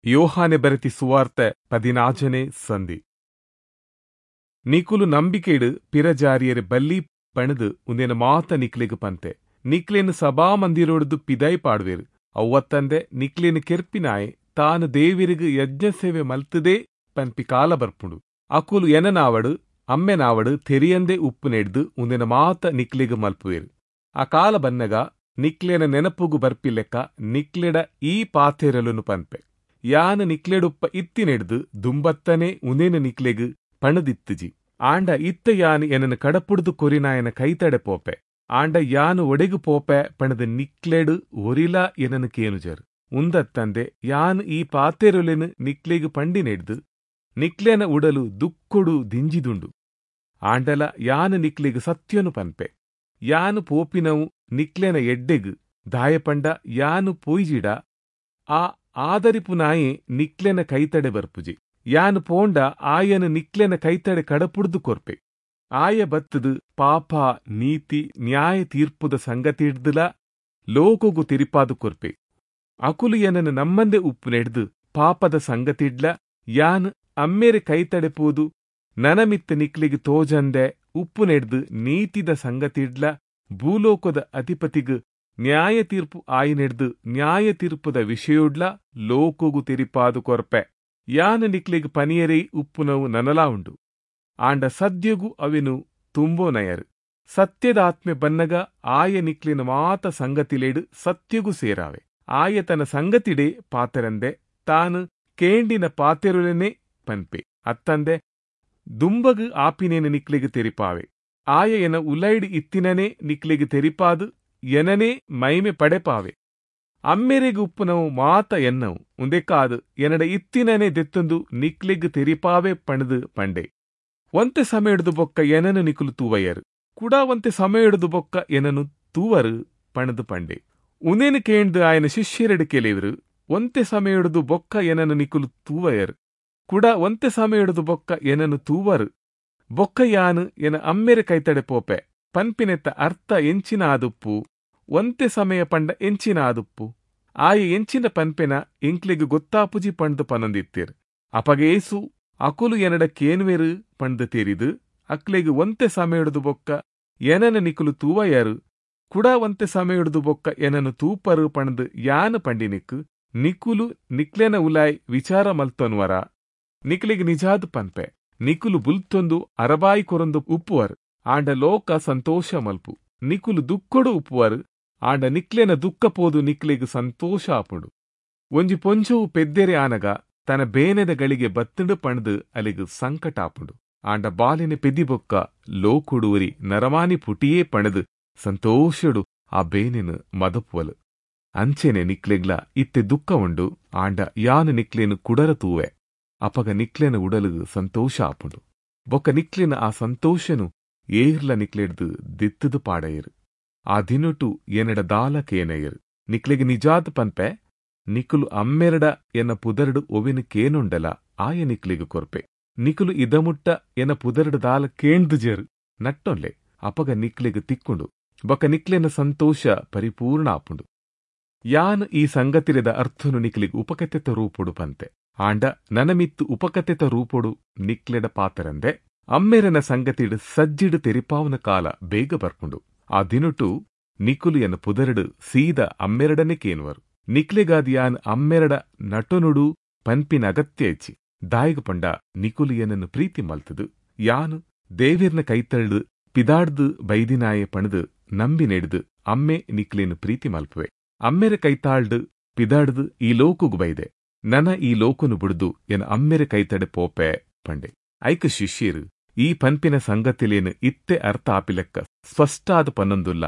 [SPEAKER 1] ಯೋಹಾನೆ ಬರೆತಿ ಸುವಾರ್ತೆ ಪದಿನಾಜನೆ ಸಂಧಿ. ನಿಕುಲು ನಂಬಿಕೆಡು ಪಿರಜಾರಿಯರೆ ಬಲ್ಲಿ ಪಣದು ಉಂದೇನ ಮಾತ ನಿಕ್ಲೆಗ್ ಪಂತೆ. ನಿಕ್ಲೇನು ಸಭಾ ಮಂದಿರೋಡ್ದು ಪಿದೈ ಪಾಡ್ವೇರು. ಅವ್ವತ್ತಂದೆ ನಿಕ್ಲೇನು ಕೆರ್ಪಿನಾಯೆ ತಾನು ದೇವಿರಿಗು ಯಜ್ಞ ಸೇವೆ ಮಲ್ತದೇ ಪನ್ಪಿ ಕಾಲ ಬರ್ಪುಂಡು. ಅಕುಲು ಎನನಾವಡು ಅಮ್ಮೆನಾವಡು ತೆರಿಯಂದೆ ಉಪ್ಪು ನೆಡ್ದು ಉಂದೇನ ಮಾತ ನಿಕ್ಲೆಗ್ ಮಲ್ಪುವೇರು. ಆ ಕಾಲ ಬನ್ನಗ ನಿಕ್ಲೇನ ನೆನಪುಗು ಬರ್ಪಿಲೆಕ್ಕ ನಿಕ್ಲೆಡ ಈ ಪಾತೆರಲುನು ಪನ್ಪೆ. ಯಾನು ನಿಕ್ಲೆಡುಪ್ಪ ಇತ್ತಿನೆಡ್ದು ದುಂಬತ್ತನೆ ಉಂದೇನ ನಿಕ್ಲೆಗ್ ಪಣದಿತ್ತುಜಿ. ಆಂಡ ಇತ್ತ ಯಾನು ಎನನು ಕಡಪುಡ್ದು ಕೊರಿನಾಯನ ಕೈತಡೆ ಪೋಪೆ. ಆಂಡ ಯಾನು ಒಡೆಗು ಪೋಪೆ ಪಣದ ನಿಕ್ಲೆಡು ಒರಿಲಾ ಎನನು ಕೇನುಜರು. ಉಂದತ್ತಂದೆ ಯಾನು ಈ ಪಾತೆರೊಲೆನು ನಿಕ್ಲೆಗ್ ಪಂಡಿನೆಡ್ದು ನಿಕ್ಲೆನ ಉಡಲು ದುಕ್ಕೊಡು ದಿಂಜಿದುಂಡು. ಆಂಡಲ ಯಾನು ನಿಕ್ಲೆಗ್ ಸತ್ಯನು ಪನ್ಪೆ. ಯಾನು ಪೋಪಿನವು ನಿಕ್ಲೆನ ಎಡ್ಡೆಗ್. ದಾಯಪಂಡ ಯಾನು ಪೋಯ್ಜಿಡ ಆ ಆದರಿಪುನಾಯೆ ನಿಕ್ಲೆನ ಕೈತಡೆ ಬರ್ಪುಜಿ. ಯಾನು ಪೋಂಡ ಆಯನು ನಿಕ್ಲೆನ ಕೈತಡೆ ಕಡಪುಡ್ದು ಕೊರ್ಪೆ. ಆಯ ಬತ್ತದು ಪಾಪ ನೀತಿ ನ್ಯಾಯ ತೀರ್ಪುದ ಸಂಗತಿಡ್ದುಲ ಲೋಕೊಗು ತಿರಿಪಾದು ಕೊರ್ಪೆ. ಅಕುಲು ಎನನು ನಮ್ಮಂದೆ ಉಪ್ಪು ನೆಡ್ದು ಪಾಪದ ಸಂಗತಿಡ್ಲ ಯಾನ್ ಅಮ್ಮೇರೆ ಕೈತಡೆ ಪೋದು ನನಮಿತ್ತ ನಿಕ್ಲೆಗ್ ತೋಜಂದೆ ಉಪ್ಪು ನೆಡ್ದು ನೀತಿದ ಸಂಗತಿಡ್ಲ ಭೂಲೋಕದ ಅಧಿಪತಿಗ್ ನ್ಯಾಯ ತೀರ್ಪು ಆಯಿನೆಡ್ದು ನ್ಯಾಯ ತೀರ್ಪುದ ವಿಷಯೊಡ್ಲ ಲೋಕೊಗು ತೆರಿಪಾದು ಕೊರ್ಪೆ. ಯಾನು ನಿಕ್ಲೆಗ್ ಪನಿಯರೇ ಉಪ್ಪುನವು ನನಲಾ ಉಂಡು. ಆಂಡ ಸದ್ಯಗು ಅವೆನು ತುಂಬೋನಯರು. ಸತ್ಯದ ಆತ್ಮೆ ಬನ್ನಗ ಆಯ ನಿಕ್ಲಿನ ಮಾತ ಸಂಗತಿಲೇಡು ಸತ್ಯಗು ಸೇರಾವೆ. ಆಯ ತನ್ನ ಸಂಗತಿಡೆ ಪಾತೆರಂದೆ ತಾನು ಕೇಂಡಿನ ಪಾತೆರುಲೆನೆ ಪನ್ಪೆ. ಅತ್ತಂದೆ ದುಂಬಗು ಆಪಿನೇನು ನಿಕ್ಲೆಗ್ ತೆರಿಪಾವೆ. ಆಯ ಎನ ಉಲೈಡ್ ಇತ್ತಿನನೇ ನಿಕ್ಲೆಗ್ ತೆರಿಪಾದು ಎನನೇ ಮೈಮೆ ಪಡೆಪಾವೆ. ಅಮ್ಮೆರೆಗ್ ಉಪ್ಪುನವು ಮಾತ ಎನ್ನವು. ಉಂದೆಕಾದು ಎನಡ ಇತ್ತಿನನೇ ದೆತ್ತೊಂದು ನಿಕ್ಲೆಗ್ ತೆರಿಪಾವೆ ಪಣದು ಪಂಡೆ. ಒಂತೆ ಸಮಯಡ್ದು ಬೊಕ್ಕ ಎನನು ನಿಕುಲು ತೂವಯ್ಯರು. ಕುಡಾ ಒಂತೆ ಸಮಯಡ್ದು ಬೊಕ್ಕ ಎನನು ತೂವರು ಪಣದು ಪಂಡೆ. ಉಂದೇನು ಕೇಂದು ಆಯನ ಶಿಷ್ಯರೆಡು ಕೆಲೆವರು, ಒಂತೆ ಸಮಯಡ್ದು ಬೊಕ್ಕ ಎನನು ನಿಕುಲು ತೂವಯ್ಯರು, ಕುಡ ಒಂತೆ ಸಮಯಡ್ದು ಬೊಕ್ಕ ಎನನು ತೂವರು, ಬೊಕ್ಕ ಯಾನು ಎನ ಅಮ್ಮೆರೆ ಕೈತಡೆ ಪೋಪೆ ಪನ್ಪಿನೆತ್ತ ಅರ್ಥ ಎಂಚಿನ ಆದುಪ್ಪು? ಒಂತೆ ಸಮಯ ಪಂಡ ಎಂಚಿನ ಆದುಪ್ಪು? ಆಯ ಎಂಚಿನ ಪನ್ಪೆನ ಎಂಕ್ಲೆಗ್ ಗೊತ್ತಾಪುಜಿ ಪಂಡ್ದು ಪನೊಂದಿತ್ತೀರ್. ಅಪಗೇಸು ಅಕುಲು ಎನಡ ಕೇನ್ವೆರು ಪಂಡ್ದು ತೆರಿದು ಅಕ್ಲೆಗ್ ಒಂತೆ ಸಮಯಡ್ದು ಬೊಕ್ಕ ಎನನ ನಿಕುಲು ತೂವಯ್ಯರು, ಕುಡ ಒಂತೆ ಸಮಯಡ್ದು ಬೊಕ್ಕ ಎನನು ತೂಪರು ಪಂಡ್ದು ಯಾನು ಪಂಡಿನಿಕ್ ನಿಕುಲು ನಿಕ್ಲೆನ ಉಲಾಯ್ ವಿಚಾರ ಮಲ್ತೊನ್ವರ? ನಿಕ್ಲೆಗ್ ನಿಜಾದ್ ಪನ್ಪೆ, ನಿಕುಲು ಬುಲ್ತೊಂದು ಅರಬಾಯಿ ಕೊರೊಂದು ಉಪ್ಪುವರು, ಆಂಡ ಲೋಕ ಸಂತೋಷ ಮಲ್ಪು. ನಿಕುಲು ದುಕ್ಕೊಡು ಉಪ್ಪುವರು, ಆಂಡ ನಿಕ್ಲೆನ ದುಃಖ ಪೋದು ನಿಕ್ಲೆಗ್ ಸಂತೋಷ ಆಪುಂಡು. ಒಂಜಿ ಪೊಂಜೋವು ಪೆದ್ದೆರೆ ಆನಗ ತನ್ನ ಬೇನೆದ ಗಳಿಗೆ ಬತ್ತುಂಡು ಪಂಡ್ದು ಅಲೆಗ್ ಸಂಕಟ ಆಪುಂಡು. ಆಂಡ ಬಾಲಿನ ಪೆದಿ ಬೊಕ್ಕ ಲೋಕೊಡುವರಿ ನರಮಾನಿ ಪುಟಿಯೇ ಪಣದು ಸಂತೋಷಡು ಆ ಬೇನೆನು ಮದಪುವಲು. ಅಂಚೆನೆ ನಿಕ್ಲೆಗ್ಲ ಇತ್ತೆ ದುಃಖ ಉಂಡು, ಆಂಡ ಯಾನು ನಿಕ್ಲೇನು ಕುಡರ ತೂವೆ. ಅಪಗ ನಿಕ್ಲೆನ ಉಡಲುಗು ಸಂತೋಷ ಆಪುಂಡು. ಬೊಕ್ಕ ನಿಕ್ಲೆನ ಆ ಸಂತೋಷನು ಏರ್ಲ ನಿಕ್ಲೆಡ್ದು ದಿತ್ತದು ಪಾಡಯರು. ಆ ದಿನೊಟು ಎನಡ ದಾಲ ಕೇನಯರು. ನಿಕ್ಲೆಗ್ ನಿಜಾದ್ ಪನ್ಪೆ, ನಿಕುಲು ಅಮ್ಮೆರಡ ಎನ ಪುದರ್ಡು ಒವಿನ ಕೇನುಂಡಲ ಆಯ ನಿಕ್ಲೆಗ್ ಕೊರ್ಪೆ. ನಿಕುಲು ಇದಮುಟ್ಟ ಎನ ಪುದರ್ಡು ದಾಲ ಕೇಂದ್ಜೆರು ನಟ್ಟೊನ್ಲೆ, ಅಪಗ ನಿಕ್ಲೆಗ್ ತಿಕ್ಕುಂಡು. ಬೊಕ್ಕ ನಿಕ್ಲೆನ ಸಂತೋಷ ಪರಿಪೂರ್ಣ ಆಪುಂಡು. ಯಾನ್ ಈ ಸಂಗತಿರದ ಅರ್ಥನು ನಿಕ್ಲೆಗ್ ಉಪಕತೆತ ರೂಪೊಡು ಪಂತೆ. ಆಂಡ ನನಮಿತ್ತು ಉಪಕತೆತ ರೂಪೊಡು ನಿಕ್ಲೆಡ ಪಾತರಂದೆ ಅಮ್ಮೆರನ ಸಂಗತಿಡ್ ಸಜ್ಜಿಡ್ ತೆರಿಪಾವನ ಕಾಲ ಬೇಗ ಬರ್ಪುಂಡು. ಆ ದಿನೊಟು ನಿಕುಲು ಎನ್ನ ಪುದರ್ಡು ಸೀದ ಅಮ್ಮೆರಡನೆ ಕೇನುವರು. ನಿಕ್ಲೆಗಾದ್ ಯಾನ್ ಅಮ್ಮೆರಡ ನಟೊನುಡು ಪನ್ಪಿನ ಅಗತ್ಯ ಇಚ್ಚಿ. ದಾಯಿಗ್ ಪಂಡ ನಿಕುಲು ಎನನ್ನು ಪ್ರೀತಿ ಮಲ್ತದು ಯಾನು ದೇವಿರ್ನ ಕೈತಳ್ದು ಪಿದಾಡ್ದು ಬೈದಿನಾಯೆ ಪಣದು ನಂಬಿ ನೆಡ್ದು ಅಮ್ಮೆ ನಿಕ್ಲೇನು ಪ್ರೀತಿ ಮಲ್ಪುವೆ. ಅಮ್ಮೆರೆ ಕೈತಾಳ್ದು ಪಿದಾಡ್ದು ಈ ಲೋಕುಗು ಬೈದೆ. ನನ ಈ ಲೋಕನು ಬುಡ್ದು ಎನ ಅಮ್ಮೆರೆ ಕೈತಡೆ ಪೋಪೆ ಪಂಡೆ. ಐಕ ಶಿಷ್ಯರು ಈ ಪನ್ಪಿನ ಸಂಗತಿಲೇನು ಇತ್ತೆ ಅರ್ಥ ಆಪಿಲೆಕ್ಕ ಸ್ಪಷ್ಟಾದ ಪನ್ನೊಂದುಲ್ಲ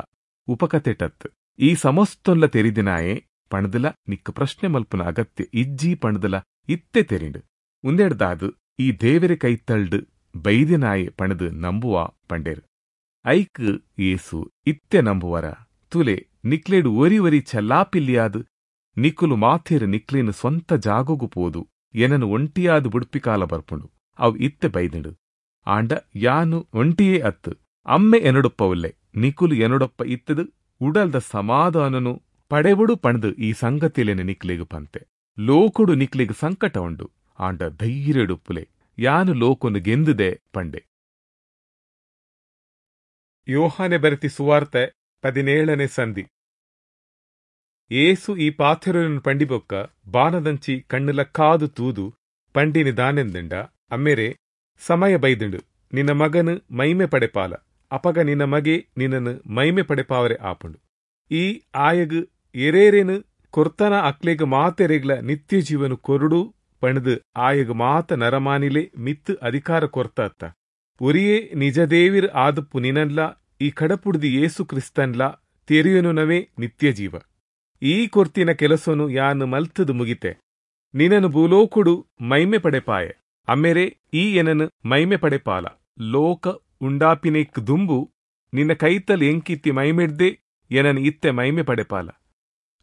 [SPEAKER 1] ಉಪಕತೆಟತ್. ಈ ಸಮಸ್ತೊನ್ಲ ತೆರಿದಿನಾಯೆ ಪಣದಲ ನಿಕ್ಕ ಪ್ರಶ್ನೆ ಮಲ್ಪುನ ಅಗತ್ಯ ಇಜ್ಜಿ ಪಣದಲ ಇತ್ತೆ ತೆರಿಂಡು. ಉಂದೆಡ್ದಾದು ಈ ದೇವೆರೆ ಕೈತಳ್ಡು ಬೈದಿನಾಯೆ ಪಣದು ನಂಬುವ ಪಂಡೇರು. ಐಕ್ ಏಸು ಇತ್ತೆ ನಂಬುವರ? ತುಲೆ ನಿಕ್ಲೇಡು ಒರಿ ಒರಿ ಚಲ್ಲಾಪಿಲ್ಲಿಯಾದು ನಿಕುಲು ಮಾಥೇರು ನಿಕ್ಲೇನು ಸ್ವಂತ ಜಾಗೊಗು ಪೋದು ಎನನು ಒಂಟಿಯಾದು ಬುಡ್ಪಿಕಾಲ ಬರ್ಪುಂಡು. ಅವು ಇತ್ತೆ ಬೈದಿಂಡು. ಆಂಡ ಯಾನು ಒಂಟಿಯೇ ಅತ್ತು, ಅಮ್ಮೆ ಎನೊಡೊಪ್ಪವುಲ್ಲೆ. ನಿಕುಲು ಎನೊಡೊಪ್ಪ ಇತ್ತದು ಉಡಲ್ದ ಸಮಾಧಾನನು ಪಡೆವುಡು ಪಣದು ಈ ಸಂಗತಿಲೇನು ನಿಕ್ಲೆಗು ಪಂತೆ. ಲೋಕೊಡು ನಿಕ್ಲೆಗ್ ಸಂಕಟ ಉಂಡು, ಆಂಡ ಧೈರ್ಯಡುಪ್ಪುಲೆ, ಯಾನು ಲೋಕೊನು ಗೆಂದುದೆ ಪಂಡೆ. ಯೋಹಾನೆ ಬರೆತಿ ಸುವಾರ್ತೆ ಪದಿನೇಳನೇ ಸಂಧಿ. ಏಸು ಈ ಪಾಥೆರನ್ನು ಪಂಡಿಬೊಕ್ಕ ಬಾನದಂಚಿ ಕಣ್ಣುಲಕ್ಕಾದು ತೂದು ಪಂಡಿನಿ ದಾನೆಂದಂಡ, ಅಮ್ಮೆರೆ ಸಮಯ ಬೈದುಂಡು, ನಿನ್ನ ಮಗನು ಮೈಮೆ ಪಡೆಪಾಲ, ಅಪಗ ನಿನ್ನ ಮಗೆ ನಿನ್ನನ್ನು ಮೈಮೆ ಪಡೆಪಾವರೆ ಆಪುಂಡು. ಈ ಆಯಗ್ ಎರೇರೇನು ಕೊರ್ತನ ಅಕ್ಲೆಗ್ ಮಾತೆರೆಗ್ಲ ನಿತ್ಯ ಜೀವನು ಕೊರುಡು ಪಣದು ಆಯಗ್ ಮಾತ ನರಮಾನಿಲೆ ಮಿತ್ತು ಅಧಿಕಾರ ಕೊರ್ತ ಅತ್ತ. ಒರಿಯೇ ನಿಜದೇವಿರ್ ಆದುಪ್ಪು ನಿನನ್ಲ ಈ ಕಡಪುಡ್ದಿ ಯೇಸು ಕ್ರಿಸ್ತನ್ಲ ತೆರಿಯನುನವೇ ನಿತ್ಯ ಜೀವ. ಈ ಕೊರ್ತಿನ ಕೆಲಸನು ಯಾನು ಮಲ್ತದು ಮುಗಿತೆ, ನಿನನು ಭೂಲೋಕುಡು ಮೈಮೆ ಪಡೆಪಾಯೆ. ಅಮ್ಮೆರೆ ಈ ಎನನು ಮೈಮೆ ಪಡೆಪಾಲ, ಲೋಕ ಉಂಡಾಪಿನೆಕ್ ದುಂಬು ನಿನ್ನ ಕೈತಲ್ ಎಂಕಿತ್ತಿ ಮೈಮೆಡ್ದೆ ಎನನು ಇತ್ತೆ ಮೈಮೆ ಪಡೆಪಾಲ.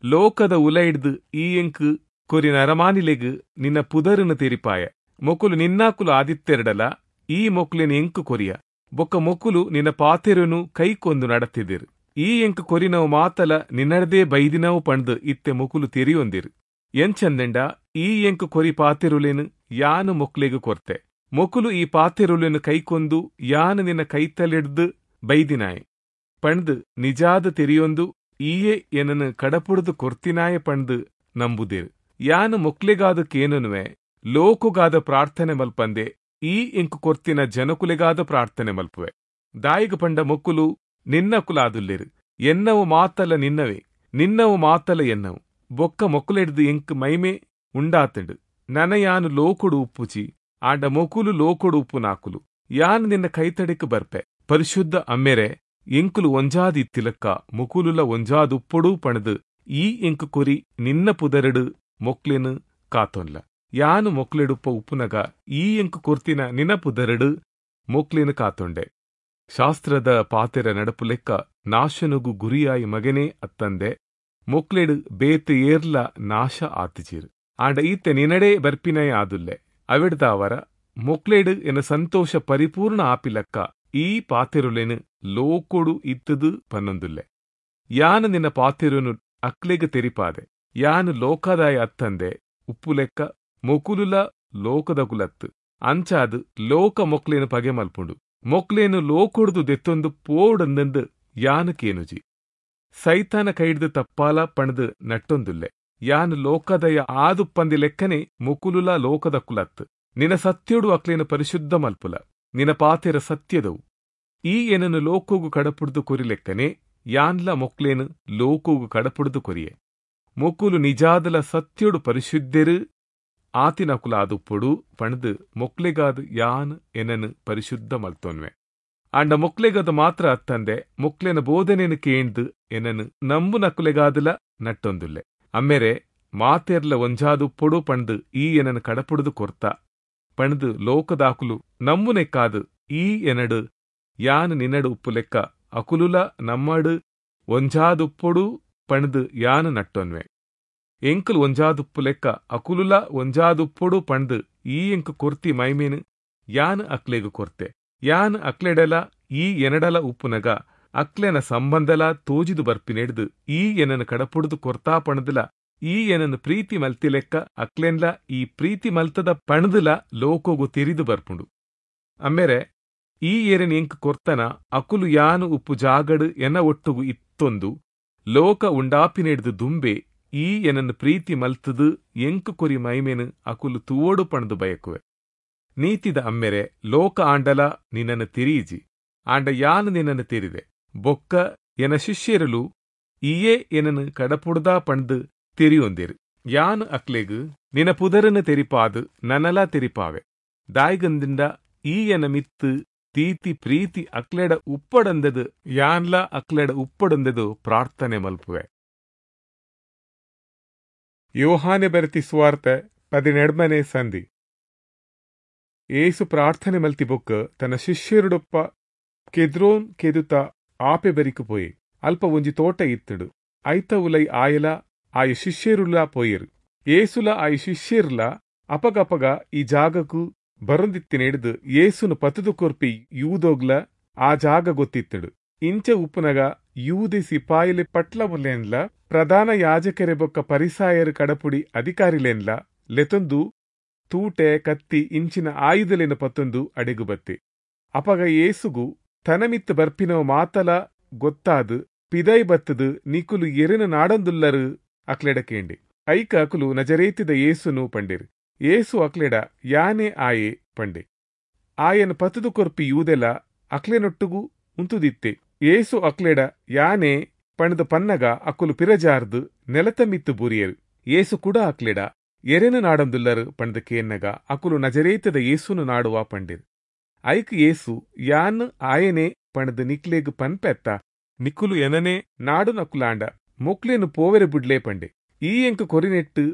[SPEAKER 1] ಲೋಕದ ಉಲೈಡ್ದು ಈ ಎಂಕ್ ಕೊರಿ ನರಮಾನಿಲೆಗ್ ನಿನ್ನ ಪುದರುನು ತೆರಿಪಾಯ. ಮೊಕುಲು ನಿನ್ನಾಕುಲು ಆದಿತ್ತೆರಡಲ ಈ ಮೊಕ್ಲೆನ್ ಎಂಕು ಕೊರಿಯ, ಬೊಕ್ಕ ಮೊಕುಲು ನಿನ್ನ ಪಾತೆರುನು ಕೈಕೊಂದು ನಡತಿದಿರು. ಈ ಎಂಕ್ ಕೊರಿನವು ಮಾತಲ ನಿನ್ನಡದೇ ಬೈದಿನವು ಪಂಡ್ದು ಇತ್ತೆ ಮೊಕುಲು ತೆರಿಯೊಂದಿರು. ಎಂಚಂದೆಂಡ ಈ ಎಂಕ್ ಕೊರಿ ಪಾತೆರುಲೆನು ಯಾನು ಮೊಕ್ಲೆಗ್ ಕೊರ್ತೆ, ಮೊಕುಲು ಈ ಪಾತೆರುಲೆನು ಕೈಕೊಂದು ಯಾನು ನಿನ್ನ ಕೈತಲೆಡ್ದು ಬೈದಿನಾಯೆ ಪಂಡ್ದು ನಿಜಾದ ತೆರಿಯೊಂದು ಈಯೇ ಎನನು ಕಡಪುಡ್ದು ಕೊರ್ತಿನಾಯ ಪಂಡ್ದು ನಂಬುದಿರು. ಯಾನು ಮೊಕ್ಲೆಗಾದ ಕೇನನುವೆ ಲೋಕುಗಾದ ಪ್ರಾರ್ಥನೆ ಮಲ್ಪಂದೆ ಈ ಎಂಕು ಕೊರ್ತಿನ ಜನಕುಲೆಗಾದ ಪ್ರಾರ್ಥನೆ ಮಲ್ಪುವೆ. ದಾಯಿಗ ಪಂಡ ಮೊಕ್ಕುಲು ನಿನ್ನಕುಲಾದುಲ್ಲೆರು, ಎನ್ನವು ಮಾತಲ ನಿನ್ನವೇ, ನಿನ್ನವು ಮಾತಲ ಎನ್ನವು. ಬೊಕ್ಕ ಮೊಕ್ಕುಲೆಡ್ದು ಎಂಕ್ ಮೈಮೆ ಉಂಡಾತಂಡು. ನನ ಯಾನು ಲೋಕುಡು ಉಪ್ಪುಚಿ, ಆಂಡ ಮೊಕುಲು ಲೋಕುಡು ಉಪ್ಪುನಾಕುಲು. ಯಾನು ನಿನ್ನ ಕೈತಡೆಕ್ ಬರ್ಪೆ. ಪರಿಶುದ್ಧ ಅಮ್ಮೆರೆ, ಎಂಕುಲು ಒಂಜಾದ್ ಇತ್ತಿಲಕ್ಕ ಮೊಕುಲುಲ ಒಂಜಾದ್ ಉಪ್ಪೊಡು ಪಣದು ಈ ಎಂಕು ಕೊರಿ ನಿನ್ನ ಪುದರಡು ಮೊಕ್ಲೆನು ಕಾತೊನ್ಲ. ಯಾನು ಮೊಕ್ಲೆಡುಪ್ಪ ಉಪ್ಪುನಗ ಈ ಎಂಕು ಕೊರ್ತಿನ ನಿನ್ನ ಪುದರಡು ಮೊಕ್ಲೆನು ಕಾತೊಂಡೆ. ಶಾಸ್ತ್ರದ ಪಾತೆರ ನಡಪು ಲೆಕ್ಕ ನಾಶನುಗು ಗುರಿಯಾಯಿ ಮಗನೇ ಅತ್ತಂದೆ ಮೊಕ್ಲೆಡು ಬೇತೆ ಏರ್ಲ ನಾಶ ಆತಿಜೀರು. ಆಂಡ ಈತೆ ನಿನಡೇ ಬರ್ಪಿನಯ ಆದುಲ್ಲೆ. ಅವಿಡ್ದಾವರ ಮೊಕ್ಲೆಡು ಎನ ಸಂತೋಷ ಪರಿಪೂರ್ಣ ಆಪಿಲಕ್ಕ ಈ ಪಾತೆರುಲೆನು ಲೋಕೊಡು ಇತ್ತದು ಪನ್ನೊಂದುಲ್ಲೆ. ಯಾನು ನಿನ್ನ ಪಾತೆರುನು ಅಕ್ಲೆಗ್ ತೆರಿಪಾದೆ. ಯಾನು ಲೋಕದಾಯ ಅತ್ತಂದೆ ಉಪ್ಪುಲೆಕ್ಕ ಮೊಕುಲುಲ ಲೋಕದಕುಲತ್ತು. ಅಂಚಾದ್ ಲೋಕ ಮೊಕ್ಲೇನು ಪಗೆ ಮಲ್ಪುಂಡು. ಮೊಕ್ಲೇನು ಲೋಕೊಡ್ದು ದೆತ್ತೊಂದು ಪೋಡಂದಂದು ಯಾನು ಕೇನುಜಿ. ಸೈತಾನ ಕೈಡ್ದು ತಪ್ಪಾಲ ಪಣದು ನಟ್ಟೊಂದುಲ್ಲೆ. ಯಾನು ಲೋಕದಯ ಆದುಪ್ಪಂದಿ ಲೆಕ್ಕನೆ ಮೊಕುಲುಲ ಲೋಕದಕುಲತ್ತು. ನಿನ ಸತ್ಯೋಡು ಅಕ್ಲೇನು ಪರಿಶುದ್ಧ ಮಲ್ಪುಲ, ನಿನ ಪಾತೆರ ಸತ್ಯದವು. ಈ ಏನನ್ನು ಲೋಕೋಗು ಕಡಪುಡ್ದು ಕೊರಿಲೆಕ್ಕನೆ ಯಾನ್ಲ ಮೊಕ್ಲೇನು ಲೋಕೋಗು ಕಡಪುಡ್ದು ಕೊರಿಯೆ. ಮೊಕುಲು ನಿಜಾದಲ ಸತ್ಯೋಡು ಪರಿಶುದ್ಧರು ಆತಿನಕುಲ ಆದುಪ್ಪೊಡು ಪಣದು ಮೊಕ್ಲೆಗಾದ ಯಾನ್ ಎನನು ಪರಿಶುದ್ಧ ಮಲ್ತೊನ್ವೆ. ಆಂಡ ಮೊಕ್ಲೆಗದ ಮಾತ್ರ ಅತ್ತಂದೆ ಮೊಕ್ಲೆನ ಬೋಧನೆನು ಕೇಂದು ಎನನು ನಂಬು ನಕುಲೆಗಾದಲ ನಟ್ಟೊಂದುಲ್ಲೆ. ಅಮ್ಮೆರೆ ಮಾತೆರ್ಲ ಒಂಜಾದುಪ್ಪೊಡು ಪಣದು ಈ ಎನನು ಕಡಪುಡ್ದು ಕೊರ್ತ ಪಣದು ಲೋಕದಾಕುಲು ನಂಬುನೆಕ್ಕಾದು ಈ ಎನಡು ಯಾನ್ ನಿನ್ನಡು ಉಪ್ಪು ಲೆಕ್ಕ ಅಕುಲುಲ ನಮ್ಮಡು ಒಂಜಾದುಪ್ಪೊಡು ಪಣದು ಯಾನು ನಟ್ಟೊನ್ವೆ. ಎಂಕುಲು ಒಂಜಾದುಪ್ಪು ಲೆಕ್ಕ ಅಕುಲುಲ ಒಂಜಾದುಪ್ಪೊಡು ಪಣದು ಈ ಎಂಕು ಕೊರ್ತಿ ಮೈಮೇನು ಯಾನ್ ಅಕ್ಲೆಗು ಕೊರ್ತೆ. ಯಾನ್ ಅಕ್ಲೆಡಲ ಈ ಎನಡಲ ಉಪ್ಪುನಗ ಅಕ್ಲೆನ ಸಂಬಂಧಲ ತೋಜಿದು ಬರ್ಪಿನೆಡ್ದು ಈ ಎನನು ಕಡಪುಡ್ದು ಕೊರ್ತಾ ಪಣದುಲ ಈ ಎನನು ಪ್ರೀತಿ ಮಲ್ತಿ ಲೆಕ್ಕ ಅಕ್ಲೆನ್ಲ ಈ ಪ್ರೀತಿ ಮಲ್ತದ ಪಣದುಲ ಲೋಕೋಗು ತೆರಿದು ಬರ್ಪುಂಡು. ಅಮ್ಮೆರೆ ಈ ಏರನ್ ಎಂಕ್ ಕೊರ್ತನ ಅಕುಲು ಯಾನು ಉಪ್ಪು ಜಾಗಡು ಎನ ಒಟ್ಟುಗು ಇತ್ತೊಂದು ಲೋಕ ಉಂಡಾಪಿನೆಡ್ದು ದುಂಬೆ ಈ ಎನನ್ನು ಪ್ರೀತಿ ಮಲ್ತದು ಎಂಕು ಕೊರಿ ಮೈಮೇನು ಅಕುಲು ತೂವೋಡು ಪಣದು ಬಯಕುವೆ. ನೀತಿದ ಅಮ್ಮೆರೆ ಲೋಕ ಆಂಡಲ ನಿನ್ನನ್ನು ತಿರಿಯಿಜಿ, ಆಂಡ ಯಾನು ನಿನ್ನನ್ನು ತಿರಿದೆ. ಬೊಕ್ಕ ಎನ ಶಿಷ್ಯರಲು ಈಯೇ ಎನನು ಕಡಪುಡ್ದಾ ಪಣದು ತೆರಿಯೊಂದಿರು. ಯಾನು ಅಕ್ಲೆಗು ನಿನ ಪುದರನ್ನು ತೆರಿಪಾದು ನನಲ ತೆರಿಪಾವೆ. ದಾಯ್ಗಂದಿಂದ ಈ ಎನ ಮಿತ್ತು ತೀತಿ ಪ್ರೀತಿ ಅಕ್ಲೆಡ ಉಪ್ಪಡಂದದು ಯಾನ್ಲ ಅಕ್ಲೆಡ ಉಪ್ಪಡಂದದು ಪ್ರಾರ್ಥನೆ ಮಲ್ಪುವೆ. ಯೋಹಾನೆ ಬರೆತಿ ಸುವಾರ್ತೆ ಪದಿನೆಡ್ಮನೆ ಸಂಧಿ. ಏಸು ಪ್ರಾರ್ಥನೆ ಮಲ್ತಿ ಬೊಕ್ಕ ತನ್ನ ಶಿಷ್ಯರುಡೊಪ್ಪ ಕೆದ್ರೋನ್ ಕೆದುತ ಆಪೆ ಬರಿಕು ಪೋಯೆ. ಅಲ್ಪ ಒಂಜಿ ತೋಟ ಇತ್ತುಡು. ಐತ ಉಲೈ ಆಯಲ ಆಯ ಶಿಷ್ಯರುಲ ಪೋಯೆರು. ಏಸುಲ ಆಯ ಶಿಷ್ಯರುಲ ಅಪಗಪಗ ಈ ಜಾಗಕ್ಕೂ ಬರೊಂದಿತ್ತಿನೆಡ್ದು ಏಸುನು ಪತುದು ಕೊರ್ಪಿ ಯೂದೋಗ್ಲ ಆ ಜಾಗ ಗೊತ್ತಿತ್ತಡು. ಇಂಚ ಉಪ್ಪುನಗ ಯೂದೆ ಸಿಪಾಯಿಲೆ ಪಟ್ಲಮುಲೆನ್ಲ ಪ್ರಧಾನ ಯಾಜಕರೆ ಬೊಕ್ಕ ಪರಿಸಾಯರು ಕಡಪುಡಿ ಅಧಿಕಾರಿಲೆನ್ಲ ಲೆತೊಂದು ತೂಟೆ ಕತ್ತಿ ಇಂಚಿನ ಆಯುಧಲೆನ ಪತ್ತೊಂದು ಅಡೆಗು ಬತ್ತೆ. ಅಪಗ ಯೇಸುಗು ತನಮಿತ್ತು ಬರ್ಪಿನವ ಮಾತಲ ಗೊತ್ತಾದು ಪಿದೈ ಬತ್ತದು ನಿಕುಲು ಎರೆನು ನಾಡೊಂದುಲ್ಲರು ಅಕ್ಲೆಡ ಕೇಂಡೆ. ಐಕ ಅಕುಲು ನಜರೇತಿದ ಯೇಸುನು ಪಂಡೆರು. ಯೇಸು ಅಕ್ಲೆಡ ಯಾನೆ ಆಯೆ ಪಂಡೆ. ಆಯನ ಪತುದು ಕೊರ್ಪಿ ಯೂದೆಲ ಅಕ್ಲೆನೊಟ್ಟುಗು ಉಂತುದಿತ್ತೆ. ಯೇಸು ಅಕ್ಲೆಡ ಯಾನೆ ಪಣದು ಪನ್ನಗ ಅಕುಲು ಪಿರಜಾರ್ದು ನೆಲತ ಮಿತ್ತು ಬೂರಿಯರು. ಯೇಸು ಕೂಡ ಅಕ್ಲೆಡ ಎರೆನು ನಾಡೊಂದುಲ್ಲರು ಪಂಡ್ದು ಕೇನ್ನಗ ಅಕುಲು ನಜರೇತದ ಯೇಸುನು ನಾಡುವ ಪಂಡೆರು. ಐಕ್ ಯೇಸು ಯಾನ್ ಆಯನೆ ಪಣದು ನಿಕ್ಲೆಗ್ ಪನ್ಪೆತ್ತ ನಿಕುಲು ಎನನೆ ನಾಡು ನಕುಲಾಂಡ ಮೊಕ್ಲೇನು ಪೋವೆರೆ ಬುಡ್ಲೆ ಪಂಡೆ. ಈ ಎಂಕ್ ಕೊರಿನೆಟ್ಟು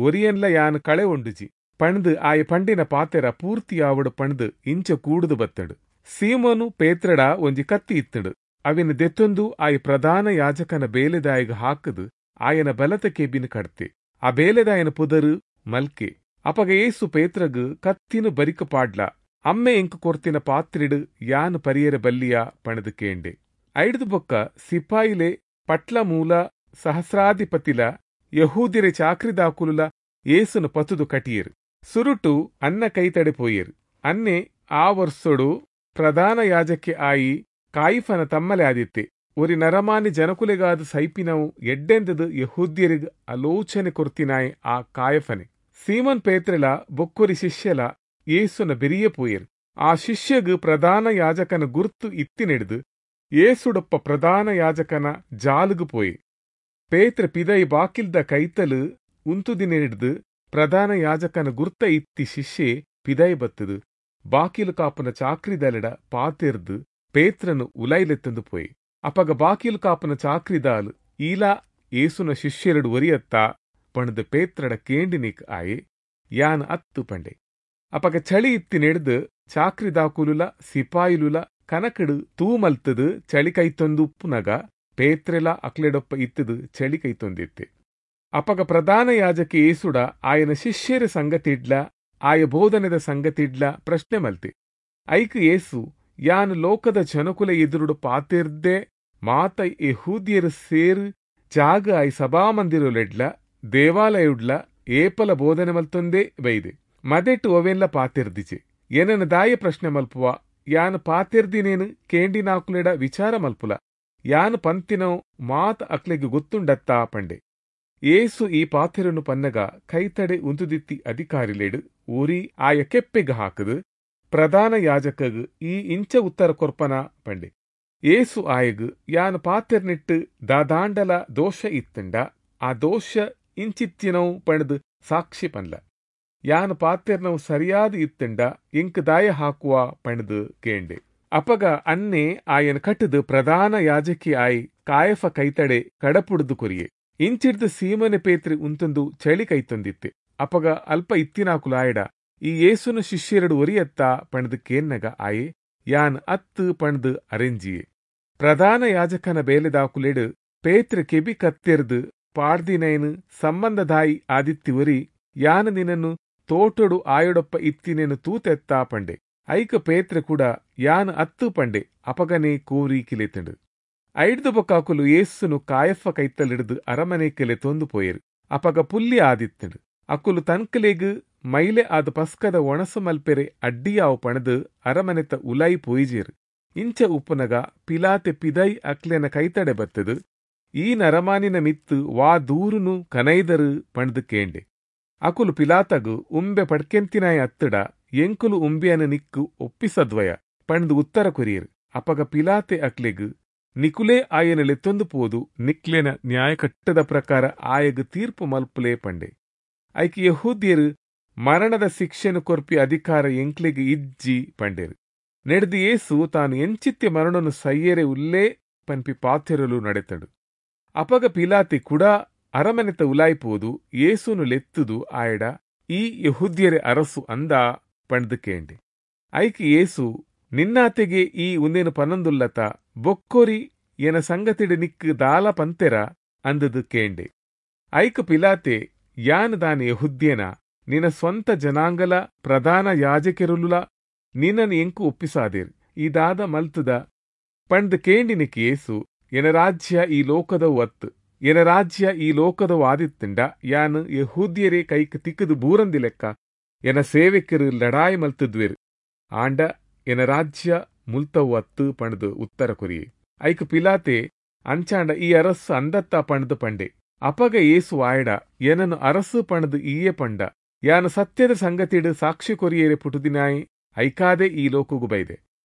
[SPEAKER 1] ಒರಿಯನ್ಲ ಯಾನ್ ಕಳೆ ಒಂಡುಜಿ ಪಂಡ್ದು ಆಯ ಪಂಡಿನ ಪಾತೆರ ಪೂರ್ತಿಯಾವಡು ಪಂಡ್ದು ಇಂಚ ಕೂಡುದು ಬತ್ತಂಡು. ಸೀಮೋನು ಪೇತ್ರಡ ಒಂಜಿ ಕತ್ತಿ ಇತ್ತಂಡು. ಅವಿನ ದೆತ್ತೊಂದು ಆಯ ಪ್ರಧಾನ ಯಾಜಕನ ಬೇಲೆದಾಯಗ ಹಾಕದು ಆಯನ ಬಲತ ಕೆಬಿನ ಕಡ್ತೆ. ಆ ಬೇಲೆದಾಯನ ಪುದರು ಮಲ್ಕೆ. ಅಪಗ ಏಸು ಪೇತ್ರಗ್ ಕತ್ತಿನ ಬರಿಕ ಪಾಡ್ಲ ಅಮ್ಮೆ ಎಂಕ್ ಕೊರ್ತಿನ ಪಾತ್ರಿಡು ಯಾನ್ ಪರಿಯರ ಬಲ್ಲಿಯ ಪಣದು ಕೇಂಡೆ. ಐಡ್ದು ಬೊಕ್ಕ ಸಿಪಾಯಿಲೆ ಪಟ್ಲ ಮೂಲ ಸಹಸ್ರಾಧಿಪತಿಲ ಯಹೂದಿರೆ ಚಾಕ್ರಿದಾಕುಲುಲ ಏಸುನು ಪತುದು ಕಟಿಯರು. ಸುರುಟು ಅನ್ನ ಕೈತಡೆ ಪೋಯರು. ಅನ್ನೆ ಆ ವರ್ಷೊಡು ಪ್ರಧಾನ ಯಾಜಕ್ಕೆ ಆಯಿ ಕಾಯಿಫನ ತಮ್ಮಲೆ ಆದಿತ್ತೆ. ಒರಿ ನರಮಾನಿ ಜನಕುಲೆಗಾದ ಸೈಪಿನವು ಎಡ್ಡೆಂದದು ಯಹೂದ್ಯರಿಗೆ ಆಲೋಚನೆ ಕೊರ್ತಿನಾಯ್ ಆ ಕಾಯಫನೆ. ಸೀಮನ್ ಪೇತ್ರೆಲ ಬೊಕ್ಕೊರಿ ಶಿಷ್ಯಲ ಯೇಸುನ ಬೆರಿಯ ಪೋಯರು. ಆ ಶಿಷ್ಯಗು ಪ್ರಧಾನ ಯಾಜಕನ ಗುರ್ತು ಇತ್ತಿನೆಡ್ದು ಏಸುಡಪ್ಪ ಪ್ರಧಾನ ಯಾಜಕನ ಜಾಲುಗು ಪೋಯೆ. ಪೇತ್ರ ಪಿದೈ ಬಾಕಿಲ್ದ ಕೈತಲು ಉಂತುದಿನೆಡ್ದು ಪ್ರಧಾನ ಯಾಜಕನ ಗುರ್ತ ಇತ್ತಿ ಶಿಷ್ಯೆ ಪಿದೈ ಬತ್ತದು ಬಾಕಿಲು ಕಾಪುನ ಚಾಕ್ರಿದಲೆಡ ಪಾತೆರ್ದು ಪೇತ್ರನು ಉಲೈಲೆತ್ತಂದು ಪೋಯೆ. ಅಪಗ ಬಾಕಿಲು ಕಾಪುನ ಚಾಕ್ರಿದಾಲ್ ಈಲಾ ಏಸುನ ಶಿಷ್ಯರಡು ಒರಿಯತ್ತ ಪಣದು ಪೇತ್ರಡ ಕೇಂಡಿನಿಕ್ ಆಯೆ ಯಾನ್ ಅತ್ತು ಪಂಡೆ. ಅಪಗ ಚಳಿ ಇತ್ತಿ ನೆಡ್ದು ಚಾಕ್ರಿದಾಕುಲುಲ ಸಿಪಾಯಿಲುಲ ಕನಕಡು ತೂಮಲ್ತದು ಚಳಿ ಕೈತೊಂದು ಉಪ್ಪುನಗ ಪೇತ್ರೆಲ ಅಕ್ಲೆಡೊಪ್ಪ ಇತ್ತದು ಚಳಿ ಕೈತೊಂದಿತ್ತೆ. ಅಪಗ ಪ್ರಧಾನ ಯಾಜಕಿ ಏಸುಡ ಆಯನ ಶಿಷ್ಯರ ಸಂಗತಿಡ್ಲ ಆಯ ಬೋಧನೆದ ಸಂಗತಿಡ್ಲ ಪ್ರಶ್ನೆ ಮಲ್ತೆ. ಐಕ್ ಏಸು ಯಾನ್ ಲೋಕದ ಜನಕುಲ ಎದುರುಡು ಪಾತೆರ್ದೆ ಮಾತ ಯಹೂದ್ಯರು ಸೇರು ಜಾಗ ಆಯ್ ಸಭಾಮಂದಿರಲೆಡ್ಲ ದೇವಾಲಯುಡ್ಲ ಏಪಲ ಬೋಧನೆ ಮಲ್ತೊಂದೇ ಬೈದೆ. ಮದೆಟ್ಟು ಒವೆನ್ಲ ಪಾತೆರ್ದಿಚೆ. ಏನನ ದಾಯ ಪ್ರಶ್ನೆ ಮಲ್ಪುವ ಯಾನ್ ಪಾತೆರ್ದಿನೇನು ಕೇಂಡಿನಾಕುಲೆಡ ವಿಚಾರ ಮಲ್ಪುಲ ಯಾನ್ ಪಂತಿನವು ಮಾತ ಅಕ್ಲೆಗ್ ಗೊತ್ತುಂಡತ್ತಾ ಪಂಡೆ. ಏಸು ಈ ಪಾತೆರನು ಪನ್ನಗ ಕೈತಡೆ ಉಂತುದಿತ್ತಿ ಅಧಿಕಾರಿಲೇಡು ಊರಿ ಆಯ ಕೆಪ್ಪೆಗ್ ಹಾಕದು ಪ್ರಧಾನ ಯಾಜಕಗ್ ಈ ಇಂಚ ಉತ್ತರ ಕೊರ್ಪನ ಪಂಡೆ. ಏಸು ಆಯಗ್ ಯಾನ್ ಪಾತೆರ್ನಿಟ್ಟು ದಾದಾಂಡಲ ದೋಷ ಇತ್ತಂಡ ಆ ದೋಷ ಇಂಚಿತ್ತಿನವು ಪಣದು ಸಾಕ್ಷಿ ಪನ್ಲ. ಯಾನ್ ಪಾತೆರ್ನವು ಸರಿಯಾದ ಇತ್ತಂಡ ಎಂಕ್ ದಾಯ ಹಾಕುವ ಪಣದು ಕೇಂಡೆ. ಅಪಗ ಅನ್ನೆ ಆಯನ ಕಟ್ಟದು ಪ್ರಧಾನ ಯಾಜಕಿ ಆಯ್ ಕಾಯಫ ಕೈತಡೆ ಕಡಪುಡ್ದು ಕೊರಿಯೆ. ಇಂಚಿಡ್ದು ಸೀಮನೆ ಪೇತ್ರಿ ಉಂತೊಂದು ಚಳಿ ಕೈತೊಂದಿತ್ತೆ. ಅಪಗ ಅಲ್ಪ ಇತ್ತಿನಾಕುಲಾಯಡ ಈ ಯೇಸುನ ಶಿಷ್ಯರಡು ಒರಿಯತ್ತ ಪಣದು ಕೇನ್ನಗ ಆಯೆ ಯಾನ್ ಅತ್ತು ಪಣದು ಅರೆಂಜಿಯೆ. ಪ್ರಧಾನ ಯಾಜಕನ ಬೇಲೆದಾಕುಲೆಡು ಪೇತ್ರ ಕೆಬಿ ಕತ್ತೆರ್ದು ಪಾಡ್ದಿನೈನು ಸಂಬಂಧದಾಯಿ ಆದಿತ್ತಿ ಒರಿ ಯಾನ್ ನಿನನ್ನು ತೋಟೊಡು ಆಯೊಡೊಪ್ಪ ಇತ್ತಿನೇನು ತೂತೆತ್ತಾ ಪಂಡೆ. ಐಕ ಪೇತ್ರ ಕೂಡ ಯಾನ್ ಅತ್ತು ಪಂಡೆ. ಅಪಗನೆ ಕೋರಿ ಕಿಲೆತಂಡು. ಐಡ್ದು ಬೊಕ್ಕಾಕುಲು ಯೇಸುನು ಕಾಯಫ ಕೈತಲಿಡ್ದು ಅರಮನೆ ಕೆಲೆ ತೊಂದು ಪೋಯರು. ಅಪಗ ಪುಲ್ಲಿ ಆದಿತ್ತಂಡು. ಅಕುಲು ತನ್ಕಲೆಗ್ ಮೈಲೆ ಆದ ಪಸ್ಕದ ಒಣಸು ಮಲ್ಪೆರೆ ಅಡ್ಡಿಯಾವು ಪಣದು ಅರಮನೆತ ಉಲಾಯಿ ಪೋಯಿಜೇರು. ಇಂಚ ಉಪ್ಪುನಗ ಪಿಲಾತೆ ಪಿದೈ ಅಕ್ಲೆನ ಕೈತಡೆ ಬತ್ತದು ಈ ನರಮಾನಿನ ಮಿತ್ತು ವಾ ದೂರುನು ಕನೈದರು ಪಣದು ಕೇಂಡೆ. ಅಕುಲು ಪಿಲಾತಗು ಉಂಬೆ ಪಡ್ಕೆಂತಿನಾಯ ಅತ್ತಡ ಎಂಕುಲು ಉಂಬೆಯನ ನಿಕ್ಕು ಒಪ್ಪಿಸದ್ವಯ ಪಣದು ಉತ್ತರ ಕೊರಿಯರು. ಅಪಗ ಪಿಲಾತೆ ಅಕ್ಲೆಗ್ ನಿಕುಲೇ ಆಯನ ಲೆತ್ತೊಂದು ಪೋದು ನಿಕ್ಲೆನ ನ್ಯಾಯಕಟ್ಟದ ಪ್ರಕಾರ ಆಯಗ್ ತೀರ್ಪು ಮಲ್ಪುಲೇ ಪಂಡೆ. ಐಕ್ ಯಹೂದ್ಯರು ಮರಣದ ಶಿಕ್ಷೆನು ಕೊರ್ಪಿ ಅಧಿಕಾರ ಎಂಕ್ಲೆಗ್ ಇಜ್ಜಿ ಪಂಡೇರು. ನೆಡ್ದು ಏಸು ತಾನು ಎಂಚಿತ್ಯ ಮರಣನು ಸೈಯರೆ ಉಲ್ಲೇ ಪನ್ಪಿ ಪಾತೆರಲು ನಡೆತಡು. ಅಪಗ ಪಿಲಾತಿ ಕೂಡ ಅರಮನೆತ ಉಲಾಯ್ಪೋದು ಏಸುನು ಲೆತ್ತುದು ಆಯಡ ಈ ಯಹೂದ್ಯರೆ ಅರಸು ಅಂದ ಪಂಡ್ದು ಕೇಂಡೆ. ಐಕ್ ಏಸು ನಿನ್ನಾತೆಗೆ ಈ ಉಂದೇನು ಪನೊಂದುಲ್ಲತ ಬೊಕ್ಕೊರಿ ಎನ ಸಂಗತಿಡು ನಿಕ್ಕು ದಾಲ ಪಂತೆರ ಅಂದದು ಕೇಂಡೆ. ಐಕ್ ಪಿಲಾತೆ ಯಾನ್ ದಾನ ಯಹುದ್ಯೇನ ನಿನ್ನ ಸ್ವಂತ ಜನಾಂಗಲ ಪ್ರಧಾನ ಯಾಜಕೆರುಲುಲ ನಿನ್ನನ್ನು ಎಂಕು ಒಪ್ಪಿಸಾದಿರ್ ಈ ದಾದ ಮಲ್ತುದ ಪಂಡ್ದು ಕೇಂಡಿನಿಕ್ ಏಸು ಎನ ರಾಜ್ಯ ಈ ಲೋಕದವು ಅತ್ತು. ಎನ ರಾಜ್ಯ ಈ ಲೋಕದವು ಆದಿತ್ತಂಡ ಯಾನ್ ಯೆಹೂದ್ಯರೇ ಕೈಕ್ ತಿಕ್ಕದು ಬೂರಂದಿ ಲೆಕ್ಕ ಎನ ಸೇವಕರು ಲಡಾಯಿ ಮಲ್ತದ್ವೇರು. ಆಂಡ ಎನ ರಾಜ್ಯ ಮುಲ್ತವು ಅತ್ತು ಪಂಡ್ದು ಉತ್ತರ ಕೊರಿಯೆ. ಐಕ್ ಪಿಲಾತೆ ಅಂಚಾಂಡ ಈ ಅರಸು ಅಂದತ್ತ ಪಂಡ್ದು ಪಂಡೆ. ಅಪಗ ಯೇಸು ಆಯಡ ಎನನು ಅರಸು ಪಂಡ್ದು ಈಯೆ ಪಂಡ. ಯಾನು ಸತ್ಯದ ಸಂಗತಿಡು ಸಾಕ್ಷಿ ಕೊರಿಯೇರೆ ಪುಟುದಿನಾಯಿ ಐಕಾದೆ ಈ ಲೋಕಗು ಬೈದೆ.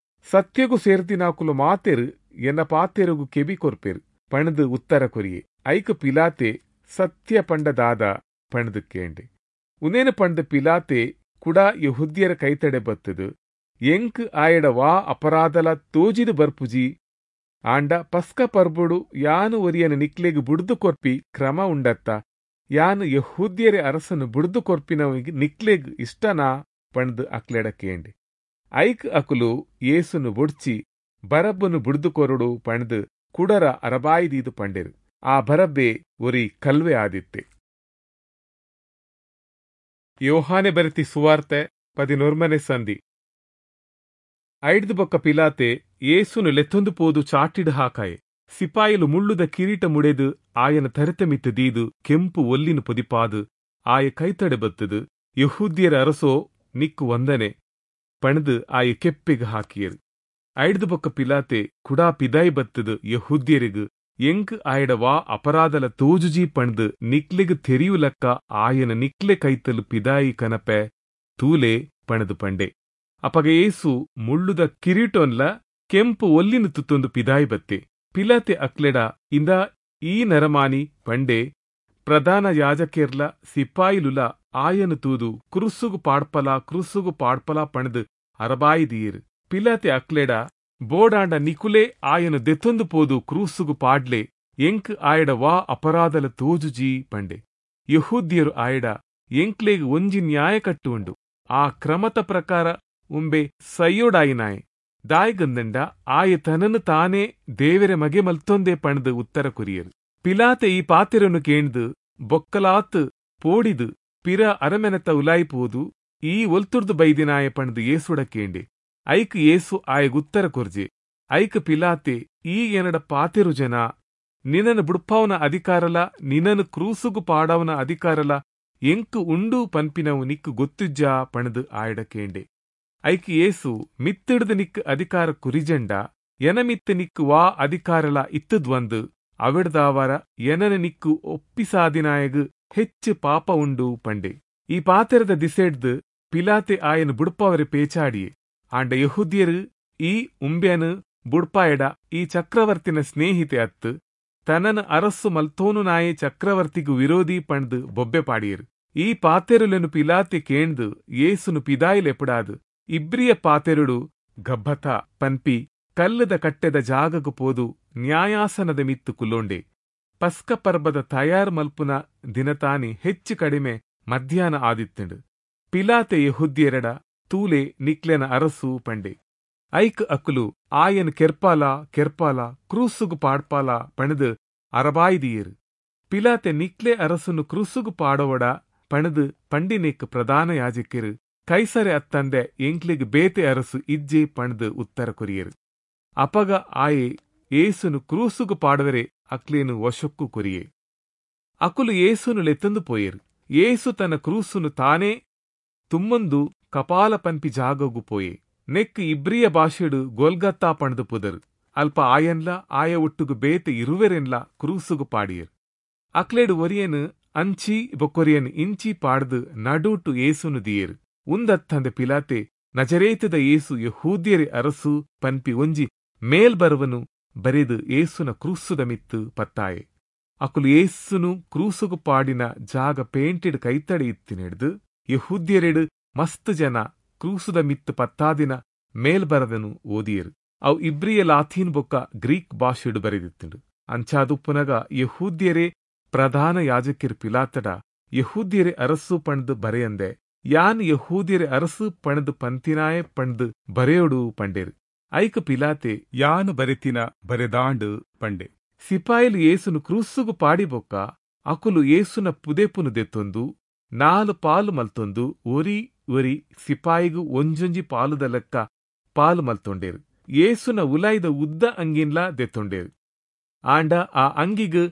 [SPEAKER 1] ಸತ್ಯಗು ಸೇರ್ದಿನಾಕುಲು ಮಾತೆರು ಎನ್ನ ಪಾತೆರುಗು ಕೆಬಿ ಕೊರ್ಪೆರು ಪಣದು ಉತ್ತರ ಕೊರಿಯೆ. ಐಕ್ ಪಿಲಾತೆ ಸತ್ಯ ಪಂಡ ದಾದ ಪಣದು ಕೇಂಡೆ. ಉನೇನು ಪಂಡ ಪಿಲಾತೆ ಕುಡ ಯೆಹೂದ್ಯರ ಕೈತಡೆ ಬತ್ತದು ಎಂಕ್ ಆಯಡ ವಾ ಅಪರಾಧಲ ತೋಜಿದು ಬರ್ಪುಜಿ. ಆಂಡ ಪಸ್ಕ ಪರ್ಬುಡು ಯಾನು ಒರಿಯನ ನಿಕ್ಲೆಗ್ ಬುಡ್ದು ಕೊರ್ಪಿ ಕ್ರಮ ಉಂಡತ್ತ. ಯಾನು ಯೆಹೂದ್ಯರೆ ಅರಸನು ಬುಡ್ದು ಕೊರ್ಪಿನ ನಿಕ್ಲೆಗ್ ಇಷ್ಟನಾ ಪಂಡ್ದು ಅಕ್ಲೆಡ ಕೇಂಡೆ. ಐಕ್ ಅಕುಲು ಯೇಸುನು ಬುಡ್ಚಿ ಬರಬ್ಬನು ಬುಡ್ದು ಕೊರಡು ಪಂಡ್ದು ಕುಡರ ಅರಬಾಯಿದೀದು ಪಂಡೆರು. ಆ ಬರಬ್ಬೆ ಒರಿ ಕಲ್ವೆ ಆದಿತ್ತೆ. ಯೋಹಾನೆ ಬರೆತಿ ಸುವಾರ್ತೆ ಪದಿನೊರ್ಮನೆ ಸಂಧಿ. ಐಡ್ದು ಬೊಕ್ಕ ಪಿಲಾತೆ ಯೇಸುನು ಲೆತ್ತೊಂದು ಪೋದು ಚಾಟಿಡು ಹಾಕಾಯೆ. ಸಿಪಾಯಿಲು ಮುಳ್ಳುದ ಕಿರೀಟ ಮುಡೆದು ಆಯನ ತರೆತ ಮಿತ್ತು ದೀದು ಕೆಂಪು ಒಲ್ಲಿನ ಪೊದಿಪಾದು ಆಯ ಕೈತಡೆ ಬತ್ತದು ಯೆಹೂದ್ಯರ ಅರಸೋ ನಿಕ್ಕು ವಂದನೆ ಪಣದು ಆಯ ಕೆಪ್ಪಿಗೆ ಹಾಕಿಯರು. ಐಡ್ದು ಬೊಕ್ಕ ಪಿಲಾತೆ ಕುಡಾ ಪಿದಾಯಿ ಬತ್ತದು ಯೆಹೂದ್ಯರಿಗು ಎಂಕ್ ಆಯಡ ವಾ ಅಪರಾಧಲ ತೋಜುಜಿ ಪಣದು ನಿಕ್ಲೆಗ್ ತೆರಿಯುಲಕ್ಕ ಆಯನ ನಿಕ್ಲೆ ಕೈತಲು ಪಿದಾಯಿ ಕನಪೆ ತೂಲೆ ಪಣದು ಪಂಡೆ. ಅಪಗ ಯೇಸು ಮುಳ್ಳುದ ಕಿರೀಟೊನ್ಲ ಕೆಂಪು ಒಲ್ಲಿನ ತುತ್ತೊಂದು ಪಿದಾಯಿ ಬತ್ತೆ. ಪಿಲಾತೆ ಅಕ್ಲೆಡ ಇಂದ ಈ ನರಮಾನಿ ಪಂಡೆ. ಪ್ರಧಾನ ಯಾಜಕೆರ್ಲ ಸಿಪಾಯಿಲುಲ ಆಯನು ತೂದು ಕ್ರುಸ್ಸುಗು ಪಾಡ್ಪಲ ಕ್ರುಸ್ಸುಗು ಪಾಡ್ಪಲ ಪಣದು ಅರಬಾಯಿದೀರ್. ಪಿಲಾತೆ ಅಕ್ಲೆಡ ಬೋಡಾಂಡ ನಿಕುಲೆ ಆಯನು ದೆತ್ತೊಂದು ಪೋದು ಕ್ರೂಸುಗು ಪಾಡ್ಲೆ ಎಂಕ್ ಆಯಡ ವಾ ಅಪರಾಧಲ ತೋಜುಜಿ ಪಂಡೆ. ಯೆಹೂದ್ಯರು ಆಯಡ ಎಂಕ್ಲೆಗ್ ಒಂಜಿ ನ್ಯಾಯ ಕಟ್ಟು ಉಂಡು. ಆ ಕ್ರಮತ ಪ್ರಕಾರ ಉಂಬೆ ಸೈಯೋಡಾಯಿನಾಯೆ ದಾಯಿಗಂದಂಡ ಆಯ ತನನು ತಾನೇ ದೇವರ ಮಗೆ ಮಲ್ತೊಂದೆ ಪಣದು ಉತ್ತರ ಕೊರಿಯರು. ಪಿಲಾತೆ ಈ ಪಾತೆರನ್ನು ಕೇಂದು ಬೊಕ್ಕಲಾತ್ ಪೋಡಿದು ಪಿರ ಅರಮೆನತ ಉಲಾಯಿಪೋದು ಈ ಒಲ್ತುರ್ದು ಬೈದಿನಾಯ ಪಣದು ಯೇಸುಡ ಕೇಂಡೆ. ಐಕ್ ಯೇಸು ಆಯಗುತ್ತರ ಕೊರ್ಜೆ. ಐಕ್ ಪಿಲಾತೆ ಈ ಎನಡ ಪಾತೆರು ಜನ ನಿನನು ಬುಡ್ಪಾವನ ಅಧಿಕಾರಲ ನಿನನು ಕ್ರೂಸುಗು ಪಾಡವನ ಅಧಿಕಾರಲ ಎಂಕು ಉಂಡು ಪನ್ಪಿನವು ನಿಕ್ಕು ಗೊತ್ತುಜ್ಜಾ ಪಣದು ಆಯಡ ಕೇಂಡೆ. ಐಕ್ ಯೇಸು ಮಿತ್ತಿಡ್ದು ನಿಕ್ಕು ಅಧಿಕಾರ ಕುರಿಜಂಡ ಎನ ಮಿತ್ತು ನಿಕ್ಕು ವಾ ಅಧಿಕಾರಲ ಇತ್ತದ್ವಂದು ಅವಿಡ್ದಾವರ ಎನನ ನಿಕ್ಕು ಒಪ್ಪಿಸಾದಿನಾಯಗು ಹೆಚ್ಚು ಪಾಪ ಉಂಡು ಪಂಡೆ. ಈ ಪಾತೆರದ ದಿಸೆಡ್ದು ಪಿಲಾತೆ ಆಯನು ಬುಡ್ಪಾವರೆ ಪೇಚಾಡಿಯೆ. ಆಂಡ ಯೆಹೂದ್ಯರು ಈ ಉಂಬ್ಯನು ಬುಡ್ಪಾಯಡ ಈ ಚಕ್ರವರ್ತಿನ ಸ್ನೇಹಿತೆ ಅತ್ತು ತನನ ಅರಸ್ಸು ಮಲ್ತೋನು ನಾಯೆ ಚಕ್ರವರ್ತಿಗು ವಿರೋಧಿ ಪಂಡ್ದು ಬೊಬ್ಬೆ ಪಾಡಿಯರು. ಈ ಪಾತೆರುಲೆನು ಪಿಲಾತೆ ಕೇಂದು ಯೇಸುನು ಪಿದಾಯಿಲೆಪುಡಾದು ಇಬ್ರಿಯ ಪಾತೆರುಡು ಗಬ್ಬತ ಪನ್ಪಿ ಕಲ್ಲದ ಕಟ್ಟೆದ ಜಾಗಗು ಪೋದು ನ್ಯಾಯಾಸನದ ಮಿತ್ತು ಕುಲ್ಲೋಂಡೆ. ಪಸ್ಕ ಪರ್ಬದ ತಯಾರ್ ಮಲ್ಪುನ ದಿನತಾನಿ ಹೆಚ್ಚು ಕಡಿಮೆ ಮಧ್ಯಾಹ್ನ ಆದಿತ್ತಂಡು. ಪಿಲಾತೆ ಯೆಹೂದ್ಯರೆಡ ತೂಲೆ ನಿಕ್ಲೆನ ಅರಸು ಪಂಡೆ. ಐಕ್ ಅಕುಲು ಆಯನ್ ಕೆರ್ಪಾಲ ಕೆರ್ಪಾಲ ಕ್ರೂಸುಗು ಪಾಡ್ಪಾಲ ಪಣದು ಅರಬಾಯಿದಿಯರು. ಪಿಲಾತೆ ನಿಕ್ಲೆ ಅರಸುನು ಕ್ರೂಸುಗು ಪಾಡೋವಡ ಪಣದು ಪಂಡಿನೆಕ್ ಪ್ರಧಾನ ಯಾಜಕಿರು ಕೈಸರೆ ಅತ್ತಂದೆ ಎಂಕ್ಲಿಗ್ ಬೇತೆ ಅರಸು ಇಜ್ಜೆ ಪಣದು ಉತ್ತರ ಕೊರಿಯರು. ಅಪಗ ಆಯೆ ಏಸುನು ಕ್ರೂಸುಗು ಪಾಡವರೆ ಅಕ್ಲೇನು ವಶಕ್ಕು ಕೊರಿಯೆ. ಅಕುಲು ಏಸುನು ಲೆತ್ತಂದು ಪೋಯರು. ಏಸು ತನ್ನ ಕ್ರೂಸುನು ತಾನೇ ತುಮ್ಮಂದು ಕಪಾಲ ಪನ್ಪಿ ಜಾಗಗು ಪೋಯೆ. ನೆಕ್ ಇಬ್ರಿಯ ಭಾಷೆಡು ಗೋಲ್ಗತ್ತಾ ಪಣದು ಪುದರು. ಅಲ್ಪ ಆಯನ್ಲ ಆಯ ಒಟ್ಟುಗು ಬೇತೆ ಇರುವೆರೆನ್ಲ ಕ್ರೂಸುಗು ಪಾಡಿಯರು. ಅಕ್ಲೇಡು ಒರಿಯನು ಅಂಚಿ ಬೊಕ್ಕೊರಿಯನ್ ಇಂಚಿ ಪಾಡ್ದು ನಡುಟು ಏಸುನು ದಿಯರು. ಉಂದತ್ತಂದೆ ಪಿಲಾತೆ ನಜರೇತದ ಏಸು ಯೆಹೂದ್ಯರೆ ಅರಸು ಪನ್ಪಿ ಒಂಜಿ ಮೇಲ್ಬರುವನು ಬರೆದು ಏಸುನ ಕ್ರೂಸುದ ಮಿತ್ತು ಪತ್ತಾಯೆ. ಅಕುಲು ಏಸುನು ಕ್ರೂಸುಗು ಪಾಡಿನ ಜಾಗ ಪೇಂಟೆಡ್ ಕೈತಡೆ ಇತ್ತಿನೆಡ್ದು ಯೆಹೂದ್ಯರೆಡು ಮಸ್ತ್ ಜನ ಕ್ರೂಸುದ ಮಿತ್ತು ಪತ್ತಾದಿನ ಮೇಲ್ಬರದನು ಓದಿಯರು. ಅವು ಇಬ್ರಿಯ ಲಾಥೀನ್ ಬೊಕ್ಕ ಗ್ರೀಕ್ ಭಾಷೆಡು ಬರೆದಿತ್ತುಂಡು. ಅಂಚಾದುಪ್ಪುನಗ ಯೆಹೂದ್ಯರೇ ಪ್ರಧಾನ ಯಾಜಕಿರ್ ಪಿಲಾತಡ ಯೆಹೂದ್ಯರೆ ಅರಸು ಪಂಡ್ದು ಬರೆಯಂದೆ ಯಾನ್ ಯೆಹೂದ್ಯರೆ ಅರಸು ಪಣದು ಪಂತಿನಾಯ ಪಂಡ್ದು ಬರೆಯೋಡು ಪಂಡೇರು. ಐಕ ಪಿಲಾತೆ ಯಾನು ಬರೆತಿನ ಬರೆದಾಂಡು ಪಂಡೆ. ಸಿಪಾಯಿಲು ಏಸುನು ಕ್ರೂಸುಗು ಪಾಡಿಬೊಕ್ಕ ಅಕುಲು ಏಸುನ ಪುದೆಪುನು ದೆತ್ತೊಂದು ನಾಲು ಪಾಲು ಮಲ್ತೊಂದು ಒರಿ ಒರಿ ಸಿಪಾಯಿಗು ಒಂಜೊಂಜಿ ಪಾಲುದ ಲೆಕ್ಕ ಪಾಲು ಮಲ್ತೊಂಡೇರು. ಏಸುನ ಉಲಾಯ್ದ ಉದ್ದ ಅಂಗಿನ್ಲಾ ದೆತ್ತೊಂಡೇರು. ಆಂಡ ಆ ಅಂಗಿಗ್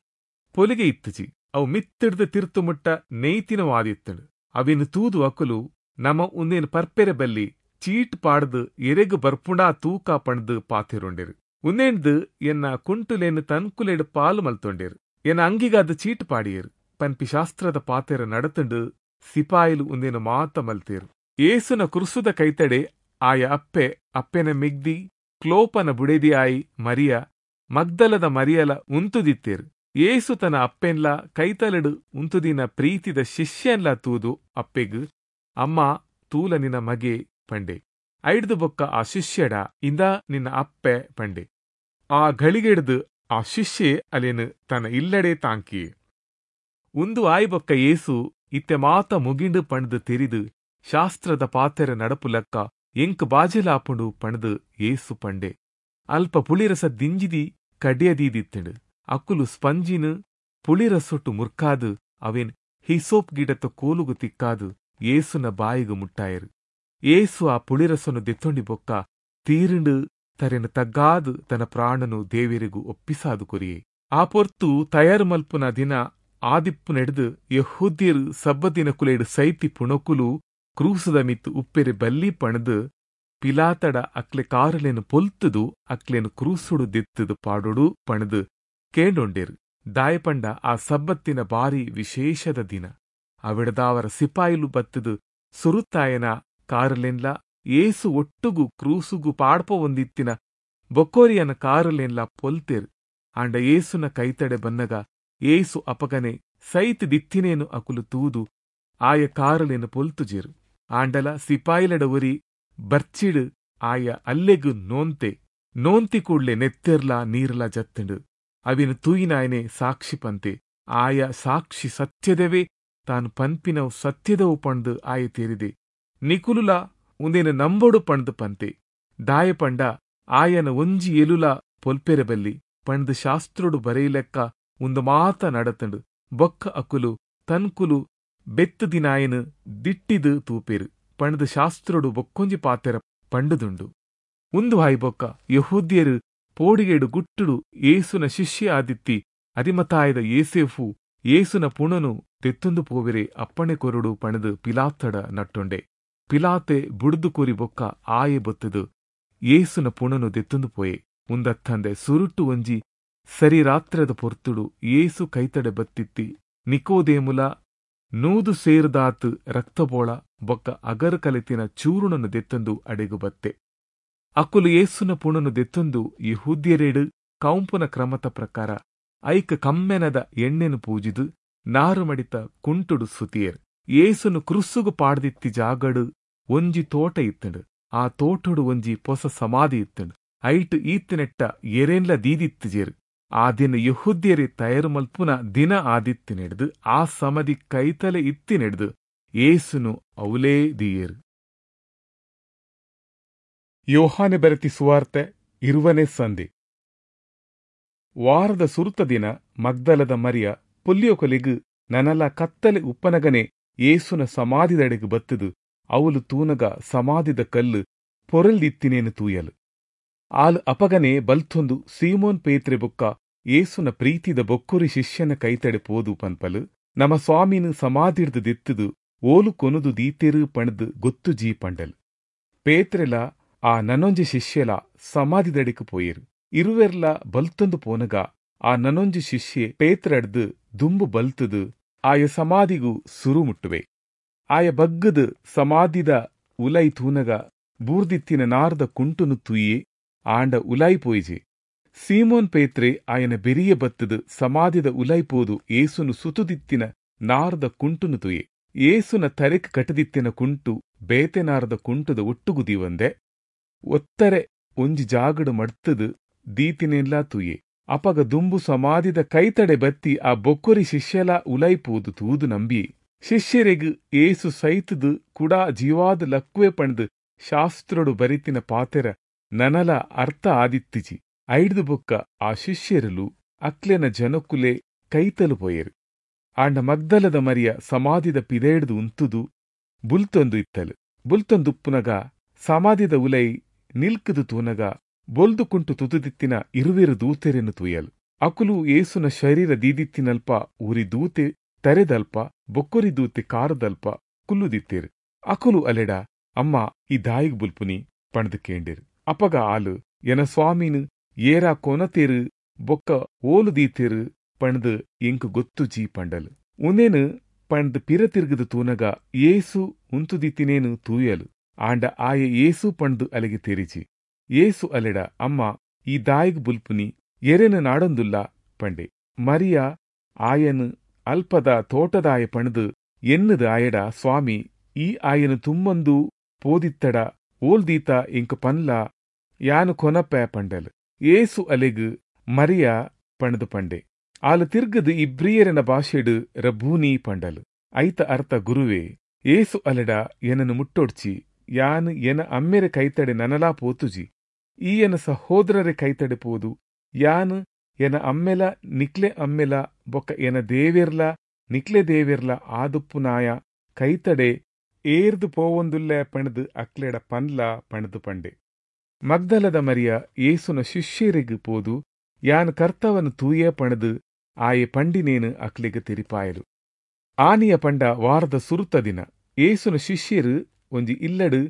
[SPEAKER 1] ಪೊಲಿಗೆ ಇತ್ತುಜಿ. ಅವು ಮಿತ್ತಿಡ್ದು ತಿರ್ತು ಮುಟ್ಟ ನೇಯ್ತಿನವಾದಿತ್ತುಂಡು. ಅವಿನ್ ತೂದು ಅಕುಲು ನಮ ಉಂದೇನು ಪರ್ಪೆರೆ ಬಲ್ಲಿ ಚೀಟ್ ಪಾಡ್ದು ಎರೆಗ್ ಬರ್ಪುಂಡಾ ತೂಕ ಪಂಡ್ದು ಪಾತೆರೊಂಡೆರು. ಉಂದೇಂಡ್ದು ಎನ್ನ ಕುಂಟುಲೇನು ತನ್ಕುಲೆಡ್ ಪಾಲು ಮಲ್ತೊಂಡೇರು, ಎನ್ನ ಅಂಗಿಗಾದ ಚೀಟ್ ಪಾಡಿಯೇರು ಪನ್ಪಿ ಶಾಸ್ತ್ರದ ಪಾತೆರ ನಡತುಂಡು. ಸಿಪಾಯಿಲು ಉಂದೇನು ಮಾತ ಮಲ್ತೇರು. ಏಸುನ ಕುರುಸುದ ಕೈತಡೆ ಆಯ ಅಪ್ಪೆ, ಅಪ್ಪೆನ ಮಿಗ್ದಿ, ಕ್ಲೋಪನ ಬುಡೆದಿ ಆಯಿ ಮರಿಯ, ಮಗ್ದಲದ ಮರಿಯಲ ಉಂತುದಿತ್ತೇರು. ಏಸು ತನ್ನ ಅಪ್ಪೆನ್ಲ ಕೈತಲೆಡು ಉಂತುದಿನ ಪ್ರೀತಿದ ಶಿಷ್ಯನ್ಲ ತೂದು ಅಪ್ಪೆಗ್, ಅಮ್ಮ ತೂಲ ನಿನ್ನ ಮಗೆ ಪಂಡೆ. ಐಡ್ದು ಬೊಕ್ಕ ಆ ಶಿಷ್ಯಡ, ಇಂದ ನಿನ್ನ ಅಪ್ಪೆ ಪಂಡೆ. ಆ ಘಳಿಗೆಡ್ದು ಆ ಶಿಷ್ಯೆ ಅಲೇನು ತನ್ನ ಇಲ್ಲಡೆ ತಾಂಕಿಯೆ. ಉಂದು ಆಯಿ ಬೊಕ್ಕ ಏಸು ಇತ್ತೆ ಮಾತ ಮುಗಿಂಡು ಪಂಡ್ದು ತೆರಿದು ಶಾಸ್ತ್ರದ ಪಾತೆರ ನಡಪುಲಕ್ಕ ಎಂಕ್ ಬಾಜೆಲಾಪುಂಡು ಪಂಡ್ದು ಏಸು ಪಂಡೆ. ಅಲ್ಪ ಪುಳಿರಸ ದಿಂಜಿದಿ ಕಡ್ಯದೀದಿತ್ತುಂಡು. ಅಕುಲು ಸ್ಪಂಜಿನು ಪುಳಿರಸೊಟ್ಟು ಮುರ್ಕಾದು ಅವೇನ್ ಹಿಸೋಪ್ ಗಿಡತ ಕೋಲುಗು ತಿಕ್ಕಾದು ಏಸುನ ಬಾಯಿಗು ಮುಟ್ಟಾಯರು. ಏಸು ಆ ಪುಳಿರಸನು ದೆತ್ತೊಂಡಿ ಬೊಕ್ಕ ತೀರಿಂಡು ತರೆನು ತಗ್ಗಾದು ತನ್ನ ಪ್ರಾಣನು ದೇವೆರಿಗು ಒಪ್ಪಿಸಾದು ಕೊರಿಯೆ. ಆ ಪೊರ್ತು ತಯಾರು ಮಲ್ಪುನ ದಿನ ಆದಿಪ್ಪು ನೆಡ್ದು ಯೆಹೂದ್ಯರು ಸಬ್ಬದಿನ ಕುಲೇಡು ಸೈತಿ ಪುಣಕುಲು ಕ್ರೂಸದ ಮಿತ್ತು ಉಪ್ಪೆರೆ ಬಲ್ಲಿ ಪಣದು ಪಿಲಾತಡ ಅಕ್ಲೆ ಕಾರುಲೇನು ಪೊಲ್ತುದು ಅಕ್ಲೇನು ಕ್ರೂಸುಡು ದೆತ್ತದು ಪಾಡೋಡು ಪಣದು ಕೇಂಡೊಂಡೇರು. ದಾಯಪಂಡ ಆ ಸಬ್ಬತ್ತಿನ ಬಾರಿ ವಿಶೇಷದ ದಿನ. ಅವಿಡದಾವರ ಸಿಪಾಯಿಲು ಬತ್ತದು ಸುರುತ್ತಾಯನ ಕಾರುಲೇನ್ಲ ಏಸು ಒಟ್ಟುಗು ಕ್ರೂಸುಗು ಪಾಡ್ಪ ಒಂದಿತ್ತಿನ ಬೊಕ್ಕೋರಿಯನ ಕಾರುಲೇನ್ಲ ಪೊಲ್ತೇರು. ಆಂಡ ಏಸುನ ಕೈತಡೆ ಬನ್ನಗ ಏಸು ಅಪಗನೆ ಸೈತ್ ದಿತ್ತಿನೇನು ಅಕುಲು ತೂದು ಆಯ ಕಾರುಲೇನು ಪೊಲ್ತುಜೇರು. ಆಂಡಲ ಸಿಪಾಯಿಲಡ ಒರಿ ಬರ್ಚಿಡು ಆಯ ಅಲ್ಲೆಗು ನೋಂತೆ ನೋಂತಿ ಕೂಡ್ಲೆ ನೆತ್ತೆರ್ಲಾ ನೀರ್ಲಾ ಜತ್ತುಂಡು. ಅವಿನ ತೂಯಿನಾಯನೆ ಸಾಕ್ಷಿ ಪಂತೆ. ಆಯ ಸಾಕ್ಷಿ ಸತ್ಯದವೇ, ತಾನು ಪನ್ಪಿನವು ಸತ್ಯದವು ಪಂಡು ಆಯ ತೇರಿದೆ. ನಿಕುಲುಲ ಉಂದೇನು ನಂಬೋಡು ಪಂಡು ಪಂತೆ. ದಾಯ ಪಂಡ ಆಯನ ಒಂಜಿ ಎಲುಲ ಪೊಲ್ಪೆರೆ ಬಲ್ಲಿ ಪಂಡು ಶಾಸ್ತ್ರೋಡು ಬರೆಯಲೆಕ್ಕ ಉಂದು ಮಾತ ನಡತಂಡು. ಬೊಕ್ಕ ಅಕುಲು ತನ್ಕುಲು ಬೆತ್ತು ದಿನಾಯನು ದಿಟ್ಟಿದು ತೂಪೇರು ಪಂಡ್ದು ಶಾಸ್ತ್ರೋಡು ಬೊಕ್ಕೊಂಜಿ ಪಾತೆರ ಪಂಡುದುಂಡು. ಉಂದು ಹಾಯಿ ಬೊಕ್ಕ ಯೆಹೂದ್ಯರು ಪೋಡಿಗೇಡು ಗುಟ್ಟುಡು ಏಸುನ ಶಿಷ್ಯ ಆದಿತ್ತಿ ಅರಿಮತಾಯದ ಏಸೇಫು ಏಸುನ ಪುಣನು ತೆತ್ತೊಂದು ಪೋವೆರೆ ಅಪ್ಪಣೆ ಕೊರುಡು ಪಣದು ಪಿಲಾತಡ ನಟ್ಟೊಂಡೆ. ಪಿಲಾತೆ ಬುಡ್ದು ಕೋರಿ ಬೊಕ್ಕ ಆಯೆ ಬೊತ್ತದು ಏಸುನ ಪುಣನು ದೆತ್ತೊಂದು ಪೋಯೆ. ಉಂದತ್ತಂದೆ ಸುರುಟ್ಟು ಒಂಜಿ ಸರಿ ರಾತ್ರದ ಪೊರ್ತುಡು ಏಸು ಕೈತಡೆ ಬತ್ತಿತ್ತಿ ನಿಕೋದೇಮುಲ ನೂದು ಸೇರ್ದಾತ್ ರಕ್ತಬೋಳ ಬೊಕ್ಕ ಅಗರು ಕಲೆತಿನ ಚೂರುಣನು ದೆತ್ತೊಂದು ಅಡೆಗು ಬತ್ತೆ. ಅಕುಲು ಏಸುನ ಪುಣನು ದೆತ್ತೊಂದು ಯೆಹೂದ್ಯರೇಡು ಕೌಂಪುನ ಕ್ರಮತ ಪ್ರಕಾರ ಐಕ ಕಮ್ಮೆನದ ಎಣ್ಣೆನು ಪೂಜಿದು ನಾರು ಮಡಿತ ಕುಂಟುಡು ಸುತಿಯರ್. ಏಸುನು ಕ್ರುಸ್ಸುಗು ಪಾಡ್ದಿತ್ತಿ ಜಾಗಡು ಒಂಜಿ ತೋಟ ಇತ್ತಂಡು. ಆ ತೋಟಡು ಒಂಜಿ ಪೊಸ ಸಮಾಧಿ ಇತ್ತಂಡು. ಐಟ್ ಈತ್ತಿನೆಟ್ಟ ಎರೇನ್ಲ ದೀದಿತ್ತುಜೇರು. ಆ ದಿನ ಯೆಹೂದ್ಯರೇ ತಯಾರು ಮಲ್ಪುನ ದಿನ ಆದಿತ್ತಿನೆಡ್ದು ಆ ಸಮಾಧಿ ಕೈತಲೆ ಇತ್ತಿನೆಡ್ದು ಏಸುನು ಅವಲೇ ದಿಯೇರು. ಯೋಹಾನೆ ಬರೆತಿ ಸುವಾರ್ತೆ ಇರುವನೇ ಸಂಧಿ. ವಾರದ ಸುರುತ ದಿನ ಮಗ್ದಲದ ಮರಿಯ ಪುಲ್ಯೋಕೊಲಿಗು ನನಲ ಕತ್ತಲೆ ಉಪ್ಪನಗನೆ ಏಸುನ ಸಮಾಧಿದಡೆಗು ಬತ್ತದು ಅವಲು ತೂನಗ ಸಮಾಧಿದ ಕಲ್ಲು ಪೊರಲ್ದಿತ್ತಿನೇನು ತೂಯಲು. ಆಲ್ ಅಪಗನೆ ಬಲ್ತೊಂದು ಸೀಮೋನ್ ಪೇತ್ರೆ ಬೊಕ್ಕ ಏಸುನ ಪ್ರೀತಿದ ಬೊಕ್ಕುರಿ ಶಿಷ್ಯನ ಕೈತಡೆ ಪೋದು ಪನ್ಪಲು, ನಮ ಸ್ವಾಮಿನು ಸಮಾಧಿಡ್ದು ದೆತ್ತದು ಓಲು ಕೊನುದು ದೀತೆರು ಪಣದು ಗೊತ್ತು ಜೀ ಪಂಡಲ್. ಪೇತ್ರೆಲ ಆ ನನೊಂಜಿ ಶಿಷ್ಯಲ ಸಮಾಧಿದಡೆಕು ಪೋಯೇರು. ಇರುವೆರ್ಲ ಬಲ್ತೊಂದು ಪೋನಗ ಆ ನನೊಂಜಿ ಶಿಷ್ಯೆ ಪೇತ್ರಡ್ದು ದುಂಬು ಬಲ್ತದು ಆಯ ಸಮಾಧಿಗೂ ಸುರು ಮುಟ್ಟುವೆ. ಆಯ ಬಗ್ಗದು ಸಮಾಧಿದ ಉಲೈ ತೂನಗ ಬೂರ್ದಿತ್ತಿನ ನಾರ್ದ ಕುಂಟುನು ತೂಯೆ ಆಂಡ ಉಲೈ ಪೋಯಿಜೆ. ಸೀಮೋನ್ ಪೇತ್ರೆ ಆಯನ ಬೆರಿಯ ಬತ್ತದು ಸಮಾಧಿದ ಉಲೈ ಪೋದು ಏಸುನು ಸುತುದಿತ್ತಿನ ನಾರ್ದ ಕುಂಟುನು ತುಯೆ. ಏಸುನ ತರೆಕ್ ಕಟದಿತ್ತಿನ ಕುಂಟು ಬೇತೆ ನಾರ್ದ ಕುಂಟುದ ಒಟ್ಟುಗುದೀವಂದೆ ಒತ್ತರೆ ಒಂಜಿ ಜಾಗಡು ಮಡ್ತದು ದೀತಿನೆಲ್ಲಾ ತೂಯೆ. ಅಪಗ ದುಂಬು ಸಮಾಧಿದ ಕೈತಡೆ ಬತ್ತಿ ಆ ಬೊಕ್ಕೊರಿ ಶಿಷ್ಯಲ ಉಲೈಪೋದು ತೂದು ನಂಬಿ ಶಿಷ್ಯರೆಗ್ ಏಸು ಸೈತದು ಕುಡಾ ಜೀವಾದ ಲಕ್ವೆ ಪಣ್ದು ಶಾಸ್ತ್ರಡು ಬರಿತಿನ ಪಾತೆರ ನನಲ ಅರ್ಥ ಆದಿತ್ತಿಜಿ. ಐಡ್ದು ಬೊಕ್ಕ ಆ ಶಿಷ್ಯರಲು ಅಕ್ಲೆನ ಜನಕುಲೆ ಕೈತಲು ಪೋಯೆರು. ಆಂಡ ಮಗ್ದಲದ ಮರಿಯ ಸಮಾಧಿದ ಪಿದೇಡ್ದು ಉಂತುದು ಬುಲ್ತೊಂದು ಇತ್ತಲು. ಬುಲ್ತೊಂದುಪ್ಪುನಗ ಸಮಾಧಿದ ಉಲೈ ನಿಲ್ಕುದು ತೂನಗ ಬೊಲ್ದು ಕುಂಟು ತುತುದಿತ್ತಿನ ಇರುವೆರು ದೂತೆರೆನು ತೂಯಲು. ಅಕುಲು ಯೇಸುನ ಶರೀರ ದೀದಿತ್ತಿನಲ್ಪ ಉರಿ ದೂತೆ ತರೆದಲ್ಪ ಬೊಕ್ಕೊರಿ ದೂತೆ ಕಾರದಲ್ಪ ಕುಲ್ಲುದಿತ್ತೇರು. ಅಕುಲು ಅಲೆಡ, ಅಮ್ಮ ಈ ದಾಯಿಗ್ ಬುಲ್ಪುನಿ ಪಂಡ್ದ್ ಕೇಂಡೇರು. ಅಪಗ ಆಲು, ಎನ ಸ್ವಾಮಿನ್ ಏರಾ ಕೊನತೇರು ಬೊಕ್ಕ ಓಲು ದೀತೇರು ಪಂಡ್ದ್ ಎಂಕ್ ಗೊತ್ತುಜಿ ಪಂಡಲು. ಉಂದೆನ್ ಪಂಡ್ದ್ ಪಿರ ತಿರ್ಗ್ದ್ ತೂನಗ ಯೇಸು ಉಂತುದಿತ್ತಿನೇನ್ ತೂಯಲ್. ಆಂಡ ಆಯೆ ಯೇಸು ಪಂಡ್ದ್ ಅಲೆಗ್ ತೆರಿಜಿ. ಯೇಸು ಅಲೆಡ, ಅಮ್ಮ ಈ ದಾಯಿಗ್ ಬುಲ್ಪುನಿ, ಎರೆನ್ ನಾಡೊಂದುಲ್ಲ ಪಂಡೆ. ಮರಿಯ ಆಯನ್ ಅಲ್ಪದ ತೋಟದಾಯ ಪಂಡ್ದ್ ಎನ್ನುದು ಆಯಡ, ಸ್ವಾಮಿ, ಈ ಆಯನ್ ತುಂಬೊಂದು ಪೋದಿತ್ತಡ ಓಲ್ದೀತ ಎಂಕ್ ಪನ್ಲ, ಯಾನ್ ಕೊನಪೆ ಪಂಡಲ್. ಯೇಸು ಅಲೆಗ್, ಮರಿಯ ಪಂಡ್ದ್ ಪಂಡೆ. ಆಲು ತಿರ್ಗದ್ ಇಬ್ರಿಯೆರೆನ ಭಾಷೆಡ್ ರಬ್ಬೂನಿ ಪಂಡಲ್. ಐತ ಅರ್ಥ ಗುರುವೇ. ಯೇಸು ಅಲೆಡ, ಎನನ್ ಮುಟ್ಟೊಡ್ಚಿ, ಯಾನ್ ಎನ ಅಮ್ಮೆರೆ ಕೈತಡೆ ನನಲಾ ಪೋತುಜಿ. ಈ ಎನ ಸಹೋದರರೆ ಕೈತಡೆ ಪೋದು, ಯಾನ್ ಎನ ಅಮ್ಮೆಲ ನಿಕ್ಲೆ ಅಮ್ಮೆಲ ಬೊಕ್ಕ ಎನ ದೇವೆರ್ಲ ನಿಕ್ಲೆ ದೇವೆರ್ಲ ಆದುಪ್ಪುನಾಯ ಕೈತಡೆ ಏರ್ದು ಪೋವೊಂದುಲ್ಲೆ ಪಂಡ್ದ್ ಅಕ್ಲೆಡ ಪನ್ಲ ಪಂಡ್ದ್ ಪಂಡೆ. ಮಗ್ದಲದ ಮರಿಯ ಯೇಸುನ ಶಿಷ್ಯೆರೆಗ್ ಪೋದು, ಯಾನ್ ಕರ್ತವನ್ ತೂಯೆ ಪಂಡ್ದ್ ಆಯೆ ಪಂಡಿನೇನ್ ಅಕ್ಲೆಗ್ ತೆರಿಪಾಯಲು. ಆನಿಯ ಪಂಡ ವಾರದ ಸುರುತ ದಿನ. ಯೇಸುನ ಶಿಷ್ಯೆರ್ ಒಂಜಿ ಇಲ್ಲಡ್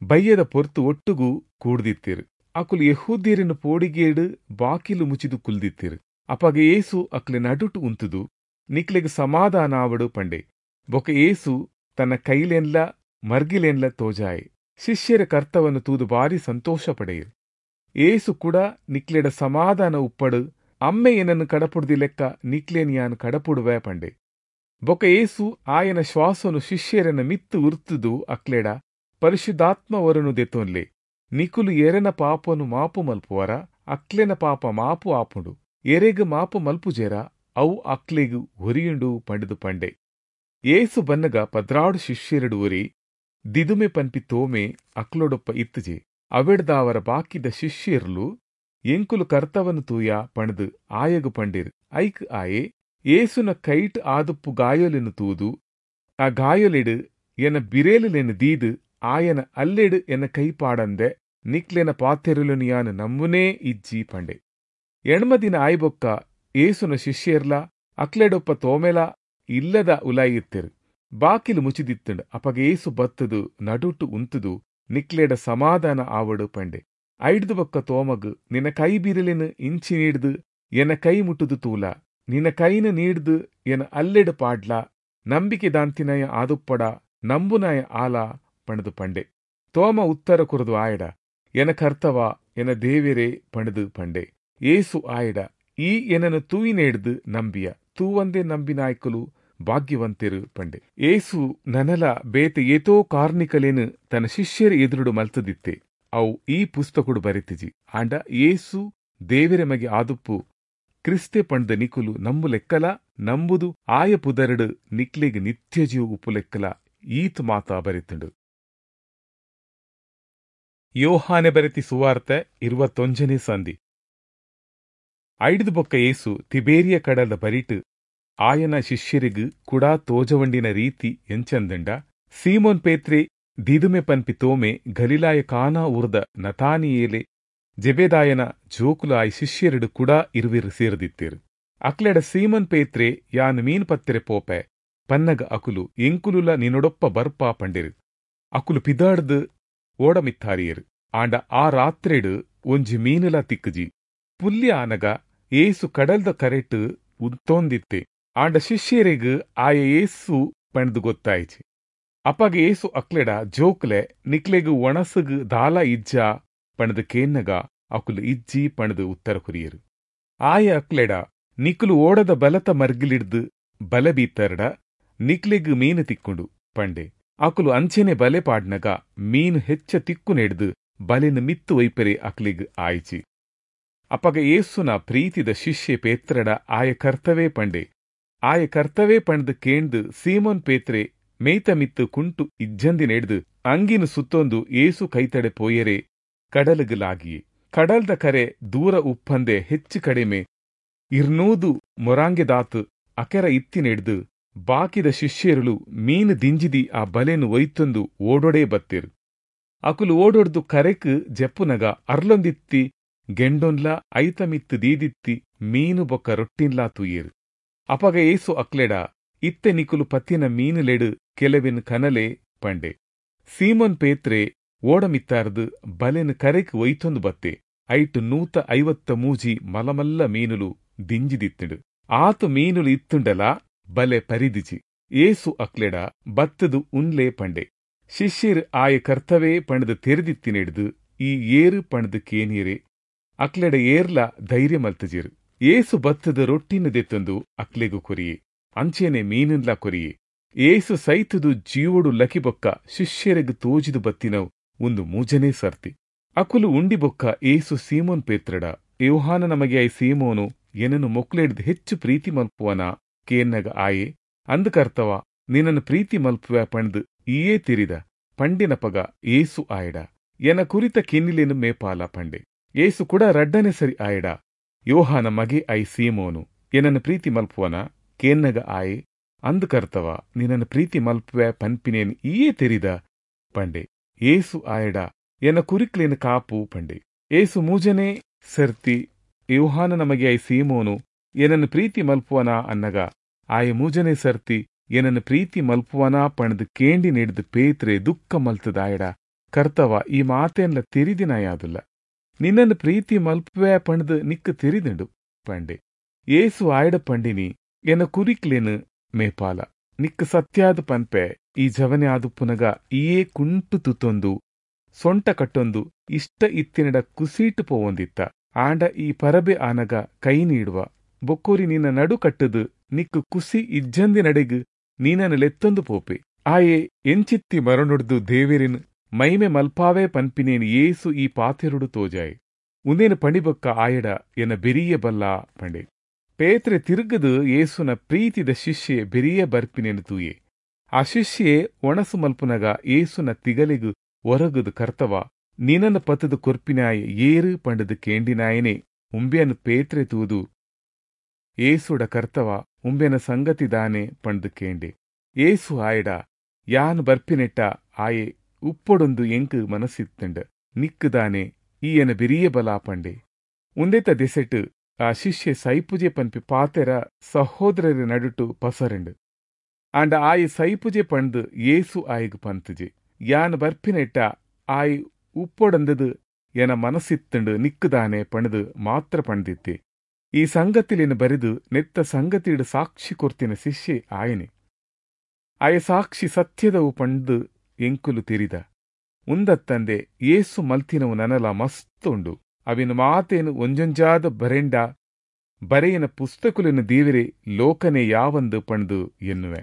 [SPEAKER 1] ಬಯ್ಯದ ಪೊರ್ತು ಒಟ್ಟುಗು ಕೂಡ್ದಿತ್ತೆರ್. ಅಕುಲು ಯೆಹೂದ್ಯೆರೆನ ಪೋಡಿಗೇಡ್ ಬಾಕಿಲು ಮುಚಿದು ಕುಲ್ದಿತ್ತೆರ್. ಅಪಗ ಯೇಸು ಅಕ್ಲೆ ನಡುಟು ಉಂತುದು, ನಿಕ್ಲೆಗ್ ಸಮಾಧಾನ ಆವಡ್ ಪಂಡೆ. ಬೊಕ ಯೇಸು ತನ್ನ ಕೈಲೇನ್ಲ ಮರ್ಗಿಲೇನ್ಲ ತೋಜಾಯೆ. ಶಿಷ್ಯರ ಕರ್ತವನ್ನು ತೂದು ಬಾರಿ ಸಂತೋಷ ಪಡೆಯರು. ಏಸು ಕೂಡ ನಿಕ್ಲೆಡ ಸಮಾಧಾನ ಉಪ್ಪಡು, ಅಮ್ಮೆ ಏನನ್ನು ಕಡಪುಡ್ದಿ ಲೆಕ್ಕ ನಿಕ್ಲೇನ್ ಯಾನ್ ಕಡಪುಡುವೆ ಪಂಡೆ. ಬೊಕ ಏಸು ಆಯನ ಶ್ವಾಸನು ಶಿಷ್ಯರನ ಮಿತ್ತು ಉರ್ತುದು ಅಕ್ಲೆಡ, ಪರಿಶುದ್ಧಾತ್ಮವರನು ದೆತೊನ್ಲೆ, ನಿಕುಲು ಎರೆನ ಪಾಪನು ಮಾಪು ಮಲ್ಪುವರ ಅಕ್ಲೆನ ಪಾಪ ಮಾಪು ಆಪುಂಡು, ಎರೆಗ್ ಮಾಪು ಮಲ್ಪುಜೆರ ಅವು ಅಕ್ಲೆಗ್ ಒರಿಯುಂಡು ಪಂಡುದು ಪಂಡೆ. ಏಸು ಬನ್ನಗ ಪದ್ರಾಡು ಶಿಷ್ಯರಡು ಒರಿ ದಿದುಮೆ ಪನ್ಪಿ ತೋಮೆ ಅಕ್ಲೊಡೊಪ್ಪ ಇತ್ತುಜೆ. ಅವೆಡ್ದಾವರ ಬಾಕಿದ ಶಿಷ್ಯರ್ಲು, ಎಂಕುಲು ಕರ್ತವನ್ ತೂಯ ಪಂಡ್ದ್ ಆಯಗ್ ಪಂಡೆರ್. ಐಕ್ ಆಯೆ ಏಸುನ ಕೈಟ್ ಆದುಪ್ಪು ಗಾಯೊಲೆನ್ ತೂದು ಆ ಗಾಯೊಲೆಡ್ ಎನ ಬಿರೇಲುಲೆನ್ ದೀದ್ ಆಯನ ಅಲ್ಲೆಡ್ ಎನ ಕೈ ಪಾಡಂದೆ ನಿಕ್ಲೆನ ಪಾತೆರೊಲೆನ್ ಯಾನ್ ನಂಬುನೇ ಇಜ್ಜಿ ಪಂಡೆ. ಎಣ್ಮ ದಿನ ಆಯಿಬೊಕ್ಕ ಏಸುನ ಶಿಷ್ಯರ್ಲ ಅಕ್ಲೆಡೊಪ್ಪ ತೋಮೆಲ ಇಲ್ಲದ ಉಲಾಯಿ ಇತ್ತೆರ್. ಬಾಕಿಲು ಮುಚಿದಿತ್ತಂಡ್. ಅಪಗ ಏಸು ಬತ್ತುದು ನಡುಟು ಉಂತುದು, ನಿಕ್ಲೆಡ ಸಮಾಧಾನ ಆವಡ್ ಪಂಡೆ. ಐಡ್ದ್ ಬೊಕ್ಕ ತೋಮಗ್, ನಿನ ಕೈ ಬಿರೆಲೆನ್ ಇಂಚಿ ನೀಡ್ದ್ ಎನ ಕೈ ಮುಟ್ಟುದು ತೂಲ, ನಿನ ಕೈನ್ ನೀಡ್ದ್ ಎನ ಅಲ್ಲೆಡ್ ಪಾಡ್ಲ, ನಂಬಿಕೆ ದಾಂತಿನಾಯ ಆದುಪ್ಪಡ, ನಂಬುನಾಯ ಆಲ ಪಂಡ್ದ್ ಪಂಡೆ. ತೋಮ ಉತ್ತರ ಕೊರದು ಆಯಡ, ಎನ ಕರ್ತವ, ಎನ ದೇವೆರೇ ಪಂಡ್ದ್ ಪಂಡೆ. ಏಸು ಆಯಡ, ಈ ಎನನು ತೂಯಿನೇಡ್ದ್ ನಂಬಿಯ, ತೂವಂದೇ ನಂಬಿನಾಯ್ಕಲು ಭಾಗ್ಯವಂತೆರು ಪಂಡೆ. ಏಸು ನನಲ ಬೇತೆ ಏತೋ ಕಾರ್ನಿಕಲೇನು ತನ್ನ ಶಿಷ್ಯರ ಎದುರುಡು ಮಲ್ತದಿತ್ತೆ. ಅವು ಈ ಪುಸ್ತಕಡು ಬರೆತಿಜಿ. ಆಂಡ ಏಸು ದೇವೆರೆ ಮಗೆ ಆದುಪ್ಪು ಕ್ರಿಸ್ತೆ ಪಂಡ್ದ ನಿಕುಲು ನಂಬು ಲೆಕ್ಕಲ ನಂಬುದು ಆಯ ಪುದರಡು ನಿಕ್ಲೆಗ್ ನಿತ್ಯ ಜೀವ ಉಪ್ಪು ಲೆಕ್ಕಲ ಈತ್ ಮಾತಾ ಬರೆತುಂಡು. ಯೋಹಾನೆ ಬರೆತಿ ಸುವಾರ್ತೆ ಇರುವತ್ತೊಂಜನೇ ಸಂಧಿ. ಐಡ್ದು ಬೊಕ್ಕ ಏಸು ತಿಬೇರಿಯ ಕಡಲದ ಬರಿಟ್ ಆಯನ ಶಿಷ್ಯರಿಗ್ ಕುಡಾ ತೋಜವಂಡಿನ ರೀತಿ ಎಂಚಂದಂಡ, ಸೀಮೋನ್ ಪೇತ್ರೆ, ದಿದುಮೆ ಪನ್ಪಿ ತೋಮೆ, ಗಲಿಲಾಯ ಕಾನಾ ಊರ್ದ ನತಾನಿಯೇಲೆ, ಜೆಬೆದಾಯನ ಜೋಕುಲು ಆಯ್ ಶಿಷ್ಯರಡು ಕುಡಾ ಇರುವಿರು ಸೇರ್ದಿತ್ತೇರು. ಅಕ್ಲೆಡ ಸೀಮೋನ್ ಪೇತ್ರೆ, ಯಾನ್ ಮೀನ್ ಪತ್ತೆರೆ ಪೋಪೆ ಪನ್ನಗ ಅಕುಲು, ಎಂಕುಲುಲ ನಿನೊಡೊಪ್ಪ ಬರ್ಪಾ ಪಂಡೆರು. ಅಕುಲು ಪಿದಾಡ್ದು ಓಡಮಿತ್ತಾರಿಯರು. ಆಂಡ ಆ ರಾತ್ರೆಡು ಒಂಜಿ ಮೀನುಲ ತಿಕ್ಕುಜಿ. ಪುಲ್ಯ ಆನಗ ಏಸು ಕಡಲ್ದ ಕರೆಟ್ ಉಂತೊಂದಿತ್ತೆ. ಆಂಡ ಶಿಷ್ಯರಿಗ್ ಆಯ ಏಸು ಪಂಡ್ದು ಗೊತ್ತಾಯಿಚಿ. ಅಪಗ ಏಸು ಅಕ್ಲೆಡ, ಜೋಕ್ಲೆ, ನಿಕ್ಲೆಗ್ ಒಣಸುಗ್ ದಾಲ ಇಜ್ಜಾ ಪಂಡ್ದು ಕೇನ್ನಗ ಅಕುಲು ಇಜ್ಜಿ ಪಂಡ್ದು ಉತ್ತರ ಕೊರಿಯರು. ಆಯ ಅಕ್ಲೆಡ, ನಿಕುಲು ಓಡದ ಬಲತ ಮರ್ಗಿಲಿಡ್ದು ಬಲೆ ಬೀತರ್ಡ ನಿಕ್ಲೆಗ್ ಮೀನು ತಿಕ್ಕುಂಡು ಪಂಡೆ. ಅಕುಲು ಅಂಚೆನೆ ಬಲೆ ಪಾಡ್ನಗ ಮೀನು ಹೆಚ್ಚ ತಿಕ್ಕು ನೆಡ್ದು ಬಲೆನ್ ಮಿತ್ತು ಒಯ್ಪೆರೆ ಅಕ್ಲೆಗ್ ಆಯಿಚಿ. ಅಪಗ ಏಸುನ ಪ್ರೀತಿದ ಶಿಷ್ಯೆ ಪೇತ್ರಡ, ಆಯ ಕರ್ತವೇ ಪಂಡೆ. ಆಯ ಕರ್ತವೇ ಪಂಡ್ದು ಕೇಂದು ಸೀಮೋನ್ ಪೇತ್ರೆ ಮೇಯ್ತ ಮಿತ್ತು ಕುಂಟು ಇಜ್ಜಂದಿನೆಡ್ದು ಅಂಗಿನ ಸುತ್ತೊಂದು ಏಸು ಕೈತಡೆ ಪೋಯೆರೆ ಕಡಲುಗ್ ಲಾಗಿಯೆ. ಕಡಲ್ದ ಕರೆ ದೂರ ಉಪ್ಪಂದೆ ಹೆಚ್ಚು ಕಡಿಮೆ ಇರ್ನೂದು ಮೊರಾಂಗೆದಾತು ಅಕೆರ ಇತ್ತಿನೆಡ್ದು ಬಾಕಿದ ಶಿಷ್ಯರುಲು ಮೀನು ದಿಂಜಿದಿ ಆ ಬಲೆನು ಒಯ್ತೊಂದು ಓಡೊಡೇ ಬತ್ತೆರು. ಅಕುಲು ಓಡೊಡ್ದು ಕರೆಕ್ ಜೆಪ್ಪುನಗ ಅರ್ಲೊಂದಿತ್ತಿ ಗೆಂಡೊನ್ಲಾ ಐತ ಮಿತ್ತ್ ದೀದಿತ್ತಿ ಮೀನು ಬೊಕ್ಕ ರೊಟ್ಟಿನ್ಲಾ ತೂಯೆರ್. ಅಪಗ ಯೇಸು ಅಕ್ಲೆಡ, ಇತ್ತೆ ನಿಕುಲು ಪತ್ತಿನ ಮೀನುಲೆಡ್ ಕೆಲವೆನ್ ಕನಲೆ ಪಂಡೆ. ಸೀಮೋನ್ ಪೇತ್ರೆ ಓಡ ಮಿತ್ತಾರ್ದ್ ಬಲೆನ್ ಕರೆಕ್ ಒಯ್ತೊಂದು ಬತ್ತೆ. ಐಟ್ ನೂತ ಐವತ್ತ ಮೂಜಿ ಮಲ್ಲ ಮಲ್ಲ ಮೀನುಲು ದಿಂಜಿದಿತ್ತ್ಂಡ್. ಆತ್ ಮೀನುಲು ಇತ್ತ್ಂಡಲಾ ಬಲೆ ಪರಿದಿಜಿ. ಯೇಸು ಅಕ್ಲೆಡ, ಬತ್ತ್ದ್ ಉನ್ಲೆ ಪಂಡೆ. ಶಿಷ್ಯೆರ್ ಆಯೆ ಕರ್ತವೆ ಪಂಡ್ದ್ ತೆರಿದಿತ್ತಿನೆಡ್ದ್, ಈ ಏರ್ ಪಂಡ್ದ್ ಕೇನಿಯೆರೆ ಅಕ್ಲೆಡ ಏರ್ಲಾ ಧೈರ್ಯ ಮಲ್ತ್ಜೆರ್. ಯೇಸು ಬತ್ತ್ದ್ ರೊಟ್ಟಿನ್ ದೆತ್ತೊಂದು ಅಕ್ಲೆಗ್ ಕೊರಿಯೆ, ಅಂಚೆನೇ ಮೀನ್ನ್ಲಾ ಕೊರಿಯೆ. ಯೇಸು ಸೈತ್ದ್ ಜೀವೊಡು ಲಕಿ ಬೊಕ್ಕ ಶಿಷ್ಯೆರೆಗ್ ತೋಜಿದ್ ಬತ್ತಿನವು ಉಂದು ಮೂಜನೇ ಸರ್ತಿ. ಅಕುಲು ಉಂಡಿ ಬೊಕ್ಕ ಯೇಸು ಸೀಮೋನ್ ಪೇತ್ರಡ, ಯೋಹಾನನ ಮಗೆ ಆಯಿ ಸೀಮೋನು, ಎನನ್ ಮೊಕ್ಲೆಡ್ದ್ ಹೆಚ್ಚ್ ಪ್ರೀತಿ ಮಲ್ಪುವನಾ? ಕೇನ್ನಗ ಆಯೆ, ಅಂದ್ ಕರ್ತವಾ, ನಿನನ್ ಪ್ರೀತಿ ಮಲ್ಪುವೆ ಪಂಡ್ದ್ ಈಯೇ ತೆರಿದ, ಪಂಡಿನಪಗ ಯೇಸು ಆಯಡ, ಎನ ಕುರಿತ ಕಿನ್ನಿಲೆನ್ ಮೇಪಾಲ, ಪಂಡೆ. ಯೇಸು ಕುಡ ರಡ್ಡನೆ ಸರಿ ಆಯಡ, ಯೋಹಾನ ಮಗೆ ಆಯಿ ಸೀಮೋನು, ಎನನ್ ಪ್ರೀತಿ ಮಲ್ಪುವನಾ? ಕೇನ್ನಗ ಆಯೆ, ಅಂದ್ ಕರ್ತವಾ, ನಿನನ್ ಪ್ರೀತಿ ಮಲ್ಪುವೆ ಪನ್ಪಿನೆನ್ ಈಯೇ ತೆರಿದ, ಪಂಡೆ. ಯೇಸು ಆಯಡ, ಎನ ಕುರಿಕ್ಲೆನ್ ಕಾಪು, ಪಂಡೆ. ಯೇಸು ಮೂಜನೇ ಸರ್ತಿ, ಯೋಹಾನನ ಮಗೆ ಆಯಿ ಸೀಮೋನು, ಎನನ್ ಪ್ರೀತಿ ಮಲ್ಪುವನಾ ಅನ್ನಗ, ಆಯೆ ಮೂಜನೇ ಸರ್ತಿ ಎನನ್ ಪ್ರೀತಿ ಮಲ್ಪುವನಾ ಪಂಡ್ದ್ ಕೇಂಡಿನೆಡ್ದ್ ಪೇತ್ರೆ ದುಃಖ ಮಲ್ತ್ದಾಯಡ, ಕರ್ತವ, ಈ ಮಾತೆನ್ಲ ತೆರಿದಿನಾಯಾದುಲ್ಲ, ನಿನ್ನನ್ ಪ್ರೀತಿ ಮಲ್ಪುವೆ ಪಂಡ್ದ್ ನಿಕ್ಕ್ ತೆರಿದುಂಡು, ಪಂಡೆ. ಯೇಸು ಆಯಡ ಪಂಡಿನಿ, ಎನ ಕುರಿಕ್ಲೆನ್ ಮೇಪಾಲ. ನಿಕ್ಕ್ ಸತ್ಯಾದ್ ಪನ್ಪೆ, ಈ ಜವನೆ ಆದುಪ್ಪುನಗ ಈಯೇ ಕುಂಟು ತುತ್ತೊಂದು ಸೊಂಟ ಕಟ್ಟೊಂದು ಇಷ್ಟ ಇತ್ತಿನಡ ಕುಸಿಟ್ ಪೋವೊಂದಿತ್ತ. ಆಂಡ ಈ ಪರಬೆ ಆನಗ ಕೈ ನೀಡುವ, ಬೊಕ್ಕೊರಿ ನಿನ ನಡು ಕಟ್ಟ್ದ್ ನಿಕ್ಕ್ ಕುಸಿ ಇಜ್ಜಂದಿನಡೆಗ್ ನಿನನ್ ಲೆತ್ತೊಂದು ಪೋಪೆ. ಆಯೆ ಎಂಚಿತ್ತಿ ಮರಣೊಡ್ದು ದೇವೆರೆನ್ ಮೈಮೆ ಮಲ್ಪಾವೆ ಪನ್ಪಿನೇನ್ ಯೇಸು ಈ ಪಾತೆರೊಡು ತೋಜಾಯೆ. ಉಂದೆನ್ ಪಂಡಿಬೊಕ್ಕ ಆಯಡ, ಎನ ಬೆರಿಯೆ ಬಲ್ಲ, ಪಂಡೆ. ಪೇತ್ರೆ ತಿರ್ಗ್ದ್ ಯೇಸುನ ಪ್ರೀತಿದ ಶಿಷ್ಯೆ ಬೆರಿಯೆ ಬರ್ಪಿನೆನ್ ತೂಯೆ. ಆ ಶಿಷ್ಯೆ ವಣಸ್ ಮಲ್ಪುನಗ ಯೇಸುನ ತಿಗಲೆಗ್ ಒರಗುದು, ಕರ್ತವಾ, ನಿನನ್ ಪತ್ತ್ದ್ ಕೊರ್ಪಿನಾಯೆ ಏರ್ ಪಂಡ್ದ್ ಕೇಂಡಿನಾಯೆನೇ ಉಂಬ್ಯನ್ ಪೇತ್ರೆ ತೂದು ಯೇಸುಡ, ಕರ್ತವಾ, ಉಂಬ್ಯನ ಸಂಗತಿ ದಾನೆ? ಪಂಡ್ದ್ ಕೇಂಡೆ. ಯೇಸು ಆಯಡ, ಯಾನ್ ಬರ್ಪಿನೆಟ್ಟ ಆಯೆ ಉಪ್ಪೊಡುಂದು ಎಂಕ್ ಮನಸಿತ್ತ್ಂಡ್, ನಿಕ್ಕ್ ದಾನೆ, ಈ ಎನ ಬೆರಿಯೆ ಬಲ, ಪಂಡೆ. ಉಂದೆತ ದೆಸೆಟ್ ಆ ಶಿಷ್ಯೆ ಸೈಪುಜೆ ಪನ್ಪಿ ಪಾತೆರ ಸಹೋದ್ರೆರೆ ನಡುಟು ಪಸರ್ಂಡ್. ಆಂಡ ಆಯೆ ಸೈಪುಜೆ ಪಂಡ್ದ್ ಯೇಸು ಆಯಗ್ ಪನ್ತ್ಜೆ. ಯಾನ್ ಬರ್ಪಿನೆಟ್ಟ ಆಯೆ ಉಪ್ಪೊಡಂದ್ದ್ ಎನ ಮನಸಿತ್ತ್ಂಡ್ ನಿಕ್ಕ್ ದಾನೆ ಪಂಡ್ದ್ ಮಾತ್ರ ಪಂಡ್ದಿತ್ತೆ. ಈ ಸಂಗತಿಲೆನ್ ಬರೆದ್ ನೆತ್ತ ಸಂಗತಿಡ್ ಸಾಕ್ಷಿ ಕೊರ್ತಿನ ಶಿಷ್ಯೆ ಆಯೆನೆ. ಆಯ ಸಾಕ್ಷಿ ಸತ್ಯದವು ಪಂಡ್ದ್ ಎಂಕುಲು ತೆರಿದ. ಉಂದತ್ತಂದೆ ಯೇಸು ಮಲ್ತಿನವು ನನಲಾ ಮಸ್ತ್ ಉಂಡು. ಅವೆನ್ ಮಾತೆನ್ ಒಂಜೊಂಜಾದ್ ಬರೆಂಡ ಬರೆಯಿನ ಪುಸ್ತಕೊಲೆನ್ ದೀವೆರೆ ಲೋಕನೇ ಯಾವಂದ್ ಪಂಡ್ದ್ ಎನ್ನುವೆ.